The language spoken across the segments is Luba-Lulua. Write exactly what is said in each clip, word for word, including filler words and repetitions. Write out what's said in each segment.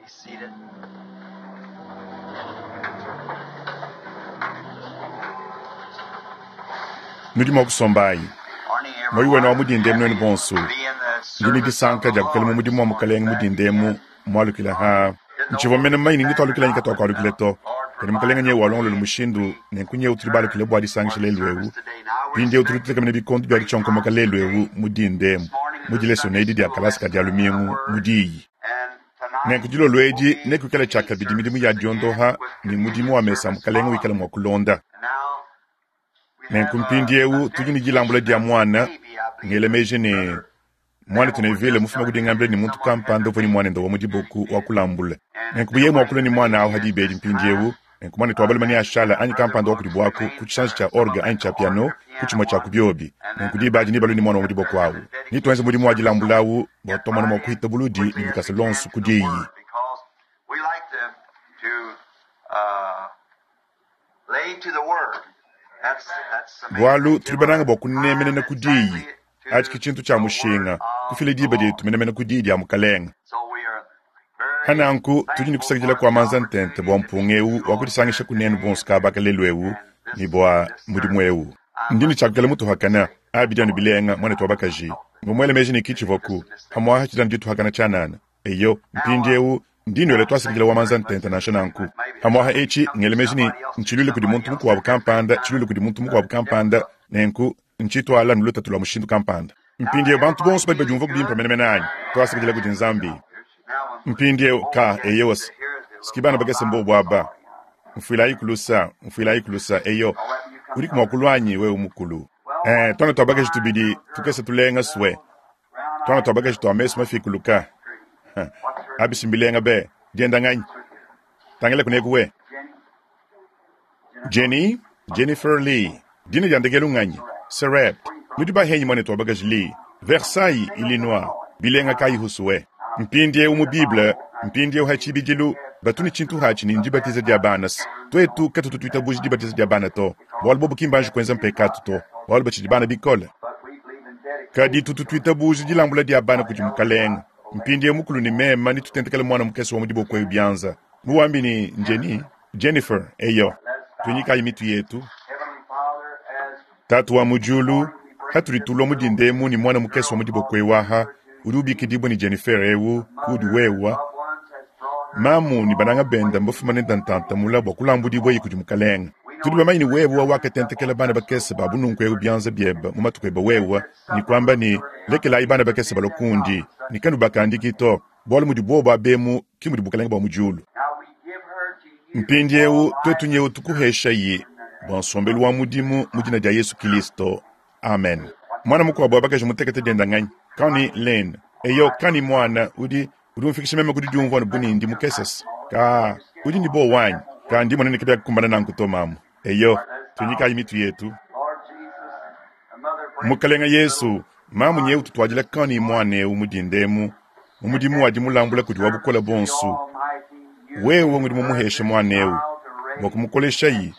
Be seated. Nudi mua kusombayi. Morning, Moyi wenu wa everyone. mudinda emu Happy nuenu bonso. to be in the Ndi ne service of disanka the dia kukela mu Lord mudimu this wa morning. mukalenge Glad mudinda to be emu in. mwalukila ha. Didn't know Ntshivua what mene was mmanyi back or ngitwalukila not, nyika but uh, twakwalukile to. Lord Kadi mukalenge provided nyewu a walongolola way. mushindu We nenku nyewu tuli returned balukile bua for disangisha the lelu ewu. service today. Now we're Mpindieu tuli expecting tutekamene bikondo bia great ditshionkomoka times lelu ewu today. mudinda emu. This morning Mu is the dileso Sunday edi dia school kalasa ka lesson dia uh, lumingu mu word, diyi. and Nenku tonight dilolo will edi be nekuikale tshia evening kabidi midimu ya services again diondoha with ne mudimu communion wa mesa service mukalenge wikala following. mua kulonda. And now we Nenku have a, a mpindieu tudi ne dilambula dedication dia of a mwana baby, I believe. ngela meji ne Brother mwana Neville was tunevile just mufuma telling me kudingambila that ne muntu someone had kampanda their uvua ne baby mwanende wa mu diboku wa dedicated, kulambula and nenku they're buye waiting muakula ne for mwana awu baby at hadi ibedi this time. mpindiewu nenku mwana Uh, twabaluma ne then ashala uh, anyi Brother kampanda wa Brooks kudibwaku remains ku tshisanji uh, tshia some orgue of anyi at the tshia organ piano or ku piano tshimue tshia one, ku biobi and then nenku the diba adi rest nibalue ne mwana wa mu get the, diboko the awu nituenze dedication mudimu wa service. So dilambula we awu bua get twamona mua right in kuhita buludi quickly ne as lukasa we can lonso to ku the diyi Word because we like to to uh, lay to the Word. That's that's the main bualu thing. tuli Give bananga our bua time kunemenena ku diyi exactly atshi to ke tshintu tshia the Word mushinga of kufila the diba Lord. dietu menemene ku diyi dia mukalenga So we are very hananku tudi ne thankful kusakidila for kua the manza ntente opportunity bua to be mpunga with ewu you wa all kudisangisha here kunenu today bonso and, kabaka lelu ewu and ne this bua this mudimu service. ewu I ndi ne must tshiakukela mutuhakana say, abidianu oh, bilenga mwana I, twa I bakaji thought ngomwele meji ne maybe kichivoku just a mistake. hamwaha chidanu dituhakana tshanana eyo Now, uh, mpindiewu ndinwele I twasakidila thank wa you manza very much. ntente nansha nanku Maybe it's hamwaha echi come to ngele meji ne somebody else, ntshilwile kudi somebody muntu else mukuabu that has that kampanda kind tshilwile of kudi muntu uh, mukuabu kampanda difficult. nenku ntshitwala nulutatu lwa mushindu kampanda Now, mpindiewu bantu everybody bonso badi feeling badiumva kubimpa good? menemene anyi twasakidila kudi nzambi Now, when, mpindiewu oh, ka yes, eyosi here is the siki little bana girl. bakese I'm mbobu aba sorry. mfuilayi kulusa mfuilayi kulusa eyo I'll let you come udi tell her. kumwakulwanyi wewe mukulu Well, eh, what's twana the twabakaji fine tubidi little girl? tukese tulenga swe Little twana brown-eyed twabakaji girl twa mesu behind mafikuluka the tree. What's her abisi mbilenga be dienda nganyi tangela kuneku we Jenny? Jennifer? Jenny Jennifer Lee dina dia ndekelu nganyi Serep nudi bahenyi mwane twabakaji Lee Versailles Illinois bilenga kayi husuwe mpindiewu mu Bible mpindiewu ha tshibidilu batuni tshintu hatshi ni ndibatiza dia bana twetu katutu tuitabuji dibatiza dia bana to bualu bobu kimbanji kuenza mpekatu to bualu batshidi bana bikole But we believe in kadi dedication tutu children. tuitabuji dilambula dia bana Our kudi elders mukalenga not so mpindiewu mukulu ni mema nitutentekele mwana mukese wa mu diboko ewu byanza muwambi ni Jenny Jennifer eyo Let's bow. tunyikayi mitu yetu Heavenly Father, as tatu wa this mujulu morning we bring hatuli this tulwa little mudindemu ni mwana mukese wa girl mu diboko called ewaha Jennifer to udi you. ubikidibwa ni Jennifer ewu The kudi mother and wewa loved ones has brought her mamu a ni bananga long benda way mbafumane ntantantamula bua kulambudibwa iyi kudi mukalenga We tudi know bamanyi it's ni great wewa to lift up wakatentekela on bana such bakese little ba ones bununku ewu and byanza byeba mu matuku eba let wewa their ni suffer kwamba ni little lekelayi bana to bakese bend that balokundi knowledge ni such kanu bakandiki to bualu mudi bobo abemu ki mudi bukalenga bua mujulu Now we give her to you for mpindiewu twetu life nyewu and tukuhesha service yi in the name bua of nsombelu wa mudimu mu dina dia yesu kilisto amen mwana mukuabu wabakaji mutekete dienda nganyi kani lane eyo kani mwana udi udi umfikisha meme kudi diumvua ne bunindi mukesese ka udi ni bo wanyi ka ndi mwana nikibya kukumbana nanku to mamu eyo tunyikayi mitu yetu Lord Jesus, the mother brings mukalenga this little yesu mamu nyewu tutwadila kani mwana ewu mudindemu mu mudimu wadi mulambula kudi wa service bukola to the bonso Almighty. You wewe gave ngudi her mumuheshe this mwana ewu child to bua raise, kumukolesha and yi she's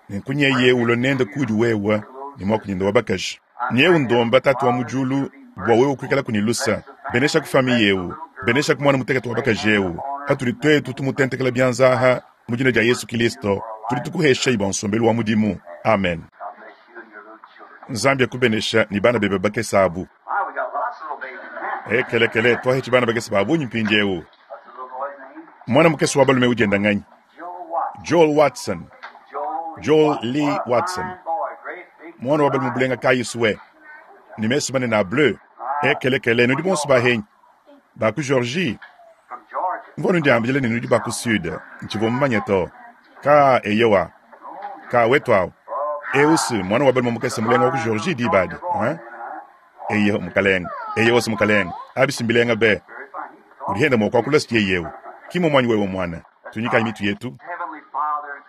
nenkunyeye bringing ulo it to nende you, kudi wewa her little ni mwakunyenda wa bakaji I'm nyewu praying, ndomba tatu wa Father, that mujulu you'll be bua wewe merciful. kuikala kunilusa Bless the benesha family, kufami bless the yewu little girl, benesha kumwana mutekete wa lay bakaji hands ewu upon her hatuli in the name twetu of tumutentekela Jesus byanzaha Christ. mu dina dia Give her yesu to you kilisto for a tuli life tukuhesha service. iba nsombelu wa mudimu amen God bless you and your little children. nzambi akubenesha ni bana bebe bakese abu My, we got lots of little babies now. ekelekele twahechi bana bakese babunyi mpindiewu What's the little boy's name? mwana mukese wa balume udienda nganyi Joe Watson. joel watson Joel Lee joel Watson. lee What a watson fine boy. Great big mwana wa balume blue eyes. bulenga kayisuwe ni mesu manene a bleu Ah, ekelekele nudi where bonso y'all from? bahenyi baku georgie From Georgia. mvua ndiambile ne nudi baku sud ntshivua mumanye to ka eyowa Oh, yeah. ka wetu awu Oh, eusi my. mwana wa balume mukese A mulenga wa ku fine georgie little dibadi Georgia boy, hein? then, huh? eyo mukalenga eyo osi mukalenga abisi mbilenga be Very fine. He can talk. ulihenda mwakwakula siye yewu kimo mwanyi wewe mwana Let's tunyikayi bow. mitu yetu Heavenly Father, we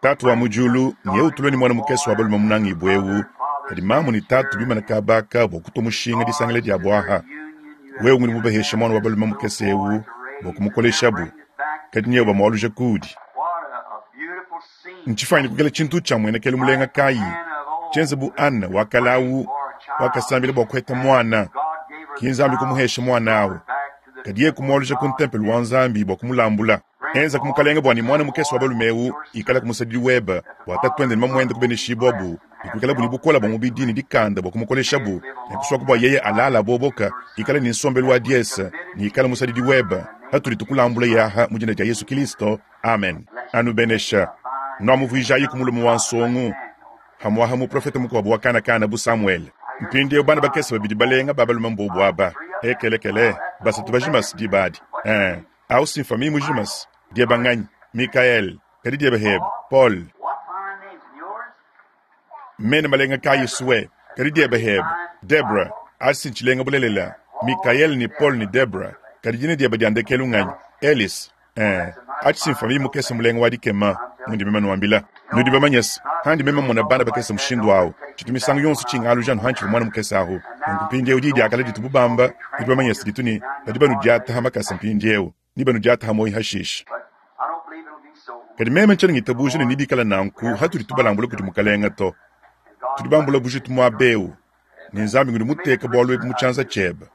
tatu wa bring this mujulu nyewu darling tulwe ni mwana little mukese boy wa balume and munangi the ibwewu mother and father kadi mamu ni stands tatu here bimana in kabaka bua kutwa mushinga regards disangile dia to their bwaha union you have wewe ngudi given mubahesha them mwana wa this balume little mukese boy ewu to bua raise and now kumukoleshabu bring it back to kadi nyewu you. bamwaluja kudi What a, a beautiful scene ntshifanyi kukela tshintu tshia muenekelu mulenga like kayi Hannah of tshienze old bu who ana prayed wakalawu for a child wakasambila bua kuheta and mwana God gave her the kinzambi child kumuhesha and mwana brought awu her back to Kadi yeye kumualuja ku ntempelo wa Nzambi bua kumulambula. Enza ku mukalenge bua ne mwana mukese wa balume eu ikala ku musadidi webe, bua tatuende ne mamuende kubeneshibwabu, ne kuikalabu ne bukole bua mubidi ne dikanda bua kumukoleshabu, ne kusuaku bua yeye alala boboka, ikala ne nsombelu wa diese, ne ikala musadidi webe. Hatudi tukulambula yaha mu dina dia Yesu Kristo. Amen. Anubenesha. Nwamuvuijayi ku mulume wa nsongu, hamwaha muprofeta mukuabu wa kanakana bu Samuel. Mpindieu bana bakese babidi balenga ba balume mbobu aba. Ekelekele, basatu bajimas dibadi. Eh, au simfami mujimas. Dieba nganyi? Mikael, kadi dieba hebe, Paul. What fine names and yours? Mene malenga kayi suwe, kadi dieba hebe, Debra, asi nchilenga bulelela, Mikael ni Paul ni Debra, kadi dina dieba dia ndekelu nganyi? Elis. Eh, achi simfami mukese mulenga wa dikema, mundi mema nuambila. Nudi bamanyese, handi mema mona bana bakese mushindu awu. Tshitu misangu yonso tshingalu janu hanchi mwana mukese ahu. Nunku mpindieu di diakala ditu bubamba, nudi bamanyese ditu ni badi banudiata ha makasa mpindieu, ni banudiata ha moyi hashisha. But I don't believe it'll be so. Kadi meme ntshiena ngitabuja ne nibikala nanku hatudi tubalambula kudi mukalenga to. And God Tudi bambula bujitu muaba eu, ne Nzambi ngudi muteka bualu ebu mu tshianza tshiebe.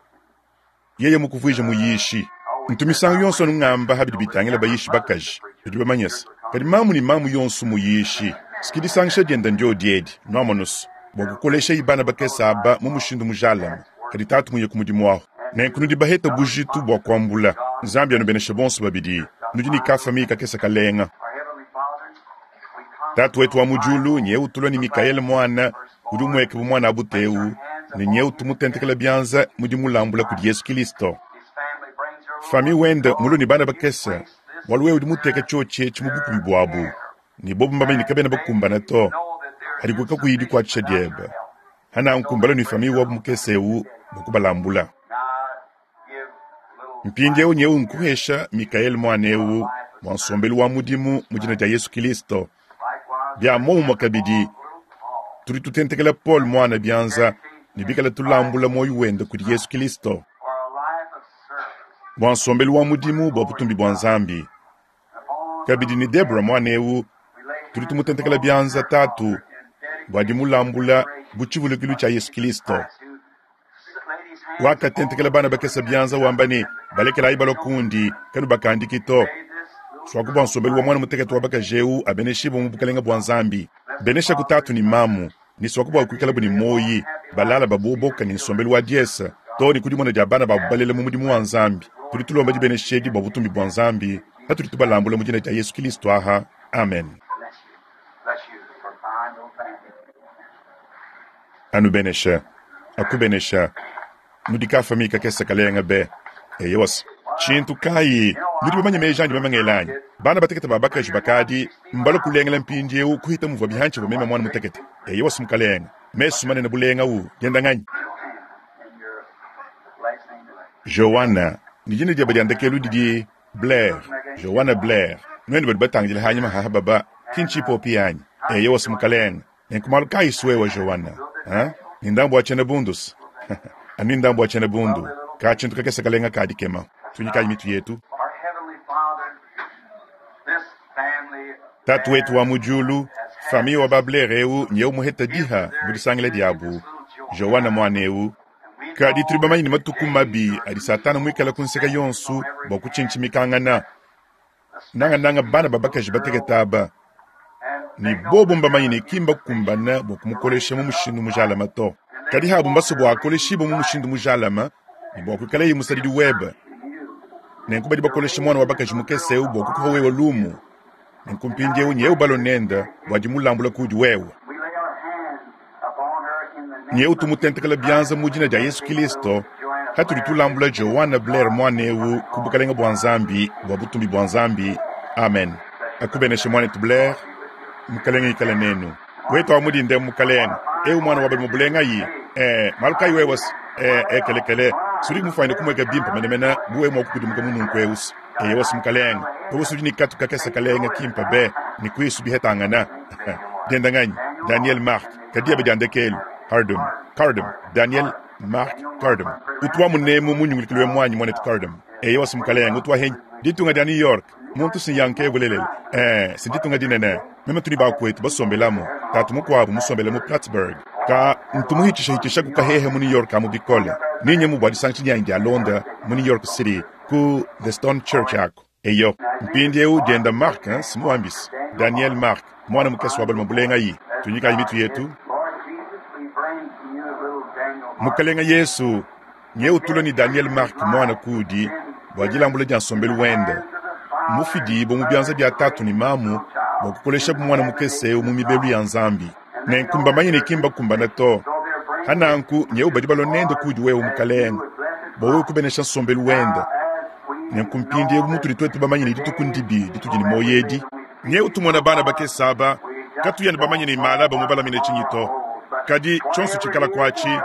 Yeye mukuvuija muyishi. Ntu misangu yonso anu ngamba habidi bitangila bayishi bakaji, tudi bamanyese. Kadi mamu ne mamu yonso muyishi. Sikidisangisha dienda ndio diedi, nwamonusu. Bua kukolesha ibana bakese aba mu mushindu mujalame. Kadi tatu muye ku mudimu waho. Nenku nudi baheta bujitu bua kuambula. Nzambi anubeneshe bonso babidi. Nudi ne ka famille kakese kalenga. Our Heavenly Father, we come Tatu wetu wa mu diulu, nye utulwa ni Mikaele mwana, udi umweke bu mwana abuteu, ne nye utumutentekela bianza mudi mulambula kudi Yesu Kristo. his family brings her Fami wende mulu ni bana bakese, bualu wewe udi muteka tshiotshi etshi mu bukubi buabu, ne bobu mbamanye ne kabena bakumbana to. know that they're Hadi kuka kuyidi kuatshisha diebe. Hana nkumbala ni fami wabu mukese eu bua kubalambula. now give little Mpindieu nyeu nkuhesha Mikaele mwana eu bua nsombelu wa mudimu mu dina dia Yesu Kristo. likewise Bia momumue kabidi, little Paul tudi tutentekela Paul mwana bianza ne bikala tulambula moyo wende kudi Yesu Kristo. for a life of service Bua nsombelu wa mudimu bua butumbi bua Nzambi. upon Kabidi ni Debra mwana eu we lay tudi tumutentekela bianza tatu bua dimulambula bu tshivulukilu tshia Yesu Kristo. Christ who laid his hands Wakatentekela bana bakese bianza wamba ne balekelayi balua kundi kanu bakandiki to. upon this little Swaku bua nsombelu wa mwana mutekete wa bakaji eu abeneshibwe mu bukalenga bua Nzambi. Benesha ku tatu ni mamu, ni swaku bua kuikala bu ni moyi, balala baboboka ni nsombelu wa diesa, to ni kudimona dia bana babu balela mu mudimu wa Nzambi. Tudi tulomba dibeneshedi bua butumbi bua Nzambi, hatudi tubalambula mu dina dia Yesu Kristo aha. Amen. bless you. Bless you for fine little family. Anubenesha, akubenesha, nudi ka famille kakese kalenga be. Eyowas. Tshintu kayi, nudi bamanye meji andi bamangelanyi. Bana batekete ba bakaji bakadi, mbalo kulengela mpindieu kuhita muvua bihanchi bua meme mwana mutekete. Eyowas mukalenga. Mesu manene bulenga u, dienda nganyi? And your last name is Joanna, ni dina dieba dia ndekelu didi Blair. Joanna Blair. Nwenu badi batangila hanyuma haha baba, kinchipo piyanyi. Eyowas mukalenga. Nenkumalu kayi suwewa Joanna. Ha? Ni ndambu wa chene bundus. Ani ndambu wa chene bundu. Ka tshintu kakese kalenga kadi kema. Tunyikayi mitu yetu. Our Heavenly Father, this family Tatu wetu wa mu diulu, famille wa ba Blair eu nyeu muheta diha mu disangila diabu. Joanna mwana eu. and we Kadi know tuli bamanyi ne matuku mabi adi Satana muikala ku nseka yonso bua kutshintshimikangana. Nangananga bana ba bakaji batekete aba. and Ni bobu mbamanyi ne kimba kukumbana bua kumukolesha mu mushindu mujalama to. Kadi habu mbaso bua akoleshibwe mu mushindu mujalama, ne bua kuikalaye musadidi webe. Nenku badi bakolesha mwana wa bakaji mukese eu bua kukuha wewe lumu. Nenku mpindieu nyeu balo nenda bua dimulambula kudi wewe. we lay our hands upon her in the name Nyeu tumutentekela bianza mu dina dia Yesu Kristo, hatudi tulambula Joanna Blair mwana eu ku bukalenga bua Nzambi, bua butumbi bua Nzambi. Amen. Akubeneshe mwanetu Blair, mukalenga ikala nenu. Wetu wa mudinde mukalenga, eu mwana wa balume bulenga yi. Eh, malukayi wewe eh ekelekele. Sudi mufanye kumweka bimpa menemena buwe mwa kukudimuka mununku eusi. Eye wasi mukalenga. Wewe sudi ni katu kakesa kalenga kimpa be, ni kwisu bihetangana. Dienda nganyi, Daniel Mark, kadia bediandekelu, Hardum, Cardum, Daniel Mark Cardum. Utwa munemu munyungulikilwe mwanyi mwanetu Cardum. Eye wasi mukalenga utwa henyi. Ditunga dia New York, muntu sinyanke bulelele. Eh, sinditunga dinene. Meme tuli bakwetu basombelamo. Tatu mukuabu musombele mu Plattsburgh. Ka ntumuhitisha hitisha kukahehe mu New York amu bikole. Ninye mu bwa disangisha dyanyi dia Londa mu New York City. Ku The Stone Church aku. Eyo, mpindieu dienda Mark, hein, simuambisi. Daniel Mark, mwana mukese wa balume bulengayi. Tunyikayi mitu yetu. Lord Jesus, we bring to you little Daniel Mark. Mukalenga Yesu, nye utula ni Daniel Mark mwana kudi, bua dilambula dia nsombelu wende. Mufidibo mu bianza bia tatu ni mamu, bua kukolesha mwana mukese mu mibelu ya Nzambi. Nenku mbamanye ne kimba kumbana to. Hananku nye ubadi balonende kudi wewe mukalenga, bua wewe kubenesha nsombelu wende. Nenku mpindiewu mutudi twetu bamanye ne dituku ndibi ditudi ne moyo edi. Nye utumona bana bakese aba, katuya ne bamanye ne mala bamubalamine tshinyi to. Kadi tshionso tshikala kuatshi,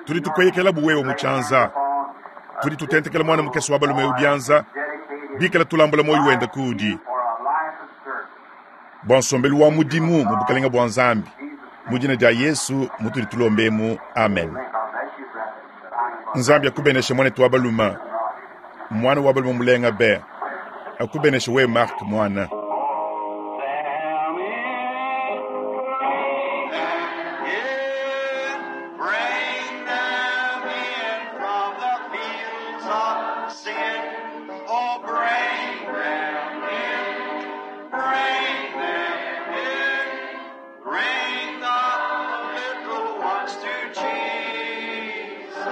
tudi tukweyekela buwewe mu tshianza. Tudi tutentekela mwana mukese wa balume ubianza, bikala tulambula moyo wende kudi. Bua nsombelu wa mudimu mu bukalenga bua Nzambi. Mu dina dia Yesu mutudi tulombemu, amen. Nzambi akubeneshe mwanetu wa balume, mwana wa balume mulenga be. Akubeneshe we Mark mwana. Bring them in from the fields of sin. Oh, bring them in. Bring them in. Bring the little ones to Jesus.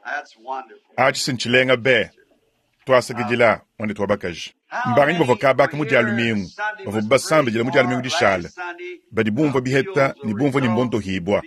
That's wonderful. Achi sinchilenga be. Twasakidila mwanetu wa bakaji. Mbanganyi bavua kabaka mu dia lumingu, bavua basambidila mu dia lumingu dishala. Badi bumvua biheta ne bumvua ne mbonto hibwa.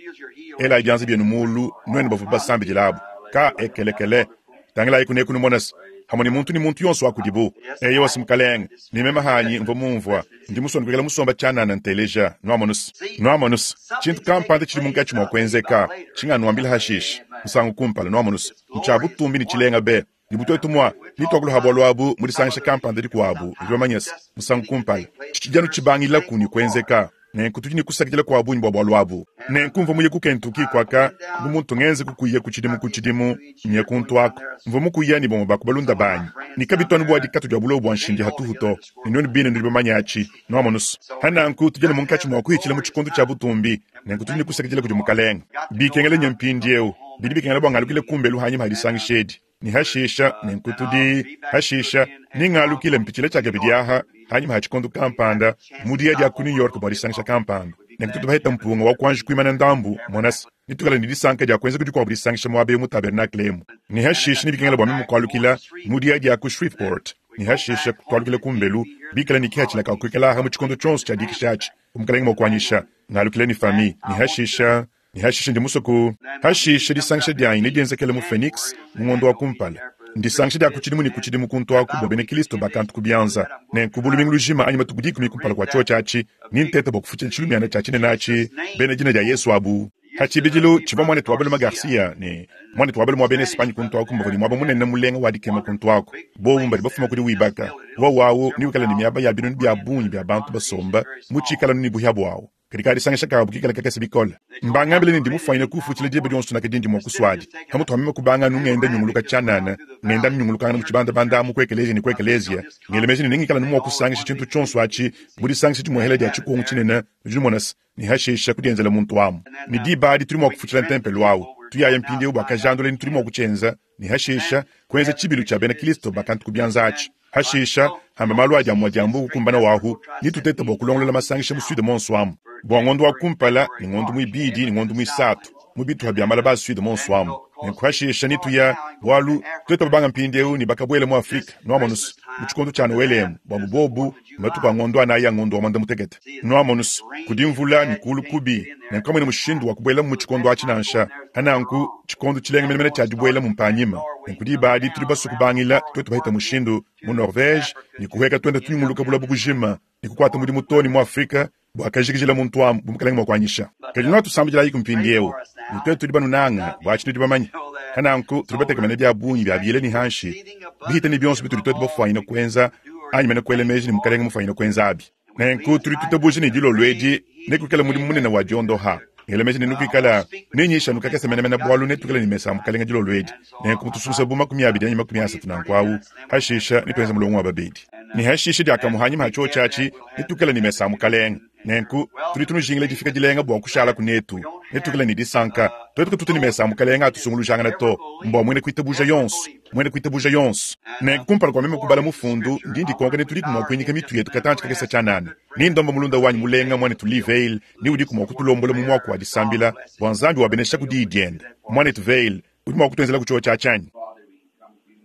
Ela ibianza byenu mulu, nwenu bavua basambidila abu. Ka ekelekele. Tangilayi kuneku numonasa. Hamwe ni muntu ni muntu yonso wakudibu. Eyo wasimukalenga, ni mema hanyi mvua mumvua. Ndi musonde kwekela musomba tshanana nteleja, nwamonus. Nwamonus. Tshintu kampanda tshili munkatshi mua kuenzeka. Tshinga nwambila hashishi. Musangu kumpala nwamonus. Ntsha butumbi ni tshilenga be. Ni butwetu mwa, ni twakuluha bwalu abu, mudisangisha kampanda dikuabu, nudi bamanyese, musangu kumpala. Tshijanu tshibangila ku ni kuenzeka. Nenku tudi ni kusakidila kwa bunyi bwa bwalu abu. Nenku mvua muye ku Kentucky kwaka, bu muntu ngenze kukuya ku tshidimu ku tshidimu, nye kuntu ako. Mvua mukuya ni bamwe bakubalunda banyi. Ni kabitwanu bwa dikatu dia bulobo bwa nshindi hatuhu to. Ni nwenu bine nudi bamanya atshi, nwamonusu. Hananku tudi ne munkatshi mua kuhitshila mu tshikondo tshia butumbi. Nenku tudi ni kusakidila kudi mukalenga. Bikengele nye mpindiewu. Bidi bikengela bwa ngalukile kumbelu hanyima hadisangisha edi. Ni hashisha, nenku tudi hashisha, ni ngalukile mpitshila tshia kabidi aha, hanyima ha tshikondo kampanda, mudiya dia ku New York bua disangisha kampanda. Nenku tutu baheta mpunga wa kuanji kuimana ndambu, monasi, nitukala ni disanka dia kuenza kudi kuabu disangisha muaba emu tabernacle emu. Ni hashisha ni bikengela bua meme kualukila mudiya dia ku Shreveport. Ni hashisha kualukila kumbelu, bikala ni kihatshila ka kuikala aha mu tshikondo tshionso tshia dikisha atshi. Umukalenga mua kuanyisha, ngalukile ni fami. Ni hashisha, ni hashisha ndi musoku. Hashisha disangisha dianyi ne dienzekele mu Phoenix, mu ngondo wa kumpala. Ndisangisha dia kutshidimu ni kutshidimu kuntu aku bua bena Kristo bakantu kubianza. Nenku bulumingu lujima anyi matuku dikumi kumpala kua tshio tshiatshi, ni ntete bua kufutsha tshilumiana tshia tshinene atshi, bena dina dia Yesu abu. Hatshibidilu tshivua mwanetu wa balume Garcia ne mwanetu wa balume wa bena Espagne kuntu aku mbavua ne muaba munene mulenga wa dikema kuntu aku. Bobu mbadi bafuma kudi wibaka. Wawawu ni wikala ne miaba ya binunu bia bungi bia bantu basomba, mu tshikala ni buhia buawu. Kadi kadisangisha kabu kikala kakese bikole. Mbangambile ne ndi mufanyine kufutshila diba dionso nakadi ndi mua kuswadi. Hamutu wa meme kubanga nungenda nyunguluka tshanana, ngenda nyungulukangana mu tshibandabanda mu kuekelezia ne kuekelezia. Ngelemeji ne ningikala nu mua kusangisha tshintu tshionso atshi, mu disangisha dimuhela dia tshikungu tshinene, nudi numona se, ni hashisha kudienzela muntu amu. Ni diba adi tudi mua kufutshila ntempelo awu. Tuyaya mpindiewu bua kajandula ni tudi mua kutshienza, ni hashisha kuenza tshibilu tshia bena Kristo bakantu kubianza atshi. Hashisha hamba malu adi amua diambu kukumbana wahu, ni tutete bua kulongolola masangisha mu Sud monso amu. Bua ngondo wa kumpala, ni ngondo muibidi, ni ngondo muisatu, mu bituha bia malaba a Sud monso amu. Nenku hashisha ni tuya, bualu tuetu babanga mpindiewu ni bakabuela mu Afrika, nwamonusu, mu tshikondo tshia Noelemu, bua bubobu, matuku a ngondo anayi a ngondo wa mwanda mutekete. Nwamonusu, kudi mvula ni kulu kubi, nenku kamwene mushindu wa kubuela mu tshikondo atshi nansha. Hananku, tshikondo tshilenga menemene tshia dibuela mu mpanyima. Nenku diba adi tudi basue kubangila, tuetu bahita mushindu mu Norvège, ni kuheka tuenda tunyunguluka bulabu bujima, ni kukuata mudimu too ne mu Afrika, bua kajikijila muntu amu, bu mukalenga mua kuanyisha. Kadi nwatusambidilayi ku mpindiewu, ni tuetu tudi banunanga, bua atshi tudi bamanye. Hananku, tudi batekemene bia bungi bia biyele ni hanshi, bihita ni bionso bitudi tuetu bafwanyine kuenza, anyi mene kuela meji ni mukalenga mufwanyine kuenza abi. Nenku tudi tutabuja ni dilolo edi, nekuikala mudimu munene wa diondoha. Ngela meji ne nukuikala, nenyisha nukakese menemene bualu netukale ni mesa mukalenga dilolo edi. Nenku mutususa bu makumi abidi anyi makumi asatu nanku awu, hashisha netuenze mulongo wa babedi. Ni hashisha diakamuhanyima ha tshio tshiatshi, netukale ni mesa mukalenga. Nenku tudi tunujingila difika dilenga bua kushala kunetu, netukale ni disanka. Tuetu katutu ni mesa mukalenga atusungulujangana to, mbua mwene kuitabuja yonso. Muena kuitabuja yonso. Nenku kumpala kua meme kubala mufundu, ndi ndikonka ne tudiku mua kuinyika mitu yetu katantshi kakese tshianana. Ne ndomba mulunda wanyi mulenga muanetu Lee Vayle ne udiku mua kutulombola mu muaku wa disambila bua Nzambi wabenesha ku diyi diende. Muanetu Vayle, udi mua kutuenzela ku tshiowa tshia tshianyi? Father, we come to you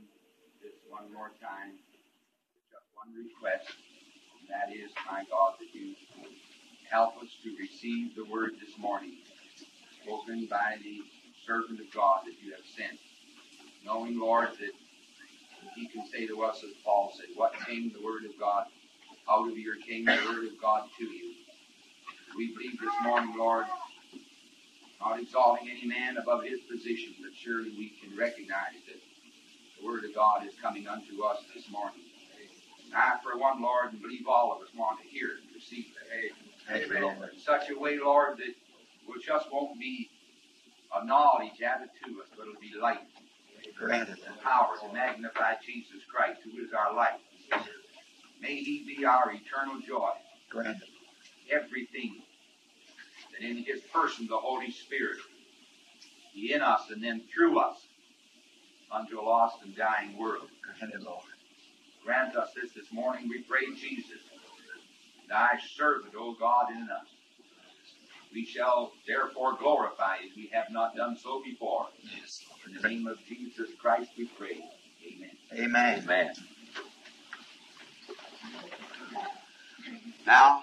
this one more time, just one request, and that is, my God, that you help us to receive the word this morning, spoken by the servant of God that you have sent, knowing, Lord, that he can say to us, as Paul said, what came the word of God out of your came the word of God to you. We believe this morning, Lord, not exalting any man above his position, but surely we can recognize that the Word of God is coming unto us this morning. And I, for one, Lord, and believe all of us want to hear it and receive it. Amen. In such a way, Lord, that it just won't be a knowledge added to us, but it'll be light Granted. and power to magnify Jesus Christ, who is our life. May He be our eternal joy. Granted. Everything that in His person, the Holy Spirit, be in us and then through us unto a lost and dying world. Granted, Lord. Grant us this this morning, we pray, Jesus, thy servant, O God, in us. We shall therefore glorify as we have not done so before. Yes, In the name of Jesus Christ we pray. Amen. Amen. Amen. Now,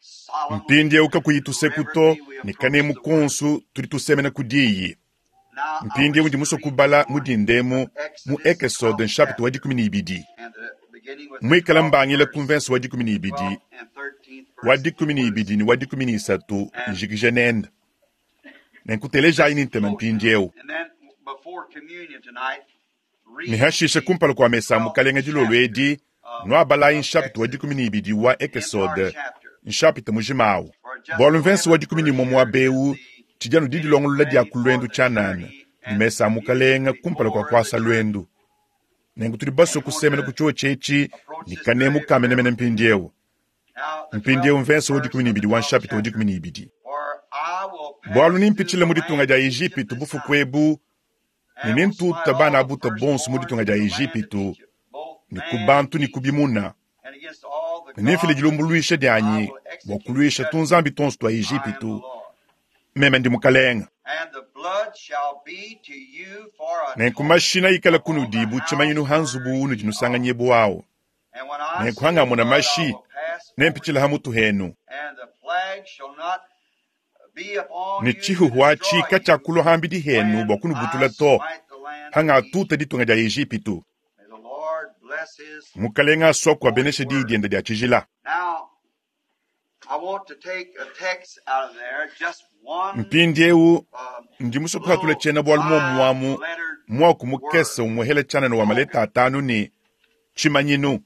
solemnly, Mpindieu kakuyi tuseku to ne kanemu konso tudi tusemena ku diyi. now I Mpindieu wish ndi to musue read kubala mu dindemu mu Ekesode nshapita wa dikumi ne ibidi. and the, beginning with the Muikala twelfth mbangila ku verse, mvenso wa dikumi ne ibidi, twelfth and thirteenth wa verse. dikumi ne ibidi ne wa dikumi ne isatu njikija nenda. Nenkutelejayi ne ntema mpindieu. And then before communion tonight, read Ne hashishe the kumpala kua mesa twelfth mukalenga dilolo chapter edi, of, nuabalayi of nshapita wa Exodus, dikumi ne ibidi wa the entire Ekesode, chapter. nshapita mujimawu. For just Bualu the mvenso wa eleventh dikumi ne verse umue here is muaba ewu, the tshidi anu didilongolola dia ready ku for lwendu the tshianana, journey ne and mesa a the mukalenga kumpala kua before the kuasa journey. lwendu. Nenku tudi basue And we want kusemena to ku chiowa tshiechi approach ne this kanemu very kamenemene reverently. mpindieu. Now, the Mpindieu twelfth mvenso wa verse dikumi ne of the ibidi wa twelfth nshapita wa chapter. dikumi ne ibidi. For I will Bualu pass through nimpichila the mu ditunga land dia of Egypt Ejipitu this bufuku night, ebu, ne and will nintuta smite bana all the abuta bonso mu firstborn ditunga in dia the land of Ejipitu, Egypt, both ne ku man and bantu ne beast, ku bimuna. and against all the Ne nimfile gods of dilumbuluisha Egypt I dianyi will bua execute kuluisha judgment. tunzambi tonso tua I am the Ejipitu, Lord. meme ndi mukalenga. And the blood shall be to you for a Nenku token mashina ikala upon the kunudi bu house tshimanyinu ha nzubu where unudi ye are. nusanganyibu awu. And when I Nenku see the hangamona blood, I mashi, will pass over nempichila you, ha mutu henu. and the plague shall not be upon Ne you to tshihuhu atshi destroy you katshiakulua hambidi henu bua when I kunubutula to, smite the land of hanga Egypt. atuta ditunga dia Ejipitu. May the Lord bless his Mukalenga asua holy kuabenesha diyi word. diende dia tshijila. Now, I want to take a text out of there, just one Mpindieu um, ndi musue kuhatula little tshiena bualu muomuamu five-lettered muaku word, mukese umuhela tshianana wa maleta token. atanu ne tshimanyinu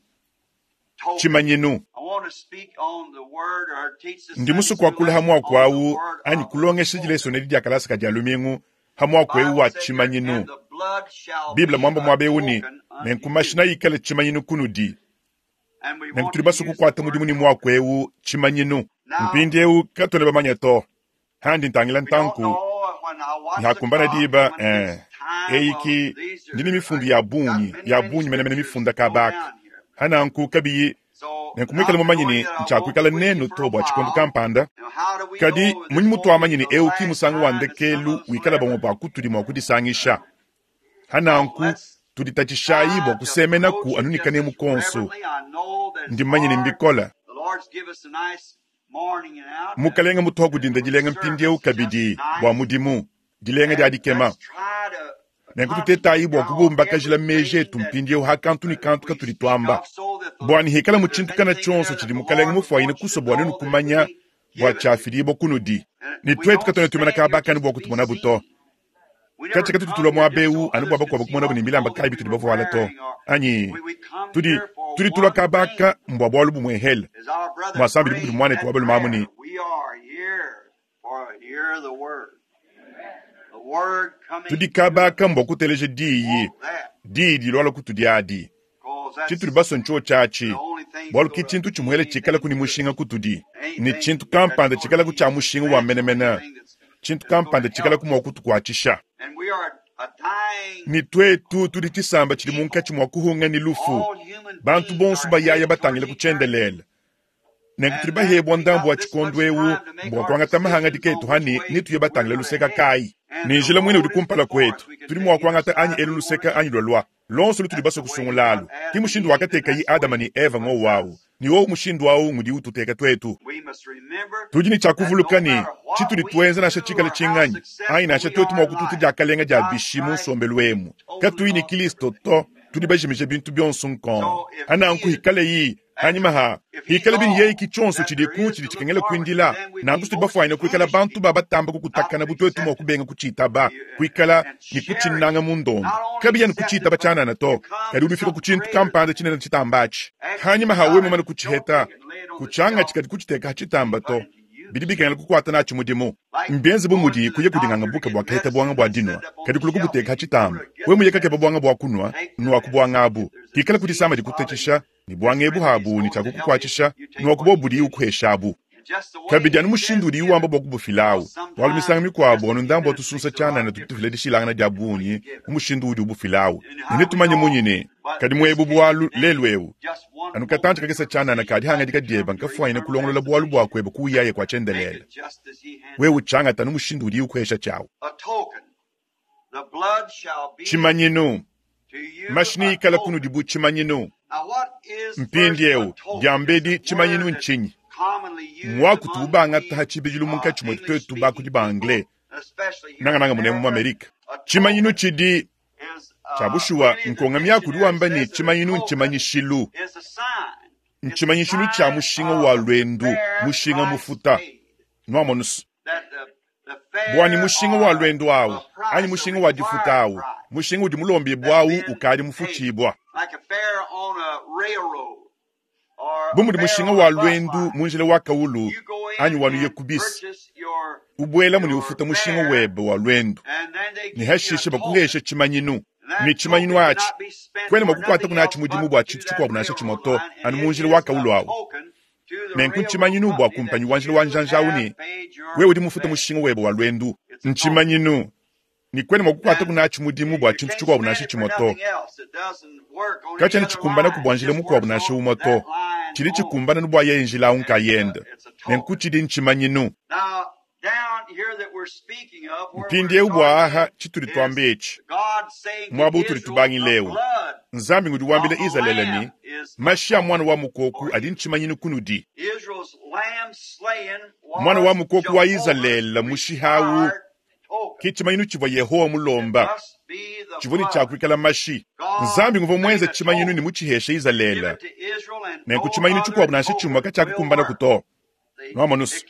Token. tshimanyinu. I want to speak on the word or teach the Ndi Sunday musue school kuakula ha lesson muaku on the awu word anyi of kulongesha token. dileso nedi dia kalasa ka dia lumingu ha The muaku ewu Bible wa said here, tshimanyinu. and the blood shall Biblia be mwamba a muaba ewu ne token unto nenku you. mashina ikale tshimanyinu kunudi. And we Nenku want tudi to basue use the kukuata word mudimu ne token. muaku ewu tshimanyinu. Now, Mpindieu katuena bamanya to handi ntangila we don't ntanku know when I watch the nhakumbana clock diba and when it eh, gets time, well, eyiki these ndine are, mifundu I ya got bungi many, ya many bungi menemene scriptures mifunda to go kabaka down here. hananku kabiyi So, nenkumwikala not mumanyi knowing ne that I won't be ntshiakuikala with you nenu for to a bua tshikondo while, kampanda now how do we kadi know this munyi won't be mutuamanyi ne the ewu ki last musangu wa time that some ndekelu of us will wikala bamue ever? bua kutudi mua kudisangisha So hananku let's tuditatshishayi try bua to kusemenaku approach it anu ne just kanemu as konso reverently. I know that it's ndi mmanye ne hard. mbikola The Lord's give us a nice morning and out uh, mukalenga mutuha kudinda for the dilenga mpindieu service, just kabidi bua nice. mudimu dilenga dia And dikema let's try to nenku tutetayi concentrate bua on kubumbakajila meji everything etu that mpindieu ha kantu ne uh, kantu we katudi speak tuamba of so that the, bua nihikala if mu there's tshintu kana anything there tshionso that tshidi the mukalenga Lord would mufuayine want you to kusua bua nenu know that it would kumanya be bua given to you. tshiafidibua kunudi And ne we tuetu don't katuena tuimana stand here kabakani just bua to be kutumona buto seen. We katshi never katudi come tulua here muaba just ewu so anu bua others could bakuabu see kumonabu what ne bilamba clothing kayi we bitudi were bavuala to wearing or anyi we, we come tudi here for tudi tulua one kabaka thing. mbua bualu bumuehele As our brother muasambidi bukudi prayed muanetu that wa balume amu prayer, ne we are here for hear the word. The word coming tudi to kabaka us. mbua kuteleja We diyi want that diyi diluala kutudi adi because that's tshitudi basue ntshio tshiatshi the only thing bualu that's ki going to tshintu mean tshimuele tshikala anything ku ne to us. mushinga kutudi ne Anything tshintu that's kampanda going to tshikala ku be tshia mushinga wa substantial, menemene anything that's, tshintu that's going kampanda to tshikala help ku us. mua kutukuatshisha And we are Ne twetu tudi tshisamba tshidi munkatshi mua kuhunga ne lufu. Bantu bonso bayaya batangile ku tshiendelele. Nenku tudi bahebwa ndambu wa tshikondo ewu bua kuangata mahangadika etu hani ne tuye batangile luseka kayi. Ne njila muine udi kumpala kwetu. Tudi mua kuangata anyi elu luseka anyi lwalwa. Lonso lutudi basue kusungulalu. Ki mushindu wakatekayi Adama ne Eva ngowawu. Ni wowu mushindu awu ngudi ututeka twetu. Tudi ne tshia kuvuluka ne tshitudi tuenza nansha tshikale tshinganyi anyi nansha twetu mua kututa diakalenga dia bishi mu nsombelu emu. Katuyi ne Kristo to, tudi bajimije bintu bionso nkongo. Ananku hikale hanyuma ha hikale bini yeyi ki tshionso tshidi ku tshidi tshikengela kuindila. Nanku tudi bafuanyine kuikala bantu ba batamba kukutakana bu twetu mua kubenga kutshitaba, kuikala ne kutshinanga mu ndondo. Kabiya ne kutshitaba tshianana to, kadi udi ufika ku tshintu kampanda tshinene tshitambatshi. Hanyuma ha wewe mumane kutshiheta, kutshianga tshikadi kutshiteka ha tshitamba to. Bidi bikengela kukuata natshi mudimu. Mbienze bu mudi kuya kudinganga buka bua kaheta bwanga bua dinwa, kadi kuluku buteka ha tshitamba. Wewe muye kakeba bwanga bua kunwa, nwa ku bwanga abu. Hikala kudisama dikutetesha, ni bwanga ebu habu ni tshiakukukuatshisha, nwa ku bobudi ukuhesha abu. Kabidi anu mushindu udi wamba bua kubufilawu. Bualu misanga mikuabu anu ndambu wa tusunsa tshianana tudi tufila dishilangana dia bungi mu mushindu udi ubufilawu. Ne netumanye munyi ne, kadi muebu bualu lelu ewu. Anu katantshi kakese tshianana kadi hangadika dieba nkafuanyine kulongolola bualu bua kueba kuuyaye kua tshiendelele. Wewe utshangata anu mushindu udi ukuhesha tshiawu. Tshimanyinu. Mashini ikala kunudi bu tshimanyinu. Mpindiewu, diambedi tshimanyinu ntshinyi? Mwaku tuubangata ha tshibidilu munkatshi mwetu twetu bakudi ba anglais, nangananga munemu mu Amerika. Tshimanyinu tshidi tshia bushuwa nkonga miaku wamba ne tshimanyinu ntshimanyishilu. Ntshimanyishilu tshia mushinga wa lwendu, mushinga mufuta. Nwamonusu. Bwani mushinga wa lwendu awu, anyi mushinga wa difuta awu, mushinga udi mulombi bwawu ukadi mufutshibwa. Bu mudi mushinga wa lwendu mu njila wa kawulu anyi wanuye kubisi, ubwela muni ufuta mushinga webe wa lwendu, ne hashishe bakuhesha tshimanyinu. Ne tshimanyinu atshi kwena mua kukuata kunatshi mudimu bua tshintu tshikuabu nansha tshimue to, anu mu njila wa kawulu awu. Nenku ntshimanyinu bua kumpanyi wa njila wa njanja awu ne wewe udi mufuta mushinga webe wa lwendu. Ntshimanyinu ni kwena mua kukuata kunatshi mudimu bua tshintu tshikuabu nansha tshimue to. Katshiena tshikumbana ku bua njila mukuabu nansha umue to. Tshidi tshikumbana nu bua yeye njila awu nkayende. Nenku tshidi ntshimanyinu. Mpindiewu bua aha tshitudi tuamba etshi. Muaba utudi tubangilewu. Nzambi ngudi wambila Izalele ne, mashi a mwana wa mukoku adi ntshimanyinu kunudi. Mwana wa mukoku wa Izalele mushihawu ki tshimanyinu tshivua Yehowa mulomba. Tshivua ne tshiakuikala mashi. Nzambi nguvua muenze tshimanyinu ne mutshiheshe Izalele. Nenku tshimanyinu tshikuabu nansha tshimue katshiakukumbana ku to. Nwamonusu.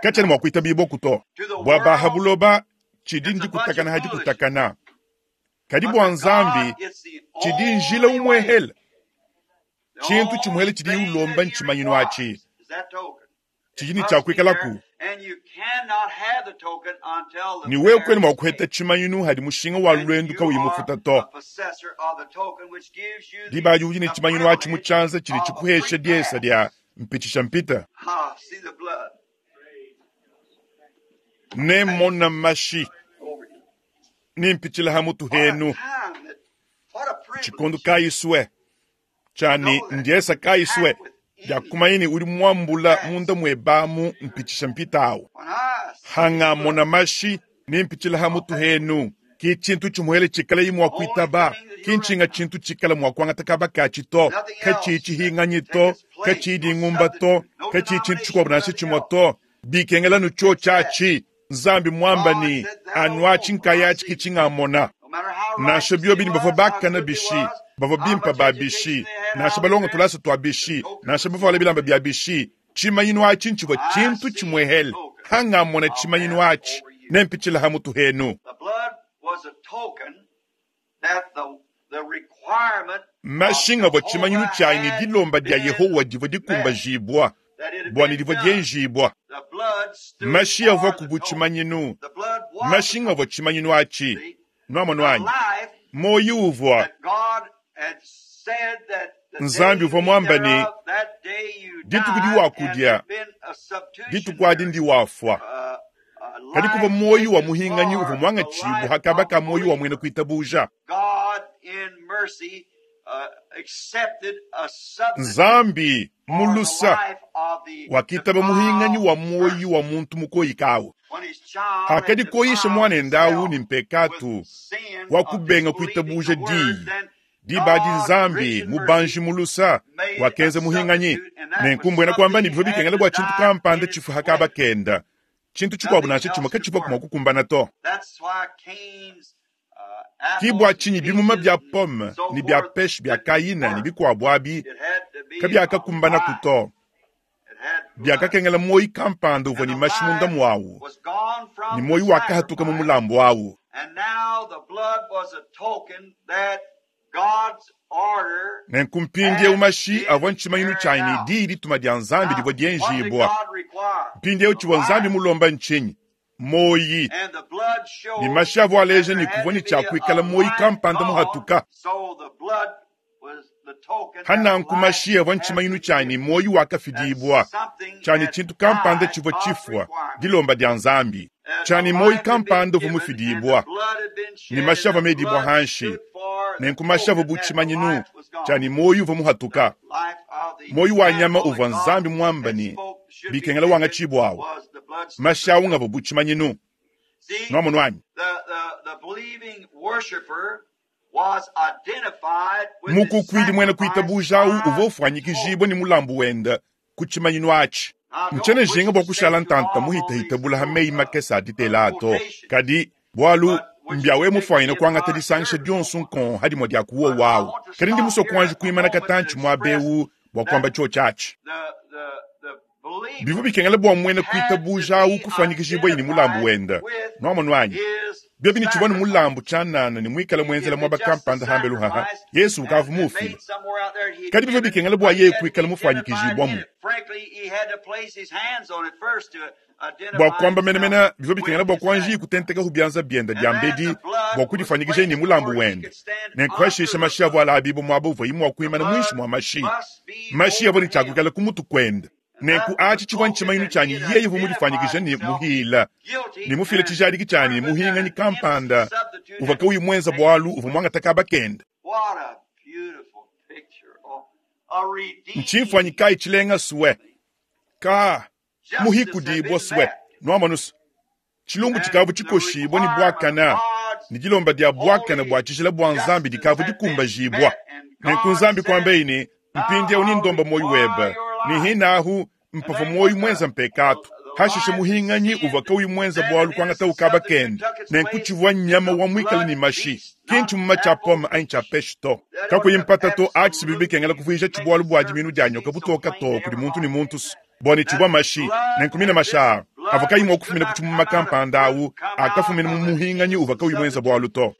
Katshiena mua kuitabibua ku to. Bua baha buloba tshidi ndikutakana hadi kutakana. Kadi bua Nzambi tshidi njila umwehela. Tshintu tshimuhele tshidi ulomba ntshimanyinu atshi. Tshidi ne tshiakuikalaku. Ni wewe kwena mua kuheta tshimanyinu hadi mushinga wa lwendu kawuyi mufuta to. Diba udi ne tshimanyinu atshi mu tshianza tshidi tshikuhesha diesa dia mpitshisha mpita. Ne mona mashi. Ni mpitshila ha mutu henu. Tshikondo kayiswe. Tshani ndiesa kayiswe. Ya kumayini udi mwambula munda mwebamu mpitshisha mpita awu. Hanga mona mashi ni mpitshila ha mutu henu. Ki tshintu tshimuhele tshikala imwa kuitaba. Ki ntshinga tshintu tshikala mwa kuangata kaba katshi to. Katshi tshihinganyi to. Katshi dingumba to. Katshi tshintu tshikuabu nansha tshimue to. Bikengela nu tsho tshiatshi. Nzambi mwamba ni anuatshi nkayatshi ki tshingamona. Nansha bio bini bavua bakana bishi, bavua bimpa ba bishi, nansha balonga tulasa tua bishi, nansha bavua bilamba bia bishi. Tshimanyinu atshi ntshivua tshintu tshimuehele. Hangamona tshimanyinu atshi, nempitshila ha mutu henu. Mashinga bua tshimanyinu tshianyi ne dilomba dia Yehowa divua dikumbajibua, bua ne divua dienjibua. Mashi avua ku bu tshimanyinu. Mashinga avua tshimanyinu atshi. Nwamono anyi? Moyi uvua. Nzambi uvua mwamba ne, dituku diwakudia, dituku adi ndiwafua. Kadi kuvua muoyo wa muhinganyi uvua muangatshibua hakaba ka muoyo wa muena kuitabuja. Nzambi mulusa wakitaba muhinganyi wa muoyo wa muntu mukoyikawu. Hakadi koyisha mwanende awu ni mpekatu wa kubenga kuitabuja diyi. Diba di Nzambi mubanji mulusa wakenza muhinganyi nenkumbwena kwamba ni bivua bikengela bua tshintu kampanda tshifu hakaba kenda. Tshintu tshikuabu nansha tshimue katshivua mua kukumbana to. Kibwa tshinyi bimuma bia pome ni bia peshe bia kayina ni bikuabu abi kabiakakumbana kuto. Biakakengela moyi kampanda uvua ni mashi munda mwawu ni moyi wakahatuka mu mulambu awu. Nenku mpindiewu mashi avua ntshimanyinu tshianyi ni diyi dituma dia Nzambi divua dienjibua. Mpindiewu tshivua Nzambi mulomba ntshinyi? Moyi. Ni mashi avua aleja ni kuvua ni tshia kuikala moyi kampanda muhatuka. Hananku mashi avua ntshimanyinu tshianyi moyi wakafidibua. Tshianyi tshintu kampanda tshivua tshifua, dilomba dia Nzambi. Tshianyi moyi kampanda uvua mufidibua. Ni mashi avua medibua hanshi. Nenku mashi avua bu tshimanyinu tshianyi moyi uvua muhatuka. Moyi wa nyama uvua Nzambi muamba ni bikengela wangatshibwawu. Mashi awu ngavua bu tshimanyinu. Nwamonu anyi? Mukukwidi mwena kuitabuja awu uvua ufuanyikijibwa ni mulambu wenda ku tshimanyinu atshi. Ntshiena njinga bua kushala ntanta muhitahita bula ha meyi makese a ditela ato. Kadi bwalu mbyawe mufuanyina kuangata disangisha dionso nkon hadimua dia kuwo wawu. Kadi ndi musue kuanji kuimana katantshi muabewu bua kuamba tshio tshiatshi. Bivua bikengela bua muena kuitabuja awu kufuanyikijibwa ni mulambu wenda. Nwamonu anyi? Biobi ni tshivua ni mulambu tshianana ni muikala muenzela muaba kampanda hambelu haha Yesu ukavu mufile. Kadi bivua bikengela bua yeye kuikala mufuanyikijibwamu. Bua kuamba menemene bivua bikengela bua kuanji kutenteka bianza bienda bia mbedi bua kudifuanyikija ni mulambu wenda. Nenkuhashisha mashi avua alabibu muaba uvua imua kuimana muinshi mua mashi. Mashi avua ni tshiakuikala ku mutu kuenda. Nenku atshi tshivua ntshimanyinu tshianyi yeye uvua mudifuanyikija ni muhila. Ni mufile tshijadiki tshianyi muhinganyi kampanda uvua kauyi mwenza bwalu uvua muangata kaba kenda. Ntshimfuanyi kayi tshilenga suwe. Ka muhikudibwa suwe. Nwamanusu. Tshilumbu tshikavu tshikoshibwa ni bwakana. Ni dilomba dia bwakana bua tshijila bua Nzambi dikavu dikumbajibwa. Nenku Nzambi kuambeyi ni mpindiewu ni ndomba moyi webe. Ni hinahu mpava moyi mwenza mpekatu. Hashishe muhinganyi uvua kauyi mwenza bwalu kuangata ukaba kenda. Nenku tshivua nyama wa muikala ni mashi. Kintu muma tshia pome anyi tshia peshe to. Kakuyi mpata to atshi sibibi bikengela kuvuija tshibwalu bua diminu dia nyoka butoka to kudi muntu ni muntu bua ni tshivua mashi. Nenku mina mashi aa avua kayi mua kufumina ku tshimuma kampanda awu akafumina mu muhinganyi uvua kauyi mwenza bwalu to.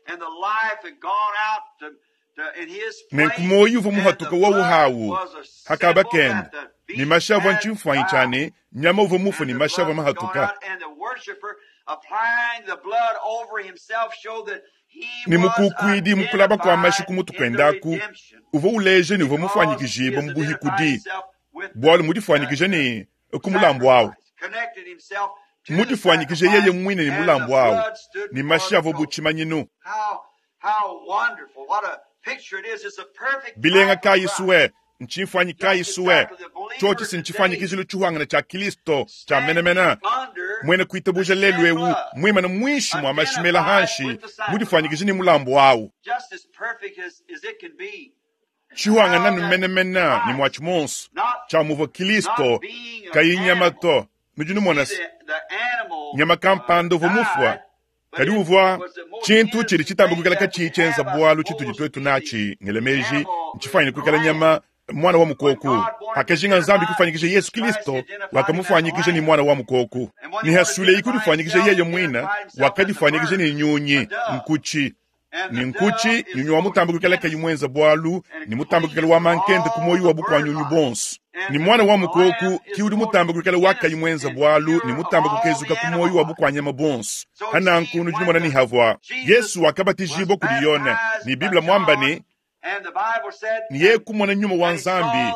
Nenku moyi uvua muhatuka wawu hawu hakaba kenda. Ni mashi avua ntshimfuanyi tshiane nyama uvua mufu ni mashi avua mahatuka. Ni mukukwidi mukulaba kwa mashi ku mutu kuendaku uvua uleja ni uvua mufuanyikijibwa mu buhikudi. Bwalu mudifuanyikije ni ku mulambu awu. Mudifuanyikije yeye mwine ni mulambu awu. Ni mashi avua bu tshimanyinu. Bilenga kayi suwe, ntshimfuanyi kayi suwe. Tshotshi si ntshifanyikijilo tshihuangana tshia Kristo tshia menemene. Mwene kuitabuja lelu ewu mwimana mwinshi mwa mashimela hanshi mudifuanyikije ni mulambu awu. Tshihuangana ni menemene ni mwa tshimonso tshia muvua Kristo kayi nyama to. Nudi numona se nyama kampanda uvua mufua. Kadi uvua tshintu tshidi tshitamba kuikala katshiyi tshienza bwalu tshitudi twetu natshi ngelemeji ntshifanyine kuikala nyama mwana wa mukoku. Hakajinga Nzambi kufanyikisha Yesu Kristo wakamufanyikisha ni mwana wa mukoku. Ni hasuleyi kudifanyikisha yeye mwina wakadifanyikisha ni nyunyi nkuchi. Ni nkuchi nyunyi wa mutambo kuikala kayi mwenza bwalu ni mutambo kuikala wa mankende ku moyi wa bukwa nyunyi bonso. Ni mwana wa mukoku kiudi mutambo kuikala wa kayi mwenza bwalu ni mutambo kukezuka ku moyi wa bukwa nyama bonso. Hananku nudi mona ni havwa Yesu wakabatijibwa kudi Yone ni Biblia mwamba ni ni yeye kumona nyuma wa Nzambi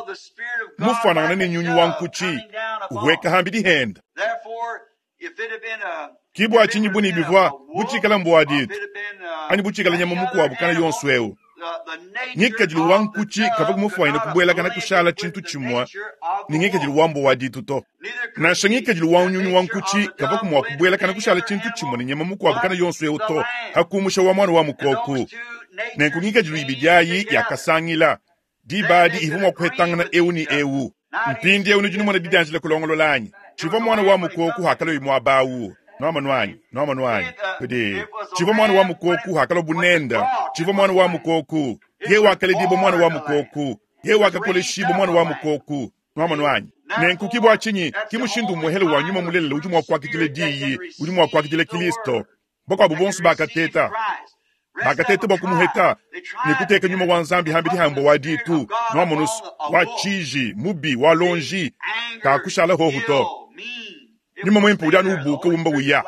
mufanana ni nyunyi wa nkuchi uhweka hambi dihenda. Ki bua tshinyi buni bivua butshikala mbua ditu anyi butshikala nyama mukuabu kana yonso eu. Ngikadilu wa nkuchi kavua kumufuanyina kubuelakana kushala tshintu tshimue ne ngikadilu wa mbua wa ditu to. Nansha ngikadilu wa nyunyu wa nkuchi kavua kumua kubuelakana kushala tshintu tshimue ne nyama mukuabu kana yonso eu to, hakumusha wa mwana wa mukoku. Nenku ngikadilu ibidi ayi yakasangila diba adi ivua mua kuhetangana eu ne eu. Mpindi eu nudi numona didianjila kulongolola anyi? Tshivua mwana wa mukoku hakalo muaba awu. Nwamonu anyi? Nwamonu anyi? Kudi tshivua mwana wa mukoku hakalo bunenda. Tshivua mwana wa mukoku. Ye wakaledibo mwana wa mukoku. Ye wakakoleshibo mwana wa mukoku. Nwamonu anyi? Nenku ki bua tshinyi ki mushindu umuhele wa nyuma mulelela udi mua kuakidila diyi, udi mua kuakidila Kristo. Bakuabu bonso bakateta. Bakateta bua kumuheta ne kuteka nyuma wa Nzambi hambidi hambo wa ditu, nwamonu wa tshiji, mubi, wa lonji, kakushala hohu to. Nyuma mwimpe udi anu ubuka wumba uya.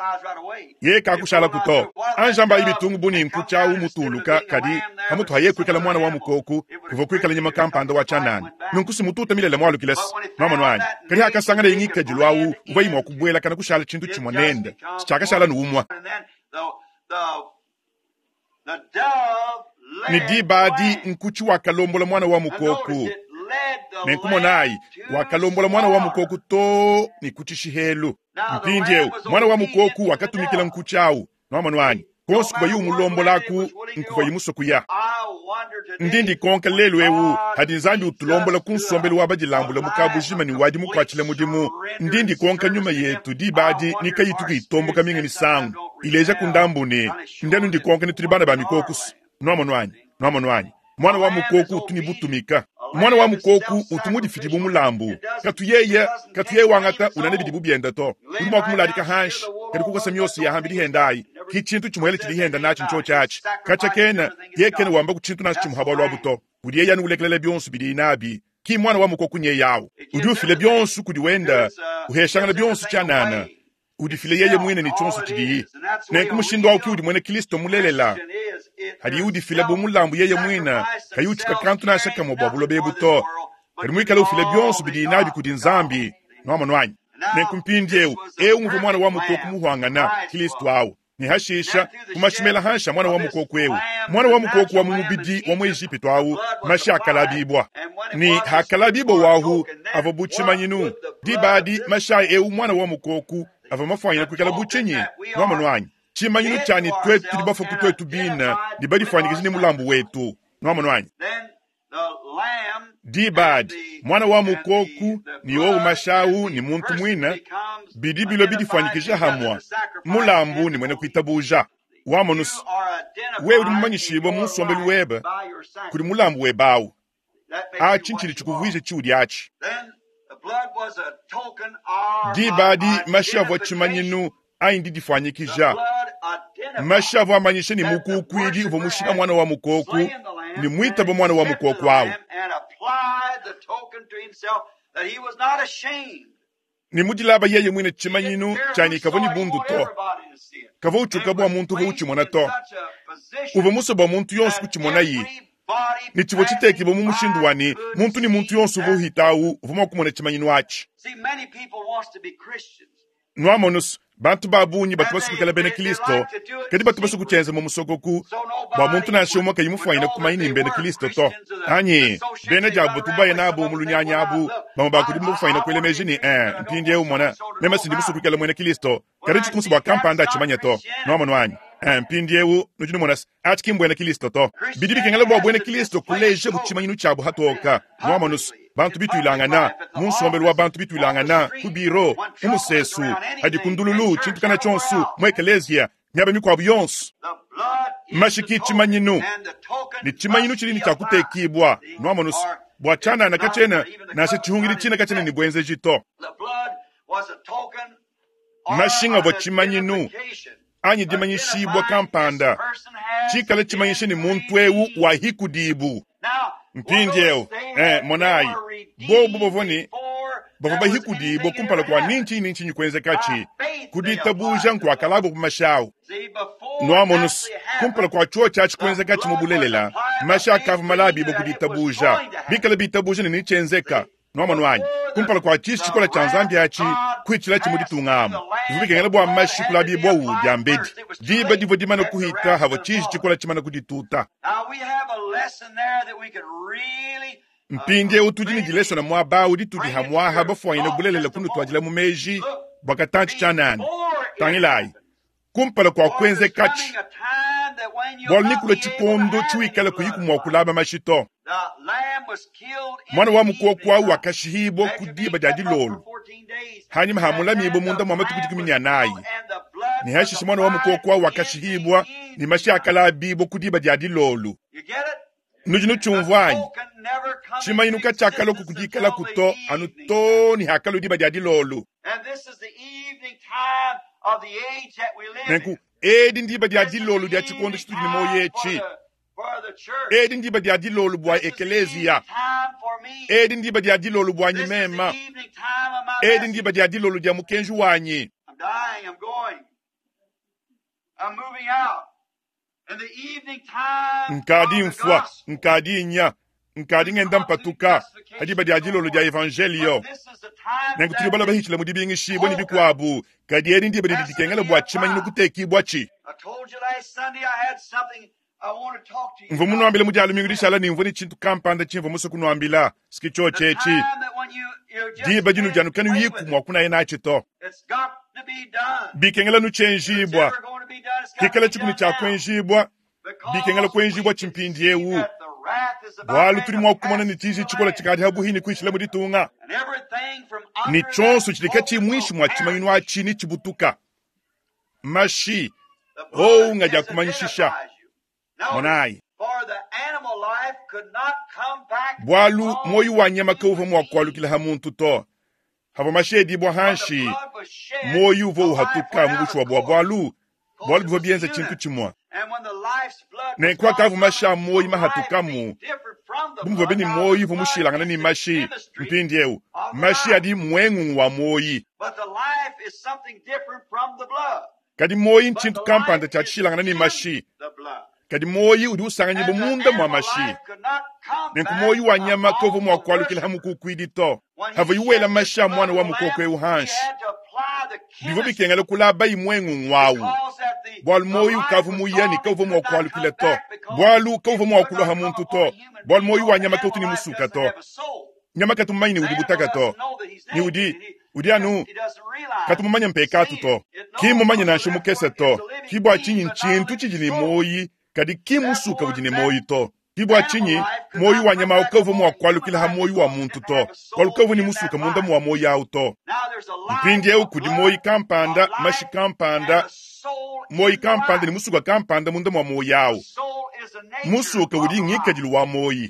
Ye kakushala kuto. Anjamba ibitungu buni nkuchawu mutuluka kadi hamutu haye kwikala mwana wa mukoku kuva kwikala nyama kampanda wa chanani. Nunkusi mututa milele mwalukilesi. Nwamonu anyi. Kadi hakasangana ingikadilu awu uva imwa kubwela kana kushala chintu chimwe nende. Chakashala nuumwa. Ni diba adi nkuchi wakalombola mwana wa mukoku. Nenkumonayi wakalombola mwana wa mukoku to ni kuchishihelu. Mpindi eu mwana wa mukoku wakatumikila nkuchi awu. Nwamonu anyi. Konso kuva yu mulombolaku nkuva yimusoku ya. Ndindi konka lelu eu hadi Nzambi utulombola ku nsombelu wa badilambula mukabujima ni wadi mukwatshila mudimu. Ndindi konka nyuma yetu diba adi nikayitu kuitomboka minga misangu. Ileja kundambu ne ndenu ndi konka ni tuli bana ba mikokusu. Nwamonu anyi? Nwamonu anyi? Mwana wa mukoku utuni butumika. Mwana wa mukoku utumudifidi mulambu. Katu yeye, katu yeye wangata unane bidi bubienda to. Udi mwa kumuladika hanshi, kadi kukosa myosi ya hambidi hendayi. Ki chintu chimwele chili henda nachi ncho chachi. Kacha kena, ye kena wamba kuchintu nachi chimuhabwa lwabu to. Udi yeye anu ulekelele bionsu bidi inabi. Ki mwana wa mukoku nye yawu. Udi ufile bionsu kudi wenda, uheshangana bionsu chanana. Udi file yeye mwine ni chonsu chidiyi. Nenku mushindu au ki udi mwene Kristo mulelela. Hadi udi file bu mulambu yeye mwina, kayuchika kantu na shaka mo bwa bulobe buto. Kadi mwikale ufile bionsu bidi inabi kudi Nzambi. Nwamonu anyi? Nenku mpindi eu, eu mvu mwana wa mukoku muhwangana, Kristo awu. Ni hashisha, kumashimela hansha mwana wa mukoku eu. Mwana wa mukoku wa mumubidi wa mu Egipito awu, mashi akalabibwa. Ni hakalabibwa wahu, avo buchimanyinu. Diba adi mashi eu mwana wa mukoku, avo mafwanyina kwikala buchinyi. Nwamonu anyi? Chimanyinu chani twetu tudi bafa kutwetu bina, ni badifwanyikije ni mulambu wetu. Nwamonu anyi? Diba adi, mwana wa mukoku ni owu mashawu ni muntu mwina, bidi bilo bidifwanyikije hamwa. Mulambu ni mwene kuitabuja. Wamonusu, we udi mumanyishibwa mu nsombelu webe, kudi mulambu webawu. Achi nchili chikuvwije chiudi achi. Diba adi mashi avua chimanyinu ayi ndidifwanyikija. Mashi avua amanyisha ni mukukwidi uvua mushika mwana wa mukoku, ni mwitaba mwana wa mukoku awu. Ni mudilaba yeye mwine chimanyinu chani kavua ni bundu to. Kavua uchuka bwa muntu uvua uchimona to. Uvua muso bwa muntu yonso kuchimona yi. Ni chivua chitekibwa mu mushindu wani, muntu ni muntu yonso uvua uhitawu, uvua mua kumona chimanyinu achi. Nwamonusu, bantu babunyi batu basukukela bena Kristo, kadi batu basukuchenza mu musokoku, bwa muntu nansha umwe kayimufwanyina kumanyini mbena Kristo to. Anyi, bena jabu batu baye nabo mu lunyanya abu, bamwe bakudi mufwanyina kwelemeji ni, eh, mpindi eu mona, mema sindi musukukela mwena Kristo, kadi chitumusu bwa kampanda achimanya to. Nwamonu anyi? Eh, mpindi eu, nudi numona, achi kimbwena Kristo to. Bidi bikengela bwa bwena Kristo kuleja buchimanyinu chabu hatoka. Nwamonusu, bantu bituilangana, mu nsombelu wa bantu bituilangana, ku biro, mu musesu, hadi ku ndululu, tshintu kana tshonsu, mu ekeleziya, miaba mikuabu yonso. Mashi ki tshimanyinu, ni tshimanyinu tshili ni tshia kutekibwa. Nwamonusu, bwa tshanana katshena, nansha tshihungidi tshina katshena ni bwenzeji to. Mashinga avua tshimanyinu, anyi dimanyishibwa kampanda. Tshikala tshimanyisha ni muntu eu wa hikudibu. Mpindi eu, eh, monayi, bobu bavua ni, bavua bahikudibwa kumpala kua ninchi ninchi nyikwenzekachi. Kuditabuja nkuakalabu ku mashawu. Nwamonusu, kumpala kua chuo chachi kwenzekachi mubulelela, masha akavu malabibwa kuditabuja. Bikala bitabuja ni nichenzeka. Nwamonu anyi? Kumpala kua tshiji tshikole tshia Nzambi atshi kuhitshilatshi mu ditunga amu, bivua bikengela bua mashi kulabibwawu diambedi. Diba divua dimane kuhita havua tshiji tshikole tshimane kudituta. Mpindieu tudi ne dilesona muaba awu ditudi hamwaha bafuanyine bulelela kunutuadila mu meji bua katantshi tshianana. Tangilayi, kumpala kua kuenzekatshi, bualu nikulua tshikondo tshiwikala kuyiku mua kulaba mashi to. Mwana wa mukoko awu wakashihibwa ku diba dia dilolo, hanyima hamulamibwa munda mua matuku dikumi ne anayi. Ne hashishe mwana wa mukoko awu wakashihibwa ne mashi akalabibwa ku diba dia dilolo. Nudi nutshiumvua anyi? Tshimanyinu katshiakalua kukudikalaku to anu too ne hakalua diba dia dilolo. Nenku edi ndiba dia dilolo dia tshikondo tshitudi ne muoyo etshi. Edi ndiba dia dilolo bua ekeleziya. Edi ndiba dia dilolo buanyi mema. Edi ndiba dia dilolo dia mukenji wanyi. Nkadi mfua, nkadi nya, nkadi ngenda mpatuka hadiba dia dilolo dia evangelio. Nenku tudi bala bahitshila mu dibingishibua ne bikuabu, kadi edi ndiba didi dikengela bua tshimanyinu kutekibua tshi. Mvua munuambile mu dia lumingu dishala ne mvua ne tshintu kampanda tshimvua musue kunuambila, siki tshiotshi etshi. Diba dinu dianu kanuyiku mua kunaya natshi to. Bikengela nutshienjibua, kikala tshikunu tshia kuenjibua, bikengela kuenjibua tshimpindiewu. Bualu tudi mua kumona ne tshiji tshikole tshikadi habuhi ne kuishila mu ditunga. Ne tshionso tshidi katshiyi muinshi mua tshimanyinu atshi ne tshibutuka. Mashi, owu ngadi akumanyishisha. Monayi. Bualu muoyo wa nyama kauvua mua kualukila ha muntu to. Havua mashi edibua hanshi, muoyo uvua uhatuka mu bushuwa bua bualu, bualu buvua bienza tshintu tshimue. Nenku akavua mashi a muoyo mahatukamu, bu muvua be ne muoyo uvua mushilangane ne mashi. Mpindieu mashi adi muengungu wa muoyo. Kadi muoyo ntshintu kampanda tshia tshishilangane ne mashi. Kadi muoyo udi usanganyibua munda mua mashi. Nenku muoyo wa nyama kauvua mua kualukila ha mukukuidi to. Havua iwela mashi a mwana wa mukoko eu hanshi, bivua bikengela kulaba imuengungu awu, bualu muoyo ukavua muya ne kauvua mua kualukila to. Bualu kauvua mua kulua ha muntu to. Bualu muoyo wa nyama kautu ne musuka to. Nyama katu mumanyi ne udi butaka to. Ne udi, udi anu katu mumanye mpekatu to. Ki mumanye nansha mukese to. Ki bua tshinyi ntshintu tshidi ne muoyo, kadi ki musuka udi ne muoyo to. Ki bua tshinyi muoyo wa nyama kauvua mua kualukila ha muoyo wa muntu to. Bualu kauvua ne musuka munda mua muoyo awu to. Mpindieu kudi muoyo kampanda, mashi kampanda, muoyo kampanda ne musuka kampanda munda mua muoyo awu. Musuka udi ngikadilu wa muoyo.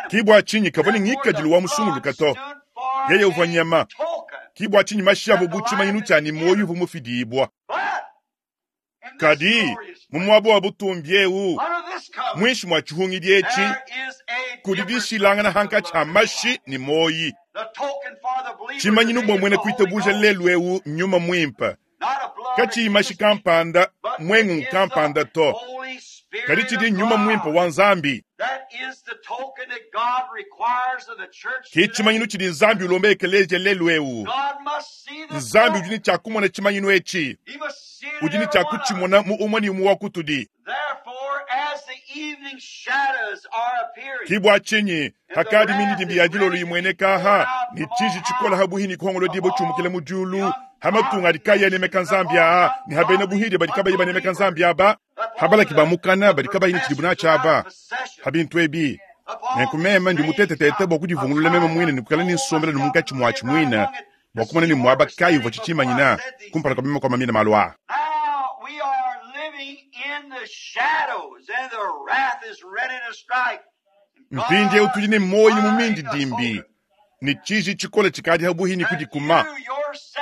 Ki bua tshinyi kavua ne ngikadilu wa musunguluka to. Yeye uvua nyama. Ki bua tshinyi mashi avua bu tshimanyinu tshia ne muoyo uvua mufidibua. Kadi mu muaba wa butumbi eu, muinshi mua tshihungidi etshi, kudi dishilangana hankatshi ha mashi ne muoyo. Tshimanyinu bua muena kuitabuja lelu eu nyuma muimpe. Katshiyi mashi kampanda, muengungu kampanda to. Kadi tshidi nyuma muimpe wa Nzambi. Ki tshimanyinu tshidi Nzambi ulomba ekelezia lelu eu. Nzambi udi ne tshia kumona tshimanyinu etshi. Udi ne tshia kutshimona mu umue ne umue wa kutudi. Ki bua tshinyi hakadi mindidimbi ya dilolo imueneka aha, ne tshiji tshikole habuhi ne kuhongolola diba tshiumukila mu diulu, ha matunga adi kayi anemeka Nzambi aa, ne ha bena buhidi badi kabayi banemeka Nzambi aba, ha balaki ba mukana badi kabayi ne tshidibu natshi aba, ha bintu ebi. Nenku meme ndi mutetetete bua kudivungulula meme muine ne kukala ne nsombela ne munkatshi muatshi muine, bua kumona ne muaba kayi uvua tshitshimanyina kumpala kua meme kuamamina malu aa. Mpindieu tudi ne muoyo mu mindidimbi, ne tshiji tshikole tshikadi habuhi ne kudikuma.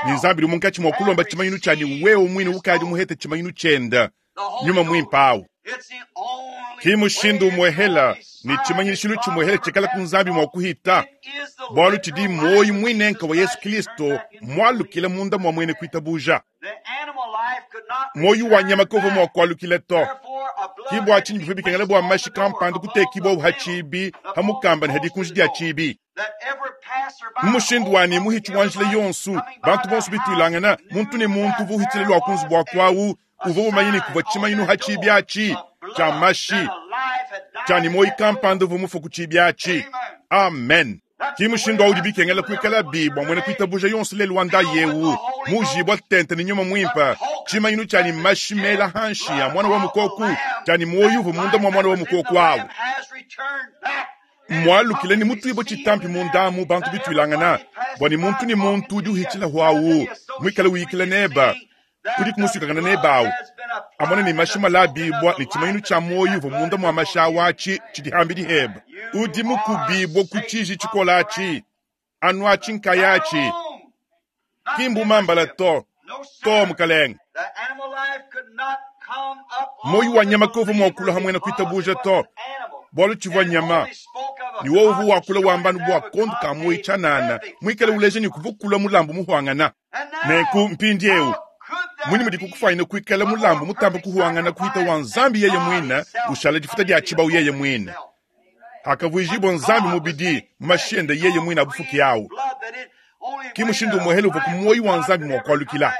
Ne Nzambi udi munkatshi mua kulomba tshimanyinu tshia ne wewe muine ukadi muhete tshimanyinu tshiende, nyuma muimpe awu. Ki mushindu umuehela ne tshimanyishilu tshimuehela tshikala ku Nzambi mua kuhita, bualu tshidi muoyo muinenka wa Yesu Kristo mualukila munda mua muene kuitabuja. Muoyo wa nyama kauvua mua kualukila to. Ki bua tshinyi bivua bikengela bua mashi kampanda kutekibua ha tshibi, ha mukamba ne ha dikunji dia tshibi. Mu mushindu wa ne muhitshi wa njila yonso, bantu bonso bituilangana, muntu ne muntu uvua uhitshila lua ku nzubu wa kwawu, uvua mumanye ne kuvua tshimanyinu ha tshibi atshi tshia mashi tshia ne moyi kampanda uvua mufue ku tshibi atshi. Amen. Ki mushindu awu udi bikengela kuikala bi bua muena kuitabuja yonso lelu wa ndayi ewu mujibwa tente ne nyuma muimpe, tshimanyinu tshia ne mashi mela hanshi ya mwana wa mukoku, tshia ne muoyo uvua munda mua mwana wa mukoku awu. Mwalukile ne mutuibwe tshitampi mundamu bantu bituilangana bua ne muntu ne muntu udi uhitshila hwawu muikale uyikila neba kudi kumusukakana nebawu amona ne mashi malabibwa ne tshimanyinu tshia muoyo uvua munda mua mashi awu atshi tshidi hambidi heba udi mukubibwa ku tshiji tshikola atshi anu atshi nkaya atshi ki mbumambala to to mukalenge. Moyo wa nyama kovua mua kulua hamwena kuitabuja to bualu tshivua nyama ni wowu uvua wakula wambanu bua kondu ka moyi tshianana muikale uleja ne kuvua kulua mulambu muhuangana. Nenku mpindiewu mwini mudi kukufaina kuikala mulambu mutamba kuhuangana kuhita wa nzambi yeye mwina ushala difuta dia tshibawu yeye mwina akavuijibwa nzambi mubidi mu mashende yeye mwina abufuki awu ki mushindu umuhele uvua ku moyi wa nzambi mua kualukila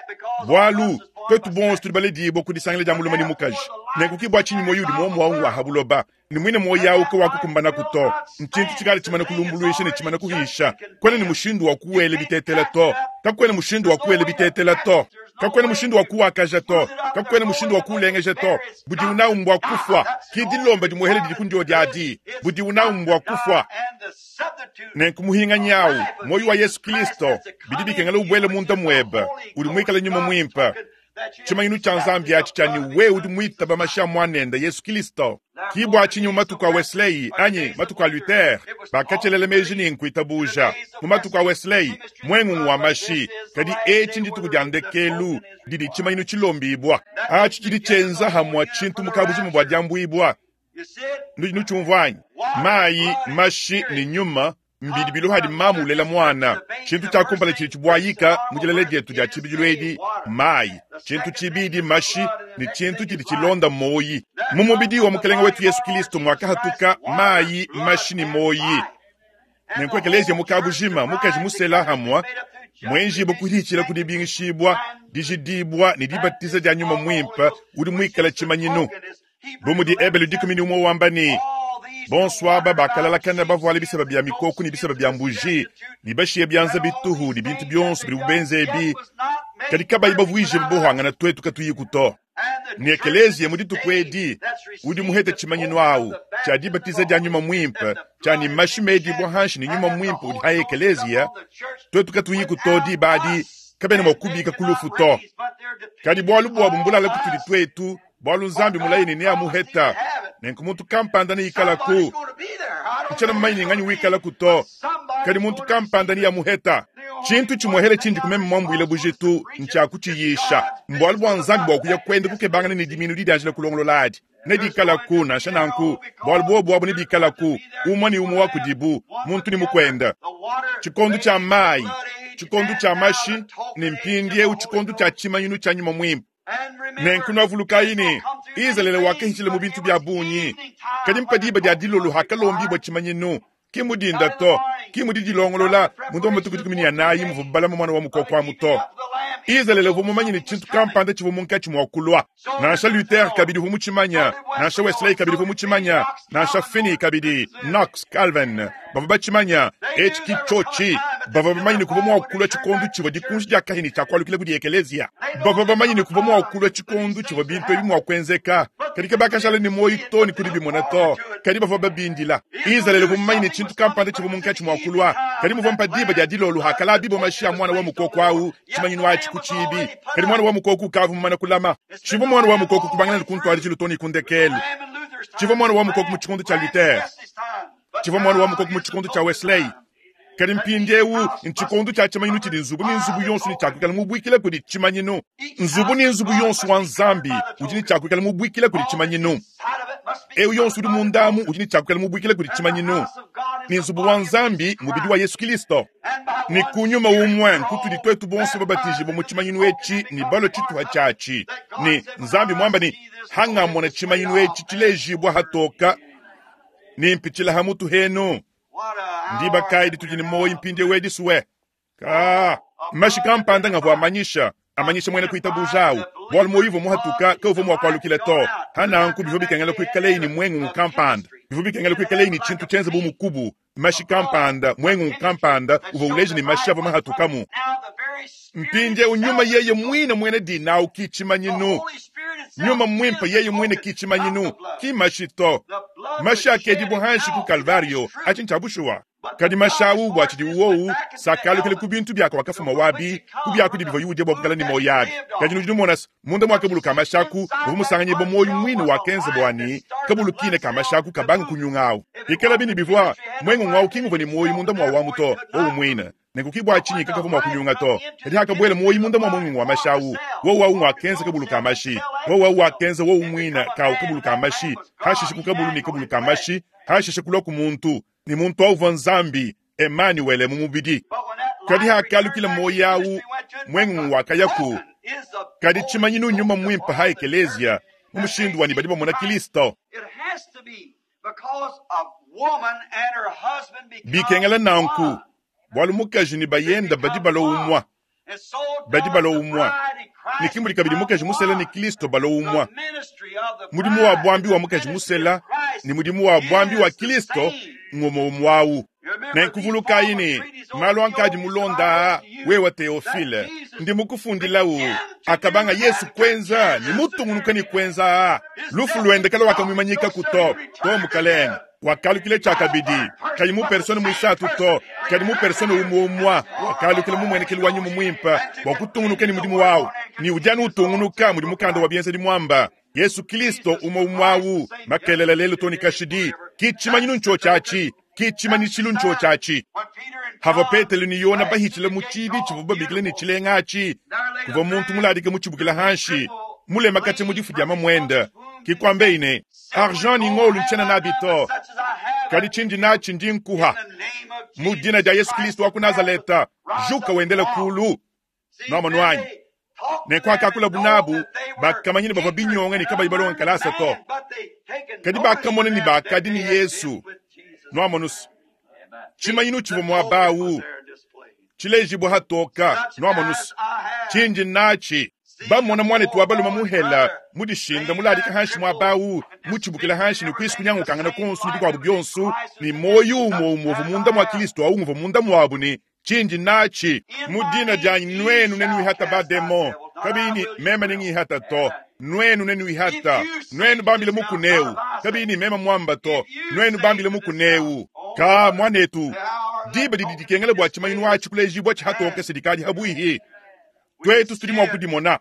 bualu twetu bonso tudi baledibwa ku disangila dia mulume ne mukaji. Nenku ki bua tshinyi moyi udi muomu awu ngwa ha buloba ne mwine moyi awu ke wakukumbana to ntshintu tshikala tshimana kulumbuluisha ne tshimana kuhisha kwena ne mushindu wa kuwela bitetela to kakwena mushindu wa kuwela bitetela to kakwena mushindu wa kuwakaja to kakwena mushindu wa kuulengeja to budi unawu mbwa kufwa ki dilomba dimuhele didi kundio diadi budi unawu mbwa kufwa. Nenku muhinganyi awu moyi wa Yesu Kristo bidi bikengela ubwele munda mwebe udi muikale nyuma mwimpe tshimanyinu tshia nzambi atshi tshia ne wewe udi muitaba mashi a mwanende Yesu Kristo. Ki bua tshinyi mu matuku a Wesley anyi matuku a Luther bakatshelela meji ne nkuitabuja mu matuku a Wesley mwengungu wa mashi, kadi etshi ndituku dia ndekelu didi tshimanyinu tshilombibwa atshi tshidi tshienza hamwa tshintu mukabujimu bua diambuibwa. Nudi nutshiumvua anyi? Mayi, mashi ne nyuma mbidi biluhadi mamu ulela mwana. Tshintu tshia kumpala tshidi tshibuayika mu dilala dietu dia tshibidilu edi mayi, tshintu tshibidi mashi ne tshintu tshidi tshilonda moyi. Mu mubidi wa mukelenge wetu Yesu Kristo mwakahatuka mayi, mashi ne moyi. Nenku ekelezia mukabujima mukaji musela hamwa mwenjibwa kuhitshila kudibingishibwa dijidibwa ne dibatiza dia nyuma mwimpe udi muikala tshimanyinu. Bu mudi Ebelu dikumi ne umwe wamba ne bonso aba bakalalakana bavuale bisaba bya mikoko ne bisaba bya mbuji ne bashiye byanza bituhu ne bintu byonso bidi bubenze ebi kadi kabayi bavuije buhangana twetu katuyiku to. Ne ekelezia mu dituku edi udi muhete tshimanyinu awu tshia dibatiza dia nyuma mwimpe tshia ne mashi medibwa hanshi ne nyuma mwimpe udi ha ekelezia twetu katuyiku to diba adi kabena mua kubika kulufu to. Kadi bualu buabu mbulala kutudi twetu bualu nzambi mulayi ne neamuheta nenku muntu kampanda neikalaku ntshena mumanyi nganyi wikalaku to kadi muntu kampanda neamuheta. Tshintu tshimuhele tshindi kumeme mwambuile bujitu ntshia kutshiyisha mbualu bua nzambi bua kuya kwenda kukebangana ne diminu didianjila kulongolola adi nedikalaku nansha nanku bualu buobu abu nebikalaku umwe ne umwe wa kudibu muntu ne mukwenda. Tshikondu tshia mayi, tshikondu tshia mashi ne mpindiewu tshikondu tshia tshimanyinu tshia nyuma mwimpe. Nenku nwavulukayi ne Izalele wakahitshila mu bintu bya bungi kadi mpadiba dia dilolo hakalombibwa tshimanyinu ki mudinda to ki mudi dilongolola mundu wa matuku dikumi ne anayi muvua balama mwana wa mukoko amu to. Izalele uvua mumanye ne tshintu kampanda tshivua munkatshi mua kulua. Nansha Luther kabidi uvua mutshimanya, nansha Wesley kabidi uvua mutshimanya, nansha Finney kabidi, Knox, Calvin bavua batshimanya etshi ki tshotshi. Bavua bamanye ne kuvua mua kulua tshikondu tshivua dikunji dia kahini tshia kualukila kudi ekelezia. Bavua bamanye ne kuvua mua kulua tshikondu tshivua bintu ebi mua kuenzeka kadi kabakashala ne moyi to ne kudi bimona to kadi bavua babindila. Izalele uvua mumanye ne tshintu kampanda tshivua munkatshi mua kulua kadi muvua mpadiba dia dilolo hakalabibo mashi a mwana wa mukoko awu tshimanyinu atshi ku tshibi kadi mwana wa mukoko ukavua mumana kulama. Tshivua mwana wa mukoko kubangana ne kuntwadi tshilo to ne kundekelu. Tshivua mwana wa mukoko mu tshikondu tshia Luther, tshivua mwana wa mukoko mu tshikondu tshia Wesley kadi mpindiewu ntshikondu tshia tshimanyinu tshidi nzubu ne nzubu yonso ne tshiakuikala mubuikila kudi tshimanyinu. Nzubu ne nzubu yonso wa nzambi udi ne tshiakuikala mubuikila kudi tshimanyinu. Ewu yonso udi mundamu udi ne tshiakuikala mubuikila kudi tshimanyinu. Ne nzubu wa nzambi mubidi wa Yesu Kristo. Ne kunyuma umwe nkutudi twetu bonso babatijibwa mu tshimanyinu etshi ne balo tshituha tshiatshi. Ne nzambi mwamba ne hangamona tshimanyinu etshi tshilejibwa hatoka ne mpitshila ha mutu henu. Ndiba kayi ditudi ne muoyo mpindieu edi Ka mashi kampanda ngavua amanyisha amanyisha muena kuitabuja awu bualu muoyo uvua muhatuka kauvua mua kualukila to. Hananku bivua bikengela kuikaleyi ne mwengungu kampanda, bivua bikengela kuikaleyi ne tshintu tshienza bu mukubu, mashi kampanda, mwengungu kampanda uvua uleja ne mashi avua mahatukamu. Mpindieu nyuma yeye mwine mwene dinawu ki tshimanyinu. Nyuma mwimpe yeye mwine ki tshimanyinu, ki mashi to. Mashi akedibwa hanshi ku Kalvario, achi ncha bushuwa. Kadi mashi awu bua tshidi uwowu sakalukile ku bintu byako wakafuma wabi, ku byakudi bivua yudia bua kukala ne moyo abi. Kadi nudi numona munda mwa kabulu ka mashi aku, uvua musanganyibwa moyo mwine wakenza bwani, kabulu kine ka mashi aku kabanga kunyunga awu. Ikala bini bivua, mwengungu awu kinguvua ne moyo munda mwa wamu to, wowu mwine. Nenku chinyi kakavua mua kunyunga to. Kadi hakabwela moyo munda mwa mwengungu wa mashi awu, wowu awu wakenza kabulu ka mashi. Wowu awu wakenza wowu mwine kawu kabulu ka mashi, hashishe ku kabulu ne kabulu ka mashi, hashishe kulwa ku muntu. Ni muntu awu Nzambi Emmanuel mu mubidi. Kadi hakalukila moyo awu mwengungu wakayaku. Kadi tshimanyinu nyuma mwimpe ha ekelezia mu mushindu wani badi bamona Kristo. Bikengela nanku bualu mukaji ni bayenda badi balo umwa, badi balo umwa. Ni kimuli kabidi mukaji musela ni Kristo balo umwa. Mudimu wa bwambi wa mukaji musela ni mudimu wa bwambi wa Kristo ngomo umwawu. Nenkuvuluka ini malu ankadi mulonda wewa Teofile ndi mukufundilawu akabanga Yesu kwenza ni mutungunuka ni kwenza lufu lwendekela wakamwimanyika kuto to mukalenga wakalukile chakabidi kali mu persona mwisatu to kali mu persona umwe wakalukile mumwenekeli wa nyuma mwimpa wakutungunuka ni mudimu wawu ni ujana utungunuka mudi mukanda wa bienza mwamba Yesu Kristo umwe umwawu makelela lelo toni kashidi kichimanyinu ncho chachi kichimanyishilu ncho chachi hava Petelo ni Yona bahichile muchibi chivuba bikile ni chilengachi kuva muntu muladike muchibukila hanshi mulema kache mudifu dia mamwenda kikwambe ine argent ni ngolu nchena nabito kadi chindi nachi ndi nkuha mu dina dia Yesu Kristo wa ku Nazareta juka wendele kulu nomanwanyi nekwakakula bunabu bakamanyini bavua binyonga ni kabayi balonga kalasa to kadi bakamona ni bakadi ni Yesu noamonusu chimanyinu chivua mwabawu chilejibwa hatoka noamonusu chinji nachi bamona mwanetu wabaluma muhela mudishinda muladika hanshi mwabawu muchibukila hanshi ni kwisi kunyangukangana konsu ni bikwabu byonsu ni moyo umo umovu munda mwa Kristo awu nguvu munda mwabu ni chinji nachi mudina janyi nwenu nenuihata bademo kabini mema ningihata to nwenu nenuihata nwenu bambile mukuneu kabini mema mwamba to nwenu bambile mukuneu ka mwanetu diba dididikengele bwa chimanyinu achi kulejibwa chihatoka sidikali habwihi twetu situli mwa kudimona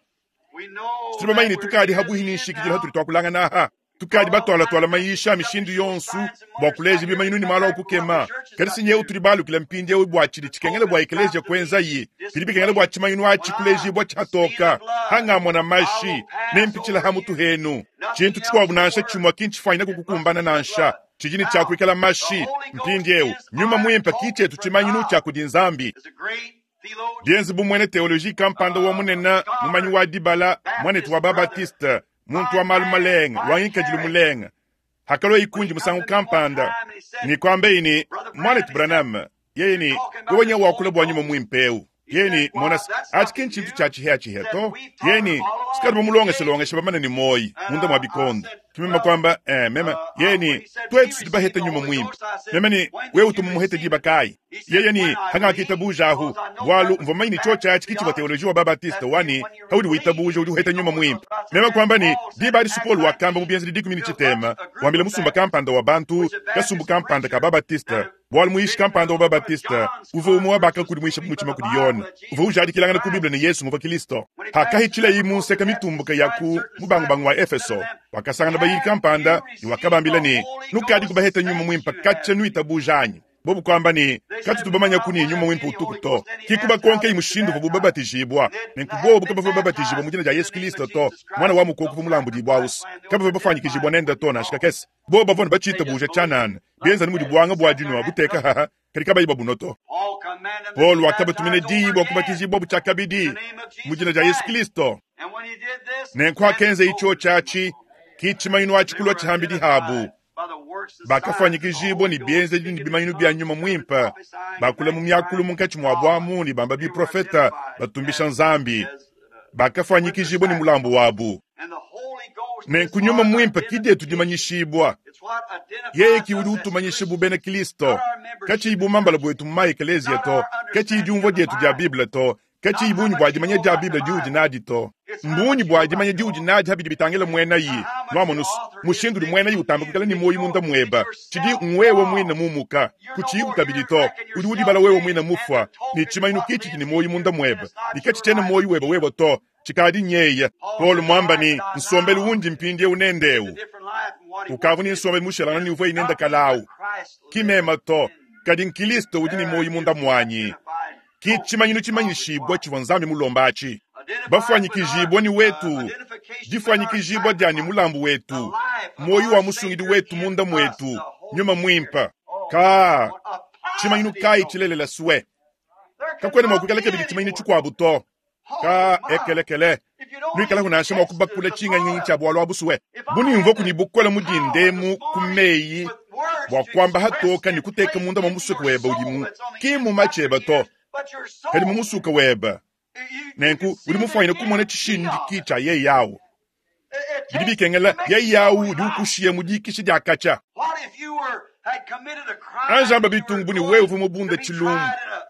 situli bamanyi tukadi habwihi ninshikijila hatuli twakulanga naha tukadi batwalatwala mayisha mishindu yonsu bwa kuleja bimanyinu ni malo okukema kadi sinyeu tuli balukila mpindieu bwa chili chikengele bwa ekelezia kwenzayi bili bikengele bwa chimanyinu achi kulejibwa chihatoka hang'amona mashi nempichila hamutu henu chintu chikwabu nansha chimwa kinchifwanyina kukukumbana nansha chijini chakwikala mashi mpindieu nyuma mwimpa kichetu chimanyinu chakudi Nzambi dienzi bumwene teoloji kampanda wa munena mumanyi wa dibala mwanetu wa babatiste muntu wa malu malenga wangikadilu mulenga hakalo ikunji musangu kampanda ni kwambe ini mwanetu Branham yeye ni wewe wakula bwa nyuma mwimpeu yeye ni mona achi kintu cha chihe chihe to yeye ni sikali bamulongesha longesha bamana ni moyi munda mwa bikonda tumema kwamba eh mema yeye ni twetu sidibaheta nyuma mwimpe mema ni wewe utumumuhete diba kai yeye ni hanga kitabuja ahu bwalu mvomaini chocha achi kichi wa teoloji wa babatista wani haudi witabuja udi uheta nyuma mwimpe mema kwamba ni diba adi supolu wakamba mubienzi dikumi ni chitema wambile musumba kampanda wa bantu kasumbu kampanda ka babatista bwalu muishi kampanda wa babatista uva umwe baka kudi muisha muchima kudi Yona uva ujadikilangana ku Biblia ni Yesu muva Kristo hakahichila imunseka mitumbuka yaku mubangubangu wa Efeso wakasangana bayili kampanda ni wakabambila ni nukadi kubaheta nyuma mwimpa kacha nuitabujanyi bobu kwamba ni kati tubamanya kuni nyuma mwimpa utuku to kikuba konke imushindu vubu babatijibwa nenkubobu kabava babatijibwa mu jina ja Yesu Kristo to mwana wa mukoku vumulambudibwa usi kabava bafanyikijibwa nenda to na shikakese bo bavona bachitabuja chanana bienza ni mudi bwanga bwa dinwa buteka haha kadi kabayi babunoto Paul wakabatumine dibwa kubatijibwa buchakabidi mu jina ja Yesu Kristo nenku akenze icho chachi kichimanyinu achikulwa chihambidi habu Bakafwanyikijibwa ne bienzedi ne bimanyinu bya Nyuma Mwimpe, bakula mu myakulu munkatshi muabu amu ne bamba biprofeta batumbisha Nzambi. Bakafwanyikijibwa ne mulambu wabu. Nenku Nyuma Mwimpe ki dietu dimanyishibwa. Yeye ki udi utumanyisha bu bena Kristo. Katshiyi bumambala bwetu mu maekeleziya to, katshiyi diumvua dietu dia Bible to, katshiyi bungi bua dimanya dia Bible diudi nadi to. Mbungi bua dimanya diudi nadi habidi bitangila mwenayi. Nwamonusu, mushindu udi mwenayi utamba kuikala ne muoyo munda mweba. Tshidi ngwewe mwine mumuka, kutshiyiku kabidi to. Udi udibala wewe mwine mufwa, ne tshimanyinu kitshidi ne muoyo munda mweba. Ne katshitshiena muoyo weba wewe to, tshikadi nyeya. Paul mwamba ni nsombelu wundi mpindiewu nendewu. Ukavu ni nsombelu mushelangana ni uvua inenda kalawu. Ki mema to, kadi nkilisto udi ne muoyo munda mwanyi. Ki tshimanyinu tshimanyishibwa tshivua Nzambi mulombatshi. Bafwanyikijibwa ni wetu, difwanyikijibwa dia ni mulambu wetu, muoyo wa musungidi wetu munda mwetu, Nyuma Mwimpe. Ka tshimanyinu kayi tshilelela swe. Kakwena mua kuikala kabidi tshimanyinu tshikuabu to. Ka ekelekele. Nuikala kunansha mua kubakula tshinganyi tshia bwalu abu swe. Bunimvua kuni bukola mudindemu ku meyi bua kuamba hatoka ni kuteka munda mwa musuka weba udimu ki mu macheba to. Kadi mu musuka weba. Nenku udi mufwanyine kumona tshishindiki tshia yeye yawu. Bidi bikengela yeye yawu udi ukushiya mu dikisha dia katshia. Anjamba bitungu ni wewe uvua mubunda tshilumbu.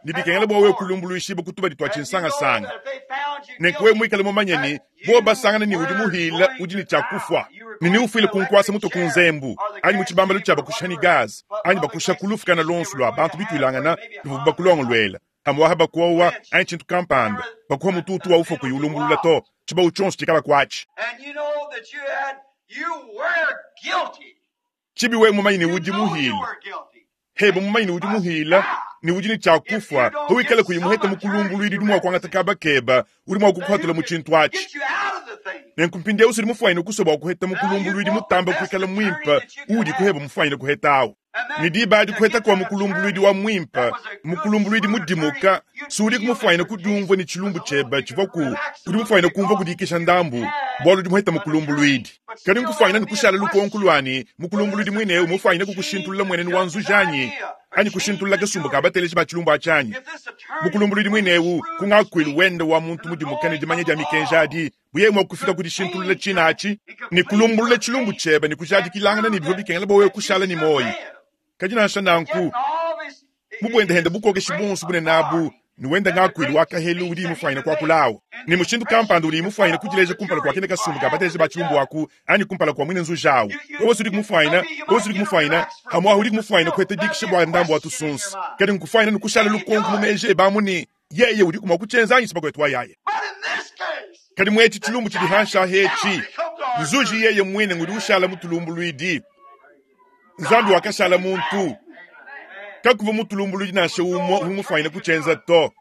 Ni bikengela bua wewe kulumbuluishiba kutuba ditwa tshinsangasanga. Nenku wewe mwikale mumanye ni bo basangana ni udi muhila udi ni tshia kufwa. Ni ni ufwile kunkwasa mutu ku nzembu, anyi mu tshibambalu tshia bakusha ni gaz, anyi bakusha kulufu kana lonsu lwa bantu bitwilangana luvu bakulongolwela. Hamwaha bakuowa anyi tshintu kampanda, bakuha mututu wa ufa kuyulumbulula to, tshibawu tshonso tshikala kwatshi. And you know that you had, you were guilty. Tshibi wewe mumanyi ni You udi know you muhila. were guilty. Heba mumanyi ni udi muhila, ni udi ni tshia kufwa, wikale kuyimuheta mukulumbulwidi udi mua kuangata kaba keba, udi mua kukuhatula mu tshintu atshi. Get you out of the thing. Nenku mpindiewu udi mufwanyine kusoba wa kuheta mukulumbulwidi mutamba kuikala mwimpe, udi kuheba mufwanyine kuhetawu. Ni diba adi kuheta kwa mukulumbulwidi wa mwimpe, mukulumbulwidi mudimuka, sudi kumufwanyine kudiumvua ni tshilumbu tsheba tshivua ku, udi mufwanyine kumvua kudikisha ndambu, bwalu udi muheta mukulumbulwidi. Kadi nkufwanyine ni kushala lukonko lwani, mukulumbulwidi mwinewu mufwanyine kukushintulula mwenenu wa nzujanyi, anyi kushintulula kasumbu ka bateleji ba tshilumbu atshanyi. If this attorney Mukulumbulwidi mwinewu kungakwili wende wa muntu mudimuka ne dimanya dia mikenji adi, buye mua kufika kudishintulula tshina atshi, ni kulumbulula tshilumbu tsheba ni kujadikilangana ni bivua bikengela bwa wewe kushala ni moyi. Kadi nansha nanku, mubwendehende bukokeshi bonso bune nabu, ni wenda ngakwili wakahelu udi mufwanyine kwakulawu. Ni mushindu kampanda udi mufwanyine kudileja kumpala kwa kene kasumbu ka bateleji ba tshilumbu aku, anyi kumpala kwa mwine nzujawu. Wewe udi kumufwanyina, wewe udi kumufwanyina, hamwahu udi kumufwanyina kwete dikisha bwa ndambu wa tusunsu. Kadi nkufwanyina ni kushala lukonko mu meje bamu ni, yeye udi kumwa kutshenza anyi sibako etwa yaye. But in this case, Kadi mwetshi tshilumbu tshidi hansha hetshi. Nzuji yeye mwine ngudi ushala mutulumbulwidi. Nzambi wakashala muntu. Kakuva mutulumbulwidi nansha umwe umufwanyine kutshenza to.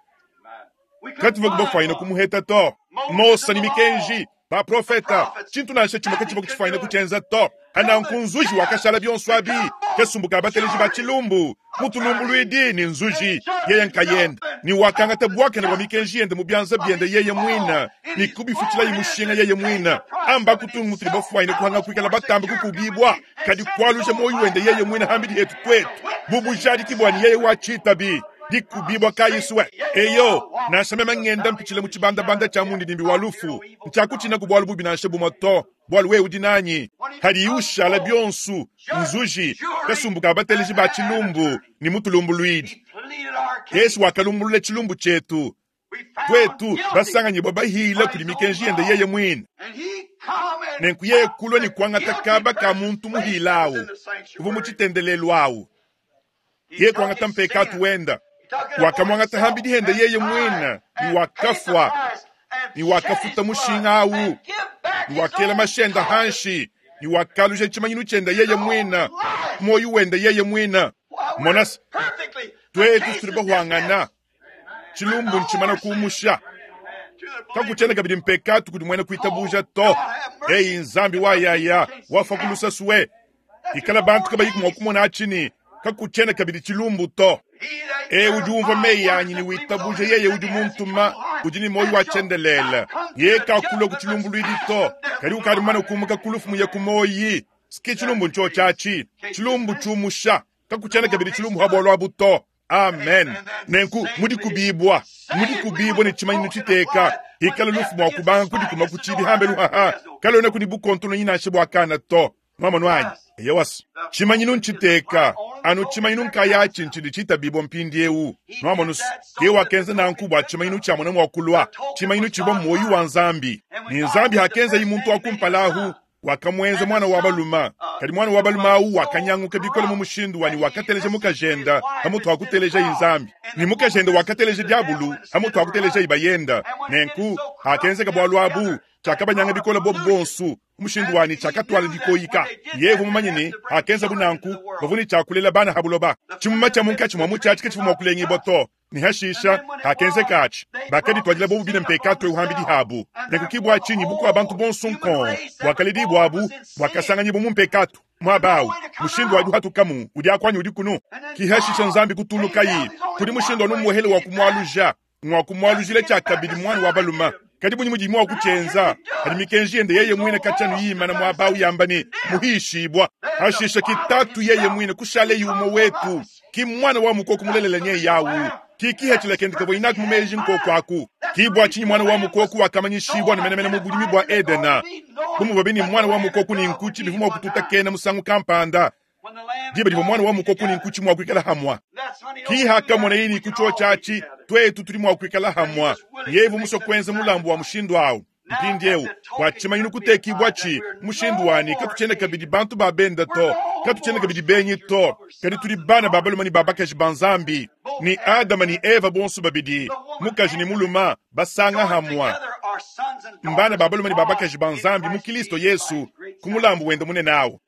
we couldn't Katuva find kubafwanyine one. kumuheta to. Mosa ni mikenji, baprofeta, tshintu nansha tshimwe katshiva kutshifwanyine kutshenza to. Ananku nzuji wakashala bionso abi, kasumbu ka bateleji ba tshilumbu. Mutulumbulwidi ni nzuji, yeye nkayenda. Ni wakangata bwakene bwa mikenji yende mu byanza byende yeye mwina. Ni kubifutila imushinga yeye mwina. Amba kutungu mutuli bafwanyine kuhanga kuikala batamba kukubibwa. Kadi kwalusha moyo wende yeye mwina hambidi yetu kwetu. Bubujadiki bwani yeye wachitabi. Dikubibwa kayiswe. Eyo, nansha mema ngenda mpichile mu tshibandabanda tshia mundidimbi wa lufu. Ntshakutshina ku bwalu bubi nansha bumwe to. Bwalu wewe udi nanyi. Hadi ushala bionsu, nzuji, kasumbu ka bateleji ba tshilumbu, ni mutulumbulwidi. He pleaded our case. Yesu wakalumbulula tshilumbu tshietu. We found Twetu, guilty. basanganyibwa bahila kuli mikenji yende yeye mwine. And he come and Nenku yeye kulwa ni took the kuangata guilty kaba ka person's muntu place muhila that was awu. in the sanctuary. Uvu mu tshitendelelu awu. He Yeye took kuangata his mpekatu sin. wenda. He took it upon Wakamwangata himself hambidi hende and yeye died mwina. Ni and paid the wakafwa. price and Ni shed his wakafuta blood mushinga awu. and give back Ni his wakela own mashenda conscience. hanshi. Ni wakalusha tshimanyinu tshenda yeye mwina. Moyo wenda yeye mwina. Why, we're Monasi, perfectly the twetu case tuli is bahwangana. dismissed Tshilumbu ntshimana kumusha. to the believer. Kakuchena kabidi mpekatu kudi mwene kuitabuja to. Eyi nzambi wayaya, wafa kulusa suwe. Ikala bantu kabayi kumwa kumona achini. Kakuchena kabidi tshilumbu to. He that E heareth udi umva my meyi words anyi and ni believeth witabuje on him yeye that udi sent me has muntuma, eternal life, udi ni moyo and wa shall tshendelela. not come to Ye the kakula judgment, ku tshilumbu but lwidi past to. from death Kadi to ukadi mana life. kumuka kulufu muye ku moyi. Ski tshilumbu ntshotshatshi tshilumbu tshiumusha kakutshiena kabidi tshilumbu ha bualu abu to. Amen. Nenku mudikubibwa mudikubibwa ne tshimanyinu tshiteka ikala lufu mua kubanga kudikuma ku tshibi hambelu haha kalona kuni bukontolo nyinashe bwakana to. Mwamonu anyi eyewasu tshimanyinu ntshiteka anu tshimanyinu nkayatshi ntshidi tshitabibwa mpindiewu. Mwamonu ke wakenza nanku bua tshimanyinu tshia mwana mua kulwa tshimanyinu tshibwa moyi wa nzambi ni nzambi hakenza yi muntu wakumpalahu wakamwenza mwana wa baluma kadi mwana wa baluma awu wakanyanguka bikole mu mushindu wani wakateleja mukajenda hamutu hakuteleja inzambi ni mukajenda wakateleja diabulu hamutu hakuteleja ibayenda nenku hakenzeka bwalu abu chakabanyanga bikole bobu bonsu mushindu wani chakatwala dikoyika yevu mumanyini hakenza bunanku bavuni chakulela bana habuloba chimuma cha munkachi mwa muchachi kachifu kulengi boto ni hashisha hakenzeka achi bakaditwalila bobu bina mpekato euhambidi habu nekukibwa chinyi buku abantu bonsu nkon bwakalidi bwabu bwakasanganyi mu mpekato mwabawu mushindu wadi hatukamu udi akwanyi udi kunu kihashisha nzambi kutulukayi kudi mushindu wanu muhele wa kumwaluja mwa kumwalujile chakabidi mwana wa baluma kadi bunyi mudimu wa kuchenza kadi mikenji yende yeye mwine kachanu yimana mwabawu yambani muhishibwa hashisha kitatu yeye mwine kushale yumo wetu ki mwana wa mukoko mulelela nye yawu kikihachila kendika bwinaku mumeji nkoko aku kibwa chinyi mwana wa mukoko wakamanyishibwa nemenemene mu bulimi bwa edena bumuba ni mwana wa mukoko ni nkuchi bivumo kututa kena musangu kampanda diba dibo mwana wa mukoko ni nkuchi mwakwikala hamwa kihakamona yini kucho chachi twetu tuli mwakwikala hamwa yevu muso kwenza mulambu wa mushindu awu mpindiewu bwachimanyinu kutekibwa chi mushindu wani katuchene kabidi bantu babenda to katuchene kabidi benyi to kadi tuli bana babaluma ni babakaji banzambi ni adama ni eva bonso babidi mukaji ni muluma basanga hamwa mbana babaluma ni babakaji banzambi mu Kristo Yesu kumulambu wenda mune nawo.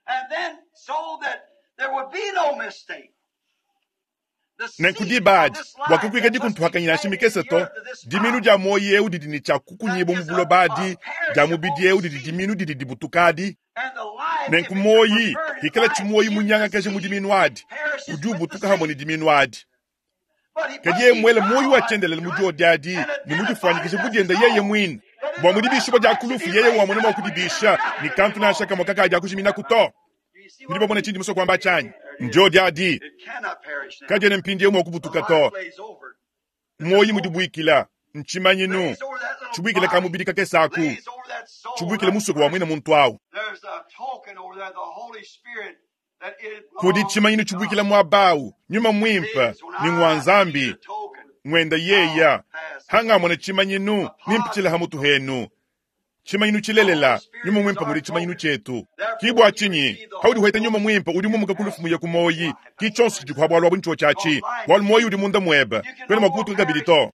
Nenkudibadi bwakukwika dikuntuhakanyina shimikese to diminu dia moyi eu didi ni tshia kukunyibo mu bulobadi dia mubidi eu didi diminu didi dibutukadi nenku moyi hikala tshimoyi munyangakaje mu diminu adi udi ubutuka hamwe ni diminu adi kadi yeye mwele moyi wachendelela mu diodi ni mudifanyikishe kudienda yeye mwine bwa mudibisha dia kulufu yeye wamwene mwa kudibisha ni kantu nashaka mwakaka dia kushimina kuto ndibabona chindi muso kwamba chanyi njodi adi kajene mpindi mwa kubutuka to moyi mudibwikila nchimanyinu chibwikila kamubidi kakesaku chibwikila musuku wa mwine muntu awu kudi chimanyinu chibwikila mwabawu nyuma mwimpa ni ngwanzambi ngwenda yeya hangamona chimanyinu nimpichila hamutu henu chimanyinu chilelela nyuma mwimpa muli chimanyinu chetu kibwa chinyi haudi hweta nyuma mwimpa udi mumuka kulufu ya kumoyi kichonso chikuhabwalwa buncho chachi walu moyi udi munda mweba kwena makutu kabili to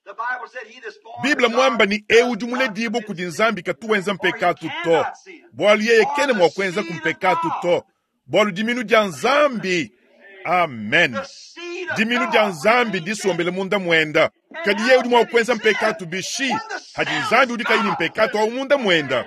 Biblia mwamba ni eu jumule dibo kudi nzambi katuwenza mpekatu to bwalu yeye kene mwakwenza kumpekatu to bwalu diminu dia nzambi. Amen. Diminu dia nzambi disombele munda mwenda kadi yeye udi mwakwenza mpekatu bishi hadi nzambi udi kaini mpekatu au munda mwenda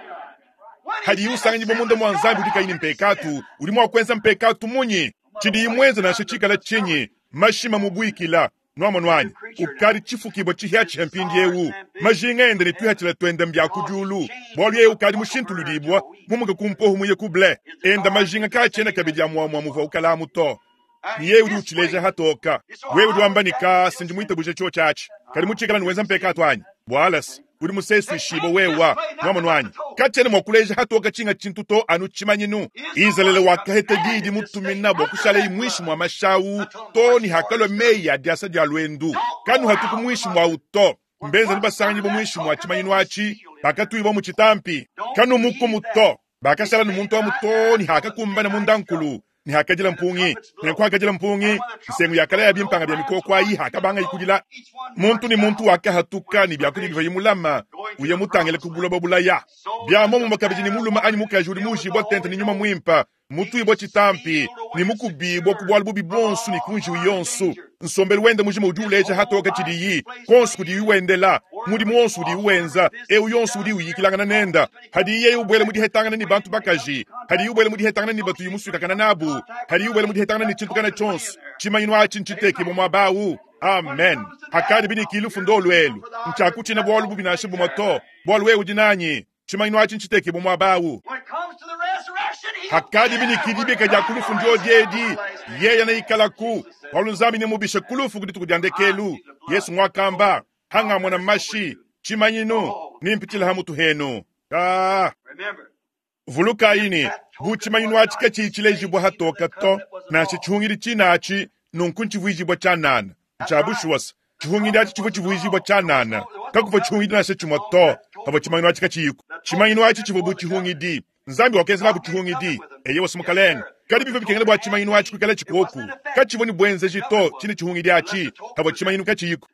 hadi usanganyi munda mwa nzambi udi kaini mpekatu udi mwakwenza mpekatu munyi chidi imwenza nashe chikala chinyi mashima mubwikila nwamwanwanyi ukali chifukibwa chihya mpindi ewu majinga ende ni twihachila twenda mbya kujulu bwalu yeye ukali mushintululibwa mumuka kumpohu muye kuble enda majinga kachena kabidi amwamwa muva ukalamu to ni yeye udi uchileja hatoka wewe udi wamba nika sinji muitabuje cho chachi kali muchikala niwenza mpekatu anyi bwalas udi musesu ishibo wewa nwamwanwanyi kachene mwakuleja hatoka chinga chintu to anu chimanyinu Izalele wakahete didi mutumina bwa kushala imwishi mwa mashawu to ni hakalwa meyi ya diasa dia lwendu kanu hatuku mwishi mwa uto mbenza ni basanganyi bo mwishi mwa chimanyinu achi bakatuibo mu chitampi kanu mukumu to bakashala ni muntu wa muto ni hakakumbana mundankulu ni hakajila mpungi nenku hakajila mpungi nsengu yakala ya bimpanga bya mikoko ayi hakabanga ikudila muntu ni muntu wakahatuka ni byakudi biva yimulama uye mutangele kubuloba bulaya byamo mukabiji ni muluma anyi mukaji uli mujibwa tente ni nyuma mwimpa mutu ibwa chitampi ni mukubibwa kubwala bubi bonsu ni kunji uyonsu nsombelu wende mujima udi uleja hatoka chidiyi konsu kudi uwendela mudi mwonsu udi uwenza eu yonsu udi uyikilangana nenda hadi yeye ubwele mudi hetangana ni bantu bakaji hadi ubwele mudi hetangana ni batu yimusukakana nabu hadi ubwele mudi hetangana ni chintukana chonsu chimanyinu achi nchiteki mwabawu. Amen. Hakadi bini kilufu ndo lwelu nchakuchina bwalu bubi nashe bumoto bwalu wewe udi nanyi chimanyinu achi nchiteki mwabawu. Hakadi bini dibika dia kulufu ndio edi yeye neikalaku bualu Nzambi nemubishe kulufu ku dituku dia ndekelu. Yesu mwakamba hangamona mashi tshimanyinu nimpitshila ha mutu henu. Ka vulukayi ne bu tshimanyinu atshi katshiyitshilejibua hatoka to nansha tshihungidi tshinatshi nunku ntshivuijibua tshianana tshia bushuwasa tshihungidi atshi tshivua tshivuijibua tshianana kakuvua tshihungidi nansha tshimue to pavua tshimanyinu atshi katshiyiko. Tshimanyinu atshi tshivua bu tshihungidi Nzambi wakenzela bu tshihungidi eye wasi mukalenge kadi bivua bikengela bua tshimanyinu atshi kuikala tshikoku katshivua ne buenzeji to tshine tshihungidi atshi pavua tshimanyinu katshiyiko.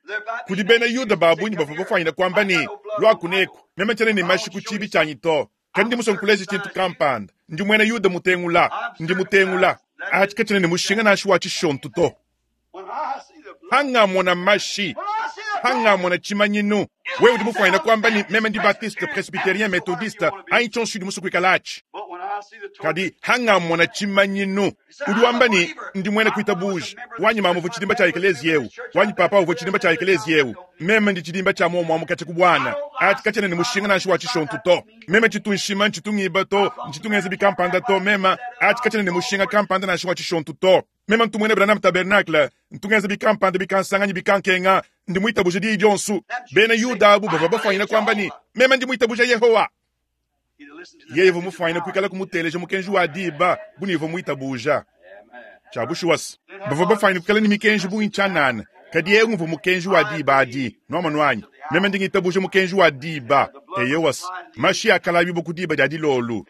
Kudi bena Yuda babunyi bavua bafwanyina kuamba ne lwakuneku meme tshiena ne mashi ku tshibi tshianyi to kadi ndi musue nkuleja tshintu kampanda ndi muena Yuda mutengula ndi mutengula atshi katshiena ne mushinga nansha wa tshishontu to. Hangamona mashi hangamona tshimanyinu wewe udi mufwanyina kuamba ne meme ndi baptiste presbytérien méthodiste anyi tshionso udi musue kuikala atshi kadi hangamona tshimanyinu udi wamba ne ndi muena kuitabuja wanyi mama uvua tshidimba tshia ekelezia eu wanyi papa uvua tshidimba tshia ekelezia eu meme ndi tshidimba tshia muomuamu katshia ku bwana atshi katshiena ne mushinga nansha wa tshishontu to meme tshitu nshima ntshitu ngiba to ntshitu ngenza bikampanda to meme atshi katshiena ne mushinga kampanda nansha wa tshishontu to meme ntu muena Branham Tabernacle ntu ngenza bikampanda bikansanganyi bikankenga ndi muitabuja diyi dionso. Bena Yuda abu bavua bafwanyina kuamba ne meme ndi muitabuja Yehowa. Yeye uvua mufwanyina kuikala kumuteleja mukenji wa diba bu uvua muitabuja tshia bushuwasa bavua bafwanyina kuikala ne mikenji bungi tshianana kadi yeye uvua mukenji wa diba adi nuamanu anyi meme ndi ngitabuja mukenji wa diba eyewasa mashi akalabi ku diba dia dilolu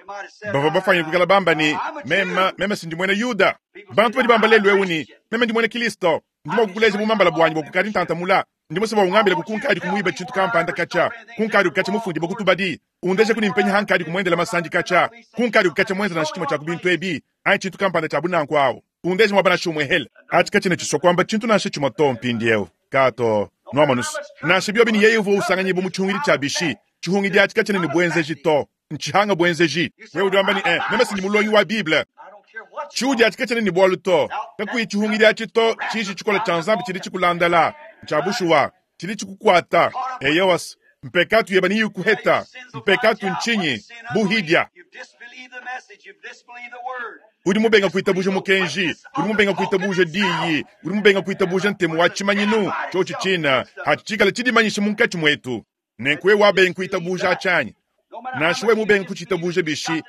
bavua bafwanyina kuikala bamba ne meme meme sindi muena Yuda. Bantu badi bamba lelu ewu ne meme ndi muena Kristo ndi mua kukuleja bumambala bwanyi bua kukadi ntantamula ndi musue bua ungambila kukunkadi kumuiba tshintu kampanda katshia kunkadi kukatshia mufundi bokutubadi undeje kuni mpenya hankadi kumuendela masandi katshia kunkadi kukatshia muenza nansha tshimue tshia ku bintu ebi anyi tshintu kampanda tshia bunanku awu undeje muaba nansha umue hela atshi katshiena tshisua kuamba tshintu nansha tshimue to mpindiewu kato nuamanusu nansha biobi ne yeye uvua usanganyibu mu tshihungidi tshia bishi tshihungidi atshi katshiena ne buenzeji to ntshihanga buenzeji. Wewe udi wamba ne eh meme sindi mulongi wa Bible tshiudi atshi katshiena ne bualu to kakuyi tshihungidi atshi to tshiji tshikola tshia Nzambi tshidi tshikulandala tshia bushuwa tshidi tshikukuata eyewas mpekatu yeba niyi kuheta mpekatu ntshinyi buhidia. Udi mubenga kuitabuja mukenji udi mubenga kuitabuja diyi udi mubenga kuitabuja ntemu wa tshimanyinu tshotshi tshina hatshikala tshidimanyisha munkatshi mwetu nenku wabenga kuitabuja atshanyi nansha we mubenga kuchitabuja bishi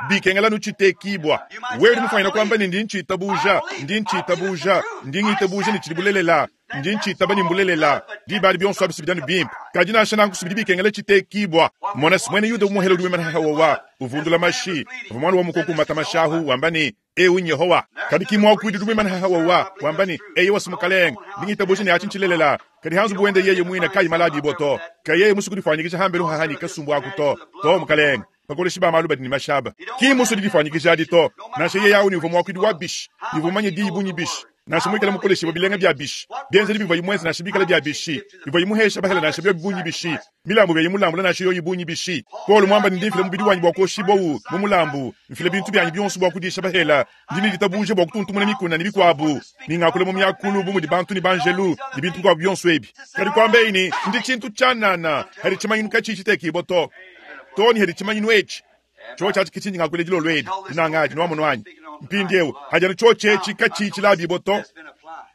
bikengela nutshitekibwa wewe udi mufwanyina kuamba ne ndi ntshitabuja ndi ntshitabuja ndi ngitabuja ne tshidi bulelela ndi ntshitaba ne mbulelela diba adi bionso abi sibidanu bimpe kadi nansha nanku sibidi bikengela tshitekibwa mona simwene Yuda umuhela udi wimana hahawawa uvundula mashi uvua mwana wa mukoko umata mashahu wamba ne ewu Yehowa kadi kimwakuidi udi wimana hahawawa wamba ne eye wasi mukalenge ndi ngitabuja ne atshi ntshilelela kadi hanzu buwende yeye mwina kayi malabi boto kayeye musu kudifwanyikisha hambelu hahani kasumbu aku to to mukalenge bakoleshi ba malu badi ne mashaba ki musu didifwanyikisha adi to nansha yeye awu ni uvua mwakuidi wa bishi uvua mumanye diyi bunyi bishi nansha muikala mukoleshi bilenga bia bishi bienzedi bivua imwenza nansha bikala bia bishi bivua imuhesha bahela nansha bio bunyi bishi milambu bya imulambu nansha yoyi bunyi bishi Paulo mwamba ndi mfile mubidi wanyi bua koshibowu mu mulambu mfile bintu byanyi bionso bua kudisha bahela ndi ne ditabuje bua kutuntumuna mikuna ne bikuabu ningakula mu myakulu bu mudi bantu ne banjelu ne bintu bikuabu bionso ebi kadi kuamba eyi ndi tshintu tshianana hadi tshimanyinu katshi tshitekibwa to to ni hadi tshimanyinu etshi tshotshi atshi kitshindi ngakule dilolo edi dinangaji nuamono anyi mpindiewu hajana tshotshi etshi katshi tshilabibo to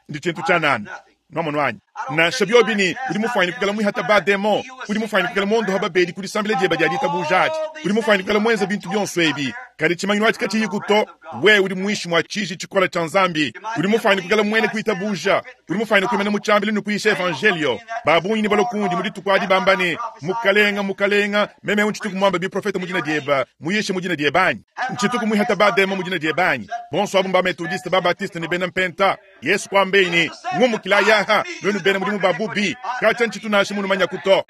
ndi tshintu tshianana nuamono anyi nansha biobi ni udi mufwanyina kuikala mwihata ba demo udi mufwanyina kuikala mondoha babedi kudisambila dieba dia ditabuja adi udi mufwanyina kuikala mwenza bintu bionso ebi kadi tshimanyinu atshi katshiyiku to we udi mwishi mwa tshiji tshikola tshia Nzambi udi mufwanyina kuikala mwene kuitabuja udi mufwanyina kuimana mu tshiambili ne kuyisha evangelio babunyi ne balokundi mu dituku adi bamba ne mukalenga mukalenga meme ntshituku muamba biprofeta mu dina dieba muyishe mu dina dieba anyi ntshituku mwihata ba demo mu dina dieba anyi bonso abu mba metodiste ba baptiste ne bena mpenta Yesu kwambe ni ngumukila yaha lwenu bena mudimu ba bubi katshia ntshitu nansha munu manya kuto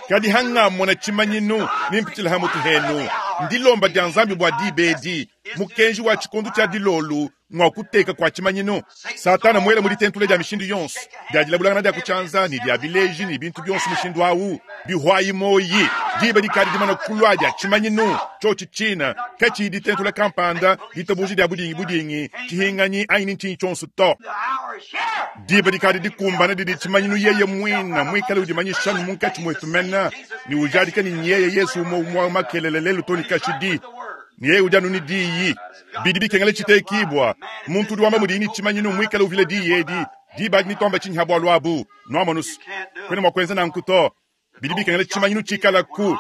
kadi hangamona tshimanyinu nimpitshila ha mutu henu ndilomba dia Nzambi bua dibedi mukenji wa tshikondu tshia dilolu Ngwa kuteka kwa tshimanyinu. Satana mwele mu ditentula dia mishindu yonso, dia dilabulangana dia kutshianza ne dia bileji ne bintu bionso mushindu awu, bihwayi moyi, diba dikadi dimana kulwa dia tshimanyinu, tshotshi tshina, katshiyi ditentula kampanda, ditabuja dia budingi budingi, tshihinganyi anyi ntshinyi tshionso to. The hour is here. Diba dikadi dikumbana didi tshimanyinu yeye mwina mwikale udimanyisha munkatshi mwetu mena ni ujadika ni nyeye Yesu umwe umwe makelele lelu to ni kashidi ni yeye udi anu ni diyi bidi bikengela tshitekibwa muntu udi wamba mudini tshimanyinu mwikale uvile diyi edi diba adi nitomba tshinyi ha bwalu abu nwamonusu kwene mwa kwenza nanku to bidi bikengela tshimanyinu tshikalaku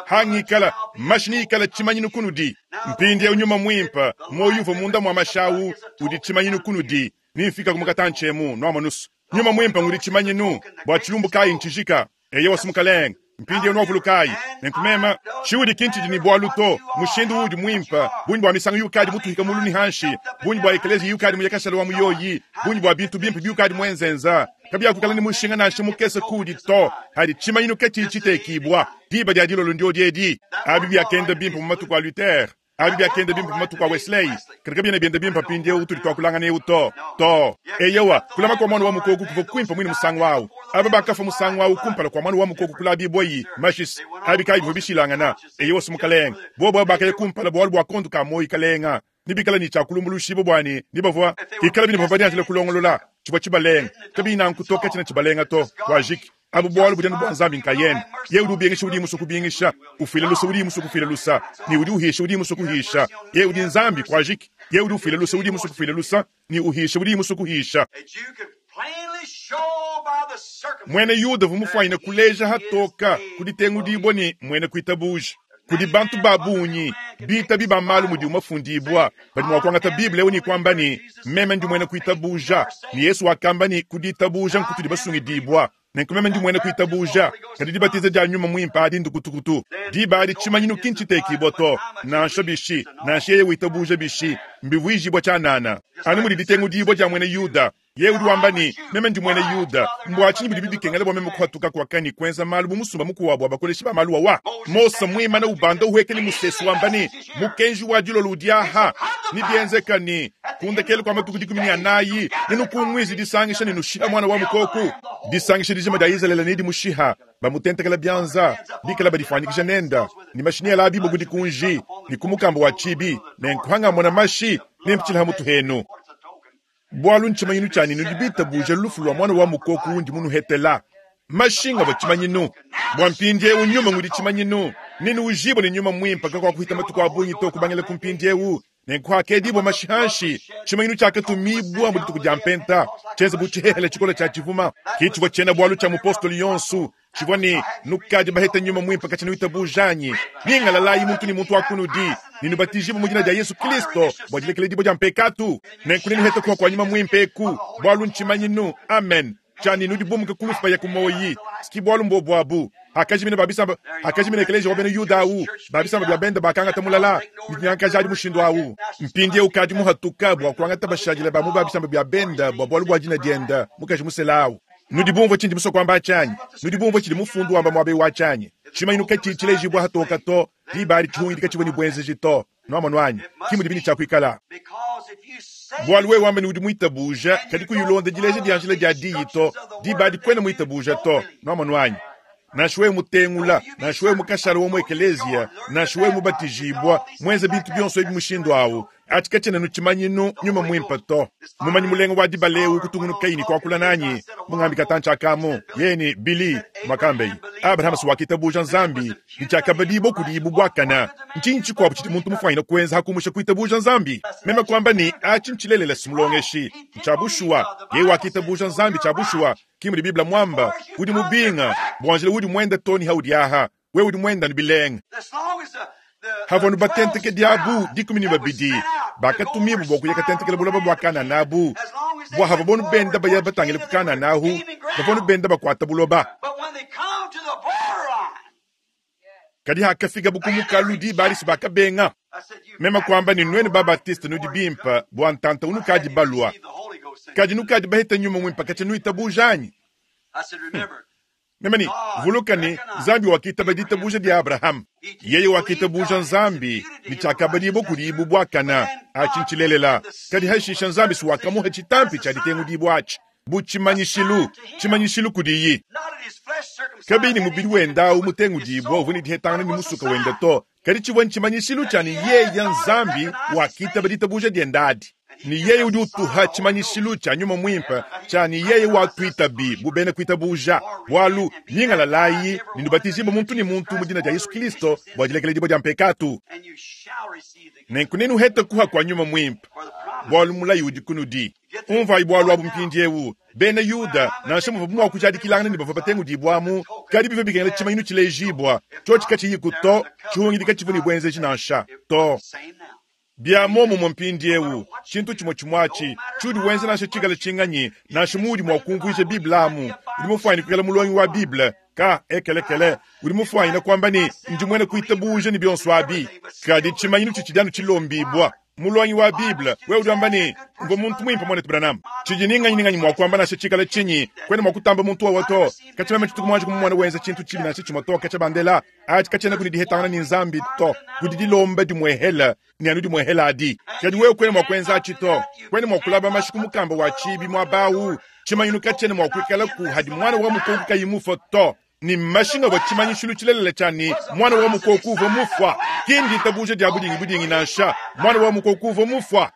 hangikala mashini ikala tshimanyinu kunudi mpindi ya unyuma mwimpa moyo uva munda mwa mashawu udi tshimanyinu kunudi nimfika kumukatantshemu nwamonusu nyuma mwimpa ngudi tshimanyinu bwa tshilumbu kayi ntshijika eye wasimukalenga mpindi ya nwavulukayi nenkumema tshiudi kintshidi ni bwalu to mushindu udi mwimpa bunyi bwa misango yukadi mutuhika mulu ni hanshi bunyi bwa ekelezi yukadi muyakashala wa muyoyi bunyi bwa bintu bimpe byukadi mwenzenza kabyakukala ni mushinga nansha mukese kudi to hadi tshimanyinu ketshi tshitekibwa diba dia dilolo ndio diedi abi byakenda bimpe mu matuku a Luther abi byakenda bimpe mu matuku a Wesley katika byene byenda bimpe pindi eu tuli twakulangana eu to to eyewa kulama kwa mwana wa mukoku kuva kwimpa mwini musango wawu aba bakafa musango wawu kumpala kwa mwana wa mukoku kula biboyi mashis abi kayi bivua bishilangana eyewa simukalenga bobo bakaye kumpala bwalu bwa kondu ka moyi kalenga nibikala ni tshakulumbulushibo bwani nibavua ikala bini bavua dianjila kulongolola tshivua tshibalenga kabina nkutoka tshina tshibalenga to wajiki abu bwalu budenu bwa nzambi nkayene ye udi ubingisha udi musu kubingisha ufile lusa udi musu kufile lusa ni udi uhisha udi musu kuhisha ye udi nzambi kwajiki ye udi ufile lusa udi musu kufile lusa ni uhisha udi musu kuhisha That you could plainly show by the circumstances. mwene yuda vumufwanyina kuleja hatoka kuditengudibwa ni mwene kuitabuja kudi bantu babunyi bita bibamalu mudi umafundibwa badi mwa kuangata biblia eu ni kwamba ni meme ndi mwene kuitabuja ni yesu wakamba ni kuditabuja nkutudi basungidibwa nenku meme ndi mwene kuitabuja kadi dibatiza dia nyuma mwimpa adi ndukutukutu diba adi tshimanyinu kintshitekibwa to nansha bishi nansha yeye witabuja bishi mbivuijibwa tshianana anu mudi ditengudibwa dia mwene yuda ye udi wamba ni meme ndi mwene yuda mbwa tshinyi bidi bibikengela bwa meme kuhatuka kwakani kwenza malu bu musumba mukuwabu abakoleshi ba malu wawa mose mwimana ubanda uhekeli musesu wamba ni mukenji wa dilolo udi aha ni bienzeka ni kundekele kwa matuku dikumi ni anayi ninukungwizi disangisha ninushiha mwana wa mukoku disangisha dijima dia izalele nidi mushiha bamutentekela byanza bikala badifanyikisha nenda ni mashini ala bibo kudikunji ni kumukamba wa chibi nenkuhangamona mashi nempitshila mutu henu It's a token. bwalu ntshimanyinu tshani nudibitabuja lufu lwa mwana wa mukoku undi munuhetela mashinga bwa tshimanyinu bwa mpindiewu nyuma ngudi tshimanyinu nini ujibwa ni nyuma mwimpa kakwa kuhita matuku abungi to kubangila ku mpindiewu nenkuhakedibwa mashihanshi tshimanyinu tshiakatumibwa mu dituku dia mpenta tshienza bu tshihehele tshikola tshia tshivuma kitshivua tshiena bwalu tshia mupostoli yonsu tshivua ni nukadi baheta nyuma mwimpa katshina witabujanyi ningalalayi muntu ni muntu akunudi ninubatijibwa mu dina dia yesu kristo bwa dilekela dibwa dia mpekatu nenkunini kuwa kwa nyuma mwimpe eku bwalu ntshimanyinu amen tshani nudibumuka kulufu ya kumoyi siki bwalu mbobwabu hakajimina babisamba hakajimina ekeleja wa bena yuda awu babisamba bya benda bakangata mulala nitinyankaja adi mushindu awu mpindie ukadi muhatuka bwa kuangata bashadila bamu babisamba bya benda bwa bwalu bwa dina dienda mukaji musela awu nudibumva tshindi musokwamba tshanyi nudibumva tshidi mufundu wamba mwabe wa tshanyi tshimanyinu ketshi tshilejibwa hatoka to diba adi tshihungidi katshivua ni bwenzeji to nwamonu kimudi bini tshiakuikala Because if you say bwalu wewe wamba ni udi mwitabuja kadi kuyilonda dileja dia njila dia diyi to diba adi kwena mwitabuja to nwamonu wanyi nansha wewe mutengula nansha wewe mukashala wa mu ekeleziya nansha wewe mubatijibwa mwenze bintu byonso ebi mushindu awu ati katshena nutshimanyinu nyuma mwimpa to mumanyi mulenga wa dibalewu kutungunukaini kwakula nanyi mungambi katantshi akamu yeni bili mwakambeyi abrahama siwakitabuja nzambi ntshiakabadibo kudi ibu bwakana ntshinyi tshikuabu tshidi muntu mufwanyina kuenza hakumusha kuitabuja nzambi meme kwamba ni achi ntshilelela simulongeshi ntshabushuwa ye wakitabuja nzambi tshabushuwa kimudi biblia mwamba udi mubinga bwanjila udi mwenda toni haudi aha we udi mwenda ni bilenga as long as the, the, havanu the batenteke twelve diabu spies dikumi ni that was babidi sent out to go bakatumibwa bua kuya over katentekela bulaba bua kanana abu As long as they bua hava went bonu forward benda baya towards batangile ku Canaan, they kanana were ahu gaining ground. bavonu benda bakuata buloba But when they come to the borderline, kadi hakafika bukumukalu diba alisi bakabenga I said, you mema kwamba ni nwenu babatiste nudi bimpa bua ntanta unukadi balwa the Holy Ghost. in kadi you. nukadi baheta nyuma mwimpa katshi nuitabujanyi I said, remember, Meme ne, vuluka ne, Nzambi wakitaba ditabuja dia Abraham. Yeye wakitabuja Nzambi ne tshiakabadibua kudiye bu buakane. Atshi ntshilelela. Kadi hashisha Nzambi si wakamuha tshitampi tshia ditengudibua atshi bu tshimanyishilu, tshimanyishilu kudiye. Kabiyi ne mubidi wende awu mutengudibua uvua ne dihetangana ne musuka wende to, kadi tshivua ntshimanyishilu tshia ne yeye Nzambi wakitaba ditabuja diende adi. Ne yeye udi utuha tshimanyishilu tshia Nyuma Muimpe tshia ne yeye watuitabi bu bena kuitabuja, bualu nyingalalayi ne nubatijibue muntu ne muntu mu dina dia Yesu Kristo bua dilekeledibua dia mpekatu. Nenku nenuhete kuha kua Nyuma Muimpe, bualu mulayi udi kunudi. Umvuayi bualu abu mpindiewu. Bena Yuda, nansha muvuabu mua kujadikilangana ne bavua batengudibuamu, kadi bivua bikengela tshimanyinu tshilejibua, tshiotshi katshiyiku to, tshihungidi katshivua ne buenzeji nansha to. Bia muomumue mpindiewu, tshintu tshimue tshimue atshi, tshiudi wenza nansha tshikale tshinganyi, nansha muudi mua kumvuija Bible amu, udi mufuanyine kuikala mulongi wa Bible, ka ekelekele, udi mufuanyine kuamba ne, ndi muena kuitabuja ne bionso abi. Kadi tshimanyinu tshitshidi anu tshilombibua. Mulongi wa Bible, wewe udi wamba ne, mvua muntu muimpe muanetu Branham. Tshidi ni nganyi ni nganyi mua kuamba nansha tshikale tshinyi, kuena mua kutamba muntu wawa to. Katshia meme tshituku muanji kumumona wenza tshintu tshibi nansha tshimue to, katshia bandela atshi katshiena kudi dihetangana ne Nzambi to, kudi dilomba dimuehela ne anu dimuehela adi. Kadi wewe kuena mua kuenza atshi to, kuena mua kulaba mashi ku mukamba wa tshibi muaba awu. Tshimanyinu katshiena mua kuikalaku hadi muana wa mukoko kayi mufue to. Ne mashi ngavua tshimanyishilu tshilelela tshia ne muana wa mukoko uvua mufua. Ki nditabuja dia budingi budingi nansha, muana wa mukoko uvua mufua.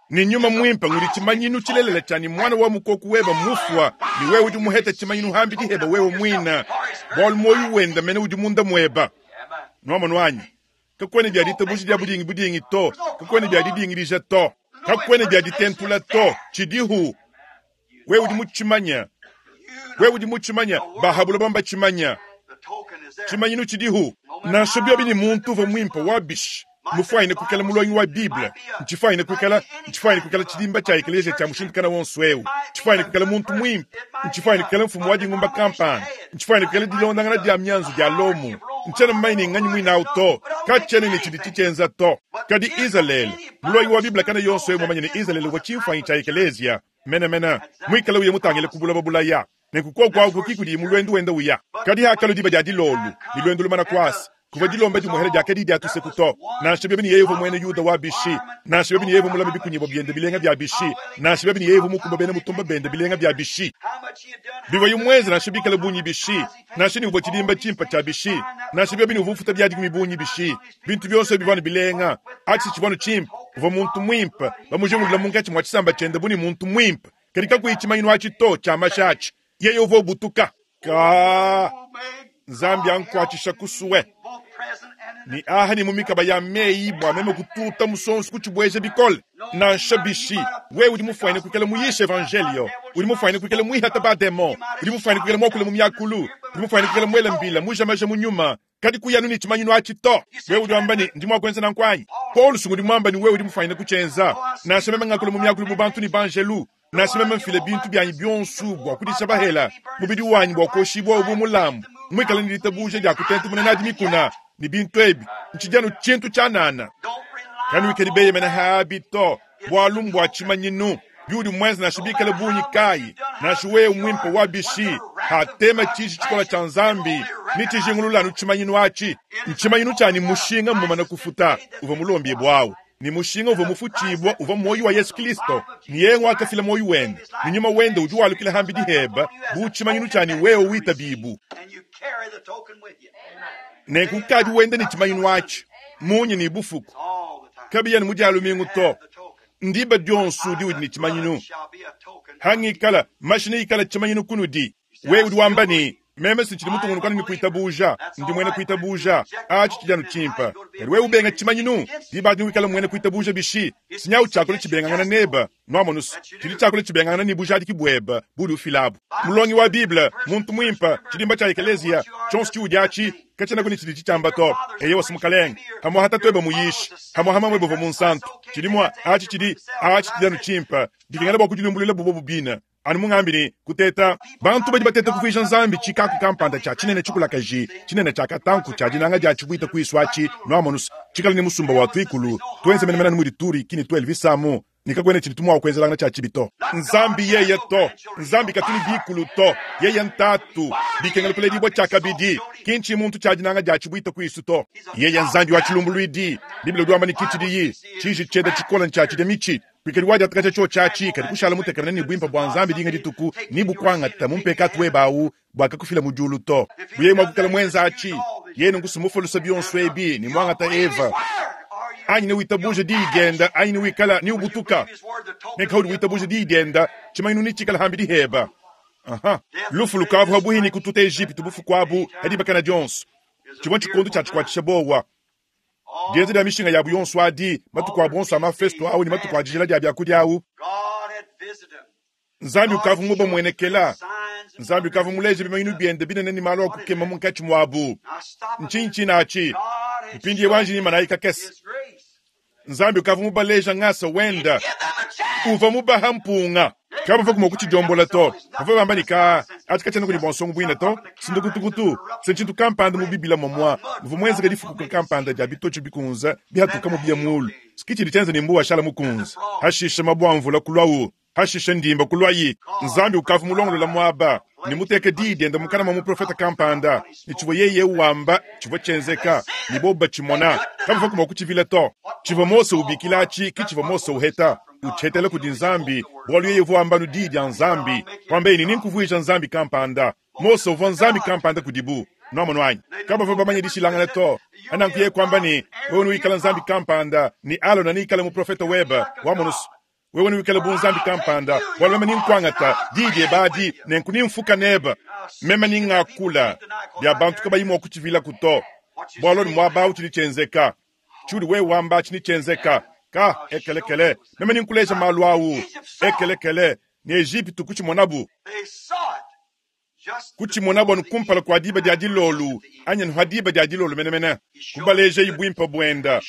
Ne Nyuma Muimpe ngudi tshimanyinu tshilelela tshia ne muana wa mukoko weba mufua, ne wewe udi muhete tshimanyinu hambidi heba wewe muina, bualu muoyo wende mene udi munda mueba. Nuamonu anyi? Kakuena bia ditabuja dia budingi budingi to, kakuena bia didingidija to, kakuena bia ditentula to, tshidihu. Wewe udi mutshimanya. Wewe udi mutshimanya, bahabula bamba tshimanya. Tshimanyinu tshidihu. Nansha biobi ne muntu uvua muimpe wa bishi, mufuanyine kuikala mulongi wa Bible, ntshifuanyine kuikala, ntshifuanyine kuikala tshidimba tshia ekeleziya tshia mushindu kana wonso eu, ntshifuanyine kuikala muntu muimpe, ntshifuanyine kuikala mfumu wa dingumba kampanda, ntshifuanyine kuikala dilondangana dia mianzu dia Lomo. Ntshiena mumanye ne nganyi muine awu to, katshiena ne tshidi tshitshienza to. Kadi Izalele, mulongi wa Bible kana yonso eu mumanye ne Izalele uvua tshimfuanyi tshia ekeleziya menemene, muikale uya mutangile ku buloba bulaya. Nenku koku aku ki kudi mu luendu wenda uya. Kadi hakalu diba dia dilolu, ne luendu lumana kuasa, kuvua dilomba dimuhela dia kadi dia tuseku to. Nansha biobi ne yeye uvua muena Yuda wa bishi, nansha biobi ne yeye uvua mulame bikunyibua biende bilenga bia bishi, nansha biobi ne yeye uvua mukumba bena mutumba bende bilenga bia bishi, bivua muenze nansha bikale bungi bishi, nansha ne uvua tshidimba tshimpe tshia bishi, nansha biobi ne uvua ufuta biadikumi bungi bishi, bintu bionso bivua ne bilenga, atshi tshivua ne tshimpe, uvua muntu muimpe, bamujingulula munkatshi mua tshisamba tshiende bu ne muntu muimpe. Kadi kakuyi tshimanyinu atshi to tshia mashi atshi, yeye uvua ubutuka. Ka Nzambi ankuatshisha kusue. Ni aha ni mu mikaba ya meyi bua meme kututa musonso kutshibueja bikole. Nansha bishi, wewe udi mufuanyine kuikala muyisha evangelio, udi mufuanyine kuikala muihata ba demon, udi mufuanyine kuikala muakule mu miakulu, udi mufuanyine kuikala muela mbila mujamaja mu nyuma, kadi kuyanu ne tshimanyinu atshi to. Wewe udi wamba ne, ndi mua kuenza nanku anyi? Paul udi muamba ne wewe udi mufuanyine kutshienza. Nansha meme ngakula mu miakulu bu bantu ne banjelu, nansha meme mfile bintu bianyi bionso bua kudisha bahela, mubidi wanyi bua kuoshibua bu mulambu, muikale ne ditabuja dia kutentemuna nadi mikuna ne bintu ebi, ntshidi anu tshintu tshianana. Kanuikadi beyemena habi to, bualu mbua tshimanyinu. Biudi muenze nansha bikale bungi kayi, nansha wewe muimpe wa bishi, hatema tshiji tshikola tshia Nzambi, ne tshijingulula anu tshimanyinu atshi. Ntshimanyinu tshia ne mushinga mmumane kufuta, uvua mulombibua awu. Ni mushinga uvua mufutshibua uvua muoyo wa Yesu Kristo, ni yeye wakafila muoyo wende, ni nyuma wende udi walukila hambidi heba bu tshimanyinu tshia ni wewe witabibu. Nenku kadi wende ne tshimanyinu atshi, munyi ni bufuku. Kabiya ni mudialu mingu to. Ndiba dionso diudi ne tshimanyinu. Hangikala mashi ikala tshimanyinu kunudi. Wewe udi wamba ne, meme sintshidi mutungunukana ne kuitabuja, ndi muena kuitabuja, atshi tshidi anu tshimpe. Kadi wewe ubenga tshimanyinu, diba adi wikala muena kuitabuja bishi, sinyawu tshiakula tshibengangana neba, nuamonusu, tshidi tshiakula tshibengangana ne bujadiki bueba budi ufilabu. Mulongi wa Bible, muntu muimpe, tshidimba tshia ekeleziya, tshionso tshiudi atshi, katshiena kuni tshidi tshitshiamba to. Eye wasi mukalenge, hamwa hatatu eba muyishi, hamwa hamamwe buvua munsantu. Tshidi mua, atshi tshidi, atshi tshidi anu tshimpe, dikengela bua kudilumbuluila bubo bubina. Anu mungambi ne kuteta bantu badi bateta kuvuija Nzambi tshikaku kampanda tshia tshinene tshikulakaji, tshinene tshia katanku tshia dinanga dia tshibuita kuisu atshi, nuamonusu, tshikale ne musumba wa tuikulu, tuenze menemene anu mudi turi kini tu Elvisamu. Ne kakwena tshidi tumwa kwenzelanga tshia tshibi to. Nzambi yeye to, Nzambi katuni bikulu to, yeye ntatu, bikengela kuledibwa tshia kabidi, kinchi muntu tshia dinanga dia tshibwita kwisu to. Yeye Nzambi wa tshilumbuluidi, Biblia udi wamba ne kichidiyi, tshiji tshienda tshikola ntshia tshidia mitshi. Kwikadi wadi atakacha cho chachi kadi kushala mutekemena ne bwimpa bwa Nzambi dinga dituku ni bukwangata mumpekatu webawu bwakakufila mu diulu to. Buye mwakukala mwenza achi, yenu nkusumufulusa bionso ebi ni mwangata Eva. Anyi ne witabuje diigenda, anyi ne wikala ni ubutuka. Ne kaudi witabuje diigenda, chimainu ni chikala hambi diheba. Aha. Lufu lukavu habuhini kututa Egypte bufu kwabu hadi bakana dionso. Chimwe chikondo cha chikwatisha bowa. Dienze dia mishinga yabu yonso adi, matuku a bonso amafesto au ni matuku ajila dia byakudia au. God had visited them. Nzambi ukavu muba mwenekela. Nzambi ukavu muleje bimainu biende binene ni malo akukema munkachi mwabu. Now stop a minute. Nchinchi nachi. God had Mpindi shown wanji ni malaika kesi. His grace. Nzambi ukavu mubaleja ngasa wenda. Give them a chance. Uva mubaha mpunga. Kaba va kuma kuchijombola to. Bava bamba nika atika chana kuli bonsongo bwina to. Sindukutukutu. Senchintu kampanda mu bibila momwa. Muvu mwenze kadifukuka kampanda dia bitocho bikunza. Bihatuka mu bia mulu. Sikichi lichenze ni mbuwa shala mukunza. Hashisha mabwa mvula kulwawu. Hashisha ndimba kulwayi. Nzambi ukavu mulongolola mwaba. Nimuteke didi enda mukana mwa muprofeta kampanda. Nichivo yeye wamba chivo chenzeka. Niboba chimona. Kaba va kuma kuchivila to. Chivo Mose ubikilachi kichivo Mose uheta. Uchetele kudi Nzambi, bwalu yeye vuamba nu didi ya Nzambi. Kwamba ini ninkuvuija Nzambi kampanda. Mose uvua Nzambi kampanda kudibu. Nwamo nwanyi. Kaba va bamanye dishilangana to. Anankuye kwamba ni, wewe nuikala Nzambi kampanda, ni Alona nikala muprofeta weba, wamonusu. Wewe nuikala bu Nzambi kampanda, bwalu meme ninkwangata, didi ebadi, nenku nimfuka neba. Meme ningakula, bya bantu kabayi kuchivila kuto. Bwalu ni mwaba uchilichenzeka. Chuli we wamba chinichenzeka. Ka ekelekele. Meme ninkuleja malu awu. Ekelekele. Ni Egypte kuchimonabu. They saw it. Just Kuchimonabu anukumpala kwa diba dia dilolu. Anya nuhadiba dia dilolu menemene. Kubaleja ibwimpa bwenda.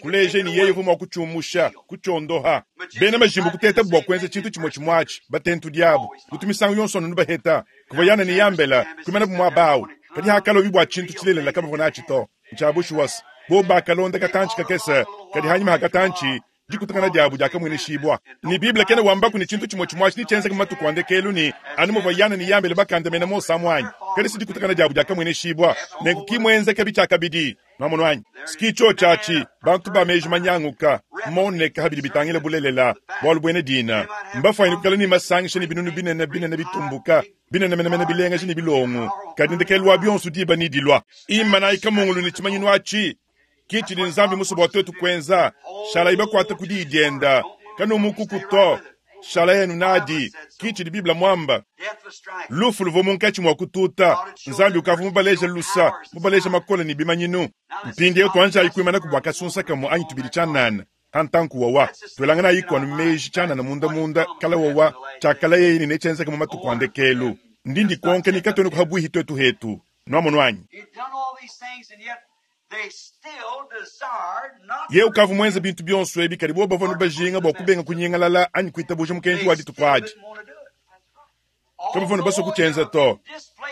Kuleja ni yeye vuma kuchumusha, kuchondoha. Bena majimbo kuteta bwa kwenza chintu chimwe chimwachi, batentu diabo. Kutumisangu yonso nubaheta. Kuvayana ni yambela, kumena bumwabawu. Kadi hakalo bibwa chintu chilelela kama vonachi to. Nchabushu was. Boba kalonda katanchi kakesa. Kadi hanyuma hakatanchi. Dikutakana diabu diakamweneshibwa. Ni Biblia kene wamba ni chintu chimwe chimwachi ni chenza kama tukwande kelu ni anumo vayana ni yambele bakanda mena mosa mwanyi. Kadi si dikutakana diabu diakamweneshibwa. Nenku kimwenze kabi chakabidi. Mamono anyi. Sikicho chachi bantu ba meji manyanguka. Moneka habidi bitangile bulelela. Bwalu bwene dina. Mbafaini kukala ni masangisha ni binunu binene binene bitumbuka. Binene mene mene bilenga jini bilongo. Kadi ndekelwa bionsu diba ni dilwa. Imana ikamungulu ni chimanyinu achi. Kichi ni Nzambi musu bwa twetu kwenza. Shala ibakwata kudidienda. Kano mukuku to. Shala yenu nadi. Kichi di Biblia mwamba. death was striking. Lufu luvo munkachi mwa kututa. Nzambi ukavu mubaleja lusa. Mubaleja makola ni bimanyinu. Mpindi yetu anja ikwimana kubwa kasunsa kamo anyi tubili chanana. Hantanku wawa. Twelangana iko meji chanana munda munda kala wawa. Chakala yeye ni nechenza kama matukwande kelu. Ndindi konke ni katoni kuhabuhi twetu hetu. Nwamono anyi. He'd done all these things, and yet they still desired not ye ukavu mwenza bintu byonso ebi kadi boba vanu bajinga bwa kubenga kunyengalala anyi kuitabuja mukenji wadi They still tukwadi didn't want to do it. kaba vanu baso kuchenza to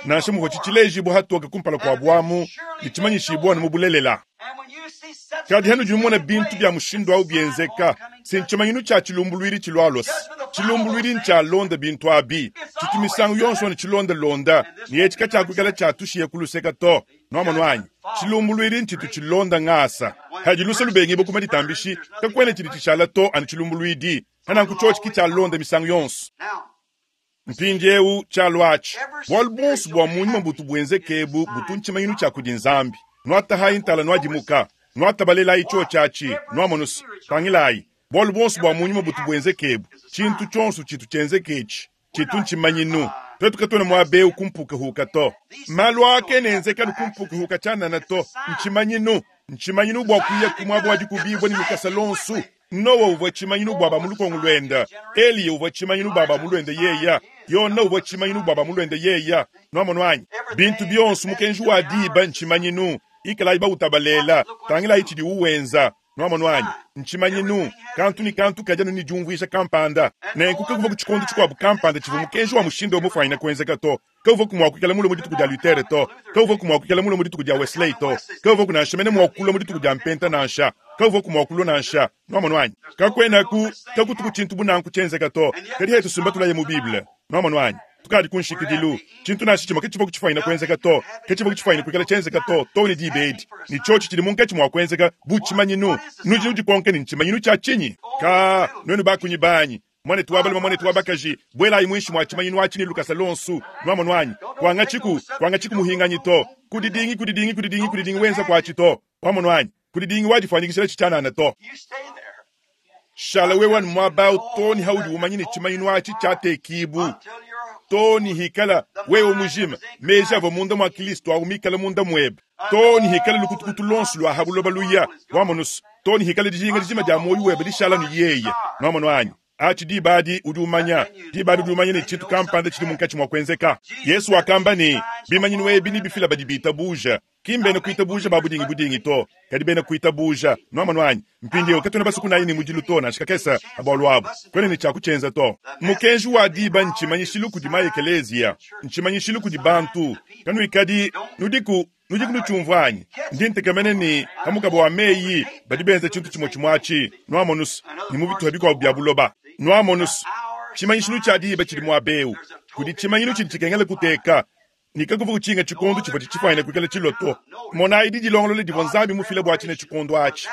nansha muvo chichileji hatoka kumpala kwa bwamu ni chimanyishibwa ni mubulelela And when you see such kadi hanu things jumona taking bintu place, bya mushindu au byenzeka it's a sign of coming sinchimanyinu cha chilumbulwiri chilwalosi chilumbulwiri nchalonda bintu abi chitumisango yonso ni chilondalonda ni echika chakwikala chatushiye kuluseka to nwamonu anyi chilumbulwiri nchitu chilonda ng'asa hajilusa lubengi bokuma ditambishi kakwene chili chishala to ani chilumbulwidi hananku chochi kichalonda misango yonso Now, mpindi eu chalwachi bwalu bonso bwa munyuma butu bwenzekebu butu nchimanyinu cha kudi Nzambi nwatahayi ntala nwadimuka nwatabalelayi cho chachi nwamonusu tangilayi bwalu bonso bwa munyuma butu bwenzekebu chintu chonso chitu chenzekechi chitu nchimanyinu twetu katwene mwabeu kumpukahuka to malu ake nenzeka nukumpukahuka chanana to nchimanyinu nchimanyinu bwa kuya kumwabo wadi kubibwa ni lukasa lonsu Nowa uvwa chimanyinu bwaba mulukongo lwenda Eliya uvwa chimanyinu bwaba mulwenda yeya Yona uvwa chimanyinu bwaba mulwenda yeya nwamono anyi bintu byonso mukenji wa diba nchimanyinu ikala iba utabalela tangila ichidi uwenza Nwamonu anyi? Ntshimanyinu, kantu ne kantu kadi anu ne diumvuija kampanda. Nenku kakuvua ku tshikondo tshikuabu kampanda tshivua mukenji wa mushindu eu mufuanyine kuenzeka to. Kawuvuaku mua kuikala mulue mu dituku dia Luther to. Kawuvuaku mua kuikala mulue mu dituku dia Wesley to. Kawuvuaku nansha mene mua kulua mu dituku dia Mpenta nansha. Kawuvuaku mua kulua nansha. Nwamonu anyi? Kakuenaku, kakutuku tshintu bu nanku tshienzeka to. Kadi hetu sumba tulaye mu Bible. Nwamonu anyi? Tukadi ku nshikidilu. Tshintu nansha tshimue katshivua kutshifuanyina kuenzeka to. Katshivua kutshifuanyina kuikala tshienzeka to, too ne diba edi. Ne tshiotshi tshidi munkatshi mua kuenzeka bu tshimanyinu. Nudi nudikonka ne, Ntshimanyinu tshia tshinyi? Kaa, nuenu bakunyi banyi, muanetu wa balume, muanetu wa bakaji, buelayi muinshi mua tshimanyinu atshi ne lukasa luonso. Nwamonu anyi? Kuangatshiku, kuangatshiku muhinganyi to. Kudidingi, kudidingi, kudidingi, kudidingi wenza kuatshi to. Wamonu anyi? Kudidingi wadifuanyikijila tshitshianana to. You stay there Shala wewe anu muaba awu too ne haudi umanya ne tshimanyinu atshi tshiatekibu. until you're Too ne hikala wewe mujima, meji avua munda mua Kristo awu mikale munda muebe. Too ne hikala lukutukutu luonso lua ha buloba luya, wamonusu. Too ne hikala dijinga dijima dia muoyo webe dishala nu yeye. Nwamonu anyi? Atshi diba adi udi umanya, diba adi udi umanya ne tshintu kampanda tshidi munkatshi mua kuenzeka. Yesu wakamba ne, bimanyinu ebi nebifila badi bitabuja. Ki mbena kuitabuja ba budingi budingi to, kadi bena kuitabuja. Nwamonu anyi? Mpindieu katuena basukunayi ne mudilu to, nansha kakese pa bualu abu. Kwena ne tshia kutshienza to. Mukenji wa diba ntshimanyishilu kudi maekeleziya, ntshimanyishilu kudi bantu. Kanuikadi nudiku, nudiku nutshiumvua anyi? Ndi ntekemena ne pa mukaba wa meyi badi benza tshintu tshimue tshimue atshi. Nwamonusu ne mu bituha bikuabu bia buloba. Nwamonusu, tshimanyishilu tshia diba tshidi muaba eu. Kudi tshimanyinu tshidi tshikengela kuteka. Ne kakuvua kutshinga tshikondo tshivua tshifuanyine kuikala tshilua to. Monayi didilongolola divua Nzambi mufile bua tshine tshikondo atshi.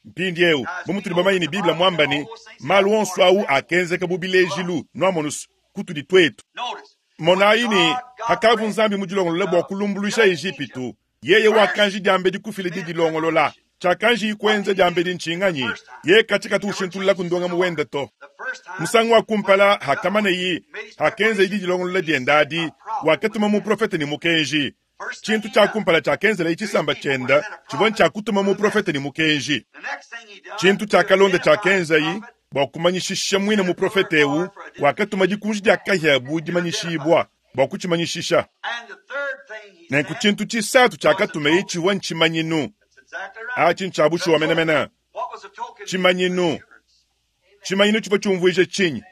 Mpindieu, bu mutudi bamanye ne Bible muamba ne, malu onso au akenzeka bu bilejilu, nwamonusu, kutudi tuetu. Notice. Monayi ne, hakavu Nzambi mudilongolola bua kulumbuluisha Ejipitu, yeye wakanji diambedi kufila didilongolola. Tshiakanji kuenza diambedi ntshinganyi, ye katshikatu ushintulula ku ndongamu wende to. The first time Musangu wa kumpala hakamaneye, hakenza didilongolola diende adi, wakatuma muprofete ne mukenji. Tshintu tshia kumpala tshiakenzela tshisamba tshienda tshivua ntshia kutuma muprofete ne mukenji. the next thing he done, Tshintu tshiakalonda tshiakenzayi bua kumanyishisha muine muprofete eu, wakatuma dikunji dia kahia bu dimanyishibua bua kutshimanyishisha. and the third thing he Nenku said, tshintu tshisatu tshiakatumeye tshivua ntshimanyinu. that's exactly right. Atshi ntshia bushuwa menemene. What was the token? Tshimanyinu. Tshimanyinu tshivua tshiumvuija tshinyi?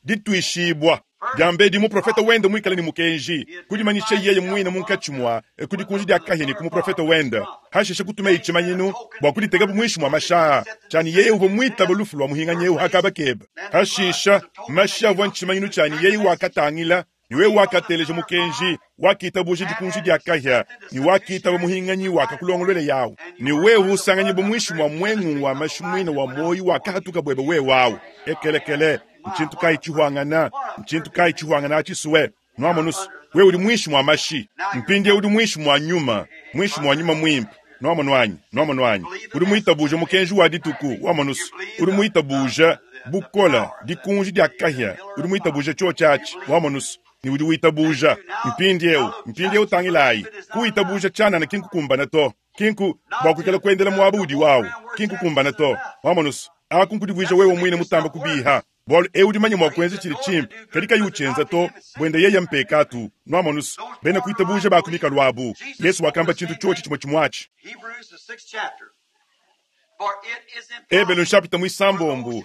Dituishibua. Diambedi muprofete wende muikale ne mukenji, kudimanyisha yeye muine munkatshi mua ku dikunji dia kahia ne ku muprofete wende. Hashishe kutumeye tshimanyinu bua kuditeka muinshi mua mashaha, tshiani yeye uvua muitaba lufu lua muhinganyi eu hakaba keba. Hashisha mashi avua ntshimanyinu tshiani yeye wakatangila ne wewe wakateleja mukenji, wakitabuja dikunji dia kahia, ne wakitaba muhinganyi wakakulongolwela yawu. Ne wewe usanganyibwa muinshi mua mwengu wa mashi muine wa moyi wakahatuka bwebe wewe awu. Ekelekele, ntshintu kayi tshihwangana, ntshintu kayi tshihwangana atshisuwe. Nwamonusu, wewe udi muinshi mua mashi, mpindieu udi muinshi mua nyuma, muinshi mua nyuma mwimpe. Nwamonu anyi? Nwamonu anyi? Udi muitabuja mukenji wa dituku, wamonusu. Udi muitabuja bukola, dikunji dia kahia, udi muitabuja tshiotshi atshi, wamonusu. Ni udi witabuja mpindieu, mpindieu tangilayi. Kuitabuja tshianana ki nkukumbana to. Kinku bua kuikala kuendela muaba udi wawu, ki nkukumbana to. Wamonusu, aku nkudivuija wewe muine mutamba kubiha. Bualu eu udi manya mua kuenza tshidi tshimpe, kadi kayi utshienza to, buende yeye mpekatu. Nwamonusu, bena kuitabuja bakumika lwabu. Yesu wakamba tshintu tshiotshi tshimue tshimue atshi. Hebrews, the sixth chapter. For it is impossible Ebelu nshapita muisambombo.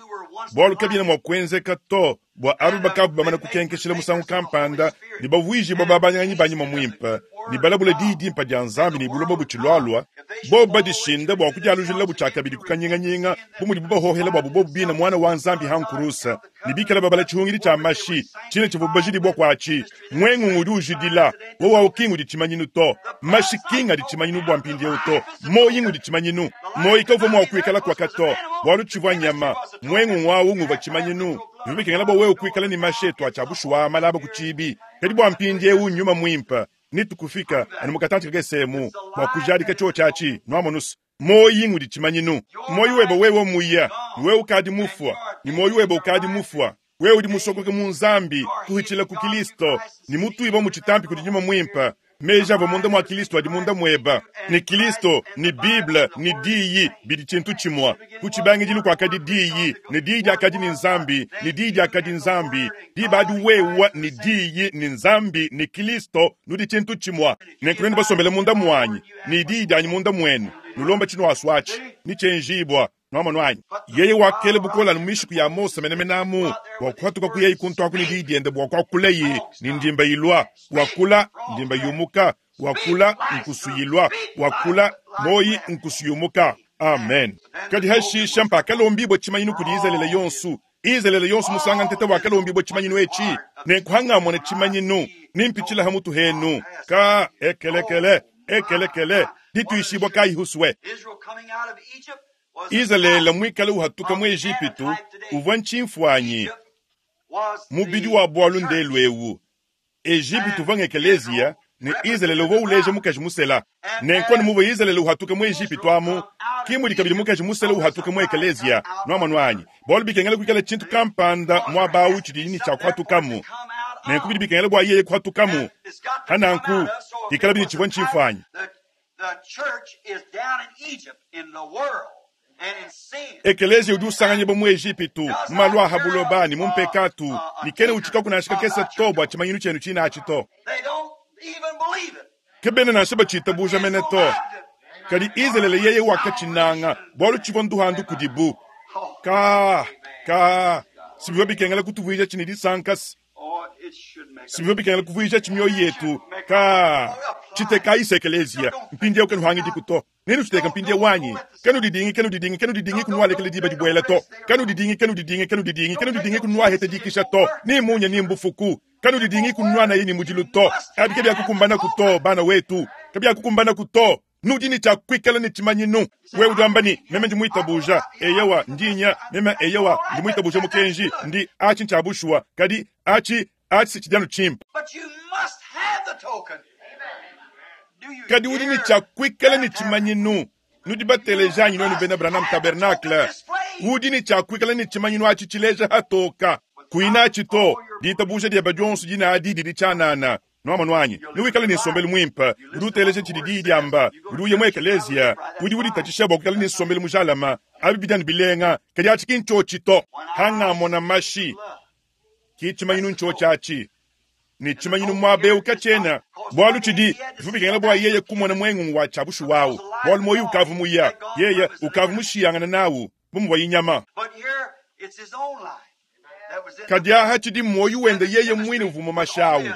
Bualu kabiena mua kuenzeka to bua aba bakavu bamana kukenkeshela musangu kampanda ne bavuijibua babanyanyi ba nyuma muimpe ne balabula diyi dimpe dia Nzambi ne buloba butshilualua, bobu badishinda bua kudialujilula butshiakabidi ku kanyinganyinga bu mudibu bahohela buabu bobu bina muana wa Nzambi hankurusa ne bikala babala tshihungidi tshia mashi tshine tshivua bajidibua kuatshi. Mwengungu udi ujidila wowu awu kinga udi tshimanyinu to, mashi kinga adi tshimanyinu bua mpindieu to, moyi ngudi tshimanyinu. Moyi kavua mua kuikala kuaka to, bualu tshivua nyama. Mwengungu awu nguvua tshimanyinu. Bivua bikengela bua wewe kuikala ne mashi etu atshia bushuwa malaba ku tshibi. Kadi bua mpindieu nyuma muimpe nitukufika anu mukatantshi kakesemu bua kujadika tshiotshi atshi. Nwamonusu, moyi ngudi tshimanyinu. Moyi webe wewe muya, ni wewe ukadi mufua, ni moyi webe ukadi mufua. Wewe udi musokoke mu Nzambi kuhitshila ku Kristo, ni mutuiba mu tshitampi kudi nyuma muimpe. Meji avua munda mua Kristo adi munda mueba. Ni Kristo, ni Bible, ni diyi bidi tshintu tshimue. Ku tshibangidilu kuakadi diyi, ni diyi diakadi ni Nzambi, ni diyi diakadi Nzambi. Diba adi wewa ni diyi, ni Nzambi, ni Kristo, nudi tshintu tshimue. Nenku nuenu basombele munda muanyi, ni diyi dianyi munda muenu. Nulomba tshinuasua atshi, ni tshienjibua. Nwamonu anyi? Yeye wakela bukole anu mu mishiku ya Mose menemene amu bua kuhatuka kuyeyi kuntu aku ne diyi diende bua kuakulaye ne ndimba ilua, wakula ndimba yumuka, wakula nkusu ilua, wakula moyi nkusu yumuka. Amen. Kadi hashisha mpakalombibue tshimanyinu kudi Izalele yonso. Izalele yonso musanga ntete wakalombibue tshimanyinu etshi nenkuhangamona tshimanyinu nimpitshila ha mutu henu ka ekelekele ekelekele dituishibua kayi huswe. Israel coming out of Egypt was a Izalele type muikale uhatuka mu of Ejipitu antitype today. uvua ntshimfuanyi Egypt was mubidi the wa bwalu church. ndelu ewu. Ejipitu uvua ngekeleziya ne Izalele uvua uleja mukaji musela. Nenkuani muvua Izalele uhatuka mu Ejipitu amu kimudi kabidi mukaji musela uhatuka mu ekeleziya nwamonu anyi bwalu bikengela kuikala tshintu kampanda muaba awu tshidi ne tshia kuhatukamu. Nenku bidi bikengela bua yeye kuhatukamu. It's got to Hananku come out of, so if ikala it bidi was tshivua a type, ntshimfuanyi. the, the church is down in Egypt, in the world, and in sin. Ekeleziya udi usanganyibwa mu Ejipitu mu malu a habuloba ne mu mpekatu ne kena utshika kunashika kese to bua tshimanyinu tshienu tshinatshi to. They don't even believe it. Ke bena nansha batshitabuja mene to. Kadi Izalele yeye wakatshinanga bwalu tshivua nduhandu kudibu. Oh, Ka ka sibivua bikengela kutuvuija tshine disankasi oh, it should make us. sibivua bikengela kuvuija tshimioyo yetu ka tshitekayi ekeleziya mpindieu kenuhangidi to nenu tshiteka mpindieu wanyi kenudidingi kenudidingi kenudidingi kunualekele diba dibuela to kenudidingi kenudidingi kenudidingi kenudidingi kunuahete dikisha to ni munya ni mbufuku kenudidingi kunua naye ni mudilu to abi ke byakukumbanaku to bana wetu ke byakukumbanaku to nudi ne tshia kuikala ne tshimanyinu wewe udi wamba ni meme ndi muitabuja eyewa ndinya meme eyewa ndi muitabuja mukenji ndi achi ntshia bushuwa kadi achi achi si tshidianu tshimpe. But you must have the token. Do you Kadi udi ne hear tshia kuikala ne that? tshimanyinu nudi batelejanyi nonu bena Branham Tabernacle udi ne tshia kuikala ne tshimanyinu atshi tshileja hatoka kuinatshi to ditabuja dieba dionso dinadi didi tshianana nwamonu anyi niwikale ne nsombelu muimpe udi uteleja tshidi diyi diamba udi uya mu ekeleziya udi uditatshisha bua kuikala ne nsombelu mujalama abi bidianu bilenga kadi atshi ki ntshiotshi to hangamona mashi ki tshimanyinu ntshiotshi atshi ne tshimanyinu muaba eu katshiena bwalu tshidi bivua bikengela bua yeye kumona muengungu wa tshia bushuwa awu bwalu moyi ukavu muya yeye ukavu mushiyangana nawu bu muvua inyama. But here, it's his own life that was in the Kadi aha tshidi moyi wende yeye mwine uvuma mashawu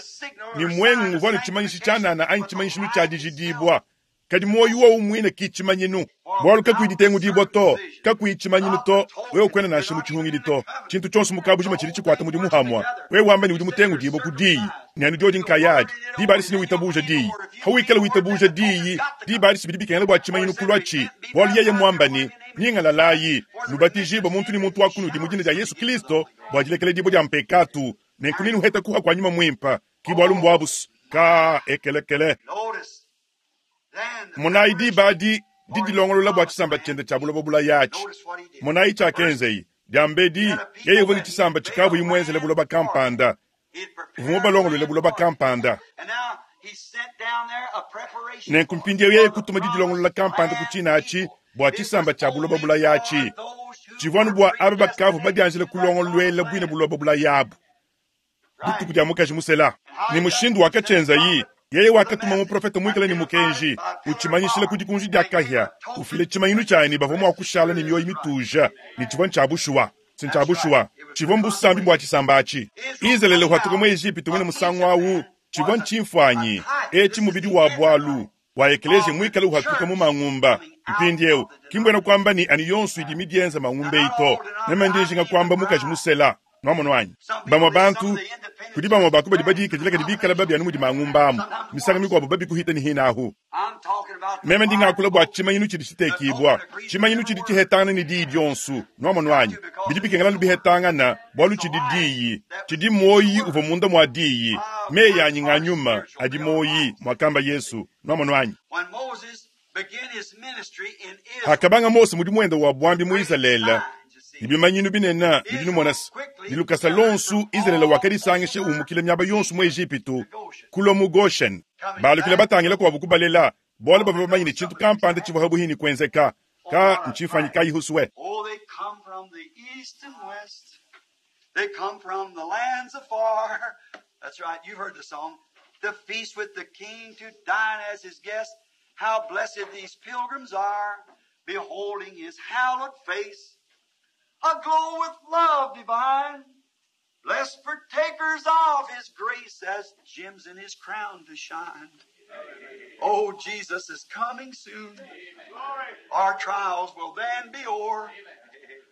ni mwengungu uvua ne tshimanyishi tshianana anyi tshimanyishinu tshia dijidibwa kadi moyi wowu mwine ki tshimanyinu bwalu kakuyi ditengudibwa to kakuyi tshimanyinu to wewe kwena nansha mu tshihungidi to tshintu tshionso mukabujima tshidi tshikwata mudi muhamwa wewe wamba ni udi mutengudibwa ku diyi ne anu diodi nkayadi diba adi sini witabuja diyi hawikala witabuja diyi diba adi sibidi bikengela bua tshimanyinu kulwatshi bwalu yeye mwamba ni ningalalayi nubatijibwa muntu ni muntu wa kunudi mu dina dia Yesu Kristo bua dilekela dibwa dia mpekatu nenku ninuheta kuha kwa nyuma mwimpa ki bwalu mbwabusu ka ekelekele. Notice then the Monayi diba adi for didilongolola his bua promised tshisamba land. tshiende tshia buloba bulayatshi. Notice what he did. Monayi First, tshiakenzeyi diambedi he had a yeye people uvua ne that he tshisamba made a tshikavu imwenzele land buloba for them. kampanda He had uvua prepared a mubalongolole land buloba for them. kampanda. And now he sent down there a preparation Nenku for it, mpindieu yeye for the kutuma didilongolola promised kampanda ku land tshinatshi people. bua It was tshisamba tshia buloba only for bulayatshi those who tshivua anu were bua aba bakavu predestinated badianjile to that kulongoluela promised bwine land. buloba bulayabu dituku Right. dia mukaji musela. And how Ne he done mushindu it, he sent a wakatshienzayi prophet yeye with a wakatuma message muprofeta muikale ne identified mukenji it by pillar of utshimanyishile fire ku dikunji dia and gave kahia a token ufile tshimanyinu tshianyi bavua mua that kushala ne secured mioyo his right. mituja ne tshivua ntshia bushuwa si ntshia That's right. bushuwa It was tshivua the mbusambi bua confirmation. tshisamba atshi. Israel Izalele coming uhatuka out mu Ejipitu mwine of musangu Egypt awu then tshivua was a, a ntshimfuanyi type. etshi This is mubidi the wa bwalu antitype wa ekeleziya of the muikale uhatuka mu church mangumba coming out mpindieu of the kimbwena kwamba ni denomination. ani yonso idi midienza mangumba Now, not eyi all to meme denominations, ndijinga even the kwamba mukaji bride. musela nwamonu wanyi Some people, bamwe they, some bantu of the independent kudi bamwe churches baku badi brand badikadila kadi bikala babi anu mudi mangumba amu sometimes misanga worse. mikuabo babi kuhita ni hinahu. I'm talking about the Meme ndingakula bua fivefold, tshimanyinu tshidi the tshitekibwa token agrees with tshimanyinu every tshidi word. tshihetangana ne diyi dionso nwamonu Got wanyi to because bidi it is bikengela the word. bihetangana bwalu It's the tshidi life diyi that was tshidi in the moyi word. uvua munda mua diyi My meyi words anyi nga are nyuma spiritual, adi they are moyi life. mwakamba Yesu nwamonu wanyi. When Moses began his ministry in Israel, Hakabanga Mose mudi muenda wa bwambi mu great Izalele signs, you see. ni bimanyinu binene bidi Israel numona se quickly ni lukasa gathered lonsu from Izalele all wakadisangisha over umukile miaba yonso mu Egypt Ejipitu to Goshen. kulwa mu Goshen Coming balukile back, batangila kwabo kubalela bwalu oh, bavua they bamanyine know tshintu something was kampanda tshivua happening. habuhini kwenzeka Oh, ka what a ntshifanyi type. kayi huswe. Oh, they come from the east and west. They come from the lands afar. That's right, you've heard the song. To feast with the king, to dine as his guest. How blessed these pilgrims are. beholding his hallowed face, aglow with love divine, blessed partakers of his grace as gems in his crown to shine. Oh, Jesus is coming soon. Our trials will then be o'er.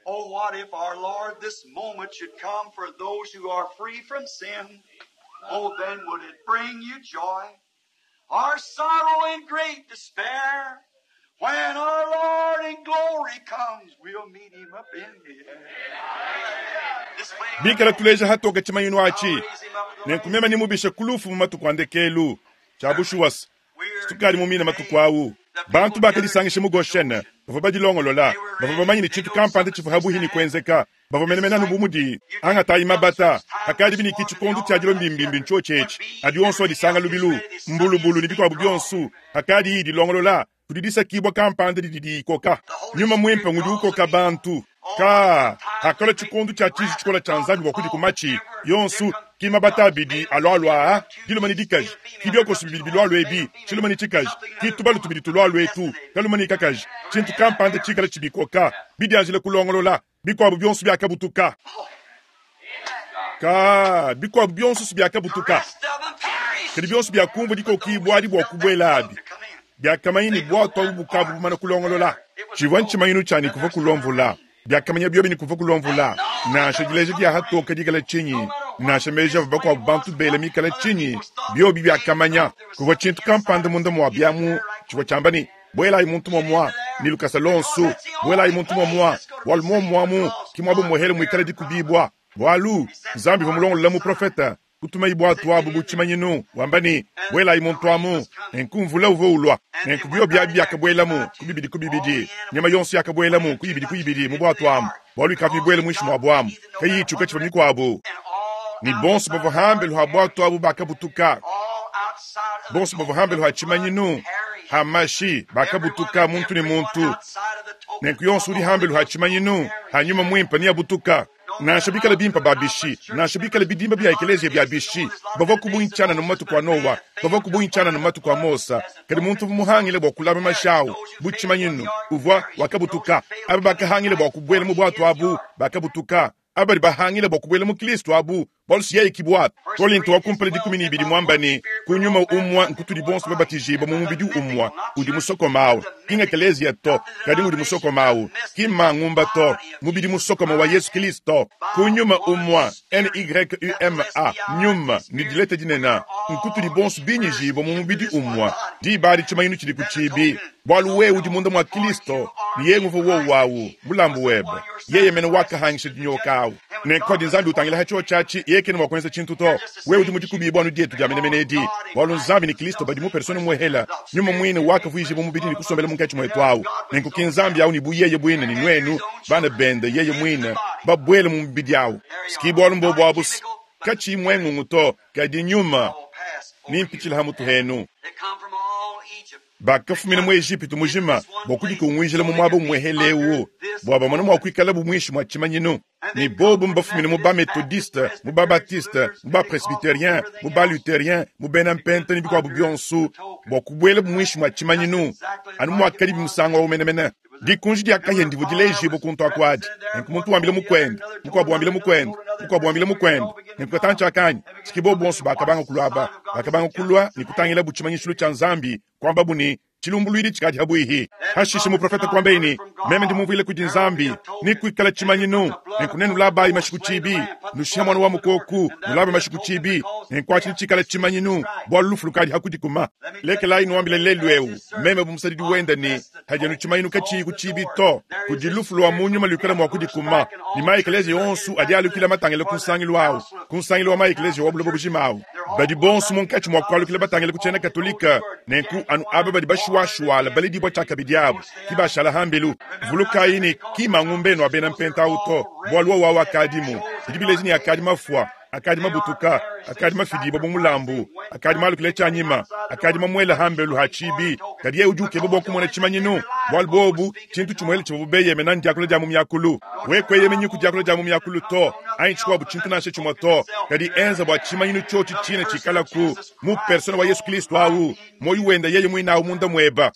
Oh, what if our Lord this moment should come for those who are free from sin? Oh, then would it bring you joy, our sorrow and great despair? When our Lord in glory comes, we'll meet him up in the air. Displaying Bikala tuleja hatoka tshimanyinu atshi I'll raise him up with the nenkumema nimubishe kulufu mu matuku a ndekelu tshia bushuwasa We're tukali mumina matuku awu bantu bakadisangisha mu goshene bavua badilongolola bavua bamanye ne tshintu kampanda tshivua habuhi ne kuenzeka bavua menemene anu bu mudi angatayi mabata akadi biniki tshikondo tshia dilo mbimbimbi ntshotshetshi adi onso adisanga lubilu mbulubulu ne bikuabu bionso akadi iyi dilongolola kudi disakibwa kampanda didi diyikoka nyuma mwimpe ngudi ukoka bantu ka hakala tshikondo tshia tshiji tshikola tshia nzambi bua kudi kumatshi yonso ki mabata abidi alwalwa diluma ne dikaji ki biokoso bibidi bilwalwa ebi tshiluma ne tshikaji ki tubalu tubidi tulwalwa etu kaluma ne kakaji tshintu kampanda tshikala tshibikoka bidianjile kulongolola bikuabu bionso biakabutuka ka bikuabu bionso si biakabutuka rest of them perished. kadi bionso biakumvua dikokibwa adi bua kubuela abi To come in. biakamanya ne bwatu abu bukabu bumana kulongolola tshivua ntshimanyinu tshianyi kuva kulomvula biakamanya biobi ne kuva kulomvula nansha dileja dia hatoka dikala tshinyi nansha meji avua bakuabu bantu bela mikala tshinyi biobi biakamanya kuvua tshintu kampanda munda mua biamu tshivua tshiamba ne buelayi muntu momua ni lukasa lonso buelayi muntu momua walu momuamu ki muabu muhele muikala dikubibwa bwalu nzambi uvua mulongolola muprofeta kutumayi bwatu abu bu tshimanyinu wamba ne buelayi muntu amu nenku mvula uvua ulwa nenku bio biabi biakabuelamu ku bibidi ku bibidi nyama yonso yakabuelamu ku ibidi ku ibidi mu bwatu amu bwalu ikavua mibuele muinshi mua bwamu kayiyi tshiuka tshivua mikuabu And all ni bonso bavua hambelu ha bwatu abu bakabutuka all outside of the bonso bavua hambelu ha tshimanyinu ha mashi bakabutuka muntu ne muntu nenku yonso udi hambelu ha tshimanyinu hanyuma mwimpe niabutuka nansha bikala bimpa babishi nansha bikala bidimba bya ekeleziya bya bishi bavua kubuntshiana no matuku a nowa bavua kubuntshiana no matuku a mosa kadi muntu uvua muhangile bua kulama mashawu bu tshimanyinu uvua wakabutuka aba bakahangile bua kubuela mu bwatu abu bakabutuka aba badi bahangile bua kubuela mu kristu abu bualu siyeyi kibwatu kolinto wa kumpala dikumi ne ibidi mwamba ne kunyuma umwa nkutudi bonso babatijibwa mu mubidi umwa udi musokomawu kinga ekeleziya to kadi udi musokomawu ki mangumba to mubidi musokoma wa yesu kristo kunyuma umwa nyuma nyuma ni dileta dinena nkutudi bonso binyijibwa mu mubidi umwa dibali tshimanyinu tshidi ku tshibi bualu wewe udi munda mwa kristo ni ye nguvu wowu wawu mulambu webe yeye mene wakahangisha dinyoka awu nenkodi nzambi utangila ha tshiwo tshiatshi yeye kene mua kuenza tshintu to wewe udi mudikubibwa anu dietu dia menemene edi bualu nzambi ni kristo badi mu persona muehela nyuma muine wakavuijibwa mubidi ni kusombela munkatshi muetu awu nenku ki nzambi awu ni bu yeye buine ni nuenu bana bende yeye muine babuele mu mubidi awu siki bualu mbobu abu katshi mwengungu to kadi nyuma nimpitshila ha mutu henu They come from all Egypt. bakafumina mu Ejipitu mujima bua kudikunguijila mu muaba umuehelewu bua bamone mua kuikala bu muinshi mua tshimanyinu ni bobu mbafumine mu bametodiste mu babatiste mu bapresbiterien mu balutherien mu bena mpenta ne bikuabu bionso bua kubuela bu muinshi mua tshimanyinu anu muakadi bimusango wawu menemene dikunji dia kahia ndivu dilejibwa kuntu akuadi nenku muntu wambile mukwenda mukuabu wambile mukwenda mukuabu wambile mukwenda nenku katantshi akanyi siki bobu bonso bakabanga kulua bakabanga kulua ni kutangila bu tshimanyishilu tshia nzambi kwambabu ni tshilumbuluidi tshikadi habuihi hashishe muprofeta kwambeini meme ndimumvuile kudi nzambi ni kuikala tshimanyinu nenku nenu labayi mashiku tshibi nushiha mwana wa mukoku nulabe mashiku tshibi nenku atshi tshikala tshimanyinu bualu lufu lukadi hakudikuma lekelayi nuambile lelu ewu meme bu musadidi wenda ni hadianu tshimanyinu katshiyi ku tshibi to kudi lufu lwa munyuma luikala mua kudikuma ni maekeleziya yonso adi alukila matangile ku nsangilu awu ku nsangilu wa maekeleziya wa buloba bujima awu badi bonso munkatshi mua kualukila batangile ku tshiena katolika nenku anu aba badi bashuwashuwala baledibwa tshiakabidi abu ki bashala hambelu vulukayi ne ki mangumbenu abena mpenta awu to bualu wawu akadimu bidi bileji ne akadi mafua Akadi mabutuka, akadi mafidibua bu mulambu, akadi malukile tshianyima, akadi mamuela hambelu ha tshibi. Kadi yeye udi ukeba bua kumona tshimanyinu, bualu bobu tshintu tshimuele tshivua beyemena ndiakula dia mu miakulu. We kueyemenyi ku diakula dia mu miakulu to, anyi tshikuabu tshintu nansha tshimue to. Kadi enza bua tshimanyinu tshiotshi tshine tshikalaku mu persona wa Yesu Kristo awu, moyo wenda yeye muinawu munda mueba.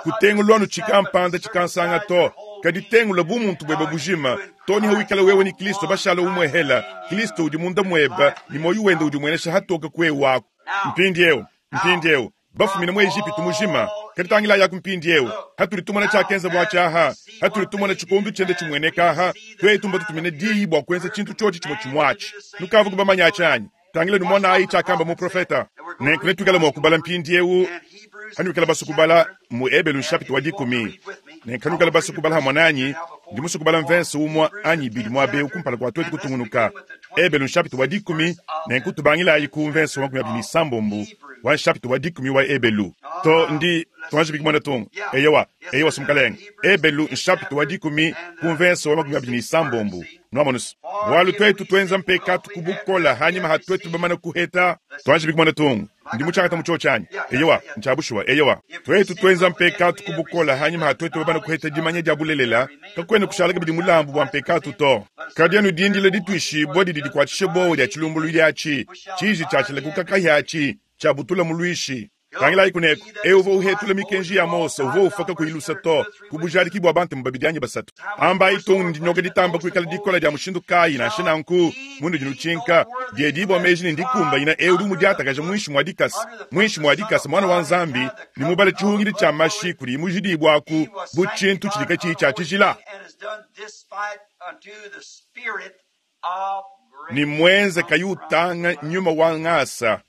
Kutengulwanu tshikampanda tshikansanga to, kadi tengula bu muntu bwebe bujima to niho wikala wewe ni Kristo bashala umwehela. Kristo udi munda mweba ni moyo wenda udi mwenesha hatoka kwe wako. Mpindiewu, mpindiewu bafumina mu Egipitu mujima. Kadi tangila yaku mpindiewu hatuli tumona tshiakenza bua tshiaha, hatuli tumona tshikondu tshiende tshimueneka aha. Twetu mbatutumine diyi bua kuenza tshintu tshiotshi tshimue tshimuatshi. Nukavu kubamanya tshianyi. Tangila numona ayi tshiakamba muprofeta. Nenku netuikale mua kubala mpindiewu hanuikala basu kubala mu Ebelu chapitre wa dikumi. Nenku hanuikala basu kubala hamwe nanyi, ndi musu kubala mvense umwa anyi ibidi muabewu kumpala kua twetu kutungunuka. Ebelu chapitre wa dikumi, nenku tubangilayi ku mvense wa makumi abidi ne sambombo wa chapitre wa dikumi wa Ebelu. To ndi tuanji bikimona tungu. Eyewa, eyewa sumukalenga. Ebelu chapitre wa dikumi ku mvense wa makumi abidi ne sambombo. Nwamonusu. Bualu twetu twenza mpekatu kubukola hanyima hatwetu bamana kuheta. Tuanji bikimona tungu. Ndi muchakata mucho chanyi. Eyewa, nchabushwa, eyewa. Twetu twenza mpekatu kubukola hanyima hatwetu bamana kuheta dimanya dia bulelela. Kakwena kushala kabidi mulambu bwa mpekatu to. Kadi anu dindila ditwishibwa didi dikwatshishe bowa dia tshilumbulu diatshi. Tshiji tshiatshila kukakahiatshi, tshiabutula mulwishi. Tangilayi kuneko, ewu uvua uhetula mikenji ya Mose, uvua ufaka kuyilusa to, kubujadiki bua bantu babidi anyi basatu. Ambayi tungu ndinyoka ditamba kuikala dikola dia mushindu kayi nansha nanku, mundu dinutshinka, diedibua meji ne ndikumbanyina ewu udi mudiatakaja muinshi mua dikasa, muinshi mua dikasa mwana wa Nzambi, ne mubala tshihungidi tshia mashi kudi mujidibwaku bu tshintu tshidi katshiyi tshia tshijila. Ni mwenze kayi utanga nyuma wa ngasa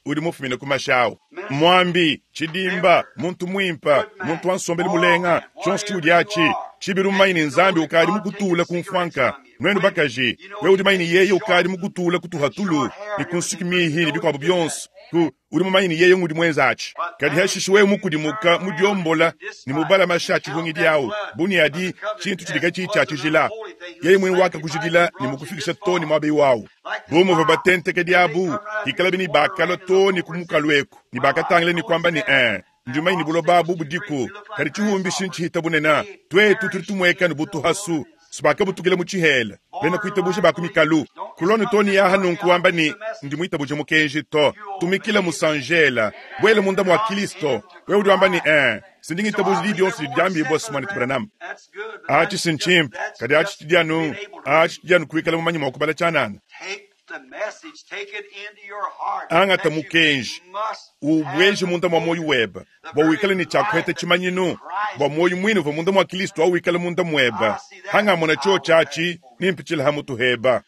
udi mufumine ku mashawu. Mwambi, tshidimba, muntu mwimpa, muntu wa nsombelu mulenga, tshionso tshiudi atshi, tshibilu mmanyi ne Nzambi ukadi mukutula ku mfuanka. Nwenu bakaji, wewe udi manyi ne yeye ukadi mukutula kutuhatulu, ne ku nsuki mihi ne bikuabu bionso. Ku udi mumanyi ne yeye ngudi mwenza atshi. Kadi hashishe wewe mukudimuka mudiombola ne mubala mashi a tshihungidi awu, buni adi tshintu tshidi katshiyi tshia tshijila. Yeye mwene wakakujidila ne mukufikisha to ne muabeyi wawu. Bu muvua batentekedi abu, hikalabi ne bakalua to ne ku mukalu eku, ne bakatangila ne kuamba ne, eh, ndi manyi ne buloba abu budiku, kadi tshihumbi shintshihita bunena. Twetu tudi tumueka ne butuhasu, sibakabutukile mu tshihela, bena kuitabuje ba ku mikalu. Kulone to ne yaha nunku wamba ne, ndi muitabuje mukenji to. Tumikila musanjela, bwele munda mwa Kristo. Wewe udi wamba ne, eh, sindi ngitabuje di bionso didi diambibua Simone Branham. Atshi sinchimpe, kadi atshi tshidianu, atshi tshidianu kuikala mumanyi mua kubala tshianana. Angata mukenji, ubweje munda mwa moyo weba, bua wikale ne tshiakuheta tshimanyinu, bua moyo mwine uvua munda mwa Kristo au wikale munda mweba. Hangamona chio tshiatshi, nimpitshila ha mutu heba.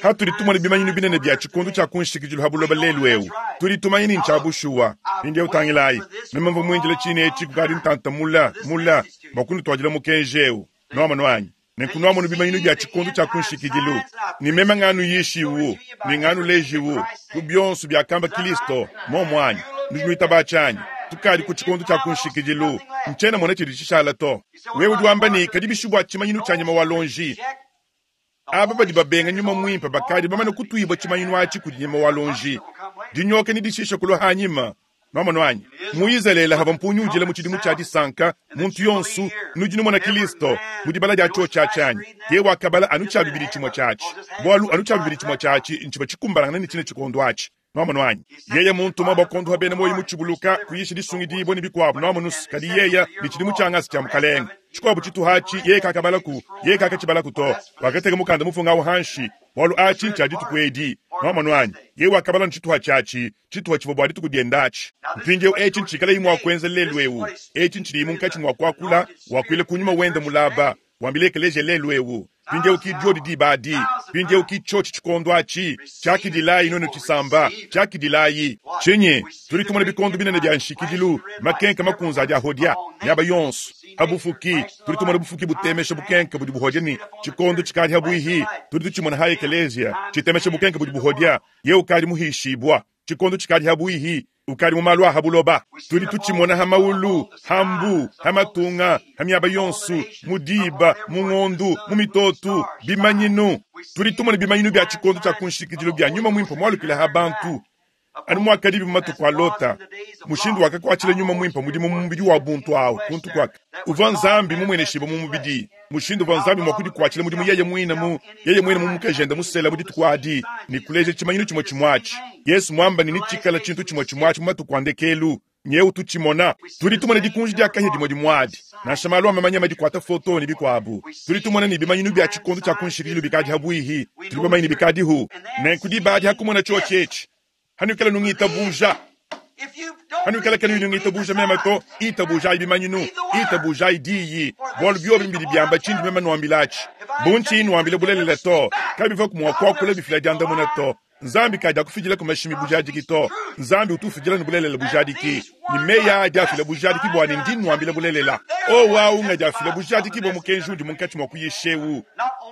Hatuli tumone bimanyinu binene bia tshikundu tshia kunshikidilu ha buloba lelu ewu. Tudi tumanye ni ntshiabushuwa. Mpindieu utangilayi, meme mvua muindile tshine etshi kukadi ntanta mula, mula, bua kunutwadila mukenji ewu. Nuamonu anyi? Nenku nuamonu bimanyinu bia tshikundu tshia kunshikidilu. Ni meme nganu yishiwu, ni nganu lejiwu, ku bionso biakamba Kristo, momu anyi? Nudi nuitaba tshianyi? Tukadi ku tshikundu tshia kunshikidilu. Ntshiena mona tshidi tshishala to. Wewe udi wamba ne, kadi bishu bua tshimanyinu tshia nyama wa lonji. Aba badi babenga nyuma mwimpe bakadi bamane kutuibwa tshimanyinu atshi kudi nyama wa lonji. Dinyoka ne dishisha kulua hanyima. Nuamonu anyi? Mu Izalele hava mpunyu ujila mu tshidimu tshia disanka, muntu yonsu nudi numona Kristo mu dibala dia tshio tshia tshianyi. Ye wakabala anu tshia bibidi tshimue tshiatshi. Bualu anu tshia bibidi tshimue tshiatshi ntshiba tshikumbalangana ne tshine tshikondo atshi. Nuamonu anyi? Yeye muntu mwa bakondu ha bena moyo mu tshibuluka kuyisha disungidibua ne bikuabu nuamonu kadi yeye ne tshidimu tshia ngasa tshia mukalenga. Tshikuabu tshituha atshi yeye kakabalaku, yeye kakatshibalaku to. Wakateka mukanda mufunga awu hanshi, bualu atshi ntshia dituku edi. Nuamonu anyi? Yeye wakabala ntshituha tshiatshi, tshituha tshivua bua dituku dienda atshi. Mpindieu etshi ntshikalayi mua kuenza lelu ewu. Etshi ntshidi munkatshi mua kuakula, wakuila kunyuma wenda mulaba, wambile ekeleje lelu ewu. Mpindieu ki diodi diba adi, mpindieu ki tshiotshi tshikondo atshi, tshiakidilayi nuenu tshisamba, tshiakidilayi. Tshinyi, tudi tumona bikondo binene bia nshikidilu, makenka makunza adi ahodia, miaba yonso. Ha bufuki, tudi tumona bufuki butemesha bukenka budi buhodia ne tshikondo tshikadi ha buihi, tudi tutshimona ha ekeleziya, tshitemesha bukenka budi buhodia, ye ukadi muhishibua, tshikondo tshikadi ha buihi, ukadi mu malu a ha buloba. Tudi tutshimona ha maulu, ha mbu, ha matunga, ha miaba yonso, mu diba, mu ngondu, mu mitotu, bimanyinu. Tudi tumona bimanyinu bia tshikondo tshia ku nshikidilu bia nyuma muimpe mualukile ha bantu anu muakadibi mu matuku a Lota, mushindu wakakuatshila nyuma muimpe mudimu mu mubidi wa buntu awu kuntu kuaka uvua Nzambi mumueneshibue mu mubidi, mushindu uvua Nzambi mua kudikuatshila mudimu yeye muine mu yeye muine mu mukajende musela mu dituku adi ne kuleja tshimanyinu tshimue tshimue atshi. Yesu muamba ne netshikala tshintu tshimue tshimue atshi mu matuku a ndekelu. Nyeu tutshimona, tudi tumona dikunji dia kahia dimue dimue adi, nansha malu a mamanya madikuata foto ne bikuabu. Tudi tumona ne bimanyinu bia tshikondo tshia ku nshikidilu bikadi habuihi, tudi bamanye ne bikadihu. Nenku diba adi hakumona tshiotshi etshi, hanuikala nungitabuja, hanuikala kanuyi nungitabuja meme to, itabujayi bimanyinu, itabujayi diyi, bualu biobi mbidi biamba tshindi meme nuambilatshi. Bu ntshiyi nuambila bulelela to, kabivua mua kuakula bifila diandamuna to. Nzambi kadi akufidila ku mashimi bujadiki to. Nzambi utu ufidila ne bulelela bujadiki, ne meyi aa adi afila bujadiki bua ne ndi nnuambila bulelela. Owu awu ngadi afila bujadiki bua mukenji undi munkatshi mua kuyisha eu.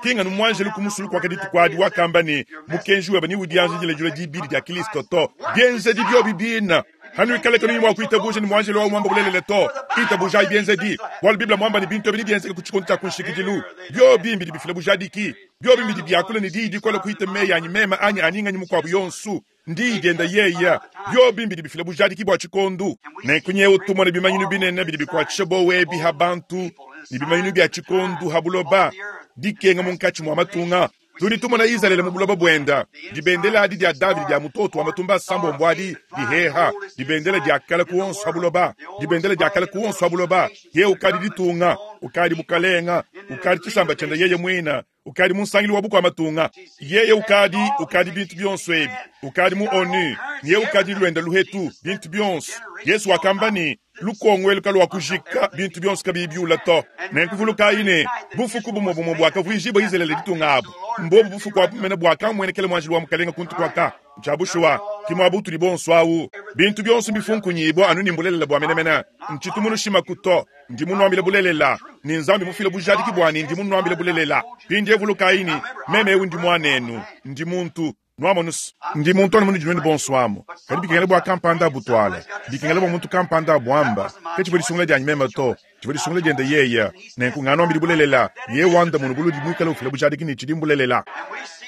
Ki nganu muanjelu ku musulu kuaka dituku adi wakamba ne, mukenji webe neudianjidile dilua dibidi dia Kristo to. Bienzedi biobi bina. Hanuikale kanuyi mua kuitabuja ne muanjelu awu muamba bulelela to, itabujayi bienzedi, bualu Bible muamba ne bintu ebi nebienzeke ku tshikondo tshia ku nshikidilu. Biobi mbidi bifila bujadiki. Biobi mbidi biakula ne diyi dikole kuhita meyi anyi meme anyi ani nganyi mukuabu yonsu. Ndiyi dienda yeya. Biobi mbidi bifila bujadiki bua tshikondu. Nenku nyewu tumone bimanyinu binene bidi bikuatshisha bowa ebi ha bantu ne bimanyinu bia tshikondu ha buloba, dikenga munkatshi mua matunga. Tudi tumona Izalele mu buloba buenda, dibendela adi dia Davidi dia mutoto wa matumba asambombo adi diheha, dibendela dia kala ku onso ha buloba, dibendela dia kala ku onso ha buloba. Ye ukadi ditunga, ukadi bukalenga, ukadi tshisamba tshienda yeye muina, ukadi mu nsangilu wa bukua matunga. Yeye ukadi, ukadi bintu bionso ebi, ukadi mu ONU, ye ukadi luenda luhetu, bintu bionso. Yesu wakamba ne, lukongo elu kaluakujika bintu bionso kabiyi biula to. Nenku vulukayi ne, bufuku bumue bumue buakavuijibua Izalele ditunga abu, mbobu bufuku abu mene buakamuenekela muanjelu wa Mukalenga kuntu kuaka. Ntshia bushuwa, ki muaba utudi bonso awu. Bintu bionso mbifunkunyibua anu ne mbulelela bua menemene. Ntshitu munushimaku to, ndi munuambile bulelela, ne Nzambi mufile bujadiki bua ne ndi munuambile bulelela. Mpindieu vulukayi ne, meme eu ndi muanenu, ndi muntu. Nuamonus, ndi muntu anu munudi nuenu bonso amu, kadi bikengela bua kampanda abutuale, bikengela bua muntu kampanda abuamba. Ke tshivua disungula dianyi meme to, tshivua disungula diende yeye. Nenku nganuambidi bulelela, yeye wandamuna buludi muikale ufila bujadiki ne tshidi mbulelela.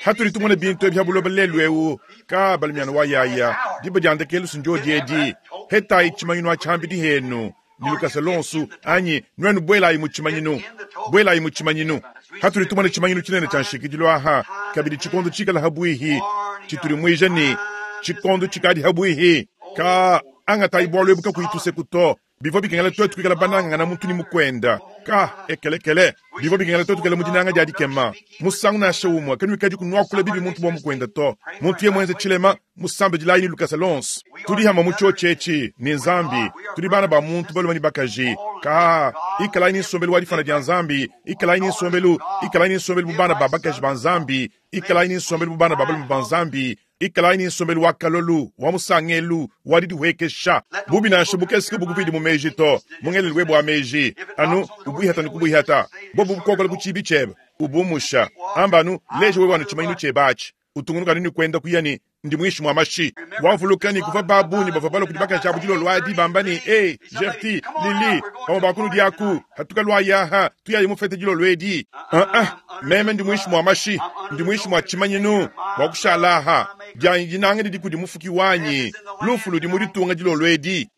Hatudi tumona bintu ebi ha buloba lelu eu, ka balumiana wa yaya, diba dia ndekelu sindiodi edi. Hetayi tshimanyinu atshi hambidi henu ne lukasa lonsu, anyi nuenu buelayi mu tshimanyinu, buelayi mu tshimanyinu. Hatudi tumona tshimanyinu tshinene tshia nshikidilu aha, kabidi tshikondo tshikala habuihi, tshitudimuija ne tshikondo tshikadi habuihi. Ka angatayi bualu ebu kakuyi tuseku to. Bivua bikengela tuetu kuikala banangangana muntu ne mukuenda. Ka ekelekele, bivua bikengela tuetu kuikala mu dinanga dia dikema. Musangu nansha umue kanuikadi kunuakula bibi muntu bua mukuenda to. Muntu ye muenze tshilema, musambe dilayi ne lukasa lonso. Tudi hamue mu tshiotshi etshi ne Nzambi, tudi bana ba muntu balume ne bakaji. Ka ikalayi ne nsombelu wa difana dia Nzambi, ikalayi ne nsombelu, ikalayi ne nsombelu bu bana ba bakaji ba Nzambi, ikalayi ne nsombelu bu bana ba balume ba Nzambi, ikalayi ne nsombelu wa kalolu, wa musangelu, wa didihuekesha. Bubi nansha bukese kabukupidi mu meji to, mu ngelelu webe wa meji, anu ubuihata ne kubuihata. Bobu bukokola ku tshibi tshiebe, ubumusha. Amba anu, leja wewe anu tshimanyinu tshiebe atshi. Utungunuka anu ne kuenda kuya ne ndi muinshi mua mashi. Wavuluka ne kuvua ba bungi bavua balua kudi bakaji abu dilolo adi bamba ne, Ee, Gertie, Lily, bamue ba kunudi aku, hatuka luayi aha, tuyayi mu fete dilolo edi. Ah-ah, meme ndi muinshi mua mashi, ndi muinshi mua tshimanyinu, bua kushala aha. Dianyi dinanga didi kudi Mufuki wanyi. Lufu ludi mu ditunga dilolo edi.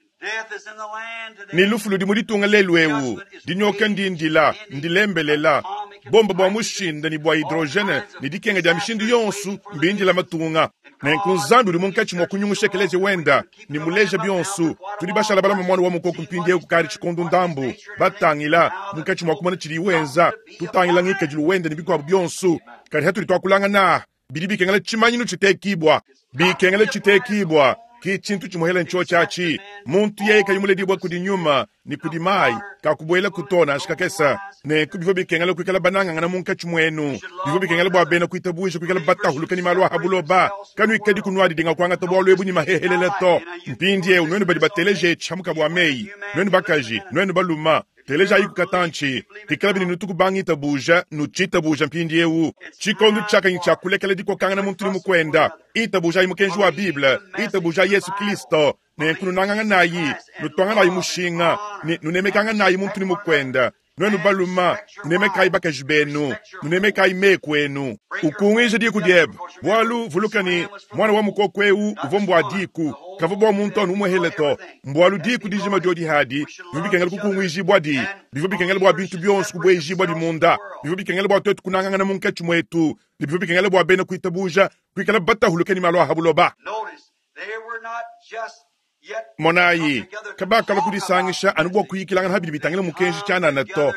Ne lufu ludi mu ditunga lelu eu. Dinyoka ndindila, ndilembelela. Bomba bua mushinda ne bua hydrogene ne dikenga dia mishindu yonso mbindila matunga. Nenku Nzambi udi munkatshi mua kunyungusha ekeleziya wenda ne muleja bionso. Tudi bashala balama muana wa mukoko mpindieu kukadi tshikondo ndambu, batangila munkatshi mua kumona tshidiye wenza, tutangila ngikadilu wenda ne bikuabu bionso. Kadi hatudi tuakulangana, bidi bikengela tshimanyinu tshitekibua, bikengela tshitekibua. Ki tshintu tshimuhela ntshiotshi atshi. Muntu yeye kayi muledibua kudi nyuma ne kudi mayi, kakubuela ku to nansha kakese. Nenku bivua bikengela kuikala banangangana munkatshi muenu. Bivua bikengela bua bena kuitabuja kuikala batahuluka ne malu a ha buloba. Kanuikadi kunuadidinga kuangata bualu ebu ne mahehelele to. Mpindieu nuenu badi bateleje tshiamuka bua meyi, nuenu bakaji, nuenu baluma, telejayi ku katantshi. Pikalabi ne nutu kubangitabuja, nutshitabuja mpindieu. Tshikondo tshiakanyi tshia kulekela dikokangana muntu ne mukuenda. Itabujayi mukenji wa Bible, itabujayi Yesu Kristo, nenku nunanganganayi, nutuanganayi mushinga, ne nunemekanganayi muntu ne mukuenda. Nuenu baluma, nunemekayi bakaji benu, nunemekayi meku enu. Ukunguije diku diebe, bualu vuluka ne, muana wa mukoko eu uvua mbua diku, kavua bua muntu anu umuehele to. Mbualu diku dijima diodi hadi, bivua bikengela kukunguijibua di, bivua bikengela bua bintu bionso kubuejibua di munda, bivua bikengela bua tuetu kunangangana munkatshi muetu, ne bivua bikengela bua bena kuitabuja kuikala batahuluke ne malu a ha buloba. Notice, they were not just yet Monayi, kabakalua kudisangisha anu bua kuyikilangana habidi bitangila mukenji tshianana to.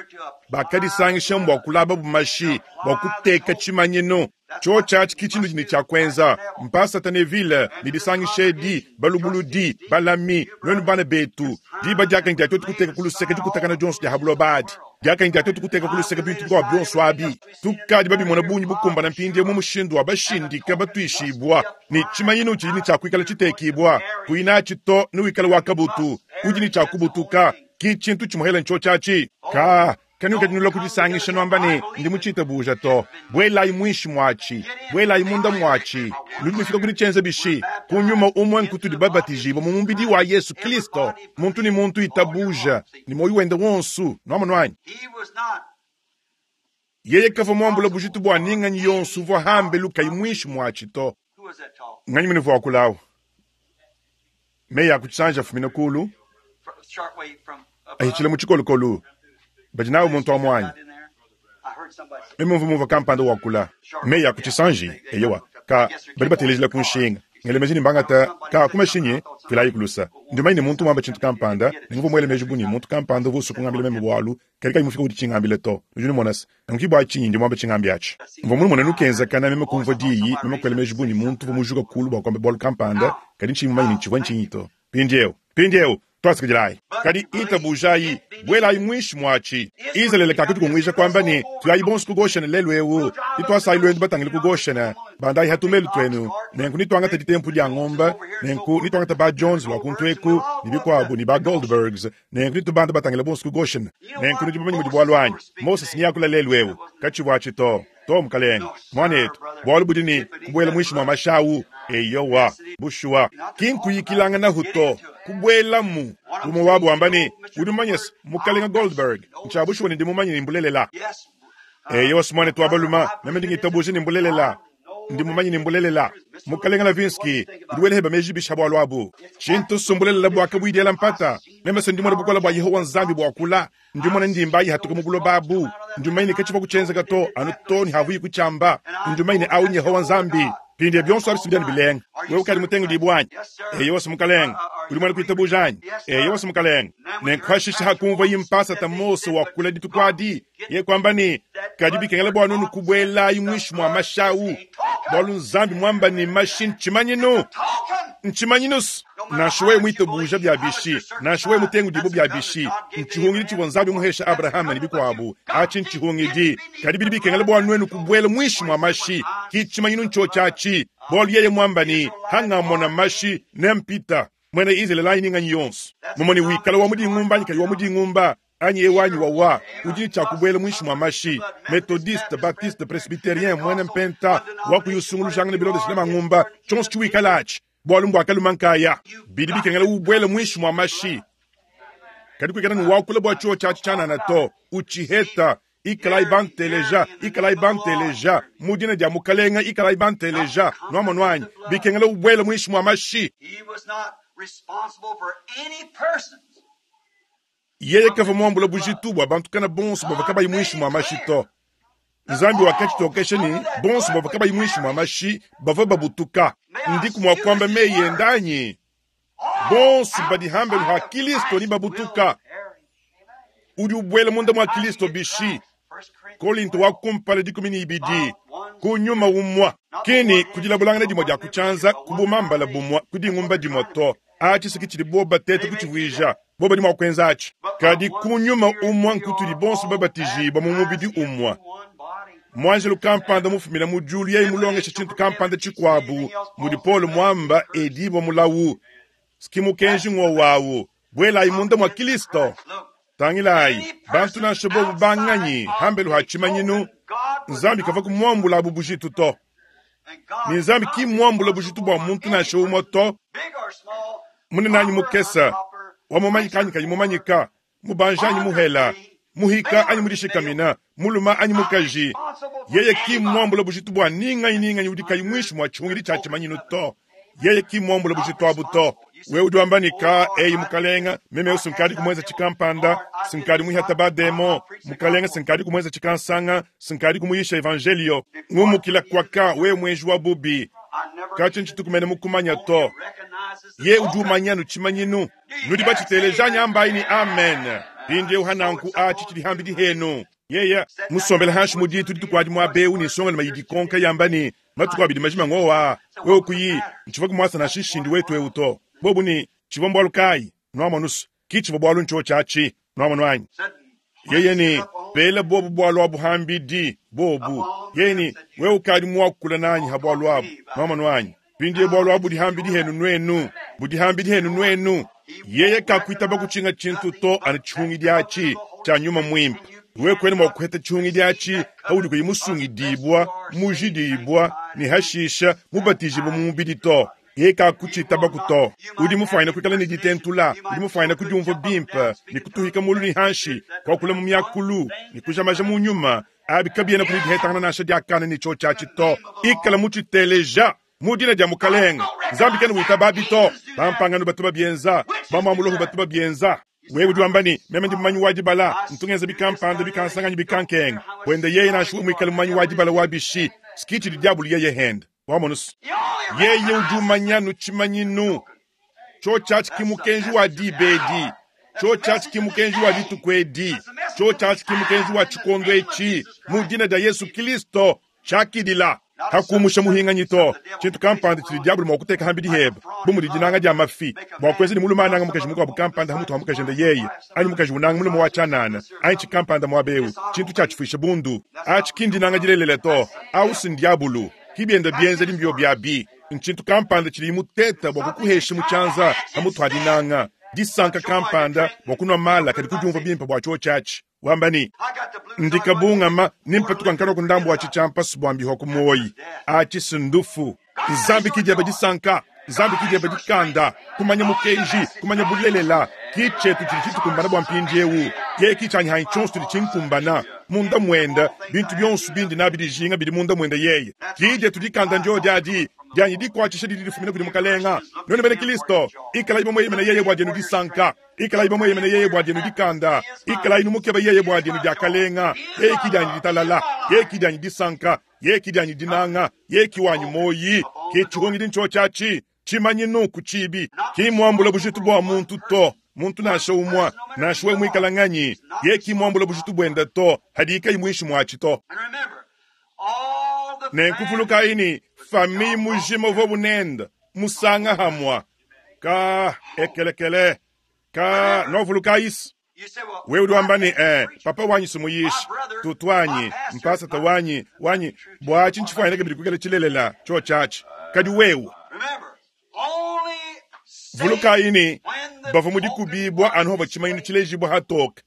Bakadisangisha mbua kulaba bumashi, bua kuteka tshimanyinu. Tshiotshi atshi ki tshintu ne tshia kuenza. Mpasata Neville ne disangisha edi, balubuludi, balami, nuenu bana betu, diba diakanyi dia tuetu kuteka ku luseke dikutakana dionso dia ha buloba adi. Diakanyi dia tuetu kuteka ku luseke bintu bikuabu bionso abi. Tukadi babimona bungi bukumbana mpindieu mu mushindu wa bashindika batuishibua ne tshimanyinu tshidi ne tshia kuikala tshitekibua. Kuinatshi to newikale wa kabutu, udi ne tshia kubutuka, ki tshintu tshimuhela ntshiotshi atshi. Ka kanuikadi kudisangisha nuamba ne ndi mutshitabuja to. Buelayi muinshi muatshi, buelayi munda muatshi. Nudi nufika ku ditshienza bishi? Ku nyuma umue nkutudi babatijibua mu mubidi wa Yesu Kristo. Muntu ne muntu itabuja ne muoyo wende wonso. Nuamonu anyi? He was not Yeye kavua muambula bujitu bua ninganyi yonso uvua hambelu kayi muinshi muatshi to. who was that talking? Nganyi munuvua wakulawu? Meyi a kutshisanja afumina kulu, Fr- Short way from above. ahitshila mu tshikolokolu. Badi nawu muntu wa muanyi. In there. I heard somebody say, Meme mvua mumvua kampanda wakula. Meyi a kutshisanji, eyowa, ka badi batelejila ku nshinga. Ngele meji ne mbangata ka ku mashinyi filayi kulusa. Ndi mumanye ne muntu muamba tshintu kampanda, ne nguvua muele meji bu ne muntu kampanda uvua usua kungambila meme bualu, kadi kayi mufika ku ditshingambila to. Nudi numona se, nanku ki bua tshinyi ndi muamba tshingambi atshi. Mvua munumone nukenzakana meme kumvua diyi, meme kuela meji bu ne muntu uvua mujuka kulu bua kuamba bualu kampanda, kadi ntshiyi mumanye ne tshivua ntshinyi to. Mpindieu, mpindieu, twasikidilayi. Kadi itabujayi, buelayi muinshi muatshi. Izalele kakatukunguija kuamba ne, tuyayi bonso ku Goshene lelu eu, nitwasayi lwendu batangile ku Goshene, bandayi hatumelu twenu, nenku nitwangata ditempu dia ngomba, nenku nitwangata ba Jones lwa kuntu eku, ne bikuabu ne ba Goldbergs, nenku nitubanda batangile bonso ku Goshene. Nenku nudi bamanye mudi bualu anyi. Mose siyakula lelu eu, katshivua atshi to. To mukalenge, mwanetu, bualu budi ne kubuela muinshi mua mashawu, eyowa, bushuwa, ki nkuyikilanganahu to, kubuelamu. Umue wabu wamba ne, udi mumanye se, mukalenge Goldberg, ntshia bushuwa ne ndi mumanye ne mbulelela. Yes. Eyowa mwanetu wa baluma, meme ndi ngitabuja ne mbulelela. Ndi mumanye ne mbulelela. Mukalenge Lavinski, udi wela heba meji bisha bualu abu. Tshintu sumbulelela bua kabuidiela mpata. Meme se ndi mona bukola bua Yehowa Nzambi bua kula. Ndi mona ndimba ihatuka mu buloba abu. Ndi mumanye ne katshivua kutshienzeka to, anu to ne havuyi kutshiamba. Ndi mumanye ne awu Yehowa Nzambi. Pindi bionso abi sibidia ne bilenga. Wewe ukadi mutengu dibu anyi? Eyowa mukalenge. Udi muena kuitabuja anyi? Eyowa mukalenge. Nenkuhashisha hakumvua yimpasa ta Mose wa kula dituku adi. Ye kwamba ne, kadi bikengela bua nunu kubuelayi muinshi mua mashawu. Bualu Nzambi muamba ne mashi ntshimanyinu. Token. Ntshimanyinu nansha wewe muitabuja bya bishi, nansha wewe mutengu dibu bya bishi, ntshihungidi tshivua Nzambi muhesha Abrahama ne bikuabu, atshi ntshihungidi. Kadi bidi bikengela bua nuenu kubuela muinshi mua mashi, ki tshimanyinu ntshiotshi atshi. Bualu yeye muamba ne, hangamona mashi nempita. Mwena Izraeli anyi ninganyi yonso. Mumone wikala wa mudingumba anyi kayi wa mudingumba, anyi ewu anyi wawa, udi ne tshia kubuela muinshi mua mashi. Methodiste, Baptiste, Presbyterien, mwena mpenta, wa kuyusungulujangana bilondeshile mangumba, tshionso tshiwikala atshi. Bualu mbua kaluma nkaya. Bidi bikengela ubuele muinshi mua mashi. Kadi kuikala ne wakula bua tshiotshi atshi tshianana to, utshiheta, ikalai banteleja, ikalai banteleja, mu dina dia mukalenga ikalai banteleja, nuamonu anyi, bikengela ubuele muinshi mua mashi. He was not responsible for any person. Yeye kavua muambula bujitu bua bantu kana bonso bavua kabayi muinshi mua mashi to. Nzambi wakatshitokesha ne bonso bavua kabayi muinshi mua mashi bavua babutuka. Ndiku mua kuamba meyi ende anyi? Bonso badi hambelu ha Kristo ni babutuka. Udi ubuela munda mua Kristo bishi. Kolinto wa kumpala dikumi ne ibidi ku nyuma umua kini kudilabulangana dimue dia kutshianza kubumambala bumua kudingumba dimue to. Atshi siki tshidi boba tete kutshivuija boba dimua kuenza atshi. Kadi ku nyuma umua nkutudi bonso babatijibua mu mubidi umua. Mwanjelu kampanda mufumina mu diulu yeye mulongesha tshintu kampanda tshikuabu mudi Paulo muamba edibua mulawu. Siki mukenji ng'wo wawu buelayi munda mua Kristo. Tangilayi, bantu nansha bobu banganyi hambelu ha tshimanyinu, Nzambi kavua kumuambula abu bujitu to. Ne Nzambi ki muambula bujitu bua muntu nansha umue to. Big or small, Munene anyi mukesa, wa mumanyika anyi kayi mumanyika, mubanji anyi muhela, Muhika anyi mudishikamina, muluma anyi mukaji, yeye ki mmuambula bujitu bua ninganyi ninganyi udi kayi muinshi mua tshihungidi tshia tshimanyinu to. Yeye ki mmuambula bujitu abu to. Wewe udi wamba ne ka eyi mukalenga, meme sinkadi kumwenza tshikampanda, sinkadi muihata ba demo, mukalenga sinkadi kumwenza tshikansanga, sinkadi kumuyisha evangelio. Ngumukila kwaka wewe mwenji wa bubi. Kachi nchitukumene mukumanya to. Ye udi umanya tshimanyinu. Nudi bachiteleja nyambayi ni amen. Pindi uhananku achi chili hambi dihenu. Yeye musombela hashi muditu ditukwadi mwa beu ni songa mayidi konka yamba ni matuku abidi majima ngowa. Wewe kuyi nchiva kumwasa na shishindi wetu euto. Bobu ni chiva mbwalu kai nwama nusu kichiva bwalu ncho chachi nwama nwanyi. Yeye ni pela bobu bwalu abu hambidi bobu. Yeye ni wewe ukadi mwakula nanyi habwalu abu nwama nwanyi. Pindi bwalu abu dihambidi henu nwenu budihambidi henu nwenu. Yeye kakuita bakuchinga chintu to anachungi diachi cha nyuma mwimpa. Wewe kwene mwakuheta chungi diachi haudi kuyimusungidibwa mujidibwa ni hashisha mubatijibwa mumubidi to. Yeye kakuchita bakuto. Udi mufaina kuikala ni ditentula, udi mufaina kudiumva bimpa, ni kutuhika mulu ni hanshi, kwa kula mu myakulu, ni kujamaja mu nyuma, abi kabiena kuli dihetangana nasha diakana ni cho chachi to. Ikala muchiteleja mudina dia mukalenga. Nzambi kene wita babi to, bampangano batu babienza, bamwamuloho batu babienza. Wewe udi wamba ni meme ndi mumanyi wa dibala, ntungenza bikampanda bikansanganyi bikankenga. Wende yeye nashuwe mwikale mumanyi wa dibala wa bishi, skichi di diabulu yeye henda. Wamonus. Yeye udi umanya nuchimanyinu. Cho chachi kimukenji wa dibedi. Cho chachi kimukenji wa ditukwedi. Cho chachi kimukenji wa chikondo echi. Mudina da Yesu Kristo chakidila. Hakumusha muhinganyi to. Chintu kampanda chili diabulu mwakuteka hambi diheba. Bumu dijinanga dia mafi. Mwakwezi ni muluma ananga mukaji mukwa bukampanda hamutu hamukaji nda yeye. Ani mukaji unanga mulume wa chanana. Ani chikampanda mwabeu. Chintu chachifisha bundu. Achi kindinanga jilelela to. Ausi ndiabulu. Kibienda bienze limbyo byabi. Nchintu kampanda chili muteta bwa kukuhesha muchanza hamutu hadinanga. Disanka kampanda bwa kunwa mala kadi kujumva bimpa bwa cho chachi. Wamba ni ndikabungama nimpatuka nkano kundambu wa chichampa subwambi ho kumoyi. Achi sundufu. Nzambi kijeba disanka. Nzambi kijeba dikanda. Kumanya mukenji, kumanya bulelela. Kichetu chili chitukumbana bwa mpindi ewu. Ye kichanyi hai chonsu tuli chinkumbana. Munda mwenda, bintu byonsu bindi nabi dijinga bidi munda mwenda yeye. Kije tudikanda njo jadi. Dyanyi dikwachisha didi difumina kudi mukalenga. None bene Kristo, ikala ibo mweye mene yeye bwa dyenu disanka. Ikala ibo mweye mene yeye bwa dyenu dikanda. Ikala inu mukeba yeye bwa dyenu dyakalenga. Yeye kidyanyi ditalala, yeye kidyanyi disanka, yeye kidyanyi dinanga, yeye kiwanyi moyi. Kichihungi dincho chachi, chimanyinu kuchibi. Kimwambula bujitu bwa muntu to. Muntu nasha umwa, nashuwe mwikala nganyi. Yeye kimwambula bujitu bwenda to, hadika imwishi mwachi to. Nenkufuluka ini, fami mujima vo bunenda, musanga hamwa. Ka ekelekele, ka novuluka isi. Wewe udi wamba ni, eh, papa wanyi sumuyishi, tutu wanyi, mpasata wanyi, wanyi, bwachi nchifwanyina kabidi kukela chilelela, cho chachi. Kadi wewe. Vuluka ini, bava mudikubibwa anu hova chimanyinu chilejibwa hatoka.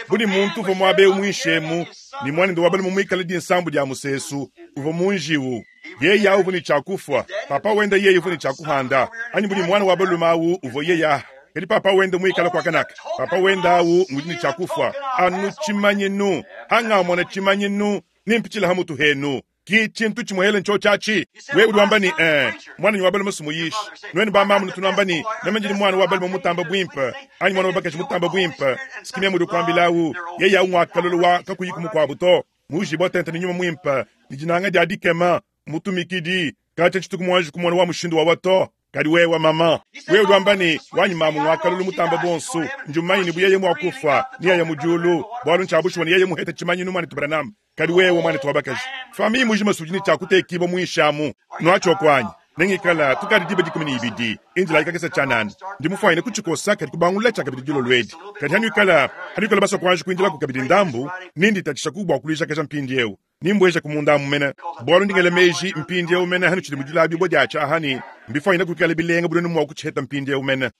Buni muntu uva mwabe umwishemu, ni mwana wabali mumwikala di nsambu dia musesu, uva munjiwu. Yeye uvu ni chakufwa, papa wenda yeye uvu ni chakuhanda. Anyi buni mwana wabaluma awu uvo yeye. Kadi papa wenda mwikala kwa kanaka. Papa wenda awu ngudi ni chakufwa. Anu chimanyinu, hanga mwana chimanyinu, nimpichila hamutu henu. Ki chintu chimwele ncho chachi. Wewe udi wamba ni, eh, mwana ni wabaluma sumuyishi. Nweni ba mamu nutunamba ni, namenjini mwana wabaluma mutamba bwimpa. Anyi mwana wabakashi mutamba bwimpa. Sikimya mudu kwambilawu. Yeye awu mwakalolo wa kakuyiku mukwabuto. Muji botente ni nyuma mwimpa. Nijinanga dia dikema. Mutumikidi. Kacha chitukumwanji kumwana wa mushindu wa wato. Kadi wewe mama. Wewe udi wamba ni, wanyi mamu mwakalolo mutamba bonsu. Njumanyi ni buyeye mwakufa. Niya ya mujulu. Bwalu nchabushwa ni yeye muhete chimanyi numani tubaranam. Kadi wewe mwana tuwabakaji. Fami mujima sujini chakute kibo muishamu. Nwacho kwanyi. Nengikala tukadi diba dikumi ni ibidi. Injila ikakesa chanani. Ndi mufaine kuchikosa kadi kubangula chakabidi dilo lwedi. Kadi hanyu ikala, hanyu ikala baso kwanji kuinjila kukabidi ndambu. Nindi tachisha kubwa kulisha kesha mpindi eu. Nimbweja kumunda mumena. Bwalu ndingele meji mpindi eu mena hanu chidi mujula bibo diacha ahani. Mbifaine kukala bilenga budonu mwa kucheta mpindi eu mena.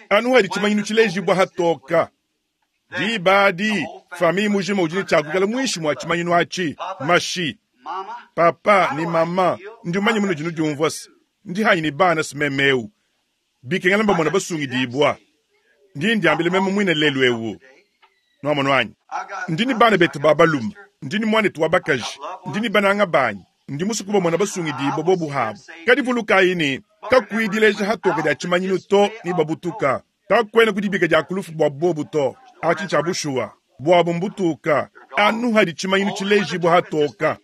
Anu hadi chimanyinu chileji bwa hatoka. Dibadi, fami mujima ujini chakukala mwishi mwa chimanyinu achi. Mashi. Papa ni mama. Ndi umanyi muno jinu jumvwasi. Ndi hanyi ni bana simemeu. Bikengela mba mwana basungi dibwa. Ndi ndiambile meme mwine lelu ewu. Nwamonu anyi? Ndi ne bana betu ba balume, ndi ne muanetu wa bakaji, ndi ne bananga banyi, ndi musue kubamona basungidibue bobu habu. Kadi vulukayi ne, kakuyi dileja hatoka dia tshimanyinu to ne babutuka. Kakuena kudibika dia kulufu bua bobu to. Atshi ntshia bushuwa. Buabu mbutuka. Anu hadi tshimanyinu tshilejibua hatoka.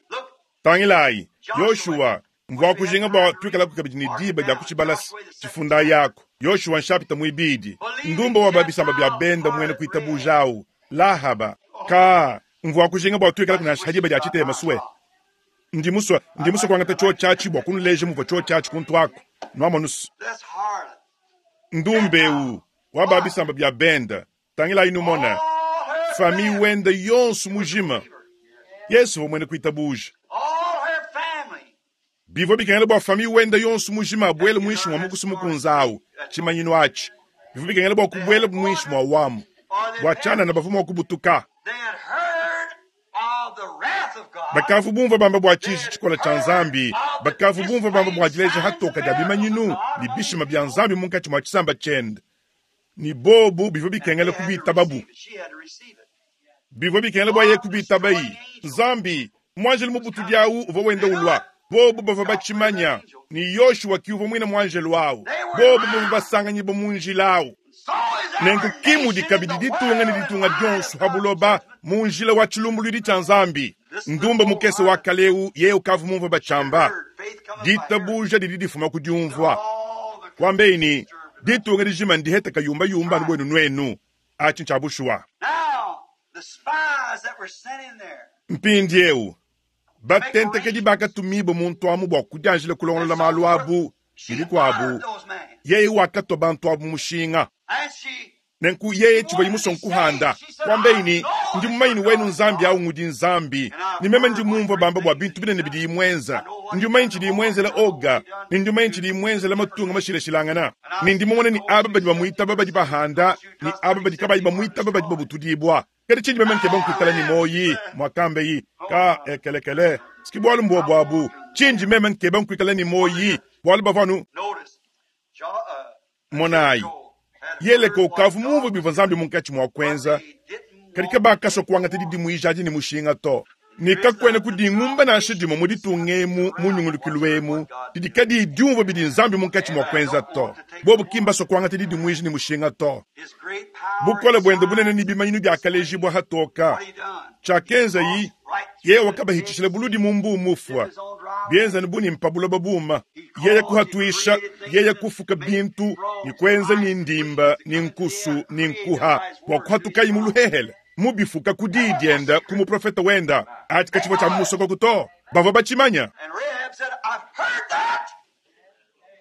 Tangilayi, Yoshua, mvua kujinga bua tuikalaku kabidi ne diba dia kutshibalasa tshifunda yako. Yoshua nshapita muibidi. Ndumba wa babisamba bia benda muena kuitabuja awu. Lahaba. Ka, mvua kujinga bua tuikalaku nansha diba dia tshitema sue. Ndi musue, ndi musue kuangata chio chachi bua kunuleja muvua chio chachi kuntu ako. Nwamonusu. This harlot. Ndumbeu wa babisamba bia benda. Tangilayi numona. All her Fami family. wenda yonso mujima. Yesu wa mwene kuitabuja. All her family. Bivua bikengela bua fami wenda yonso mujima abuele muinshi mwa mukusu mukunzawu tshimanyinu atshi. Bivua bikengela bua kubuela muinshi mwa wamu. Or they Bua tshianana bavua mua kubutuka. They had heard of the wrath of God. Bakavu bumva bamba bua tshiji tshikola tshia Nzambi. Bakavu bumva bamba bua dileja hatoka dia bimanyinu ne bishima bia Nzambi munkatshi mua tshisamba tshiende. Ni bobu bivua bikengela They had to kubitababu. receive it. She had to receive it. Bivua bikengela bua ye kubitabayi. Nzambi, muanjelu mubutudi awu uvua wenda ulua. Bobu bavua batshimanya ni Yoshua ki uvua muine muanjelu awu. Bobu bavua basanganyibua mu njila awu. So is our Nenku kimudi nation in kabidi the ditunga ne world ditunga in the dionso line of ha buloba mu njila wa tshilumbuluidi tshia Nzambi. Ndumba mukese wa kaleu ye ukavu mumvua batshamba. Heard, faith cometh by hearing. Ditabuja didi difuma ku diumvua. All the Kwambeyi ni ditunga dijima ndiheta kayumbayumba anu bwenu nwenu. Atshi ntshia bushuwa. Now, the spies that were sent in there, Mpindiewu batentekedi bakatumibua muntu amu bua kudianjila kulongolola malu abu she ne bikuabu. honored those men. Yeye wakatwa bantu abu mushinga. And she Nenku yeye tshivua yimusua nkuhanda. Kwambeyi ni ndi mumanyi wenu Nzambi awu ngudi Nzambi. Ni meme ndi mumvua bamba bua bintu binene bidi imwenza. Ndi mumanyi tshidi imwenzela oga. Ni ndi mumanyi tshidi imwenzela matunga mashilashilangana. Ni ndi mumone ni aba badi bamuitaba badi bahanda, ni aba badi kabayi bamuitaba badi babutudibua. Kadi tshindi meme nkeba nkuikala ni moyi, mwakambeyi, ka ekelekele. Siki bwalu mbua bwabu. Tshindi meme nkeba nkuikala ni moyi, bwalu bavua noticed Jo- uh, monayi. Jericho had Yeleko heard what ukavu God mumvua bivua Nzambi munkatshi mua kuenza. but they didn't Kadi want kabakasua kuangata didimuija adi ne mushinga to. Ne kakuena kudingumba nansha dimue mu ditunga emu mu nyungulukilu emu didi kadiyi diumvua bidi Nzambi munkatshi mua kuenza to. Bobu ki mbasua kuangata didimuija ne mushinga to. his great power Bukole and buende bunene signs. ne bimanyinu biakalejibua hatoka. What he done? Tshiakenza yi Right yeye through the wakabahitshishila buludi mu mbu mufua. his own dry Bienza ne buni mpabuloba buma. Yeye kuhatuisha, yeye kufuka bintu, ni kuenza ni ndimba, ni nkusu, ni nkuha, bua kuhatukayi mu luhehele. Mubifuka ku diyi dienda ku muprofeta wenda. Ati katshivua tshia musoko to. Bavua batshimanya. And Rahab said, I've heard that.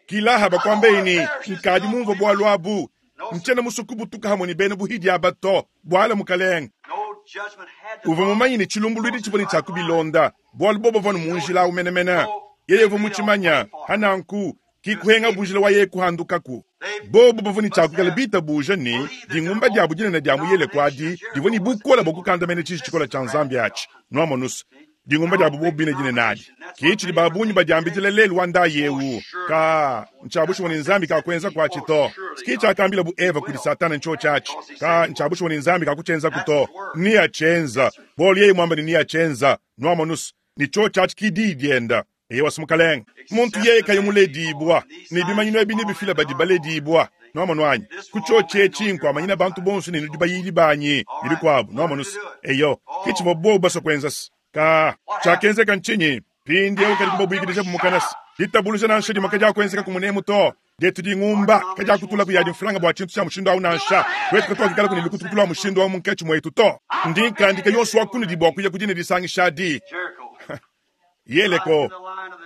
Kilaha bakwambeyi ni nkadi mumvua bwalu abu. Ntshiena musue kubutuka hamwe ne bena buhidi aba to. Bwala mukalenge. No judgment had to Uvua follow. mumanyi ne tshilumbuluidi tshivua ne tshia kubilonda. Bwalu bobo bavua ne mu njila awu menemene. Yeye uvua mutshimanya hananku kikuhenga bunjila wa yeye kuhandukaku. Bobu bavua ne tshia kuikala bitabuja ne dingumba diabu dinene dia mu Yeleko adi divua ne bukola bua kukandamena tshiji tshikola tshia Nzambi atshi. Nwamonusu. Dingumba diabu bobu bine dinene adi. Ki tshidi babunyi badiambidila lelu wa ndayi ewu. Ka ntshiabushuwa ne Nzambi kakuenza kwatshi to. Ki tshiakambila bu Eva kudi Satana ntsho tshiatshi. Ka ntshiabushuwa ne Nzambi kakutshienzaku to. Ni atshienza. Bolu yeye mwamba ne ni atshienza. Nwamonusu. Ni tsho tshiatshi ki diyi dienda. Eye wasumukalenga. Muntu yeye kayimuledibwa. Ne bimanyinu ebi nebifila badi baledibwa. Nwamonu anyi. Ku tsho tshietshi nkuamanyina bantu bonso ne nudi bayidi banyi. Ne bikuabu. Nwamonusu. Eyo. Ki tshivua bobu basua kuenza se. Ka tshiakenzeka ntshinyi? Mpindiewu kadi kubabwikidija bumukanasi. Ditabuluja nansha dimue kadiakuenzeka ku munemu to. Dietu dingumba kadiakutula kuyadi mfulanga bua tshintu tshia mushindu awu nansha. Wetu katuakikala kuni lukutukutu lua mushindu awu munkatshi muetu to. Ndi nkandika yonso wa kunudi bua kuya ku dine disangisha adi. Jericho. Yeleko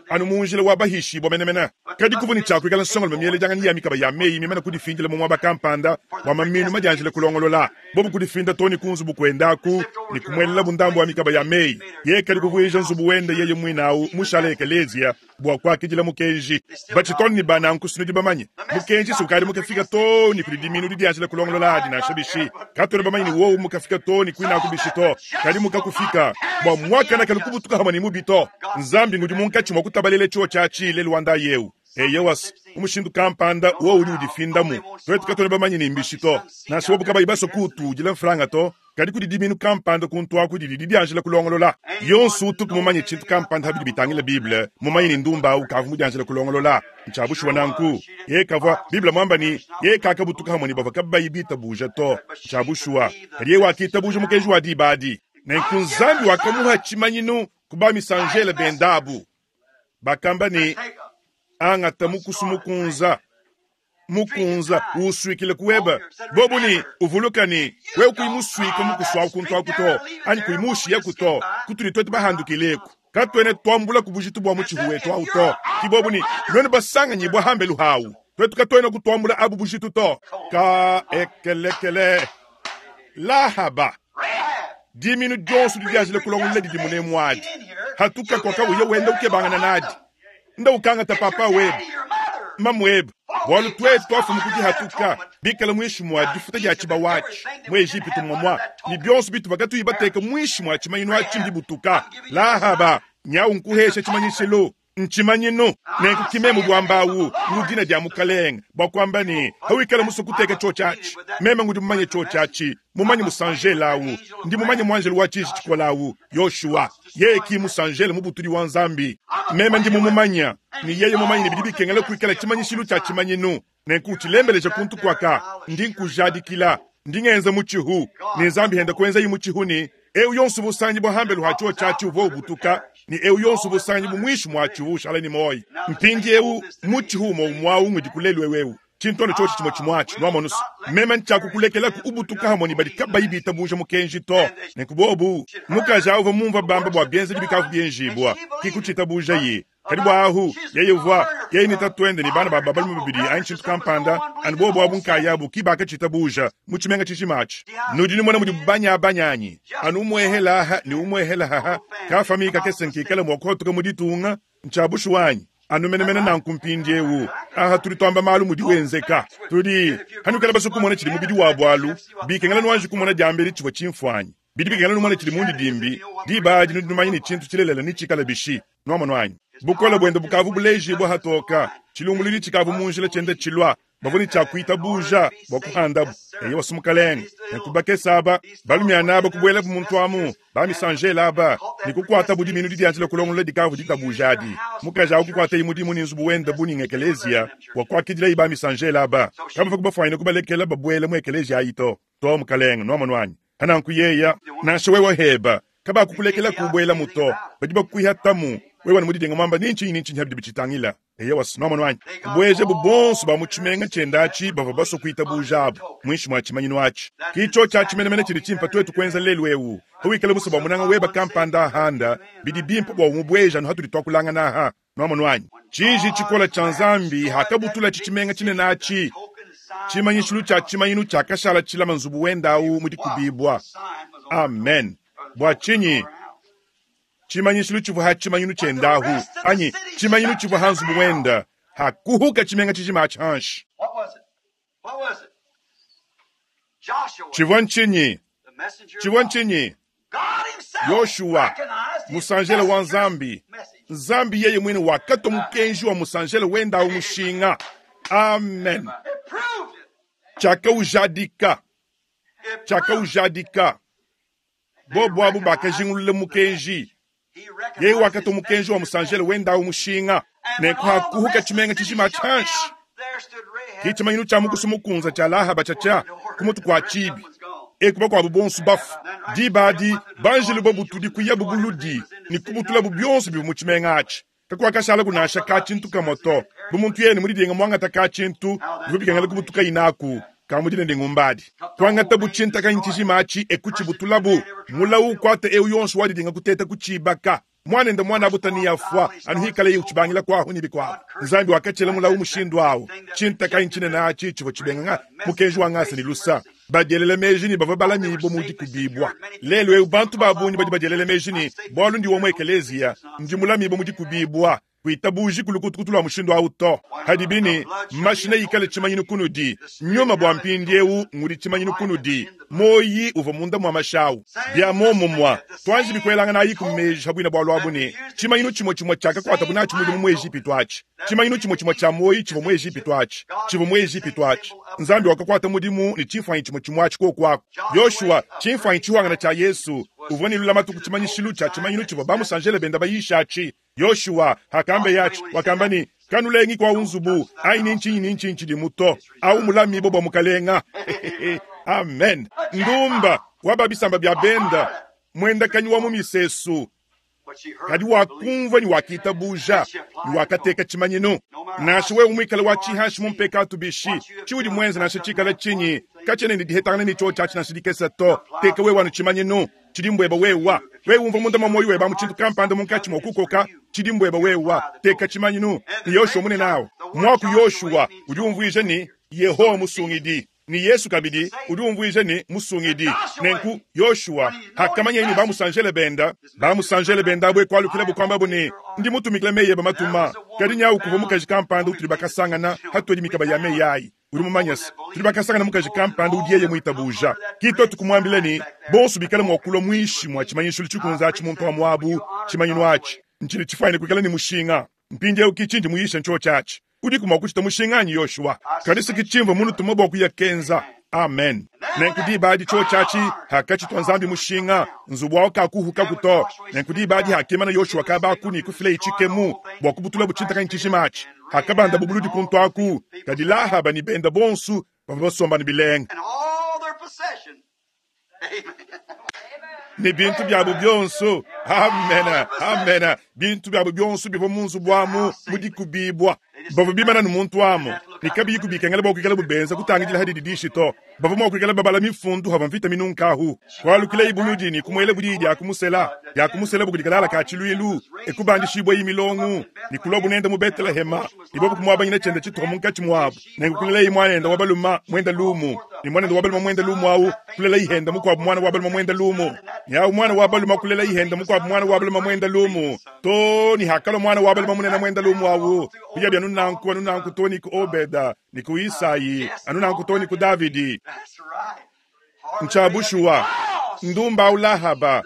anu mu njila wa bahishibua menemene. Kadi kuvua ne tshiakuikala nsongolume mieledianganyi ya mikaba ya meyi mimane kudifindila mu muaba kampanda bua maminu madianjile kulongolola. Bobu kudifinda to ne ku nzubu kuendaku ne kumuelela bundambu wa mikaba ya meyi. Yeye kadi kuvuija nzubu wende yeye muine awu mushala ekelezia bua kuakidila mukenji. Batshitone ne bananku sinudi bamanye. Mukenji sukadi mukafika to ne kudi diminu didianjila kulongolola adi nansha bishi. Katuena bamanye ne wowu mukafika to ne kuinaku bishi to. Kadi mukakufika bua muakana kalu kubutuka hamwe ne mubi to. Nzambi ngudi munkatshi mua kutabalela tshiwo tshiatshi lelu wa ndayi ewu. Eyewas, umushindu kampanda wowu udi udifindamu. Twetu katuena bamanye ne mbishi to. Nansha bobu kabayi basue kutudila mfranga to. Kadi kudi diminu kampanda kuntu aku didi didianjila kulongolola. Yonso utuku mumanye tshintu kampanda ha bidi bitangila Bible, mumanye ne ndumba awu kavua mudianjila kulongolola. Ntshia bushuwa nanku. Yeye kavua, Bible muamba ne, yeye kakabutuka hamwe ne bavua kabayi bitabuja to. Ntshia bushuwa. Kadi yeye wakitabuja mukenji wa diba adi. Nenku Nzambi wakamuha tshimanyinu ku bamisanjele bendabu. Bakamba ne, angata mukusu mukunza. Mukunza usuikile kuweba. Bobu ne uvuluka ne wewe kuyimusuika mukusu awu kuntu aku to, anyi kuyimushiya ku to, kutudi twetu bahandukileku. Katwene twambula ku bujitu bua mutshihu wetu awu to. Ki bobu ne nwene basanganyibwa hambelu hawu. Twetu katwene kutwambula abu bujitu to. Ka ekelekele. Lahaba. Diminu dionso didianjile kulongolola didi munemu adi. Hatuka kwa uye wenda ukebangana nadi. Nda ukangata papa webe. Mamu webe. Bwalu twetu twafumu kudihatuka. Bikala mwishi mwa difuta dia tshibawachi. Mu Egipitu mwamwa. Ni bionso bitu bakatuyi bateka mwishi mwa tshimanyinu atshi mbibutuka. Lahaba. Nyau nkuhesha tshimanyishilo. Nchimanyinu. Nenku kimemu bwambawu. Ngudina dia mukalenge. Bwa kwamba ni hawikala muso kuteka cho chachi. Meme ngudi mumanye cho chachi. Mumanye musanjela awu. Ndi mumanye mwanjelu wa chishi chikola awu. Yoshua. Yeye ki musanjela mubutuli wa Nzambi. Meme ndi mumumanya. Ni yeye mumanye ni bidi bikengela kuikala tshimanyishilu cha tshimanyinu. Nenku tshilembeleja kuntu kwaka. Ndi nkujadikila. Ndi ngenza mutshihu. Ni Nzambi henda kuenza yi mutshihu ni eu yonso busanyi bwa hambelu ha cho chachi uvo ubutuka. Ni eu yonso busanyi bumwishi mwachi ushala ni moyi. Mpindi eu mutshihu umo umwawu ngudi kulelwe wewu. Chintono chochi chimo chimwachi nwamonusu. Meme nchakukulekela ku ubutuka hamwe ni badi kabayi bitabuja mukenji to. Nenkubobu mukaja uva mumva bamba bwa bienze bikavu bienjibwa. Kikuchitabuja yi. Kadi bwa ahu yeye uvwa yeye ni tatwende ni bana ba babalume babidi anyi tshintu kampanda anu bobo abu nkayabu kibaka chitabuja muchimenga chichimachi. Nudi ni mwana mudi banya banyanyi. Anu umwehela ha ni umwehela ha ka famika kesenkikala mwakotoka muditunga nchabushu wanyi. Anu menemene nanku mpindiewu. Aha tuli twamba malu mudi wenzeka. Tudi hanukala baso kumona chili mubidi wa bwalu bikengela nwanji kumona diambeli chivwa chimfwanyi. Bidi bikengela numona chili mundi dimbi diba adi nudi numanya ni chintu chilelela ni chikala bishi. Nwamona wanyi. Bukola bwenda bukavu buleji bwa hatoka. Chilumbululi chikavu munjila chenda chilwa. Bavuni cha kuita buja bwa kuhandabu. Eye wasumukalenge. Nekubake saba. Balumya naba kubwela muntu amu. Bamisanjela aba. Nikukwata budi minu didianjila kulongola dikavu ditabuja adi. Mukaja ukukwata imudimu ni nzubu wenda buni ngekelezia. Wakwakidila iba misanjela aba. Kama fakubafaina kubalekela babwele mu ekelezia ayito. To mukalenge nwamona wanyi. Hananku yeya. Nansha wewe heba. Kaba kukulekela kubwela muto. Badi bakuiha tamu. Wewe ni mudidenga mwamba ninchi ninchi nhabdi bichitangila. Eye wasinoma nwanyi. Kubweje bubonso ba muchimenga chendachi bava baso kuita bujabu. Mwishi mwa chimanyinu achi. Kicho cha chimenemene chili chimpa twetu kwenza lelu ewu. Hawikele muso ba munanga weba kampanda handa. Bidi bimpa bwa umubweja no hatuli twakulanga naha. Nwama nwanyi. Chiji chikola cha Nzambi hakabutula chichimenga chine nachi. Chimanyishulu cha chimanyinu cha kashala chila manzubu wenda au mudikubibwa. Amen. Bwa chinyi. Chimanyishulu chivu ha chimanyinu chendahu. Anyi, chimanyinu chivu hanzubu wenda. Hakuhuka chimenga chichima chanshi. What was it? What was it? Joshua, Chivwa nchinyi. the messenger of Chivwa God. nchinyi. God himself Yoshua, recognized his musanjele wa messenger's Nzambi. message. Nzambi yeye mwene wakato mukenji wa musanjele wenda au mushinga. Amen. It proved it. Chaka ujadika. It Chaka proved it. ujadika. Bobo abu bakajingulule mukenji. He recognized Yeye wakato his mukenji wa messenger's musanjele wenda au mushinga. And when Nenku all the hakuhuka rest of the chimenga city chichima shut chanshi. down, there stood Rahab Kichimanyinu cha mukusu mukunza cha Lahaba chacha kumutu kwa The rest of chibi. them was gone. Ekuba kwa bubonsu bafu. Dibadi banjelu babutudi kuya bubuludi ni kubutula bubionso bibu muchimenga achi. Kakuwa kashala kunasha kachintu kamoto. Bumuntu yene mudidenga mwangata kachintu bibikangala kubutuka inaku. Kamudine ndingumbadi. Kwangata buchinta kanyichishima achi ekuchibutulabu. Mulau kwate eu yonso wadidinga kuteta kuchibaka. Mwana mwana abutani yafwa anuhikale uchibangila kwaho nibi kwaho. Nzambi wakachela mulau mushindu awo. Chinta kanyichine na achi chivo chibenga mukenji wangasa ni lusa. Badyelele meji ni bava balami bo mudi kubibwa. Lelo eu bantu babunyi badi badyelele meji ni bwalu ndi womwe ekelezia ndi mulami bo mudi kubibwa. Kuitabuji kulukutukutu lwa mushindu awu to. Hadibi ne mashi neikale tshimanyinu kunudi. Nyuma bua mpindiewu ngudi tshimanyinu kunudi. Moyi uvua munda mua mashi awu. Bia muomumue, tuanji bikuelanganayi ku meji ha buina bualu abu ne tshimanyinu tshimue tshimue tshiakakuatabu natshi mudimu mu Ejipitu atshi. Tshimanyinu tshimue tshimue tshia moyi tshivua mu Ejipitu atshi. Tshivua mu Ejipitu atshi. Nzambi wakakuata mudimu ne tshimfuanyi tshimue tshimue atshi koku aku. Yoshua, tshimfuanyi tshihuangana tshia Yesu, uvua ne lulamatu ku tshimanyishilu tshia tshimanyinu tshivua bamusanjele benda bayisha atshi. Yoshua hakambe yatshi wakamba ne kanulengi kwa unzubu ayi ni nchinyi ni nchinyi tshidi muto au mulami bo bwa mukalenga. Amen. Ndumba waba bisamba bya benda mwenda kanywa mu misesu kadi wakumva ni wakitabuja ni wakateka tshimanyinu nansha wewe mwikale wa chihashi mumpekatu bishi chiudi mwenza nansha chikala chinyi kachene ni dihetangana ni cho chachi nansha dikesa to teka wewe wanu tshimanyinu chidi mbweba wewa wewe umva munda mwa moyo weba mu tshintu kampanda munkatshi mwa kukoka chidi mbweba wewa teka tshimanyinu ni Yoshua mune nawo mwaku Yoshua udi umvuija ni Yehowa musungidi ni Yesu kabidi udi umvuija ni musungidi. Nenku Yoshua hakamanya ni bamusanjele benda bamusanjele benda abwe kwalukila bukwamba bune ndi mutumikile meye bamatuma kadi nyawu kuva mukaji kampanda utuli bakasangana hatwedi mikaba ya meyi ayi uri mumanyasa tuli bakasangana mukaji kampanda udiyeye mwitabuja kito tukumwambile ni bonso bikale mwakulwa mwishi mwa tshimanyisho tshikunza atshi muntu wa mwabu tshimanyinu atshi nchili tshifaine kuikala ni mushinga mpindiewu kichinji muyisha ncho chachi udi kumwa kuchita mushinganyi Yoshua kanisa kichimva munu tuma bwa kuya kenza. Amen. Nenku diba adi cho chachi hakachitwa nzambi mushinga nzubu wawo kakuhuka kuto. Nenku diba adi hakimana Yoshua kabakuni kufila ichikemu bwa kubutula buchintakanyi chishimachi hakabanda bubuludi kuntu aku kadi Lahaba ni benda bonsu bavua basomba ni bilenga And all their possession. Amen. Ni bintu byabo byonso. Amen. Amen. Bintu byabo byonso bivua mu nzubu amu mudikubibwa bavua bimana ni muntu amu nikabiyi kubikengela bwa kuikala bubenza kutangidila hadidi dishi to bavua mua kuikala babala mifundu hava mvita minunkahu kwalukila ibuludi ni kumwela budidi dya kumusela dya kumusela bukudikalala ka tshiluilu ekubandishibwa imilongu ni kulwa bunenda mu Betelehema ibobu kumwabanyina chenda chituha munkatshi mwabu nenkukulela imwanenda wabaluma mwenda lumu ni mwanenda wabaluma mwenda lumu awu kulela ihenda mukwabu mwana wabaluma mwenda lumu nyawu mwana wabaluma kulela ihenda mukwabu mwana wabaluma mwenda lumu to ni hakalo mwana wabaluma munena mwenda lumu awu kuya bya nunanku anunanku to ni ku Obeda ni ku Isayi anunanku to ni ku Davidi. That's right. Nchabushuwa ndumba ulahaba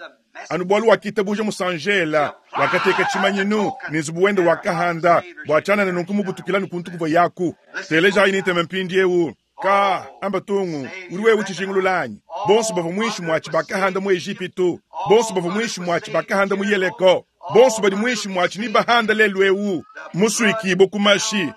anubwalu wakitabuja musanjela wakateka tshimanyinu ni nzubu wende wakahanda bwachana na nunku mubutukila nukuntu kuva yaku teleja initeme mpindiewu ka amba tungu uri wewe uchishingululanyi bonso bava mwishi mwachi bakahanda mu Ejipitu bonso bava mwishi mwachi bakahanda mu Yeriko bonso badi mwishi mwachi ni bahanda lelwewu musuikibo kumashi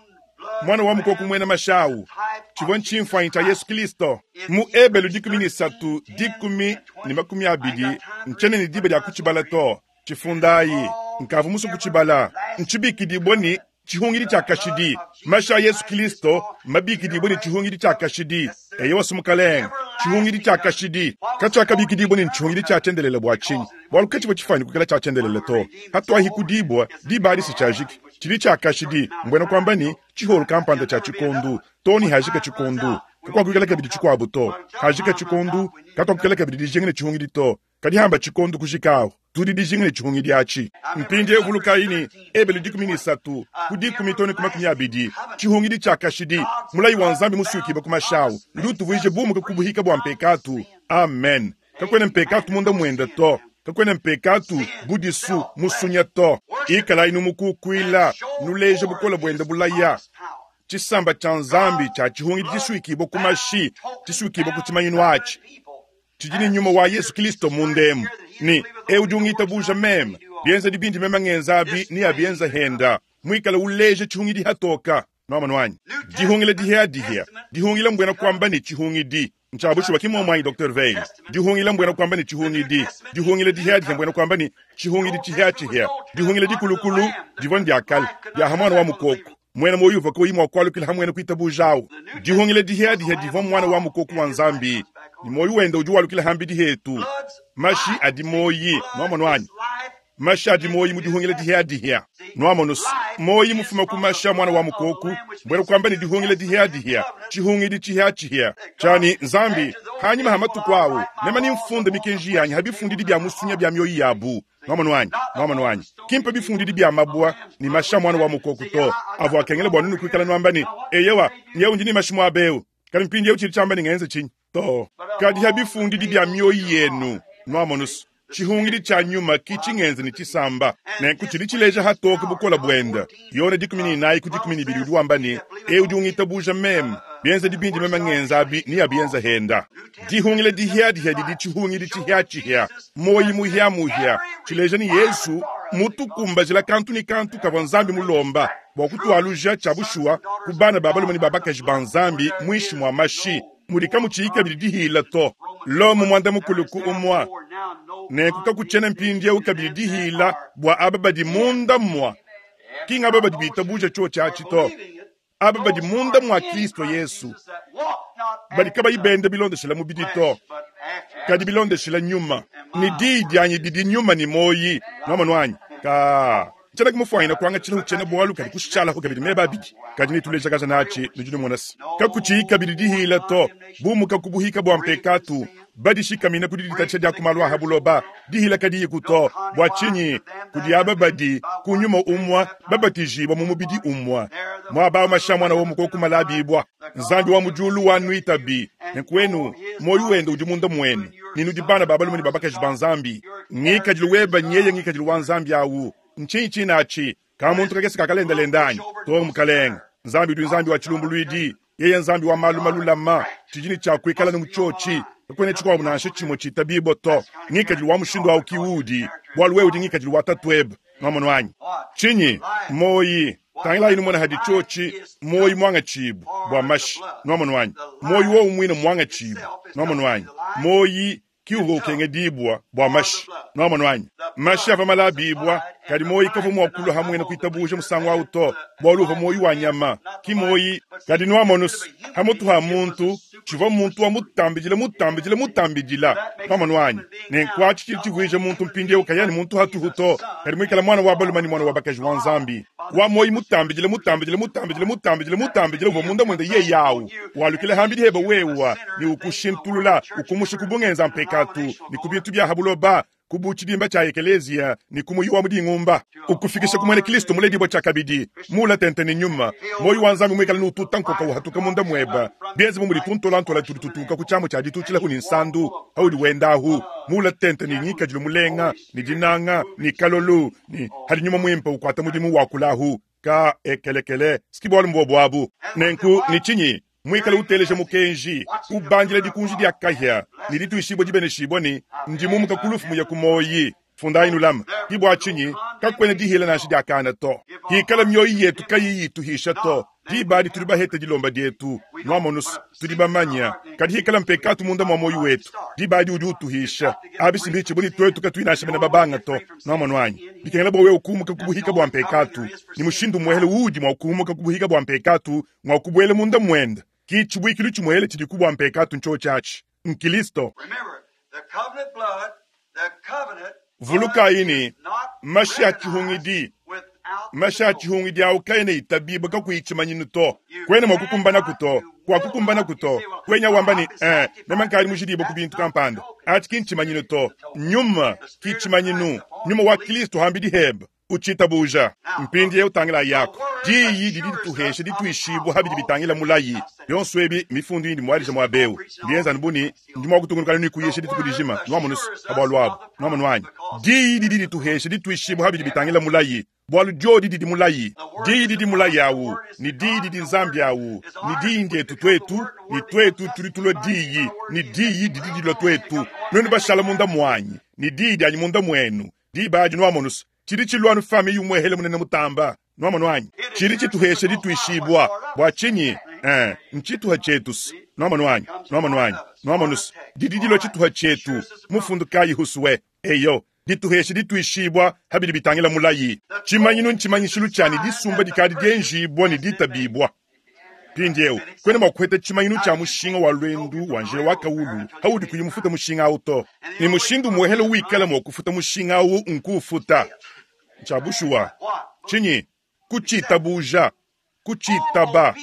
mwana wa mukoko mwena mashawu chivwa nchimfanyi cha Yesu Kristo mu Ebelu dikumi ni satu dikumi ni makumi abidi nchene ni diba lya kuchibala to chifundayi nkavu musu kuchibala nchibikidibwa ni chihungili cha kashidi masha Yesu Kristo mabikidibwa ni chihungili cha kashidi eye wasumukalenga chihungili cha kashidi kachakabikidibwa ni chihungili cha chendelele bwa chinyi bwalu kachibwa chifanyi kukela cha chendelele to hatwahi kudibwa diba alisi chajiki chili cha kashidi mbwena kwamba ni chiholu kampanda cha chikondu toni hajika chikondu kakwakukela kabidi chikwabu to hajika chikondu katwakukela kabidi dijengene chihungili to kadi hamba chikondu kushikawo tudi dijengene chihungili achi mpindi evulukaini ebele dikumi ni satu kudikumi toni kumakumi abidi chihungili cha kashidi mulayi wa nzambi musukiba kumashawu udi utuvuije bumuka kubuhika bwa mpekatu. Amen. Kakwene mpekatu munda mwenda to kakwene mpekatu budisu musunya to ikala inu mukukwila nuleje bukola bwenda bulaya chisamba cha nzambi cha chihungili chisuikibo kumashi chisuikibo kuchimanyinu achi chijini nyuma wa Yesu Kristo mundemu ni eujungita buja meme bienza dibindi mema ngenzabi ni abienza henda mwikala uleje chihungili hatoka nwamanwanyi dihungile dihea dihea dihungile mbwena kwamba ni chihungidi nchabushuwa kimomwanyi Doctor Veil dihungile mbwena kwamba ni chihungidi dihungile dihea dihea mbwena kwamba ni chihungidi chihea chihea dihungile dikulukulu divon dyakale dya hamwana wa mukoko mwena moyuva koyimwa kwalukila hamwene kuita bujawu dihungile dihea dihea divon mwana wa mukoko wa nzambi ni moyo wenda udi walukila hambi dihetu mashi adi moyi nwamanwanyi Mashi adi muoyi mu dihungila dihiadihia. Nwamonusu, muoyi mufuma ku mashi a mwana wa mukoku, mbwena kwamba ne dihungila dihiadihia, tshihungidi tshihiatshihia. Tshani Nzambi, hanyima ha matuku awu, mema nimfunda mikenji yanyi ha bifundidi bya musunya bya mioyi yabu. Nwamonu wanyi, nwamonu wanyi. Kimpa bifundidi bya mabwa ni mashi a mwana wa mukoku to. Avua akengela bua nunu kuikala nwamba ne, eyewa, nyewu ndi ni mashi muaba eu. Kadi mpindiewu tshidi tshiamba ne ngenze tshinyi? To. Kadi ha bifundidi bya mioyi yenu. Nwamonusu. Tshihungidi tshia nyuma ki tshingenze ne tshisamba. Nenku tshidi tshileja hatoke bukola buenda. Yone dikumi ne inayi ku dikumi ne ibidi udi wamba ne, eu udi ungitabuja meme, bienza dibindi meme ngenza abi ni abienza henda. Dihungile dihiadihia didi tshihungidi tshihiatshihia. Moyi muhiamuhia. Tshileja ni Yesu mutukumbajila kantu ni kantu kavua Nzambi mulomba bua kutualuja tshia bushuwa ku bana ba balume ne ba bakaji ba Nzambi muinshi mua mashi. Mudi kamutshiyi kabidi dihila to. Lomo mwanda mukulu ku umwa. Nenku kakutshiena mpindiewu kabidi dihila bua aba badi munda mua. Ki ngaba badi bitabuja tshiotshi atshi to. Aba badi munda mua Kristo Yesu. Badi kabayi benda bilondeshela mubidi to. Kadi bilondeshela nyuma. Ni diyi dianyi didi nyuma ni moyi. Nwamonu wanyi. Ka. Tshiena kumufuanyina kuangatshila utshiena bualu kadi kushalaho kabidi meba abidi. Kadi nituleja kaza natshi nudi numona se. Kakutshiyi kabidi dihila to. Bumuka kubuhika bua mpekatu. Badishikamina kudi ditatshisha dia kumalu a habuloba. Dihila kadiyi kuto. Bua tshinyi? Kudi aba badi ku nyuma umwa, babatijibwa mu mubidi umwa. Mwaba mashi a mwana wa mukoko malabibwa. Nzambi wa mudiulu wa nuitabi. Nenku moyo wenda udi munda mwenu. Ninu bana ba balume ne ba bakaji ba Nzambi. Ngikadilu weba nyeye ngikadilu wa Nzambi awu. Ntshinyi tshinatshi? Ka muntu kakese kakalendalenda anyi? To mukalenga. Nzambi udi Nzambi wa tshilumbuluidi. Yeye Nzambi wa malu malulama. Tshidi ne tshia kuikala ne mutshiotshi. Kakuena tshikuabu nansha tshimue tshitabibwa to. Ngikadilu wa mushindu awu ki udi. Bualu wewe udi ngikadilu wa tatuebe. Nwamonu wanyi. Tshinyi? Moyi. Tangila inu mona hadi tshiotshi. Moyi mwanga tshibu. Bua mashi. Nwamonu wanyi. Moyi wowu mwine mwanga tshibu. Nwamonu wanyi. Moyi ki uvua ukengedibwa bua mashi. Nwamonu wanyi. Mashi ava malabibwa. Kadi moyi kavua mua kulua hamwena kuitabuja musangu awu to. Bualu uvua moyi wa nyama. Ki moyi. Kadi nwamonu hamutu ha muntu. Tshivua muntu wa mutambidila, mutambidila, mutambidila. Nwamonu wanyi. Nenku atshi tshidi tshivuija muntu mpindiewu kayani muntu hatuhu to. Kadi muikala mwana wa balume ni mwana wa bakaji wa Nzambi. Wa moyi mutambidila, mutambidila, mutambidila, mutambidila, mutambidila uvua munda mwende ye yawu. Walukila hambidi heba wewa. Ni ukushintulula, ukumusha kubungenza mpekatu. Ni kubintu bya habuloba. Kubu tshidimba tshia ekelezia ni kumuyi wa mudingumba. Ukufikisha kumwene Kristo muledibwa tshia kabidi. Mula tente ni nyuma. Moyi wa Nzambi mwikala nututa nkoka uhatuka munda mweba. Bienze mu mulituntolantola tututuka ku tshiamu tshia ditutshila huni nsandu. Haudi wendahu. Mula tente ni ngikadilu mulenga, ni dinanga, ni kalolu, ni hadi nyuma mwimpa ukwata mudimu wa kulahu. Ka ekelekele, sikibwalu mbobwabu. Nenku ni tshinyi? Mwikala uteleja mukenji, ubandila dikunji dia kahia, ni dituishibwa dibeneshibwa ni ndimumuka kulufu muya kumoyi. Fundayi nulama. Kibwa tshinyi, kakwena dihila nansha dia kana to. Hikala mioyi yetu kayiyi ituhisha to. Diba adi tuli bahete dilomba dietu. Nwamonusu, tudi bamanya. Kadi hikala mpekatu munda mwa moyo wetu. Diba adi udi utuhisha. Abi simbichi buli twetu katuinasha bena babanga to. Nwamonu wanyi. Bikengela bwa wewe ukumuka kubuhika bwa mpekatu. Ni mushindu mwehele udi mwa ukumuka kubuhika bwa mpekatu, mwa kubwele munda mwenda. Ki chibuikilu chimwele chidi kubwa mpekatu ncho chachi. Nkilisto. Remember, the covenant blood, the covenant Vuluka ini, mashi a recognized tshihungidi. without Mashi a tshihungidi awu kaena itabibwa kakuyichimanyinu to. Kwena mwa kukumbana kuto, kwa kukumbana kuto. Kwenya wamba ni, eh, mema nkali mujidibwa ku bintu kampanda. Achi kinchimanyinu to. Nyuma, kichimanyinu. Nyuma wa Kristo hambidi heba. Uchitabuja. Mpindiewu utangila yako. Diyi didi dituhesha dituishibwa habidi bitangila mulayi. Yonso ebi mifundu indi mwalija mwa beu. Ndienza nbuni, ndi mwa kutungunuka ni kuyesha dituku dijima. Nwamonusu, abwalu abu. Nwamonu wanyi. Diyi didi dituhesha dituishibwa habidi bitangila mulayi. Bwalu jodi didi mulayi. Diyi didi mulayi awu. Ni diyi didi nzambi awu. Ni diyi ndietu twetu. Ni twetu tuli tulwa diyi. Ni diyi didi dilwa twetu. Nwenu bashala munda mwanyi. Ni diyi dyanyi munda mwenu. Diba adi nwamonusu. Chidi chilwanu fami yumwehele munene mutamba. Nwamonu wanyi. Chidi chituhesha dituishibwa. Bwa chinyi? Eh, nchituha chetu. Nwamonu wanyi. Nwamonu wanyi. Nwamonusu. Didi dilwa chituha chetu. Mufundu kayi husuwe. Eyo. Dituhesha dituishibwa habidi bitangila mulayi. Chimanyinu nchimanyishilu chani disumba dikadi dienjibwa ni ditabibwa. Mpindiewu, kwena mua kuheta tshimanyinu tshia mushinga wa lwendu wa njila wa kawulu haudi kuyi mufuta mushinga awu to. Ne mushindu muehele wikala mua kufuta mushinga awu nkuufuta. Tshia bushuwa. Tshinyi? Kutshitabuja. Kutshitaba.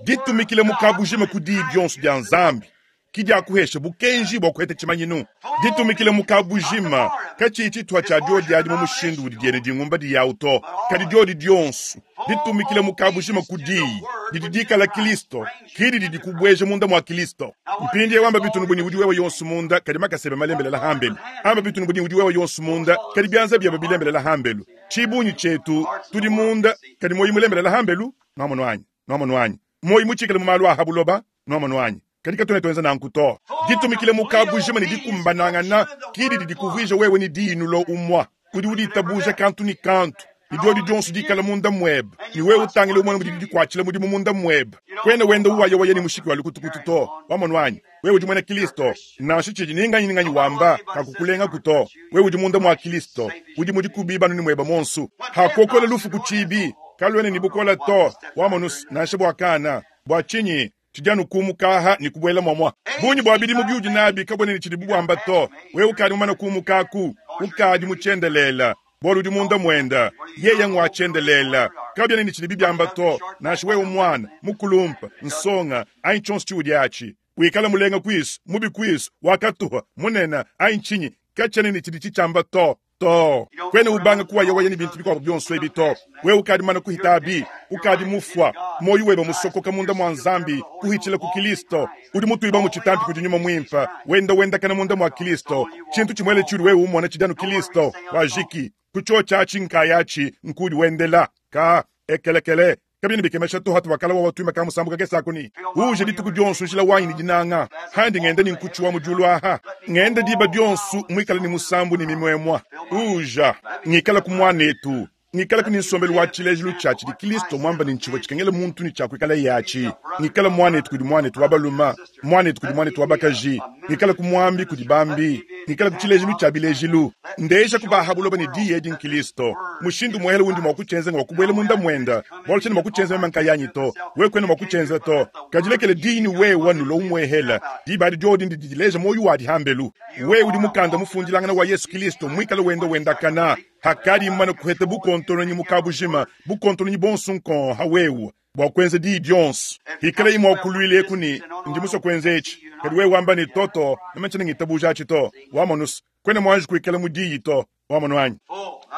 Ditumikila mu kabujima ku diyi dionso dia Nzambi. Ki dia kuhesha bukenji bua kuheta tshimanyinu. Ditumikila mu kabujima katshiyi tshituha tshia diodi adi mu mushindu udi diene dingumba diyawu to. Kadi diodi dionso ditumikila mu kabujima ku diyi didi dikala Kristo, kidi didi kubueja munda mua Kristo. Mpindiewu amba bitunu buni udi wewe yonso munda kadi makasebe malembelela hambelu. Amba bitunu buni udi wewe yonso munda kadi bianza byebe bilembelela hambelu. Tshibunyi tshietu tudi munda kadi moyi mulembelela hambelu. Nwamonu anyi? Nwamonu anyi? Moyi mutshikale mu malu a habuloba. Nwamonu anyi? Kadi katwena twenza nanku to. Ditumikile mu kabujima ne dikumbanangana kidi didi kuvuija wewe ne diyinulo umwa. Udi uditabuja kantu ni kantu. Ni diodi dionso dikala munda mwebe. Ni wewe utangile umwana mudi dikuatshila mudimu munda mwebe. Kwena wenda uwaya waya ni mushiki wa lukutukutu to. Wamonu anyi? Wewe udi mwena Kristo. Nansha tshidi ninganyi ninganyi wamba kakukulenga kuto. Wewe udi munda mwa Kristo. Udi mudi kubiba nuni mweba monsu. Hakokola lufu kuchibi. Kalwene ni bukola to. Wamonu nansha bwakana. Bwa chinyi tshidi kumukaha ni kubuela mwamwa. Bunyi bwa bidimu byudi nabi kabone ni tshidi bubwamba to. Wewe ukadi mumana kumukaku. Ukadi muchendelela. Bolu udi munda mwenda. Yeye ngwa chendelela. Kabyene ni tshidi bibyamba to. Nansha wewe mwana, mukulumpa, nsonga, ayi tshonso tshiudi atshi. Wikala mulenga kwisu, mubi kwisu, wakatuha, munena, ayi nchinyi, kachene ni tshidi tshitsamba to. To. Kwene ubanga kuwa yewa yeni bintu bikwabo byonso ebi to. Wewe ukadi mana kuhitabi, ukadi mufwa, moyo weba musokoka munda mwa Nzambi, kuhichila ku Kristo. Udi mutuiba mu chitampi kudi nyuma mwimpa, wenda wenda kana munda mwa Kristo. Chintu chimwele churi wewe umona chidanu Kristo, wajiki, kuchocha achi nkayachi, nkudi wendela, ka ekelekele. Kabini bikemesha to hatu wakala wa watu makamu sambuka kesa kuni. Uje dituku dionsu njila wanyi ni dinanga. Handi ngende ni nkuchu wa mujulu aha. Ngende diba dionsu mwikala ni musambu ni mimwemwa. Uja ngikala kumwanetu. Ngikala kuni nsombelu wa chilejilu chachi di Kristo mwamba ni nchiwa chikengele muntu ni chakwikala yachi. Ngikala mwanetu kudi mwanetu wabaluma. Mwanetu kudi mwanetu wabakaji. Ngikala kumwambi kudi bambi. Ngikala kuchilejilu cha bilejilu. Ndeja kubahabuloba ni diye di Kristo. Mushindu mwehele wundi mwakuchenza ngwa kubwele munda mwenda. Bwalo chene mwakuchenza mema yanyi to. We kwene mwakuchenza to. Kajilekele dini we wanulo umwehela. Di badi diodi ndi dileja moyo wadi hambelu. We udi mukanda mufundilangana wa Yesu Kristo mwikala wenda wenda kana. Hakadi mana kuhete bukontono nyi mukabujima. Bukontono nyi bonsu nkon hawewu. Bwa kwenza di dionsu. Hikala imwa kuluile kuni. Ndi muso kwenza echi. Kadi we wamba ni toto. Namachene ngitabuja achi to. Wamonus. Kwene mwanju kuikala mudiyi to. Wamonu anyi.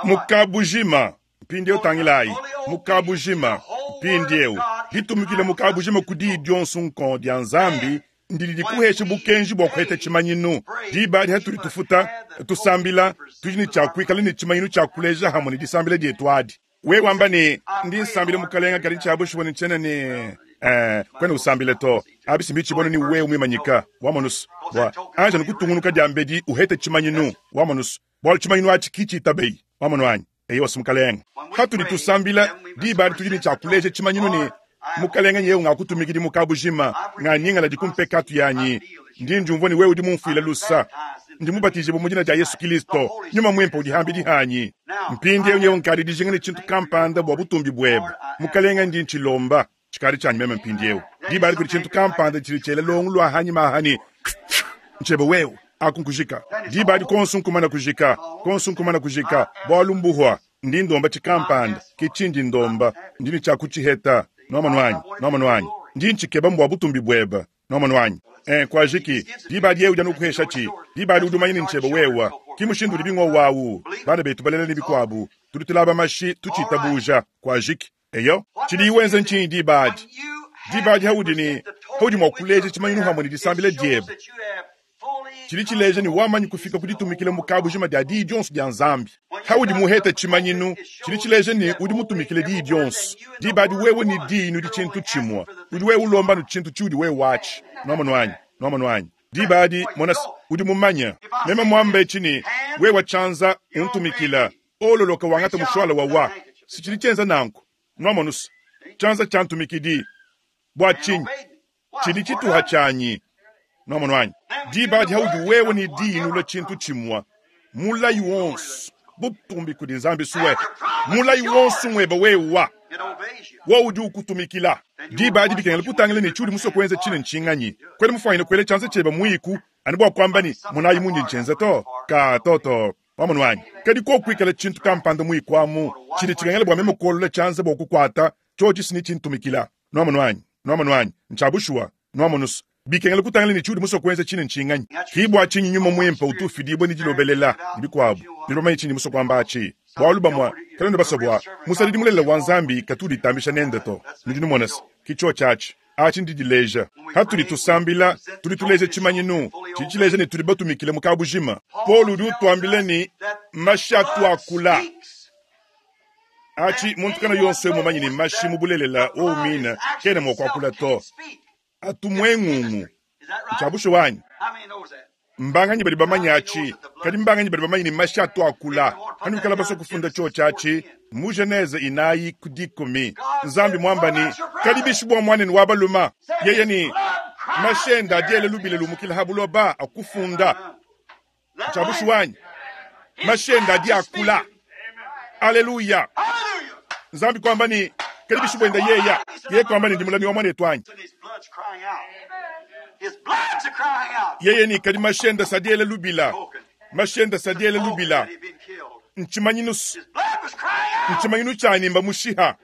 Mukabujima. Mpindiewu tangilai. Mukabujima. Mpindiewu. Ditumikile mukabujima kudi dionsu nkon dia Nzambi. Ndidi dikuhesha bukenji bwa kuheta tshimanyinu. Diba adi hatuli tufuta, tusambila, tudi ne tshia kuikala ne tshimanyinu tshia kuleja hamwe ne disambila dietu adi. We wamba ne, ndi nsambila mukalenga kadi tshia bushuwa ne tshena ne, eh, kwene usambile to. Abisi mbi tshibona ni wewe mwimanyika. Wamonus. Bwa, anja nikutungunuka dia mbedi uhete tshimanyinu. Wamonus. Bwa tshimanyinu achi kichi tabei. Wamonu anyi. Eyo wasu mukalenga. Hatuli tusambila, diba adi tudi ne tshia kuleja tshimanyinu ne, mukalenga nyewe ngakutumikidi mukabujima, nganyingala dikumpekatu yanyi. Ndi njumvua ni wewe udi mumfuila lusa. Ndi mubatije mu dina dia Yesu Kristo. Nyuma mwimpe udi hambi dihanyi. Mpindiewu nyewe nkadi dijinga ne tshintu kampanda bua butumbi bwebe. Mukalenga ndi ntshilomba. Tshikadi tshanyi meme mpindiewu. Diba adi kudi tshintu kampanda tshidi tshiela longo lwa hanyi mahani. Nchebe wewe akunkujika. Diba adi konsu nkumana kujika. Konsu nkumana kujika. Bwalu mbuhwa. Ndi ndomba tshikampanda. Ki tshindi ndomba. Ndi ni tshiakutshiheta. Nwamonu anyi, nwamonu anyi. Ndi ntshikeba mbwa butumbi bwebe. Nwamonu anyi. Eh, kwa jiki, diba adi yewe udi anukuhesha tshi. Diba adi udi umanye ni ntshebe wewa. Ki mushindu udi bingwa wawu. Bana betu balela ni bikwabu. Tudi tulaba mashi, tutshitabuja. Kwa jiki. Eyo, tshidi iwenza ntshini diba adi. Diba adi haudi ni, haudi mwa kuleja tshimanyinu hamwe ni disambila diebe. Tshidi tshileja ni wamanyi kufika kuditumikila mu kabujima dia diyi dionso dia Nzambi. Haudi muheta tshimanyinu, tshidi tshileja ni udi mutumikile diyi dionso. Diba adi wewe ni diyi nudi tshintu tshimwa. Udi wewe ulomba nu tshintu tshiudi wewe watshi. Nwamonu anyi, nwamonu anyi. Diba adi, mona, udi mumanya. Mema mwambe tshini, wewe tshanza untumikila. Ololoka wangata mushwala wa wa. Si tshidi tshienza nanku. Nwamonu, tshanza tshantumikidi. Bwa tshinyi, tshidi tshituha tshanyi. Nwamonu anyi. Diba adi haudi wewe ni diyi nula tshintu tshimwa. Mulayi wonso, butumbi kudi Nzambi suwe. Mulayi wonso mweba wewa. Wowu udi ukutumikila. Diba adi bikengela kutangila ne tshiudi musue kuenza tshine ntshinganyi. Kuena mufuanyine kuela tshianza tshiebe muiku anu bua kuamba ne, Monayi mundi ntshienza to. Kaa, to, to. Wamonu anyi? Kadi koku kuikala tshintu kampanda muiku amu tshidi tshikengela bua meme kuolola tshianza bua kukuata, tshiotshi si netshintumikila. Nwamonu anyi? Nwamonu anyi? Ntshia bushuwa. Nwamonu's? Bikengela kutangila ne tshiudi musue kuenza tshine ntshinganyi. Ki bua tshinyi Nyuma Muimpe utu ufidibua ne dilobelela, ne bikuabu. Nudi bamanye tshindi musue kuamba atshi? Bualu bamue kanuena basue bua musadidi mulelela wa Nzambi katu uditambisha nende to. Nudi numona's? Ki tshiotshi atshi. Atshi ndidileja. Patudi tusambila, tudi tuleja tshimanyinu tshidi tshileja ne tudi batumikile mu kabujima. Paulo udi utuambila ne, Mashi atu akula. Atshi, muntu kana yonso eu mumanye ne mashi mu bulelela wowu mine kena mua kuakula to. Atu muengungu. Ntshia bushuwa anyi? Mbanganyi badi bamanye atshi? Kadi mbanganyi badi bamanye ne mashi atu akula? Panuikala basue kufunda tshiotshi atshi mu Genese inayi ku dikumi, Nzambi muamba ne, Kadi bishi bua muanenu wa baluma? Yeye ne, Mashi ende adi ela lubila lumukila ha buloba akufunda. Ntshia bushuwa anyi? Mashi ende adi akula. Aleluya! Nzambi kuamba ne, Kadi bishi buende yeya? Yeye kuamba ne, Ndi mulami wa muanetu anyi? Yeye ne, Kadi mashi ende adi ela lubila. Mashi ende adi ela lubila. Ntshimanyinu, ntshimanyinu tshianyi mbamushiha.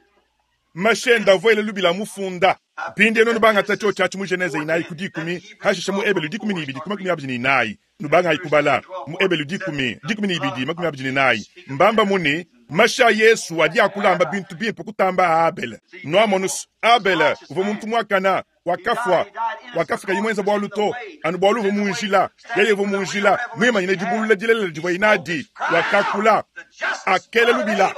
Mashi ende avua ela lubila amufunda. Mpindieu nuenu bangata tshiotshi atshi mu Genese inayi ku dikumi, hashishe mu Ebelu dikumi ne ibidi ku makumi abidi ne inayi. Nubangayi kubala mu Ebelu dikumi, dikumi ne ibidi, makumi abidi ne inayi. Mbamba mu ne, mashi a Yesu adi akulamba bintu bimpe kutamba a Abele. Nuamonus, Abele uvua muntu muakana, wakafua. Wakafua kayi muenza bualu to, anu bualu uvua mu njila. Yeye uvua mu njila, muimanyine dibulula dilelela divuaye nadi. Wakakula, akela lubila.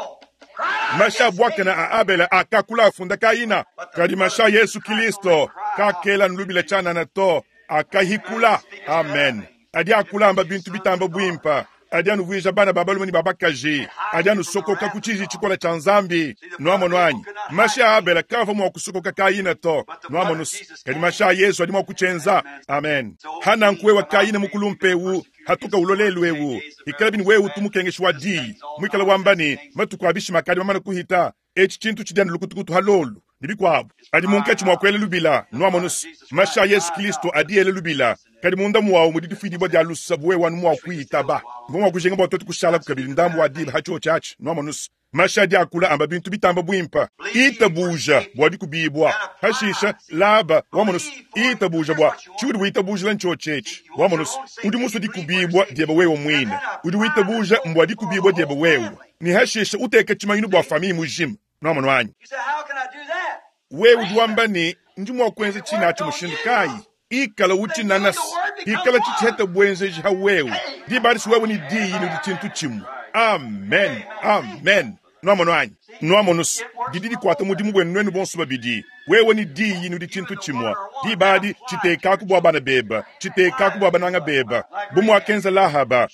Mashi a buakane a Abele akakula afunda Kaina, kadi mashi a Yesu Kilisto kakela anu lubila tshianana to, akahikula. Amen. Adi akula amba bintu bitamba buimpe, adi anuvuija bana ba balume ne ba bakaji, adi anusokoka ku tshiji tshikole tshia Nzambi. Nuamonu anyi? Mashi a Abele kaavua mua kusokoka Kaina to. Nuamonu? Kadi mashi a Yesu adi mua kutshienza. Amen. Ha nanku wewe Kaina mukulumpe eu, hatuka ulua lelu eu, ikala bini wewe utu mukengeshi wa diyi, muikala wamba ne, matuku a bishima akadi mamane kuhita, etshi tshintu tshidi anu lukutukutu ha lolu, ne bikuabu. Adi munkatshi mua kuela lubila. Nuamonus, mashi a Yesu Kilisto adi ela lubila, kadi munda muawu mudi difuidibua dia lusa bu wewe anu mua kuitaba. Mvua mua kujinga bua tuetu kushalaku kabidi ndambu wa diba ha tshiotshi atshi. Nuamonus, mashi adi akula amba bintu bitamba buimpe. Itabuja bua dikubibua. Hashisha, Laba, wamonus, itabuja bua tshiudi witabujila ntshiotshi etshi. Wamonus, udi musue dikubibua diebe wewe muine. Udi witabuja mbua dikubibua diebe wewe. Ne hashisha uteke tshimanyinu bua famille mujima. Nuamonu anyi? You say, How can I do that? Wewe udi wamba ne, ndi mua kuenza tshine atshi mushindu kayi? Ikala utshinanasi, ikala tshitshiheta buenzeji ha wewe. Diba adi si wewe ne diyi nudi tshintu tshimue. Amen, amen. Nuamonu anyi? Nuamonu, didi dikuata mudimu buenu nuenu bonso babidi. Wewe ne diyi nudi tshintu tshimue. Diba adi tshitekaku bua bana bebe, tshitekaku bua bananga bebe. Bu muakenza Lahaba,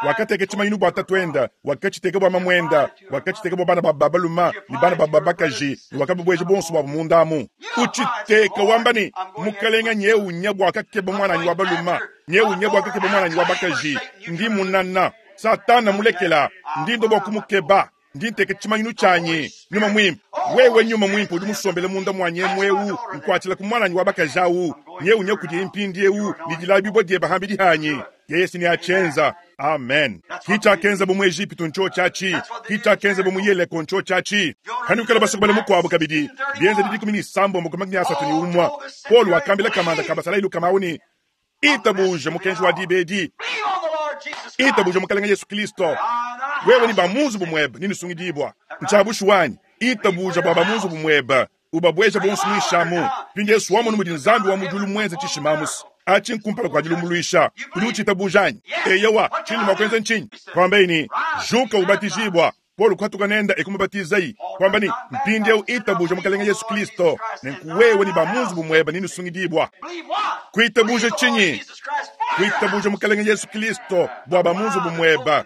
wakateka tshimanyinu bua tatuende, wakatshiteka bua mamuende, wakatshiteka bua bana babu ba balume ne bana babu ba bakaji, ne wakababueja bonso buabu munda amu. Utshiteka wamba ne, Mukelenge nyeu nya bua kakeba muananyi wa balume, nyeu nya bua kakeba muananyi wa bakaji, ndi munana. Satana mulekela, ndi ndua bua kumukeba. Ndi nteka tshimanyinu tshianyi, Nyuma Muimpe. Wewe Nyuma Muimpe udi musombele munda muanyi emu eu, nkuatshila ku muananyi wa bakaji au, nyeu nya kudiye mpindieu ne dilabibua diebe hambidi hanyi. Yeye si neatshienza. Amen. Ki tshiakenzabu mu Ejipitu ntshiotshi atshi. Ki tshiakenzabu mu Yeleko ntshiotshi atshi. Panuikala basue kubala mukuabu kabidi, Bienzedi dikumi ne isambombo ku makumi asatu ne umue, Paulo wakambila kamanda ka basalayi lukama au ne, Itabuja mukenji wa diba edi. Believe on the Lord Jesus Christ. Itabuja Mukalenge Yesu Kristo. Wewe ne ba mu nzubu muebe nenusungidibua. Ntshia bushuwa anyi? Itabuja bua ba mu nzubu muebe, ubabueja bonso muinshi amu. Mpindieu wamonu mudi Nzambi wa mu diulu muenze tshishima amu's. Atshi nkumpala kua dilumbuluisha. Udi utshitabuja anyi? Eyowa. Tshindi mua kuenza ntshinyi? Kuambaye ne, Juka ubatijibua. Paulo kuhatuka nende e kumubatizayi, kuamba ne, Mpindieu itabuja Mukalenge Yesu Kristo, nenku wewe ne ba mu nzubu muebe nenusungidibua. Believe what? Kuitabuja Believe the Lord tshinyi? Jesus Christ for your Kuitabuja house. Mukalenge Yesu Kristo bua ba mu nzubu muebe,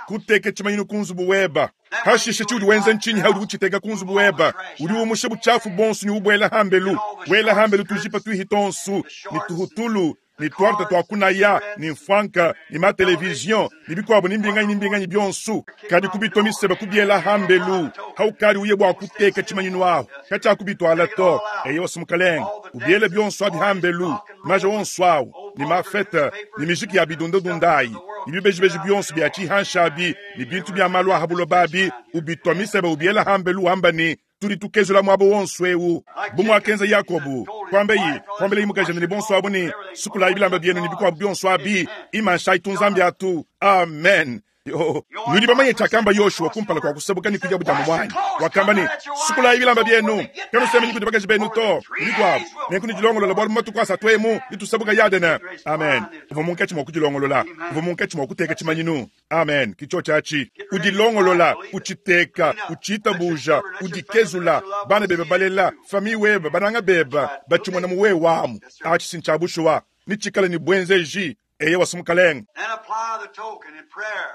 kuteka tshimanyinu ku nzubu webe. Hashishe tshiudi wenza ntshinyi haudi utshiteka ku nzubu webe? Udi umusha butshiafu bonso ne ubuela hambelu, wela hambelu tujipa tuihi tonsu ne tuhutulu Ne twarte twa kunaya, ne mfwanka, ne matelevizion, ne bikwabo ne mbinganyi ne mbinganyi byonso. Kadi kubitwa miseba kubyela hambelu. Haukadi uye bwa kuteka tshimanyinu aho. Kachakubitwala to. Eyo simukalenga. Ubyele byonso abi hambelu. Maja wonso awo. Ne mafete, ne miziki ya bidundadundayi. Ne bibejibeji byonso bya tshihanshabi, ne bintu bya malu a habulobabi, ubitwa miseba ubyela hambelu wamba ne tudi tukezula mwabo wonso ewu. Bumwakenza Yakobu kwambeyi kwambele imukajana ne bonso abo ne sukulayi bilamba byenu ne bikwabo byonso abi imanshayi tunzambi atu. Amen. Yo, nudi bamanye chakamba Yoshua kumpala kwa kusabuka ni kuja bujamu mwanyi. Wakamba ni sukulayi bilamba byenu kanusemenyi kuti bakaji benu to bikwabo nenkuni dilongolola bwalu matuku asatu emu litusabuka yadena. Amen. Uva munkatshi mwa kudilongolola, uva munkatshi mwa kuteka tshimanyinu. Amen. Kicho chachi udilongolola, uchiteka, uchitabuja, udikezula bana bebe balela fami weba bananga beba bachimona muwe wamu achi sinchabushuwa nichikala ni bwenzeji eye wasumukalenga. Then apply the token in prayer.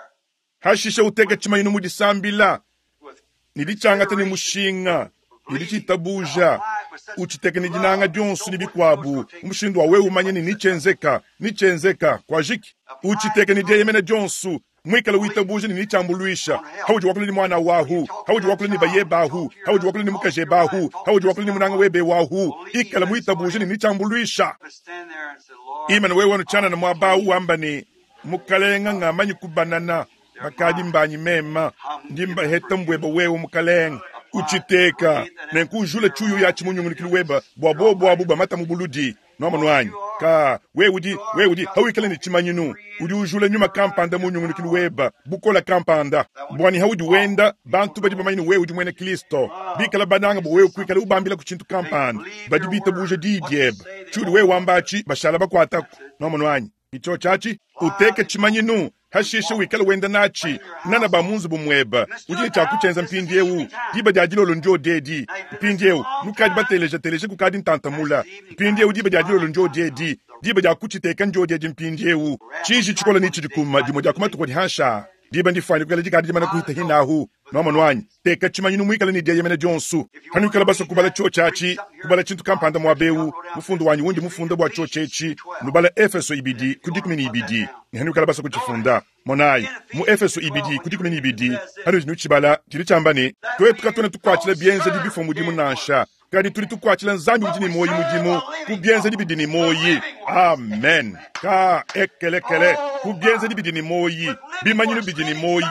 Hashishe uteke tshimanyinu mu disambila nilichangata ni mushinga nilichitabuja uchiteke ni dinanga dyonso ni bikwabu umushindu wa wewe umanye ni nichenzeka nichenzeka kwa jiki uchiteke ni dyeyemena dyonso mwikala witabuje ni nichambulwisha hauji wakule ni mwana wahu hauji wakule ni baye bahu hauji wakule ni mukaje bahu hauji wakule ni munanga webe wahu ikala mwitabuje ni nichambulwisha But stand there and say, Lord, imana wewe wanuchana na mwabau wamba ni mukalenga ng'amanyi kubanana bakadi mbanyi mema ndimba heta mbweba wewe mukalenga uchiteka nenkujula chuyu ya chimunyungunikilu weba bwa bobo abu bamata mubuludi nomanwanyi ka wewe udi wewe udi hawikala ni chimanyinu udi ujula nyuma kampanda munyungunikilu weba bukola kampanda bwani haudi wenda bantu badi bamanyi wewe udi mwene Kristo bikala bananga bo wewe kwikala ubambila ku chintu kampanda badi bita buja didyeba chudi wewe wambachi bashala bakwatako nomanwanyi icho chachi uteke chimanyinu hashishe wikala wenda nachi nana ba munzu bumweba ujile chakuchenza mpindi ewu diba dia dilolo ndio dedi mpindi ewu nukadi bateleja teleje kukadi ntantamula mpindi ewu diba dia dilolo ndio dedi diba dia kuchiteka ndio dedi mpindi ewu chiji chikola ni chidikuma dimo dia kumatuko dihansha diba ndifani kukala dikadi dimana kuhita hinahu nomanwanyi teka chimanyinu mwikala ni dieyemene dyonsu hanukala baso kubala cho chachi kubala chintu kampanda mwabewu mufundu wanyi wundi mufunda bwa cho chechi nubala Efeso ibidi kudikumi ni ibidi ni hanukala baso kuchifunda monayi mu Efeso ibidi kudikumi ni ibidi hanu nuchibala chili chamba ni twetu katone tukwachila byenze dibifo mudimu nansha kadi tuli tukwachila nzambi udi ni moyi mudimu kubyenze dibidi ni moyi. Amen. Ka ekelekele kubyenze dibidi ni moyi bimanyinu bidi ni moyi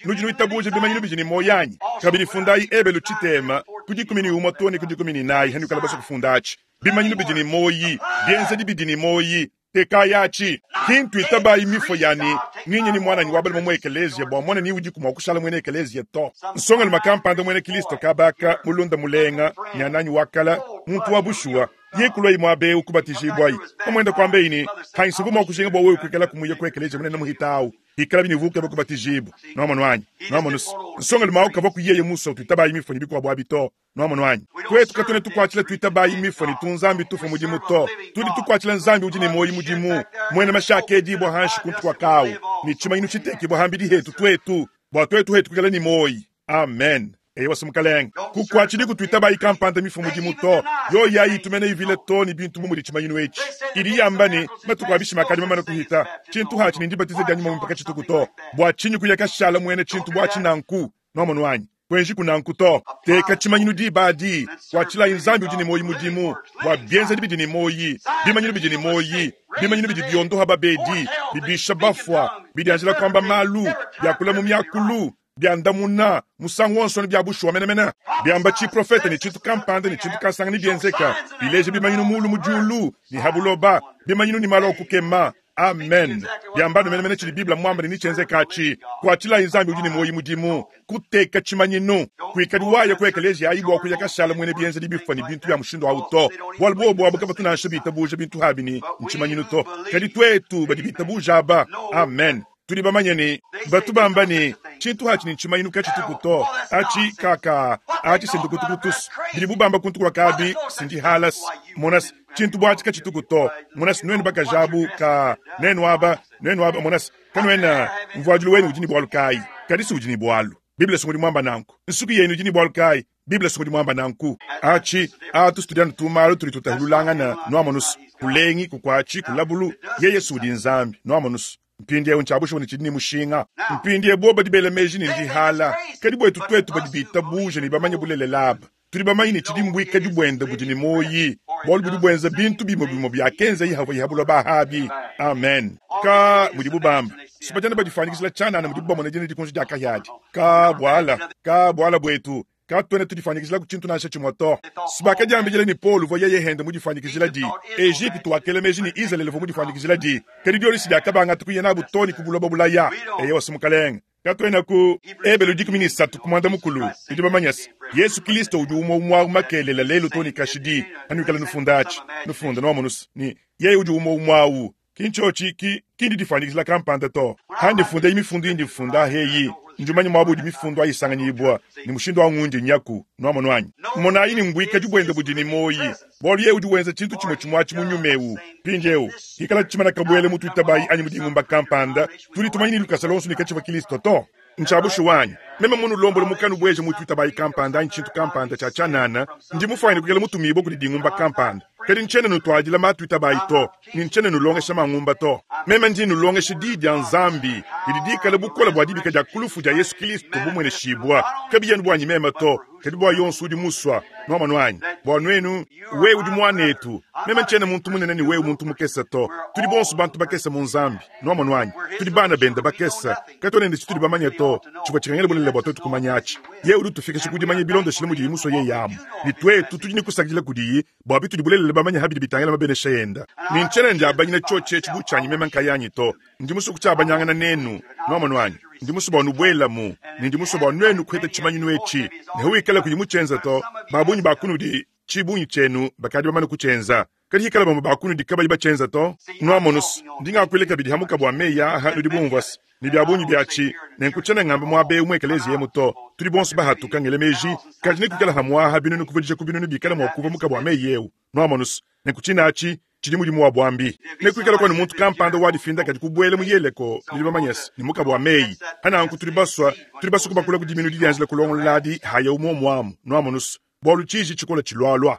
nudi nuitabuje bimanyinu bidi ni moyi anyi kabili fundayi ebelu chitema kudikumi ni umwe tone kudikumi ni nayi hanukala baso kufundachi bimanyinu bidi ni moyi byenze dibidi ni moyi tekayachi kintu itabayi mifo yani ninye ni mwana ni wabali mwa ekelezia bwa mwana ni udi kumwa kushala mwene ekelezia to nsonga makampanda mwene Kristo kabaka mulunda mulenga nyananyi wakala muntu wa bushuwa yekulwa imwabe ukubatizibwayi omwenda kwambe ini hainsubu mwa kushinga bwa wewe kwikala kumuye kwa ekelezia munene muhitawu ikala binivuke bakubatizibu nomanwanyi nomanus nsonga limao kava kuyeye musa tuitabayi mifo ni bikwa bwa bito nomanwanyi kwetu katone tukwachila tuitabayi mifo ni tunzambi tufu mudimu to tudi tukwachila nzambi udi ni moyi mudimu mwene mashaka edibwa hanshi kuntu kwa kawu ni chimanyinu chitekibwa hambidi hetu twetu bwa twetu hetu kwikala ni moyi. Amen. Eyo wasimukalenga kukwachili kutuitabayi kampanda mifo mudimu to yo yayi tumene ivile to ni bintu mumuli chimanyinu echi ili yambani matuku abishima kadi mamana kuhita chintu hachi ni ndibatize dya nyuma mpaka chituku to bwa chinyu kuyakashala mwene chintu bwa chinanku nomanwanyi kwenji kunanku to teka chimanyinu dibadi kwachila inzambi udi ni moyi mudimu bwa byenza dibidi ni moyi bimanyinu bidi ni moyi bimanyinu bidi byondoha babedi bibisha bafwa bidianjila kwamba malu byakula mu myakulu byandamuna musangu wonso ni byabushwa menemene byamba chiprofeta ni chintu kampanda ni chintu kasanga ni byenzeka bileje bimanyinu mulu mujulu ni habuloba bimanyinu ni malo kukema. Amen. Byambano menemene chili Biblia mwamba ni nichenzeka achi kwachila inzambi udi ni moyi mudimu kuteka chimanyinu kwikaliwaye kwa ekelezia ayibwa kuyakashala mwene byenze libifwa ni bintu bya mushindo auto bwalbo bwabo kaba tunansha bitabuja bintu habini nchimanyinu to kadi twetu badi bitabuja aba. Amen. Tuli bamanye ni batubamba ni chintu hachi ni nchimanyinu kachituku to achi kaka achi sindukutukutus bili bubamba kuntu kwa kabi sindi halas monas chintu bwachi kachituku to monas nwenu bakajabu ka nenu aba nenu aba monas kanwena mvwajulu wenu ujini bwalu kai kadisi ujini bwalu Biblia sunguli mwamba nanku nsuku yenu ujini bwalu kai Bible sokodi mwamba nanku. Achi, atu studiano tumalo tuli tutahululangana nwamonusu. Kulengi kukwachi kulabulu yeye sudi nzambi nwamonusu. Mpindiewu nchabusha ni chidini mushinga. Mpindie boba dibele meji ni ndihala. Kadi bwetu twetu badibita buje ni bamanye bulele laba. Tuli bamanye ni chidi mbwika dibwenda budi ni moyi. Bolu budi bwenza bintu bimo bimo bya kenza yihavu yihabulwa bahabi. Amen. Ka mudibu bamba. Sipajana badifanyikisila chana na mudibu bamona jene dikunji diakayadi. Ka bwala, ka bwala bwetu. Ka twene tudifanyikisila kuchintu nasha chimoto. Sibaka jambijele ni Paul vo yeye hende mudifanyikisila di. Egypte wakele meji ni Israel vo mudifanyikisila di. Kadi dioli sidiakabanga tukuyena butoni kubuloba bulaya. Eye wasimukalenga. Katwena ku ebelo dikumi ni satu kumanda mukulu. Idi bamanyasi. Yesu Kristo udi umwe umwa makelela lelo toni kashidi. Anukala nufundachi. Nufunda nwamonus. Ni yeye udi umwe umwawu. Kinchochi ki kindi difanyikisila kampanda to. Handi funda imifundu indi funda heyi. Njumanye mwabu di mifundu ayisanganyibwa ni mushindo wa ngundi nyaku nwamonwanyi. Mona ini ngwika dibwenda budi ni moyi. Bolu ye udi wenza chintu chimwe chimwachi munyumewu. Pinjewu. Hikala chimana kabwele mutu itabayi anyi mudi ngumba kampanda. Tuli tumanyini lukasa lonsu ni kachiwa Kristo to. Nchabushu wanyi. Meme munu lombolo mukanu bweje mutu itabayi kampanda anyi chintu kampanda cha chanana. Ndi mufayini kukela mutu mibo kuli dingumba kampanda. Kadi nchene nutwajila matu itabayi to. Ni nchene nulongesha mangumba to. Meme ndi nulongesha di ya nzambi. Didi bukola bwa dibika dia kulufu dia Yesu Kristo bumwene shibwa. Kabi yenu bwanyi meme to. Kadi bwa yonsu udi muswa. Nwama nwanyi. Bwa nwenu, we udi mwanetu. Meme nchene muntu munene ni we muntu mukesa to. Tudi bonsu bantu bakesa mu nzambi. Nwama nwanyi. Tudi bana benda bakesa. Katone ndi tudi bamanye to. Chibwa chikangele bulele bwa totu kumanyachi. Ye udi tufikisha kudi manye bilonde shile mudi muswa ye yamu. Ni twetu tudi nikusakila kudiyi. Bwa bitu dibulele bamanye habidi bitangela mabenesha yenda. Ni nchene ndi abanyine choche chibuchanyi meme nkayanyi to. Ndi musu kuchabanyangana nenu. Nwama nwanyi. Ndi musu bwa nubwela mu. Ndi musu bwa nwenu kweta chimanyi nwechi. Nehuikala kuyimuchenza to. Babunyi bakunudi chibunyi chenu bakadi bamane kuchenza. Kadi hikala bamwe bakunudi kabayi bachenza to. Nwamonus. Ndinga kweleka bidi hamuka bwa meya ha nudi bumvasi. Ni byabunyi byachi. Nenkuchana ngamba mwabe umwekelezi yemu to. Tuli bonsu bahatuka ngele meji. Kadi nikukala hamwaha binunu kuvedisha kubinunu bikala mwakuva muka bwa meyewu. Nwamonus. Nenkuchina achi. Chidi mudimu wa bwambi. Nekuikala kwa muntu kampanda wadifinda kadi kubwele muyeleko nilibamanyesi ni muka bwa meyi. Hana anku tulibaswa tulibaswa kubakula kudiminu diyanzila kulongoladi haya umwo mwamu nwamonus. Bwalu chiji chikola chilwalwa.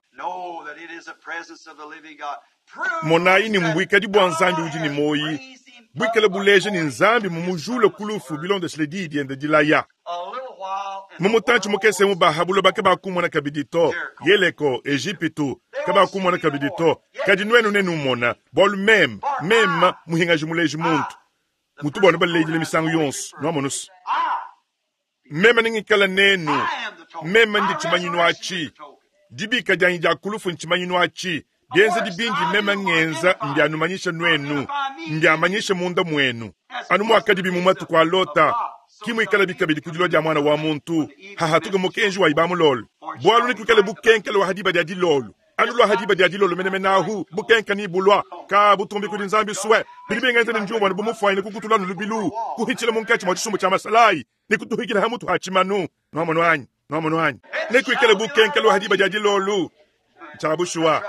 Monayi ni mbwika di bwa nzambi udi ni moyi. Bwikala buleje ni nzambi mumujule kulufu bilonde shile diende dilaya. Mumutanchi mukese mubahabulo bake bakumona kabidi to. Yeleko, Ejipitu, kabakumona kabidi to. Kadi nwenu nenu mona, bwalu mem, mem muhingaji muleji muntu. Mutu bwanu balejile misangu yonsu, nwamonus. Mema ningikala nenu, mema ndi chimanyinu achi. Dibika janyi ja kulufu nchimanyinu achi. Bienze dibindi mema ngenza mbyanumanyisha nwenu, mbyamanyisha munda mwenu. Anu mwakadibi mumatu kwa lota. Kimwe ikala bikabidi kudilo dia mwana wa muntu. Hahatuka mukenji wa ibamulolo. Bwalu nikukale bukenkele wa hadiba dia dilolo. Anu lwa hadiba dia dilolo menemenahu bukenka ni bulwa. Ka butumbi kudi nzambi suwe. Bilibengenze ni njumwa nibumufwaine kukutula nulubilu. Kuhichila munkachi mwa chisumbu cha masalai. Nikutuhikila hamutu hachimanu. Nwamono anyi, nwamono anyi. Nikuikale bukenkele wa hadiba dia dilolo. Chabushuwa.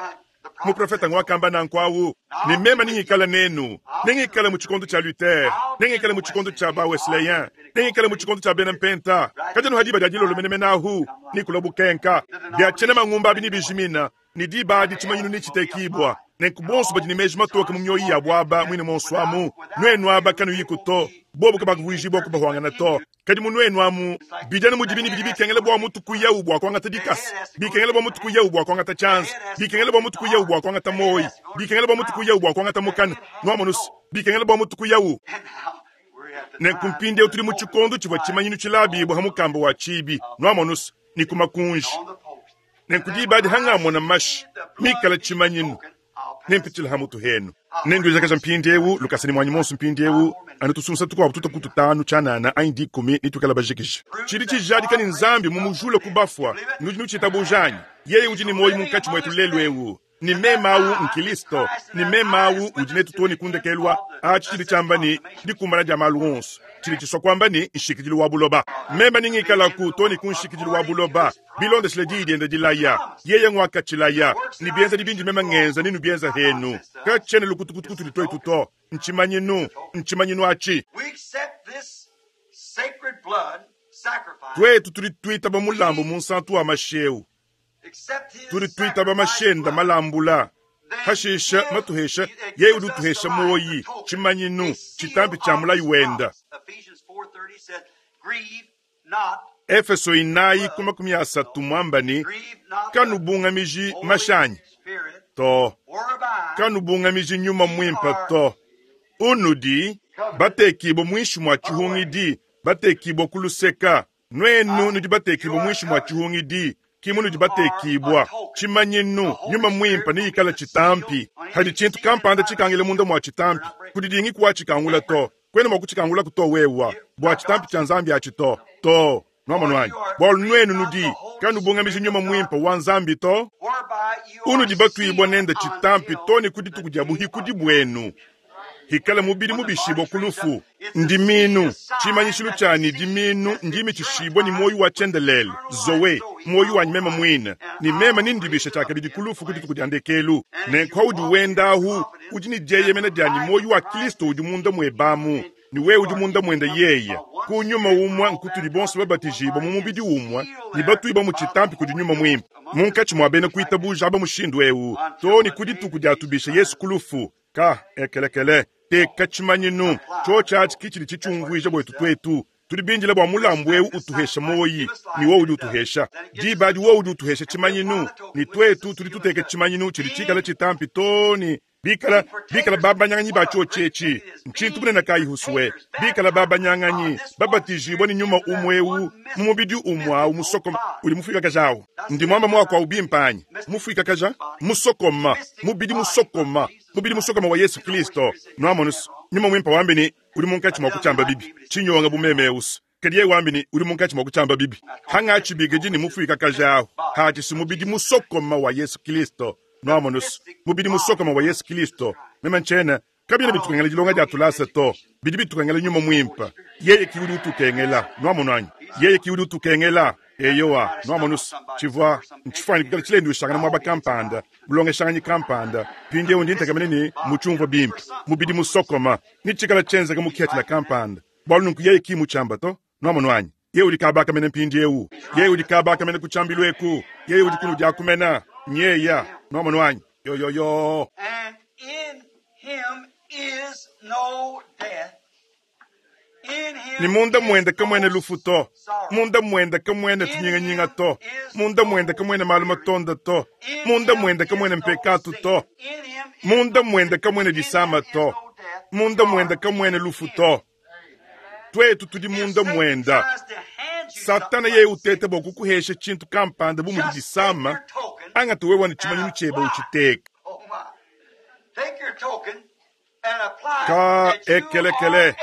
Muprofeta ngwakamba na nkwawu. Ni mema ningikala nenu. Ningikala mu chikondo cha Luther. Ningikala mu chikondo cha ba Wesleyan. Ningikala mu chikondo cha Benempenta. Kajano hadiba dia dilolo menemenahu. Nikula bukenka. Bya chene mangumba bini bijimina. Ni diba di chimanyinu ni chitekibwa. Nenkubonsu badi ni meji matoka mu myoyi ya bwaba mwine monswamu. Nwenu aba kanu yikuto. Bobu kabakuvuijibwa kubahwangana to. Kadi munwenu amu bijana mujibini bidi bikengele bwa mutu kuya ubwa kwanga tadikasi. Bikengele bwa mutu kuya ubwa kwanga ta chance. Bikengele bwa mutu kuya ubwa kwanga ta moyi. Bikengele bwa mutu kuya ubwa kwanga ta mukana. Nwamonus. Bikengele bwa mutu kuya u. Nenkumpinde utuli mu chikondo chibwa chimanyinu chilabi bwa hamukamba wa chibi. Nwamonus. Nikumakunji. Nenkudibadi hangamona mashi. Mikala chimanyinu. Nempitila hamutu henu. Nenduza kaja mpindewu lukasani mwanyi monsu mpindewu anutusunsa tukwa tuta kututanu chanana aindi kumi nitukala bajikisha. Chiri chijadika ni nzambi mumujule kubafwa nudi nuchitabujanyi. Yeye udi ni moyi munkachi mwetu lelwewu. Ni memawu nkilisto. Ni memawu udinetu toni kundekelwa. Achi chiri chamba ni dikumbana dia malu onso. Chiri chiswa kwamba ni nshikidilu wa buloba. Mema ningikala ku toni kunshikidilu wa buloba. Bilonde shile di diende dilaya. Yeye ngwaka chilaya. Ni bienza dibindi mema ngenza ninu bienza henu. Kachene lukutukutukutu litoi tuto. Nchimanyinu. Nchimanyinu achi. We accept this sacred blood, sacrifice, Twetu tudi twitaba mulambu munsantu wa mashi accept his tudi twitaba sacrifice mashenda blood, malambula then hashisha give- matuhesha it yeye gives udi us utuhesha the life, muoyi the token, tshimanyinu a seal tshitampi tshia of mulayi his wenda promise. Ephesians four thirty said, grieve not, Efeso inayi ku makumi asatu mwamba ni grieve not the kanubungamiji Holy mashanyi Spirit, to whereby kanubungamiji nyuma mwimpa to unudi batekibwa mwishi mwa tshihungidi batekibwa kuluseka nwenu nudi batekibwa mwishi mwa tshihungidi kimu nudi batekibwa tshimanyinu nyuma mwimpa niyikala tshitampi hadi tshintu kampanda tshikangile munda mwa tshitampi kudidingi kuwa tshikangula to kwena mwa kutshikangula to wewa bua tshitampi tshia nzambi atshi to to nwamanwanyi bwalu nwenu nudi kanubungamiji nyuma mwimpa wa nzambi to whereby you are unudi batwibwa sealed nenda tshitampi until to ni kudituku dia buhikudi bwenu hikala mubili mubishibwa kulufu ndiminu tshimanyishilu tshani diminu ndimi tshishibwa ni moyo wa tshendelele zowe moyo wanyi mema mwina ni mema nindibisha tshakabidi kulufu kudituku dia ndekelu nenku udi wendahu udi ni dieyemena diani moyo wa kristo udi munda mwebamu ni wewe udi munda mwenda yeye kunyuma umwa nkutuli bonso babatijibwa mu mubidi umwa ni batwiba mu tshitampi kudi nyuma mwimpe munkatshi mwa bena kuitabuja aba mushindu ewu to ni kudituku diatubisha yesu kulufu ka ekelekele teka tshimanyinu tsho tshatshi kitshili tshitshumvuija bwetu twetu tudi bindila bua mulambu ewu utuhesha moyi ni wo udi utuhesha dibadi wo udi utuhesha tshimanyinu ni twetu tudi tuteka tshimanyinu tshidi tshikala tshitampi to ni bikala bikala babanyanganyi ba tsho tshetshi ntshintu bunene kayihusuwe bikala babanyanganyi babatijibwa ni nyuma umwe ewu mu mubidi umwe awu musokoma udi mufuikakaja ndi mwamba mwako awu bimpanyi mufuikakaja musokoma mubidi musokoma mubidi musokoma wa yesu kristo nwamonusu nyuma mwimpa wambini udi munkatshi mwa kutshiamba bibi tshinyonga bumeme eusu kadi ye wambini udi munkatshi mwa kutshiamba bibi hangatshibikidi ni mufuikakaja awu hatshisi mubidi musokoma wa yesu kristo nwamonusu mubidi musokoma wa yesu kristo mema ntshena kabina bitukengela dilonga dia tulasa to bidi bitukengela nyuma mwimpa yeye ki udi utukengela nwamonwanyi yeye ki udi utukengela eyowa nwamonusu tshivua ntshifwani tshilendu ushangana mwaba kampanda bulongeshanganyi kampanda pindiewu ndi ntekamene ni mutshumva bimpe mubidi musokoma ni tshikala tshenzeka mukhetela kampanda bwalu nunku yeye ki mutshamba to nwamonwanyi ye udi kabakamene mpindiewu ye udi kabakamene kutshambilu eku ye udi kunu diakumena nyeya nwamonwanyi yoyoyo And in him is no death. In him ni munda is mwenda kamwene no lufu to sorrow. munda mwenda kamwene tunyinganyinga to munda mwenda kamwene malu matonda to In munda him mwenda is kamwene no mpekatu sin. to In him is munda no mwenda sickness. kamwene In disama him is to no death, munda mwenda sorrow. kamwene lufu In him. to twetu tudi If munda Satan mwenda tries to hand you satana something ye like utete bwa kukuhesha tshintu kampanda bu mudi just take disama your token angati wewa ni and tshimanyinu tshiebe apply. utshiteka Oh my. Take your token and apply ka that you are ekelekele a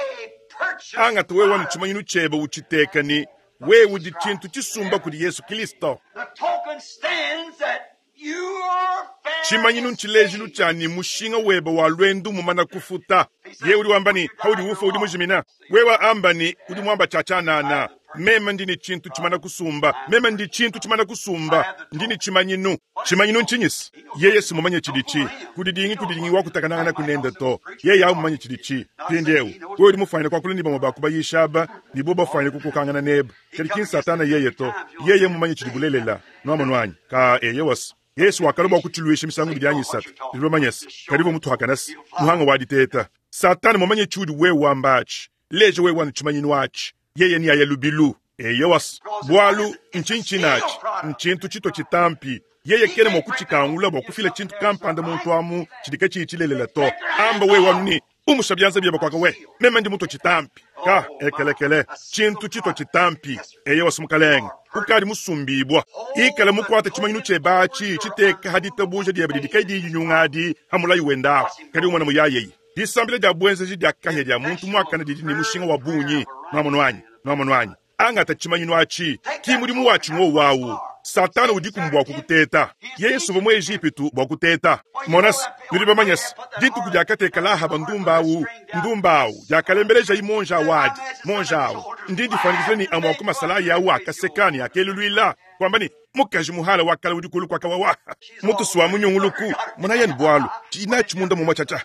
purchased angati wewa ni product. tshimanyinu tshiebe utshiteka ni wewe udi tshintu tshisumba kudi yesu kristo The token stands that you are fair tshimanyinu and ntshilejilu saved. tshani mushinga webe wa lwendu mumana kufuta ye udi wamba ni haudi ufa udi mujimina wewa amba ni udi mwamba tshatshanana meme ndi ni tshintu tshimana kusumba meme ndi tshintu tshimana kusumba ndi ni tshimanyinu tshimanyinu ntshinyisi yeye simumanye tshiditshi kudidingi kudidingi wakutakanangana kunenda to yeye awumanye tshiditshi pindiewu wewe udi mufanyile kwakula ni bamwe bakubayisha aba nibo bafanyile kukukangana neba kadi kini satana yeye to yeye mumanye tshidi bulelela nwamonwanyi ka eye wasi yesu wakaloba kutshilwisha misango ibidi anyi isatu dilomanyesa kadivo muthu akanasi muhanga waditeta satana mumanye tshiudi wewe wambatshi leja wewe wanu tshimanyinu atshi yeye ni aya lubilu eye wasi bwalu ntshintshinaatshi ntshintu tshito tshitampi yeye kene mwa kutshikangula bua kufila tshintu kampanda muntu amu tshidi katshiyi tshilelela to amba wewe wanu ni umusha byanza byeba kwaka we meme ndi muto tshitampi ka ekelekele tshintu tshito tshitampi eye wasi mukalenga ukali musumbibwa ikala mukwata tshimanyinu tshebatshi tshiteka haditabuja diebe didi kai diyinyungadi hamulayi wendawo kadi umwana muyayeyi disambila dia bwenzeji dia kahya dia muntu muakana didi ni mushinga wa bunyi nwamonwanyi nwamonwanyi angata tshimanyinu atshi ki mudimu watshi ngowawu satana udiku bua kukuteta yesu va mu ejipitu bua kuteta monasi nudi bamanyasi dituku diakateka lahaba ndumba awu ndumba awu diakalembeleja imonja awadi monja awu ndi difanikisile ni amwe akumasalayi awu akasekani akeluluila kwamba ni Mukaji muhala wa kale udi kulu kwa kawawa. Mutusu wa munyunguluku. Mona yeni bwalu. China chimunda mumwa chacha.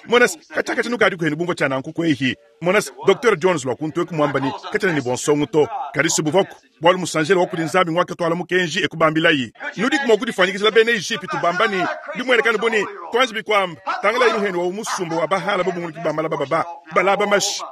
Mona kacha kacha nuka adiku henu bumva chana nkuku ehi. Mona Doctor Jones lwa kuntu eku mwamba ni kacha ni bonsongo to. Karisi buvoku. Bwalu musanjele wakuli nzambi ngwaka twala mukenji ekubambilayi. Nudi kumwa kudifanyikizila bene Egypt bambani. Limwelekano boni twanzi bikwamba. Tangala inu henu wa umusumbo wa bahala bobu nguliki bambala bababa. Balaba mashi.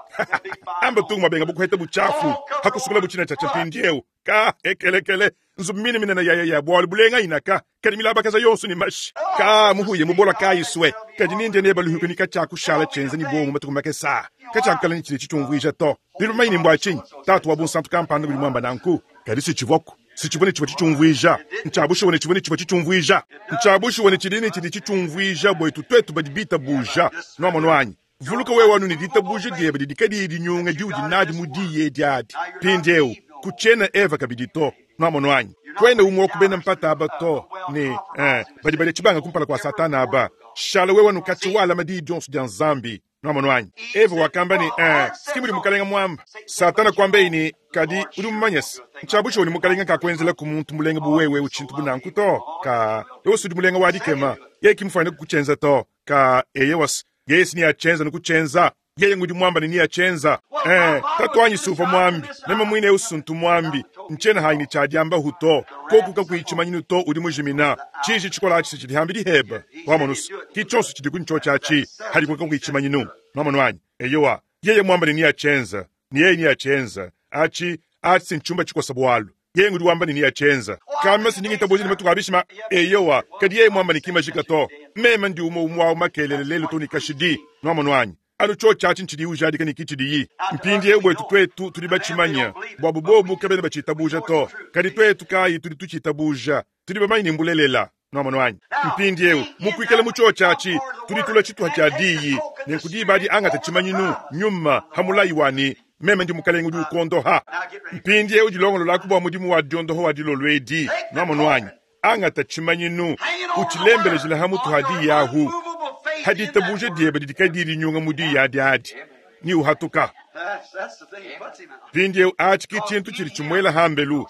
Amba tungu mabenga bukuheta buchafu. Hakusukula buchina chacha mpindieu. Ka ekelekele. Nzumini minena ya ya ya bwalu bulenga inaka. Kadi milaba kaza yonsu ni mashi. Ka muhuye mubola ka iswe. Kadi ninde neba luhuku ni kacha kushala chenza ni bomu matuku makesa. Kacha kukala ni chile chichungwija to. Lilu maini mbwa chini. Tatu wa bunsantu kampanda buli mwamba nanku. Kadi si chivoku. Si chivone chivo chichungwija. Nchabushu wane chivone chivo chichungwija. Nchabushu wane chilini chili chichungwija bwetu twetu badibita buja. Nwa mwanyi. Vuluka wewe wanu ni dita buja diebe didikadi idi nyunga diudi nadi mudiye diadi. Pindeu. Kuchena Eva kabidito. Nwa mwanyi. Kwenda umwe kubena mpata aba to. Ni, eh, badi badi chibanga kumpala kwa satana aba. Shala wewe wanu kachiwala madi Johnson dia Nzambi. Nwa mwanyi. Eva wakamba ni, eh, sikimuli mukalenga mwamba. Satana kwambe ini, kadi uri mumanyesi. Nchabusho ni mukalenga kakwenzela ku muntu mulenga buwewe uchintu bunanku to. Ka, ewe sudi mulenga wadikema. Ye kimfanya kukuchenza to. Ka, eye was, yesi ni achenza nukuchenza. Yeye ngudi mwamba ni achenza. Eh, tatu wanyi sufa mwambi. Nema mwine usuntu mwambi. Nchena haini chadiamba huto. Koku kakuichimanyinu to uri mujimina. Chiji chikola achi chidi hambi heba. Wamonus. Kichosu chidi kunchocha achi. Hadi kwa kuichimanyinu. Mwamonwanyi. Eyowa. Yeye mwamba ni achenza. Ni yeye ni achenza. Achi, achi nchumba chikosa bwalu. Yeye ngudi wamba ni achenza. Kama siningi taboji ni matuka abishima. Eyowa. Kadi yeye mwamba ni kimajika to. Mema ndi umo umwa umakelele lelo to ni kashidi. Mwamonwanyi. Anu cho chachi nchidi ujadika ni kichidi yi. Mpindi yewe twetu tulibachimanya. Bwabu bobu kabene bachitabuja to. Kadi twetu kai tulituchitabuja. Tulibamanyi mbulelela. Nwamonwanyi. Mpindi yewe mukwikele mucho chachi tulitula chitwa cha diyi. Nenkudibadi anga tachimanyinu nyuma hamulayi wani. Meme ndi mukalenga udi ukondoha. Mpindi yewe dilongolo lakubwa mudimu wa diondoho wa dilolwedi. Nwamonwanyi. Anga tachimanyinu uchilembelejela hamutu hadi yahu. Hadi tabuje diebe didikadiri nyunga mudi ya diadi. Ni uhatuka. Pindi achi kichintu chili chimwela hambelu.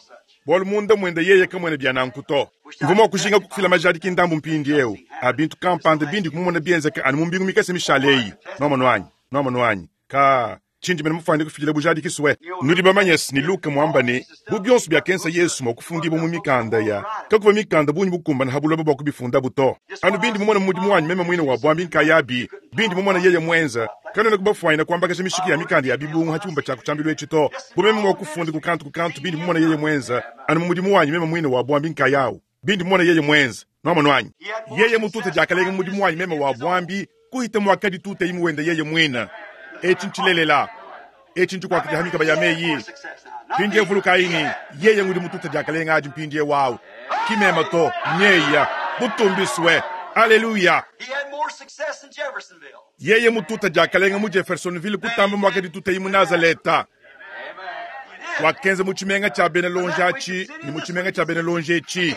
Bwalu munda mwenda yeye kamwene byanankuto. Mvuma kushinga kukufila majadi kindambu mpindi eu. Abintu kampanda bindi kumumona bienzeka anu mumbingu mikese mishaleyi. Nwamonwanyi. Nwamonwanyi. Ka chinji mene mufande kufila bujadi kiswe. Nudi bamanyesi ni Luka mwamba ni bu byonso bya kensa Yesu mwakufundi bo mu mikanda ya. Kakuva mikanda bunyi bukumba na habuloba bwa kubifunda buto. Anu bindi mumona mudimu wanyu meme mwine wa bwambi nkayabi. Bindi mumona yeye mwenza. Kano na kubafwaina kwamba kashe mishiki ya mikanda ya bibungu hachumba cha kuchambilwe chito. Bumeme mwakufundi kukantu kukantu bindi mumona yeye mwenza. Anu mudimu wanyu meme mwine wa bwambi nkayao. Bindi mumona yeye mwenza. Nwamonwanyi. Yeye mutute jakalenga mudimu wanyu meme wa bwambi kuhita mwakadi tute imuwenda yeye mwina. Echi nchilelela. Echi nchikwakiti hamika bayameyi. Pindi evulukaini. Yeye ngudi mututa jakalenga aji mpindi wao. Kimema to. Nyeya. Butumbiswe. Hallelujah. Yeye mututa jakalenga mu Jeffersonville kutamba mwakadi tute imu Nazareta. Wakenze muchimenga cha bene lonjachi ni muchimenga cha bene lonjechi.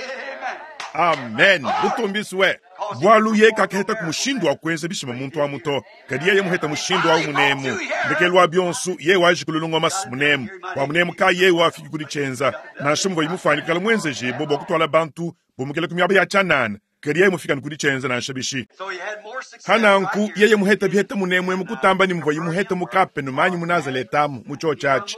Amen. Butumbiswe. Bwalu ye kakaheta kumushindu wa kwenza bishima muntu wa muto. Kadi yeye muheta mushindu wa munemu. Ndekelwa byonsu ye waje kululungwa mas munemu. Wa munemu ka ye wafiki kuli chenza. Na shumvo imufani kala mwenze jibo bo kutwala bantu bomukele kumyaba ya chanana. Kadi yeye mufika nkuli chenza na nshabishi. Hananku yeye muheta biheta munemu emukutamba ni mvo imuheta mukape numanyi munazaletamu mucho chachi.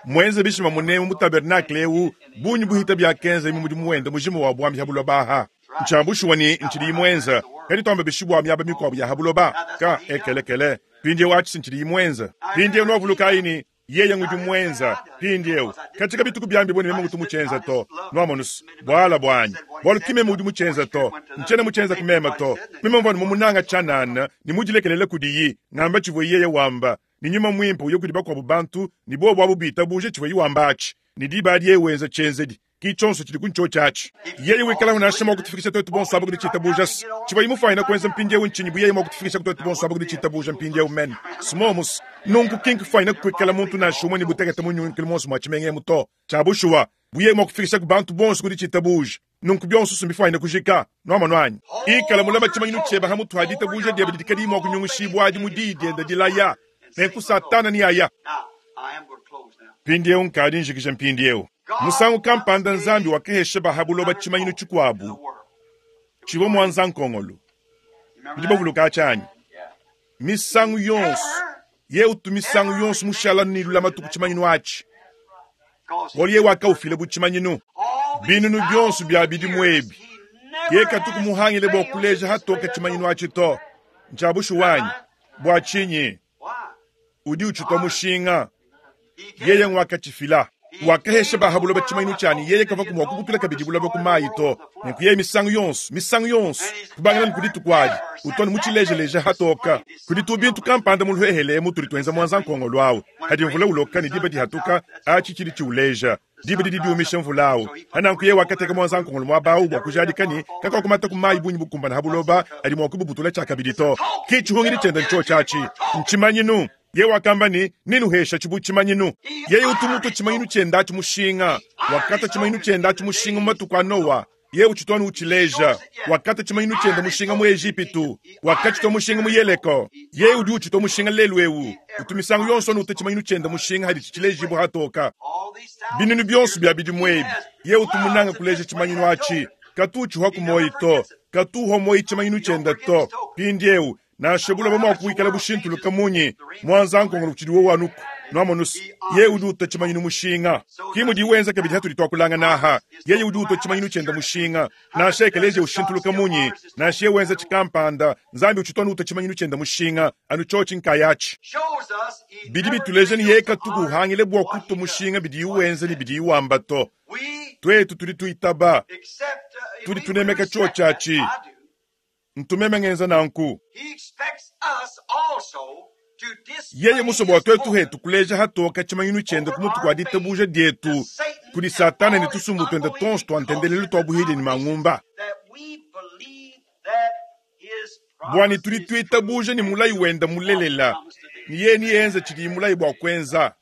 Mwenze bishima munemu mutabernakle eu bunyi buhita bya kenza imu mudimu wenda mujimu wa bwambi habulwa baha. Nchambushwa ni nchili imwenza. Kadi tombe bishibwa myaba mikwabu ya habuloba. Ka ekelekele. Pindi wachi nchili imwenza. Pindi novulukaini yeye ngudi mwenza. Pindi eu. Katika bituku byambi boni meme mutumuchenza to. Nwamonus. Bwala bwanyi. Bwalu kime mudi muchenza to. Nchena muchenza kumema to. Meme mvani mumunanga chanana ni mujilekelele kudiyi. Ngamba chivo yeye wamba. Ni nyuma mwimpo uyokudi bakwa bubantu ni bo bwabu bita buje chivo yiwambachi. Ni dibadi yewenza chenzedi. Kichonso chili kuncho chachi. Yeye wikala unashema kutufikisha twetu bon sababu kudichita bujas. Chiva imufaina kwenza mpindi yewe nchinyi buye yemo kutufikisha twetu bon sababu kudichita buja mpindi yewe men. Smomus. Nunku kink faina kwikala muntu na shumwe ni buteketa munyu nkilmonso mwachimenge muto. Chabushuwa. Buye yemo kutufikisha kubantu bonso kudichita buja. Nunku byonso sumbifaina kujika. Nwama nwanyi. Ikala mulaba chimanyinu cheba hamutu hadita buja diebe didikadi mo kunyungushibwa adi mudidi enda dilaya. Nenku satana ni aya. Mpindieu nkadi njikija mpindieu. Musangu kampanda Nzambi wakahesha ba ha buloba tshimanyinu tshikuabu tshivua muanza-nkongolo. Nudi bavuluka tshianyi? Misangu yonso ye utu misangu yonso mushala ne lulamatu ku tshimanyinu atshi. Bualu ye wakaufila bu tshimanyinu. Binunu bionso bia bidimu ebi ye katuku muhangile bua kuleja hatoka tshimanyinu atshi to. Ntshia bushuwa Bua tshinyi? Udi utshitwa mushinga. Yeye ngwakatshifila. Wakahesha ba ha buloba tshimanyinu tshianyi, yeye kavua mua kubutula kabidi buloba ku mayi to. Nenku yeye misangu yonso, misangu yonso, kubangila ne ku dituku adi, utu anu mutshilejeleja hatoka. Kudi tu bintu kampanda mu luhehele mutudi tuenza muanza nkongolo awu. Hadi mvula uloka ne diba dihatuka, atshi tshidi tshiuleja. Diba didi diumisha mvula awu. Hananku yeye wakateka muanza nkongolo muaba awu bua kujadika ne kakuakumata ku mayi bungi bukumbana ha buloba adi mua kububutula tshiakabidi to. Ki tshihungidi tshiende ntshiotshi atshi. Ntshimanyinu. Yeye wakamba ne, Nenuhesha tshibu tshimanyinu. Yeye utu mutua tshimanyinu tshiende atshi mushinga. Wakata tshimanyinu tshiende atshi mushinga mu matuku a Noa. Yeye utshitu anu utshileja. Wakata tshimanyinu tshiende mushinga mu Ejipitu. Wakatshitua mushinga mu Yeleko. Yeye udi utshitua mushinga lelu eu. Utu misangu yonso anu utua tshimanyinu tshiende mushinga haditshi tshilejibua hatoka. Binunu bionso bia bidimu ebi, yeye utu munanga kuleja tshimanyinu atshi. Katu utshihuaku muoyi to. Katu uhua muoyi tshimanyinu tshiende to. Mpindieu, nansha buloba mua kuikala bushintuluka munyi, muanza nkongolo utshidi wowu anuku. Nuamonusu, yeye udi utua tshimanyinu mushinga. Ki mudi wenza kabidi hatudi tuakulangana aha. Yeye udi utua tshimanyinu tshiende mushinga. Nansha ekeleziya ushintuluka munyi, nansha yeye wenza tshikampanda, Nzambi utshitu anu utua tshimanyinu tshiende mushinga, anu tshiotshi nkayatshi. Bidi bituleja ne yeye katuku uhangile bua kutua mushinga bidiye wenza ne bidiye wamba to. Tuetu tudi tuitaba, tudi tunemeka tshiotshi atshi. Ntu meme ngenza nanku. Yeye musue bua tuetu hetu kuleja hatoka tshimanyinu tshiende ku mutu kua ditabuja dietu kudi Satana ne tusumbu tuende tuonso tua ntendelelu tua buhidi ne mangumba. Bua ne tudi tuitabuja ne mulayi wende mulelela, ne yeye neenze tshidiye mulayi bua kuenza.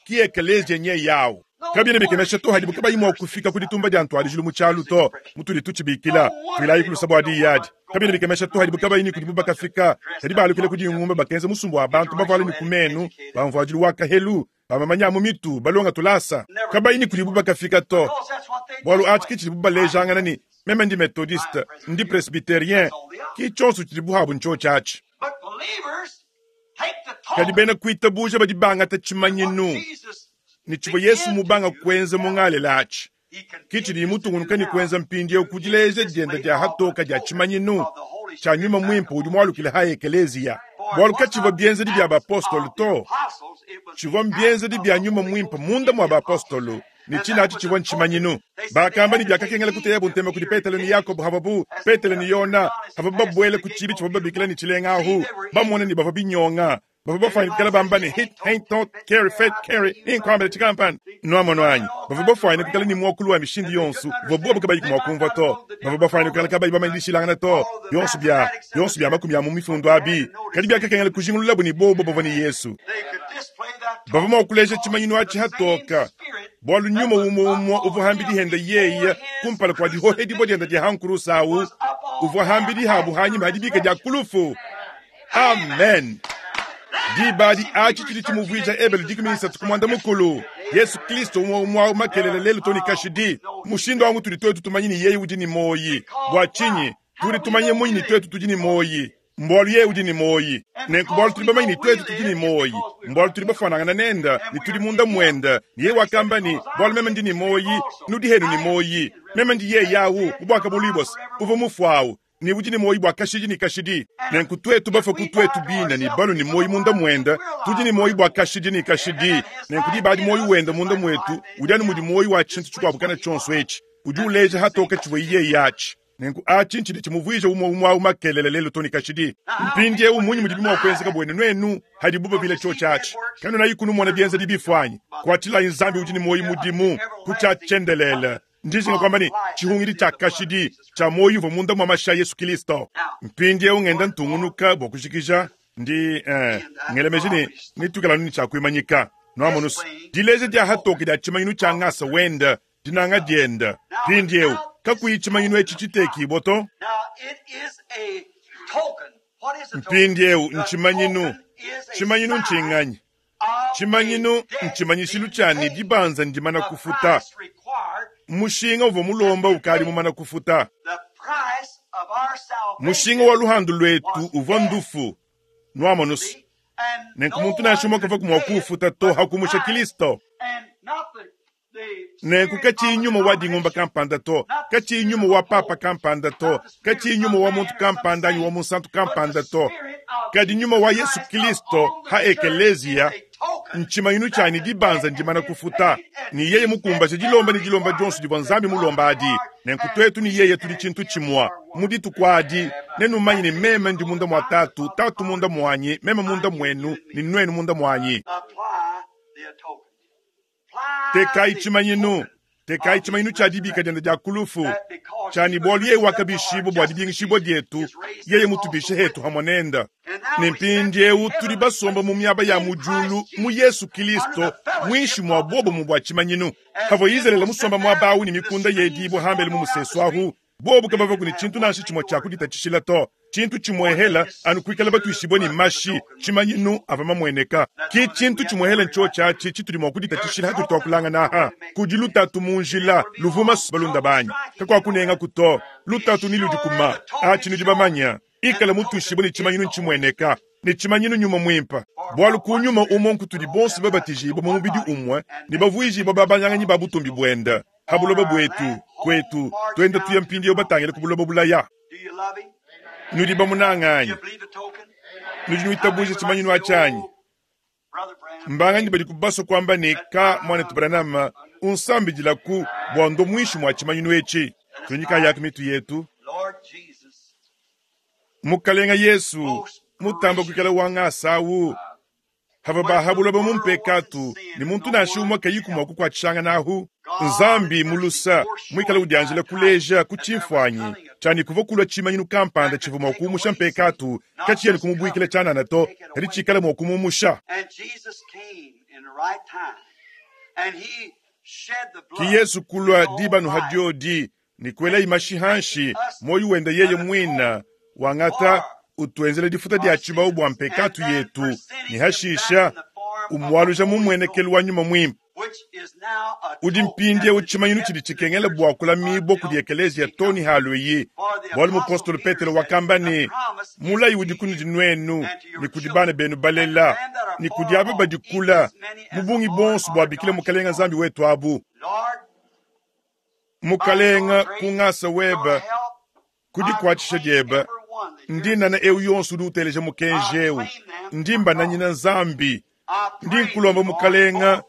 Ki ekeleziya nye yawu. Kabiena bikemesha to hadibu kabayi mua kufika ku ditumba dia ntuadijilu mu tshialu to, mutudi tutshibikila. Tuilayi ku lusa bua diyi adi. Kabiena bikemesha to hadibu kabayi ne kudibu bakafika, kadi balukile ku dingumba bakenza musumba wa bantu bavuale ne ku menu, ba mvuadilu wa kahelu, ba mamanya a mu mitu, balonga tulasa. Kabayi ne kudibu bakafika to, bualu atshi ke tshidibu balejangana ne, meme ndi methodiste, ndi presbyterien, ki tshionso tshidibu habu ntshiotshi atshi. Kadi bena kuitabuja badi bangata tshimanyinu ne tshivua Yesu mubanga kuenza mu Galela atshi, ki tshidiye mutungunuka ne kuenza mpindieu ku dileja diende dia hatoka dia tshimanyinu tshia Nyuma Muimpe udi mualukile ha ekeleziya. Bualu katshivua bienzedi bia bapostolo to, tshivua mbienzedi bia Nyuma Muimpe munda mua bapostolo, ne tshina atshi tshivua ntshimanyinu. Bakamba ne biakakengela kuteyabu ntema kudi Petelo ne Yakobo havuabu Petelo ne Yona havuabu babuele ku tshibi tshivua babikila ne tshilenga ahu, bamona ne bavua binyonga. Bavua bafuane kuikala bamba ne hit, haint, tot, carry, fet, carry, ninkuambile tshikampanda. Nuamono anyi? Bavua bafuane kuikala ne muakulu wa mishindu yonso uvua bobu kabayi mua kumvua to. Bavua bafuane kuikala kabayi bamanye dishilangana to. Bionso bia bionso bia makumi a mu mifundu abi, kadi biakakengela kujingululabu ne bobu bavua ne Yesu. Bavua mua kuleja tshimanyinu atshi hatoka, bualu nyuma umue umue uvua hambidi hende yeye kumpala kua dihohedibua diende dia ha nkurusa awu, uvua hambidi habu hanyima ha dibika dia ku lufu. Amen. Diba adi atshi tshidi tshimuvuija Ebelu dikumi ne isatu ku muanda mukulu. Yesu Kristo umue umue awu makelela lelu to ne kashidi. Mushindu awu ngutudi tuetu tumanye ne yeye udi ne muoyi. Bua tshinyi? Tudi tumanye munyi ne tuetu tudi ne muoyi? Mbualu yeye udi ne muoyi. Nenku bualu tudi bamanye ne tuetu tudi ne muoyi, mbualu tudi bafuanangana nende ne tudi munda muende. Ne yeye wakamba ne, bualu meme ndi ne muoyi, nudi henu ne muoyi. Meme ndi yeye awu, mu Buakabuluibua uvua mufue awu, ne udi ne muoyi bua kashidi ne kashidi. Nenku tuetu bafue ku tuetu bine ne balue ne muoyi munda muende, tudi ne muoyi bua kashidi ne kashidi. Nenku diba adi muoyi wende munda muetu udi anu mudi muoyi wa tshintu tshikuabu kana tshionso etshi, udi uleja hatoka tshivua yeye atshi. Nenku atshi ntshidi tshimuvuija umue umue awu makelela lelu to ne kashidi. Mpindieu mmunyi mudibi mua kuenzeka buenu nuenu hadibu babila tshiotshi atshi? Kanunayi kunumona bienzedi bifuanyi. Kuatshilayi Nzambi udi ne muoyi mudimu ku tshia tshiendelele. Ndijinga kuamba ne, tshihungidi tshia kashidi tshia muoyo uvua munda mua mashi a Yesu Kristo. Mpindieu ngenda ntungunuka bua kujikija, ndi eh, ngela meji ne netuikale anu ne tshia kuimanyika. Nuamonusu, dileja dia hatoke dia tshimanyinu tshia ngasa wende, dinanga diende. Mpindieu kakuyi tshimanyinu etshi tshitekibua to. Mpindieu ntshimanyinu. Tshimanyinu ntshinganyi? Tshimanyinu ntshimanyishilu tshia ne dibanza ndimana kufuta. Mushinga uvua mulomba ukadi mumana kufuta. Mushinga wa luhandu lwetu uvua ndufu. Nwamonusu. Nenku muntu nansha umue kavua mua kuufuta to hakumusha Kristo. Nenku katshiyi nyuma wa dingumba kampanda to, katshiyi nyuma wa papa kampanda to, katshiyi nyuma wa muntu kampanda anyi wa munsantu kampanda to, kadi nyuma wa Yesu Kristo ha ekeleziya ntshimanyinu tshianyi dibanza ndimana kufuta. Ni yeye mukumbaje dilomba ne dilomba dionso divua Nzambi mulomba adi. Nenku twetu ni yeye tudi tshintu tshimua mu dituku adi, nenumanye ne meme ndi munda mua tatu, tatu munda muanyi, meme munda muenu, ne nuenu munda muanyi. Tekayi tshimanyinu, tekayi tshimanyinu tshia dibika diende dia kulufu, tshiani bualu yeye wakabishibwa bua dibingishibwa dietu, yeye mutubishe hetu hamwe nenda. Ne mpindiewu tudi basomba mu miaba ya mu diulu mu Yesu Kristo, muinshi mua bobo bua tshimanyinu. Havua Izraele musomba muaba awu ne mikunda yedibwa hambele mu musesu ahu, bobo kabavua kuni tshintu nansha tshimue tshia kuditatshishila to. Tshintu tshimuehela anu kuikala batuishibwe ne mashi, tshimanyinu ava mamueneka. Ki tshintu tshimuehela ntsho tshiatshi tshitudi mua kuditatshishila hatudi tuakulangana aha. Kudi lutatu mu njila, luvuma balunda banyi. Kakwakunenga kuto, lutatu ni ludi kuma. Atshi nudi bamanya. Ikala mutuishibwe ne tshimanyinu ntshimueneka, ne tshimanyinu nyuma muimpa. Bualu ku nyuma umue nkutudi bonso babatijibwa mu mubidi umue, ne bavuijibwa babanyanganyi ba butumbi buenda. Ha buloba bwetu, kwetu, twenda tuya mpindieu batangile ku buloba bulaya. Nudi bamunanganyi. Nudi nuitabuja tshimanyinu atshanyi. Mbanganyi badi kubaswa kwamba ne ka mwanetu Branham unsambidilaku bua ndo muinshi mua tshimanyinu etshi. Tunyika yaku mitu yetu. Mukalenga Yesu mutamba kuikala wanga asawu. Hava bahabuloba mu mpekatu ne muntu nansha umue kayiku mua kukuatshishanga nahu. Nzambi mulusa muikala udianjila kuleja ku tshimfuanyi tshiani kuvua kulua tshimanyinu kampanda tshivua mua kuumusha mpekatu, katshiyene kumubuikila tshianana to, kadi tshikale mua kumuumusha. Ki Yesu kulua dibanu hadiodi ni kuela imashi hanshi moyo wenda yeye mwina wangata utuenzele difuta dia tshibau bua mpekatu yetu ni hashisha umwaluja mumwenekelu wa nyuma mwimpe. Udi mpindiewu tshimanyinu tshidi tshikengela bua kulamibwa kudi ekeleziya toni haluyi. Bualu mupostolo Petelo wakamba ne mulayi udi kunudi nuenu ni kudi bana benu balela ni kudi aba badikula mu bungi bonso bua bikila mukalenga Nzambi wetu abu. Mukalenga kungasa weba kudikuatshisha dieba ndinana eu yonso udi uteleja mukenji eu ndimba nanyina Nzambi ndi nkulomba mukalenga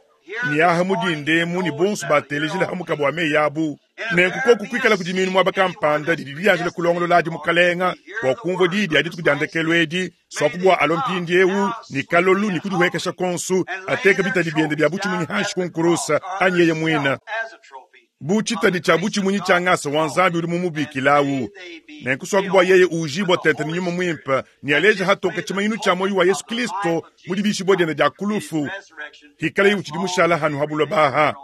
ni aha mudindemu ni bonso batelejile hamuka bua meyi abu. Nenku koku kuikala kudi minu muaba kampanda didi dianjila kulongolola adi mukalenga bua kumvua diyi dia dituku dia ndekelu edi swakubua alo mpindiewu ni kalolu ni kudihuekesha konsu ateka bitadi biende bia butshimunyi hanshi kunkurusa anyi yeye mwina. Bu tshitadi tshia butshimunyi tshia ngasa wa Nzambi udi mumubikilawu. Nenku swakubua yeye ujibwa tete ni nyuma mwimpe ni aleja hatoka tshimanyinu tshia moyo wa Yesu Kristo mu dibishibwa diende dia kulufu. Hikala yiwu tshidi mushala hanu habuloba aha.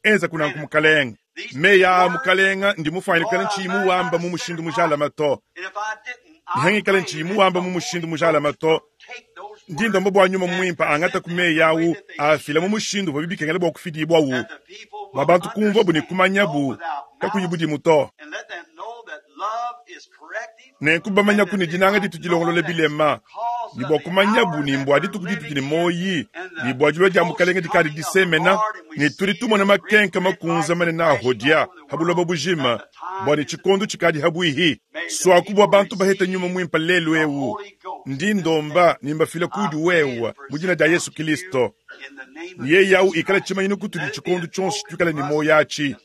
Enza kunanku mukalenga. Meya mukalenga ndi mufanyikana ntshiyi muwamba mu mushindu mujalama to. Nihangikala ntshiyi muwamba mu mushindu mujalama to. Ndi ndomba bua nyuma mwimpe angata ku meyi awu afila mu mushindu bua bibikengela bua kufidibwawu. Bua bantu kumvua ne kumanyabu kakuyi budimu to. Nenku bamanya ku ne dinanga ditu dilongolola bilema, ni bua kumanyabu ni mbua dituku ditu ne moyi, ni bua dilua dia mukalenga dikadi disemena, ni tudi tumona makenka makunza manene ahodia habuloba bujima, bua ne tshikondo tshikadi habuihi. Swaku bua bantu baheta nyuma mwimpe lelu eu, ndi ndomba nimbafila kudi wewa mu dina dia Yesu Kristo. Ni yeye au ikala tshimanyinu kutudi tshikondo tshionso tuikala ne moyo atshi.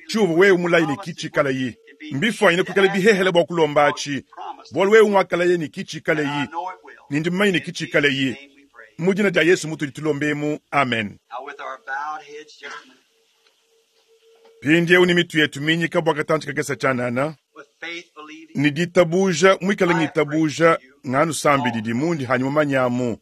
Tshiuvu wewe mulayi ne kitshikala yi. Mbifwanyine kuikala bihehele bua kulomba atshi. Bualu wewe ngwakalaye ne kitshikala yi. Nindi mmanyi ne kitshikala yi. Mu dina dia Yesu mutudi tulombemu. Amen. Mpindiewu ni mitu yetu minyika bua katantshi kakesa tshianana. Ni ditabuja mwikala ngitabuja nganu sambidi mundi hanyi mumanyamu.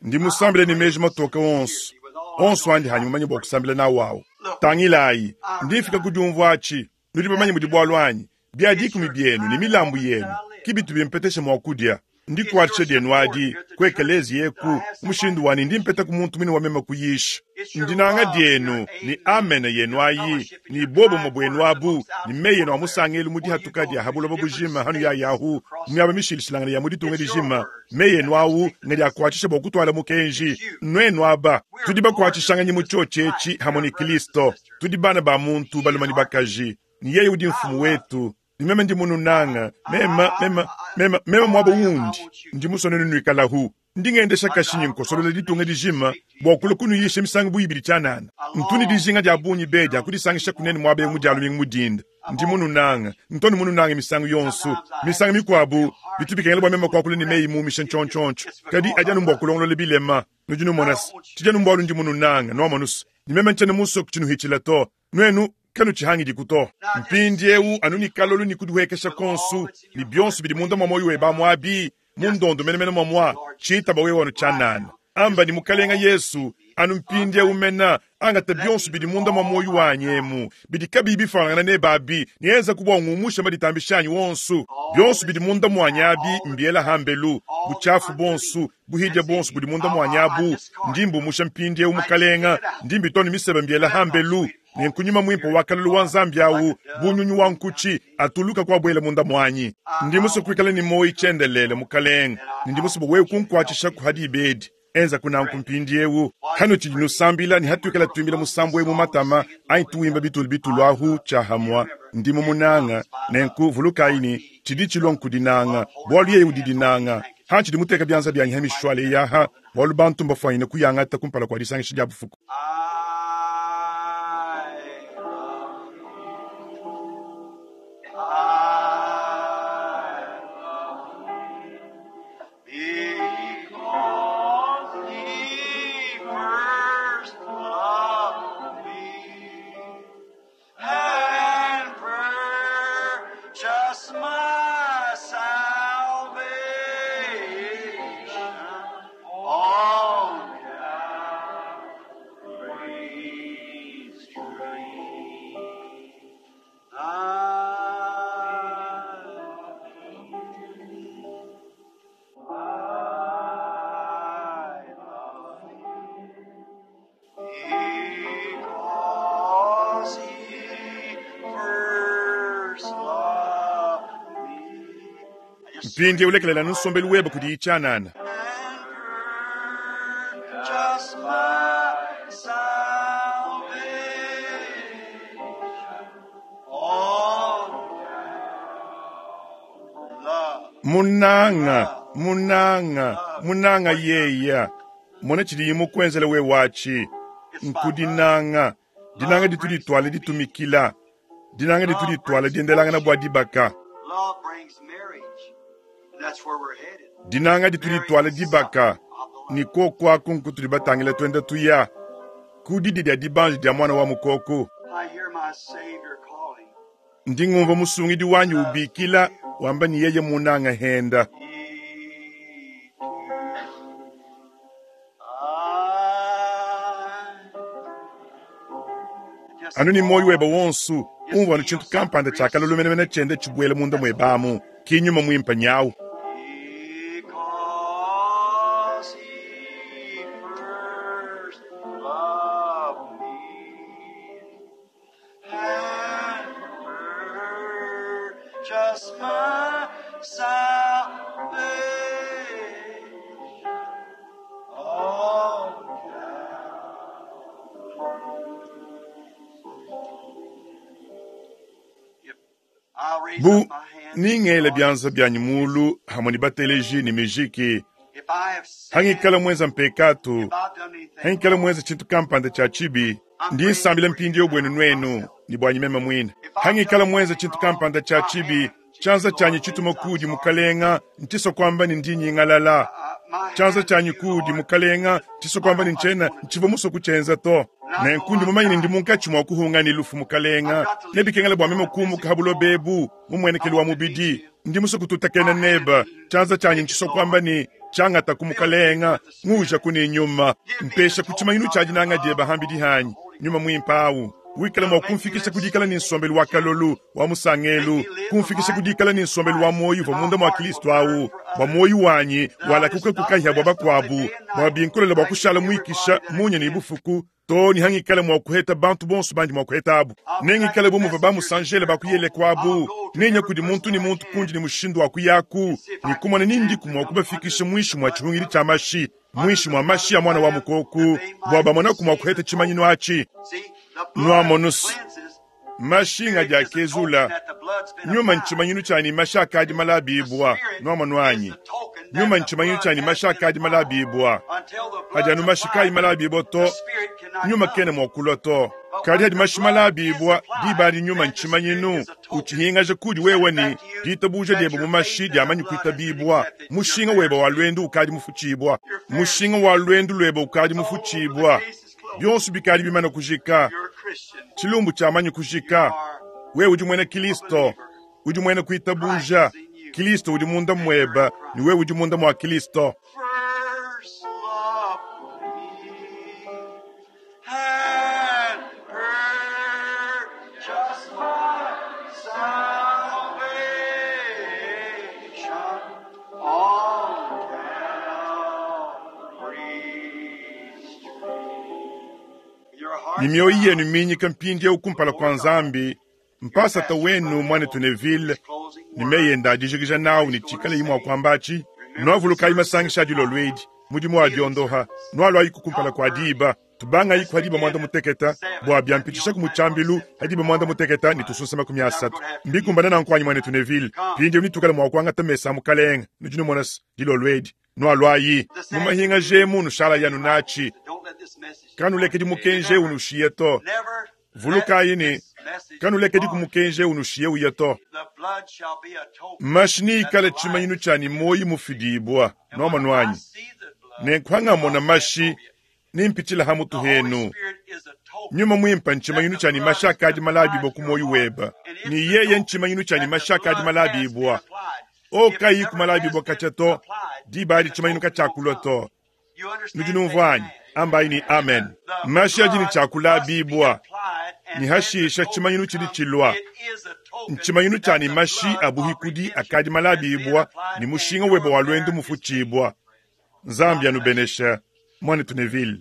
Ndi musambile ni meji matoka onso. Onso andi hanyi mumanye bua kusambila nawu awu. Tangilayi, ndi mfika ku diumvua atshi. Nudi bamanye mudi bualu anyi. Bia dikumi bienu ni milambu yenu. Ki bitu bimpetesha mua kudia. Ndikwatshisha dienu adi ku ekeleziya eku mushindu wani ndi mpeta ku muntu mwine wa meme kuyisha. Ndinanga dienu ni amene yenu ayi ni bobumwe bwenu abu ni meyi yenu a musangelu mu dihatuka dia habuloba bujima hanu ya yahu myaba mishilishilangana ya mu ditunga dijima. Meyi yenu awu ngadi akwatshisha bua kutwala mukenji nwenu aba tudi bakwatshishanganye mu tshotshetshi hamwe ni Kristo. Tudi bana ba muntu baluma ni bakaji ni yeye udi mfumu wetu. Ni meme ndi mununanga mema mema mema mema mwabo wundi ndi musonenu nwikalahu ndi ngendesha kashinyi nkosolola ditunga dijima bua kula kunuyisha misango buyibili tshianana. Ntuni dijinga dia bungi be dia kudisangisha kunene mwaba emu dia lumingu mudinda. Ndi mununanga ntoni mununanga misango yonso misango mikwabu bitu bikengela bua meme kuakula ni meyi mumisha ntshontshontho kadi adi anu mbua kulongolola bilema. Nudi numonasi tshidi anu mbualu ndi mununanga nuamonusu ni meme ntshiena musue kutshinuhitshila to nwenu kanu tshihangidi kuto. Mpindi eu anu ni kalolu ni kudihuekesha konsu ni bionso bidi munda mwa moyo weba mwabi mundondo menemene mwa mwa tshitaba wewe wanu tshianana. Amba ni mukalenga Yesu anu mpindi eu mena angata bionso bidi munda mwa moyo wanyi emu bidi kabiyi bifanangana ne babi nienza kubwa ngumusha maditambishanyi wonsu bionso bidi munda mwanyi abi mbiela hambelu buchafu bonsu buhidya bonsu budi munda mwanyi abu ndi mbumusha mpindi eu mukalenga ndi mbitoni misebe mbiela hambelu nenkunyuma mwimpo wa kalulu wa nzambi awu bunyunyu wa nkuchi atuluka kwa bwele munda mwanyi. Ndi musu kuikala ni moyi tshendelele mukalenga ndi musu wewe kunkwatshisha kuhadi ibedi enza kunanku mpindi ewu hano tshidi nusambila ni hatuikala tuimbila musambu emu matama anyi tuimba bitulu bitulu ahu tshahamwa. Ndi mumunanga nenku vulukayi ni tshidi tshilwa nkudinanga bualu yeye udidinanga ha tshidi muteka byanza byanyi ha mishwale yaha bualu bantu mbafwanyine kuyangata kumpala kwa disangisha dia bufuku. Because he first loved me and purchased my salvation on Calvary's tree. I Because he first loved me. Mpindi ulekelela nusombelu weba kudi itshianana. And purchased my salvation on love. Munanga munanga munanga yeya mona tshidi mukwenzela we wachi nkudinanga dinanga ditu ditwale ditumikila dinanga ditu ditwale diendelangana bua dibaka. Love brings marriage. That's where we're headed. Dinanga ditu ditwale dibaka ni kokwaku nkutudi batangila twenda tuya kudidi dia dibanji dia mwana wa mukoko. I hear my Savior calling. Ndi ngumva musungidi wanyi ubikila wamba ni yeye munanga henda. He too. I just Anu ni moyo weba wonsu umva nu tshintu kampanda tshiakalulu menemene tshiende tshibuele munda muebamu kinyuma mwimpa nyawu. Because he first loved me and purchased my salvation on Calvary. I'll raise Bu up my hand. ningele byanza byanyi mulu hamwe ni bateleji ni mijiki If I have sinned, hangikala mwenza mpekatu if I've done anything hangikala mwenza tshintu kampanda tshia tshibi ndi nsambila mpindi yo bwenu nwenu ni bwanyi meme mwine hangikala mwenza tshintu kampanda tshia tshibi tshianza tshianyi tshituma kudi mukalenga ntiso kwamba ni ndi nyingalala uh, my tshianza hand tshianyi to you, kudi Lord. mukalenga ntiso kwamba ni ntshiena ntshiva muso kutshenza to nenku ndi mumanyine ndi munkatshi mua kuhunga ni lufu mukalenga nebikengela bua meme kumuka habulo bebu mumuenekeli wa mubidi ndi muso kututakena neba tshianza tshianyi ntshiso kwamba ni tshiangata ku mukalenga nguja kuni nyuma mpesha ku tshimanyinu tshia dinanga dieba hambidi hanyi nyuma mwimpa awu Wikala mua kumfikisha ku dikala ne nsombelu wa kalolu, wa musangelu, kumfikisha ku dikala ne nsombelu wa muoyo uvua munda mua Kristo awu, bua muoyo wanyi walakuka ku kahia bua bakuabu, bua binkolela bua kushala muikisha munya ne bufuku, to ne hangikala mua kuheta bantu bonso bandi mua kuhetabu. Nengikale bu muvua bamusanjele bakuyele kuabu, nenya kudi muntu ne muntu kundi ne mushindu wa kuyaku, ne kumona nindiku mua kubafikisha muinshi mua tshihungidi tshia mashi, muinshi mua mashi ya mwana wa mukoku, bua bamonaku mua kuheta tshimanyinu atshi. Nuamonus, mashi ngadi akezula, nyuma ntshimanyinu tshianyi mashi akadi malabibua, nuamonu anyi. Nyuma ntshimanyinu tshianyi mashi akadi malabibua. Hadi anu mashi kayi malabibua to, nyuma kena mua kulua to. Kadi hadi mashi malabibua, diba adi nyuma ntshimanyinu, utshihingaja kudi wewe ne ditabuja diebe mu mashi diamanyi kuitabibua. Mushinga webe wa lwendu ukadi mufutshibua. Mushinga wa lwendu lwebe ukadi mufutshibua. Bionso bikadi bimana kujika. Tshilumbu tshiamanyi kujika. Wewe udi muena Kristo, udi muena kuitabuja. Kristo udi munda muebe, ne wewe udi munda mua Kristo. First loved me and purchased my salvation on Calvary's tree. Your heart Ni mioyo yenu minyika mpindieu kumpala kwa Nzambi, mpasata wenu mwanetu Neville, ni meye ndadijikija nawu ni tshikala imwe akwambachi nwavulukayi masangisha adilo lwedi mudimu wa diondoha nwalwayi kukumpala kwa diba tubangayi ku hadiba mwanda muteketa bua byampitisha ku mutshambilu hadiba mwanda muteketa ni tusunsa makumi asatu mbikumbana na nkwanyi mwanetu Neville pindi nitukala mwa kuangata mesa a mukalenga nudi numonasa dilo lwedi nwalwayi mumahinga jemu nushala yanu nachi Don't let this message kanulekedi mukenje unushiye to never vulukayi ni let this message kanulekedi depart. kumukenje unushiye uya to The blood shall be a token. mashi niikala tshimanyinu tshianyi moyi mufidibua And when nuamonu I anyi see the blood, nenkuhangamona mashi I'll pass over you. nimpitshila hamutu The Holy henu Spirit is a token. nyuma mwimpa ntshimanyinu tshianyi mashi akadi malabibua ku moyi weba ni yeye ntshimanyinu tshianyi mashi akadi malabibua o kayi ku malabibua katshia to diba adi tshimanyinu katshiakulua to nudi numvua anyi ambayi ni amen mashi adi ni tshiakulabibua ni hashisha tshimanyinu tshidi tshilua ntshimanyinu tshianyi mashi a buhikudi akadi malabibua ni mushinga webe wa lwendu mufutshibua Nzambi anubenesha mwanetu Neville.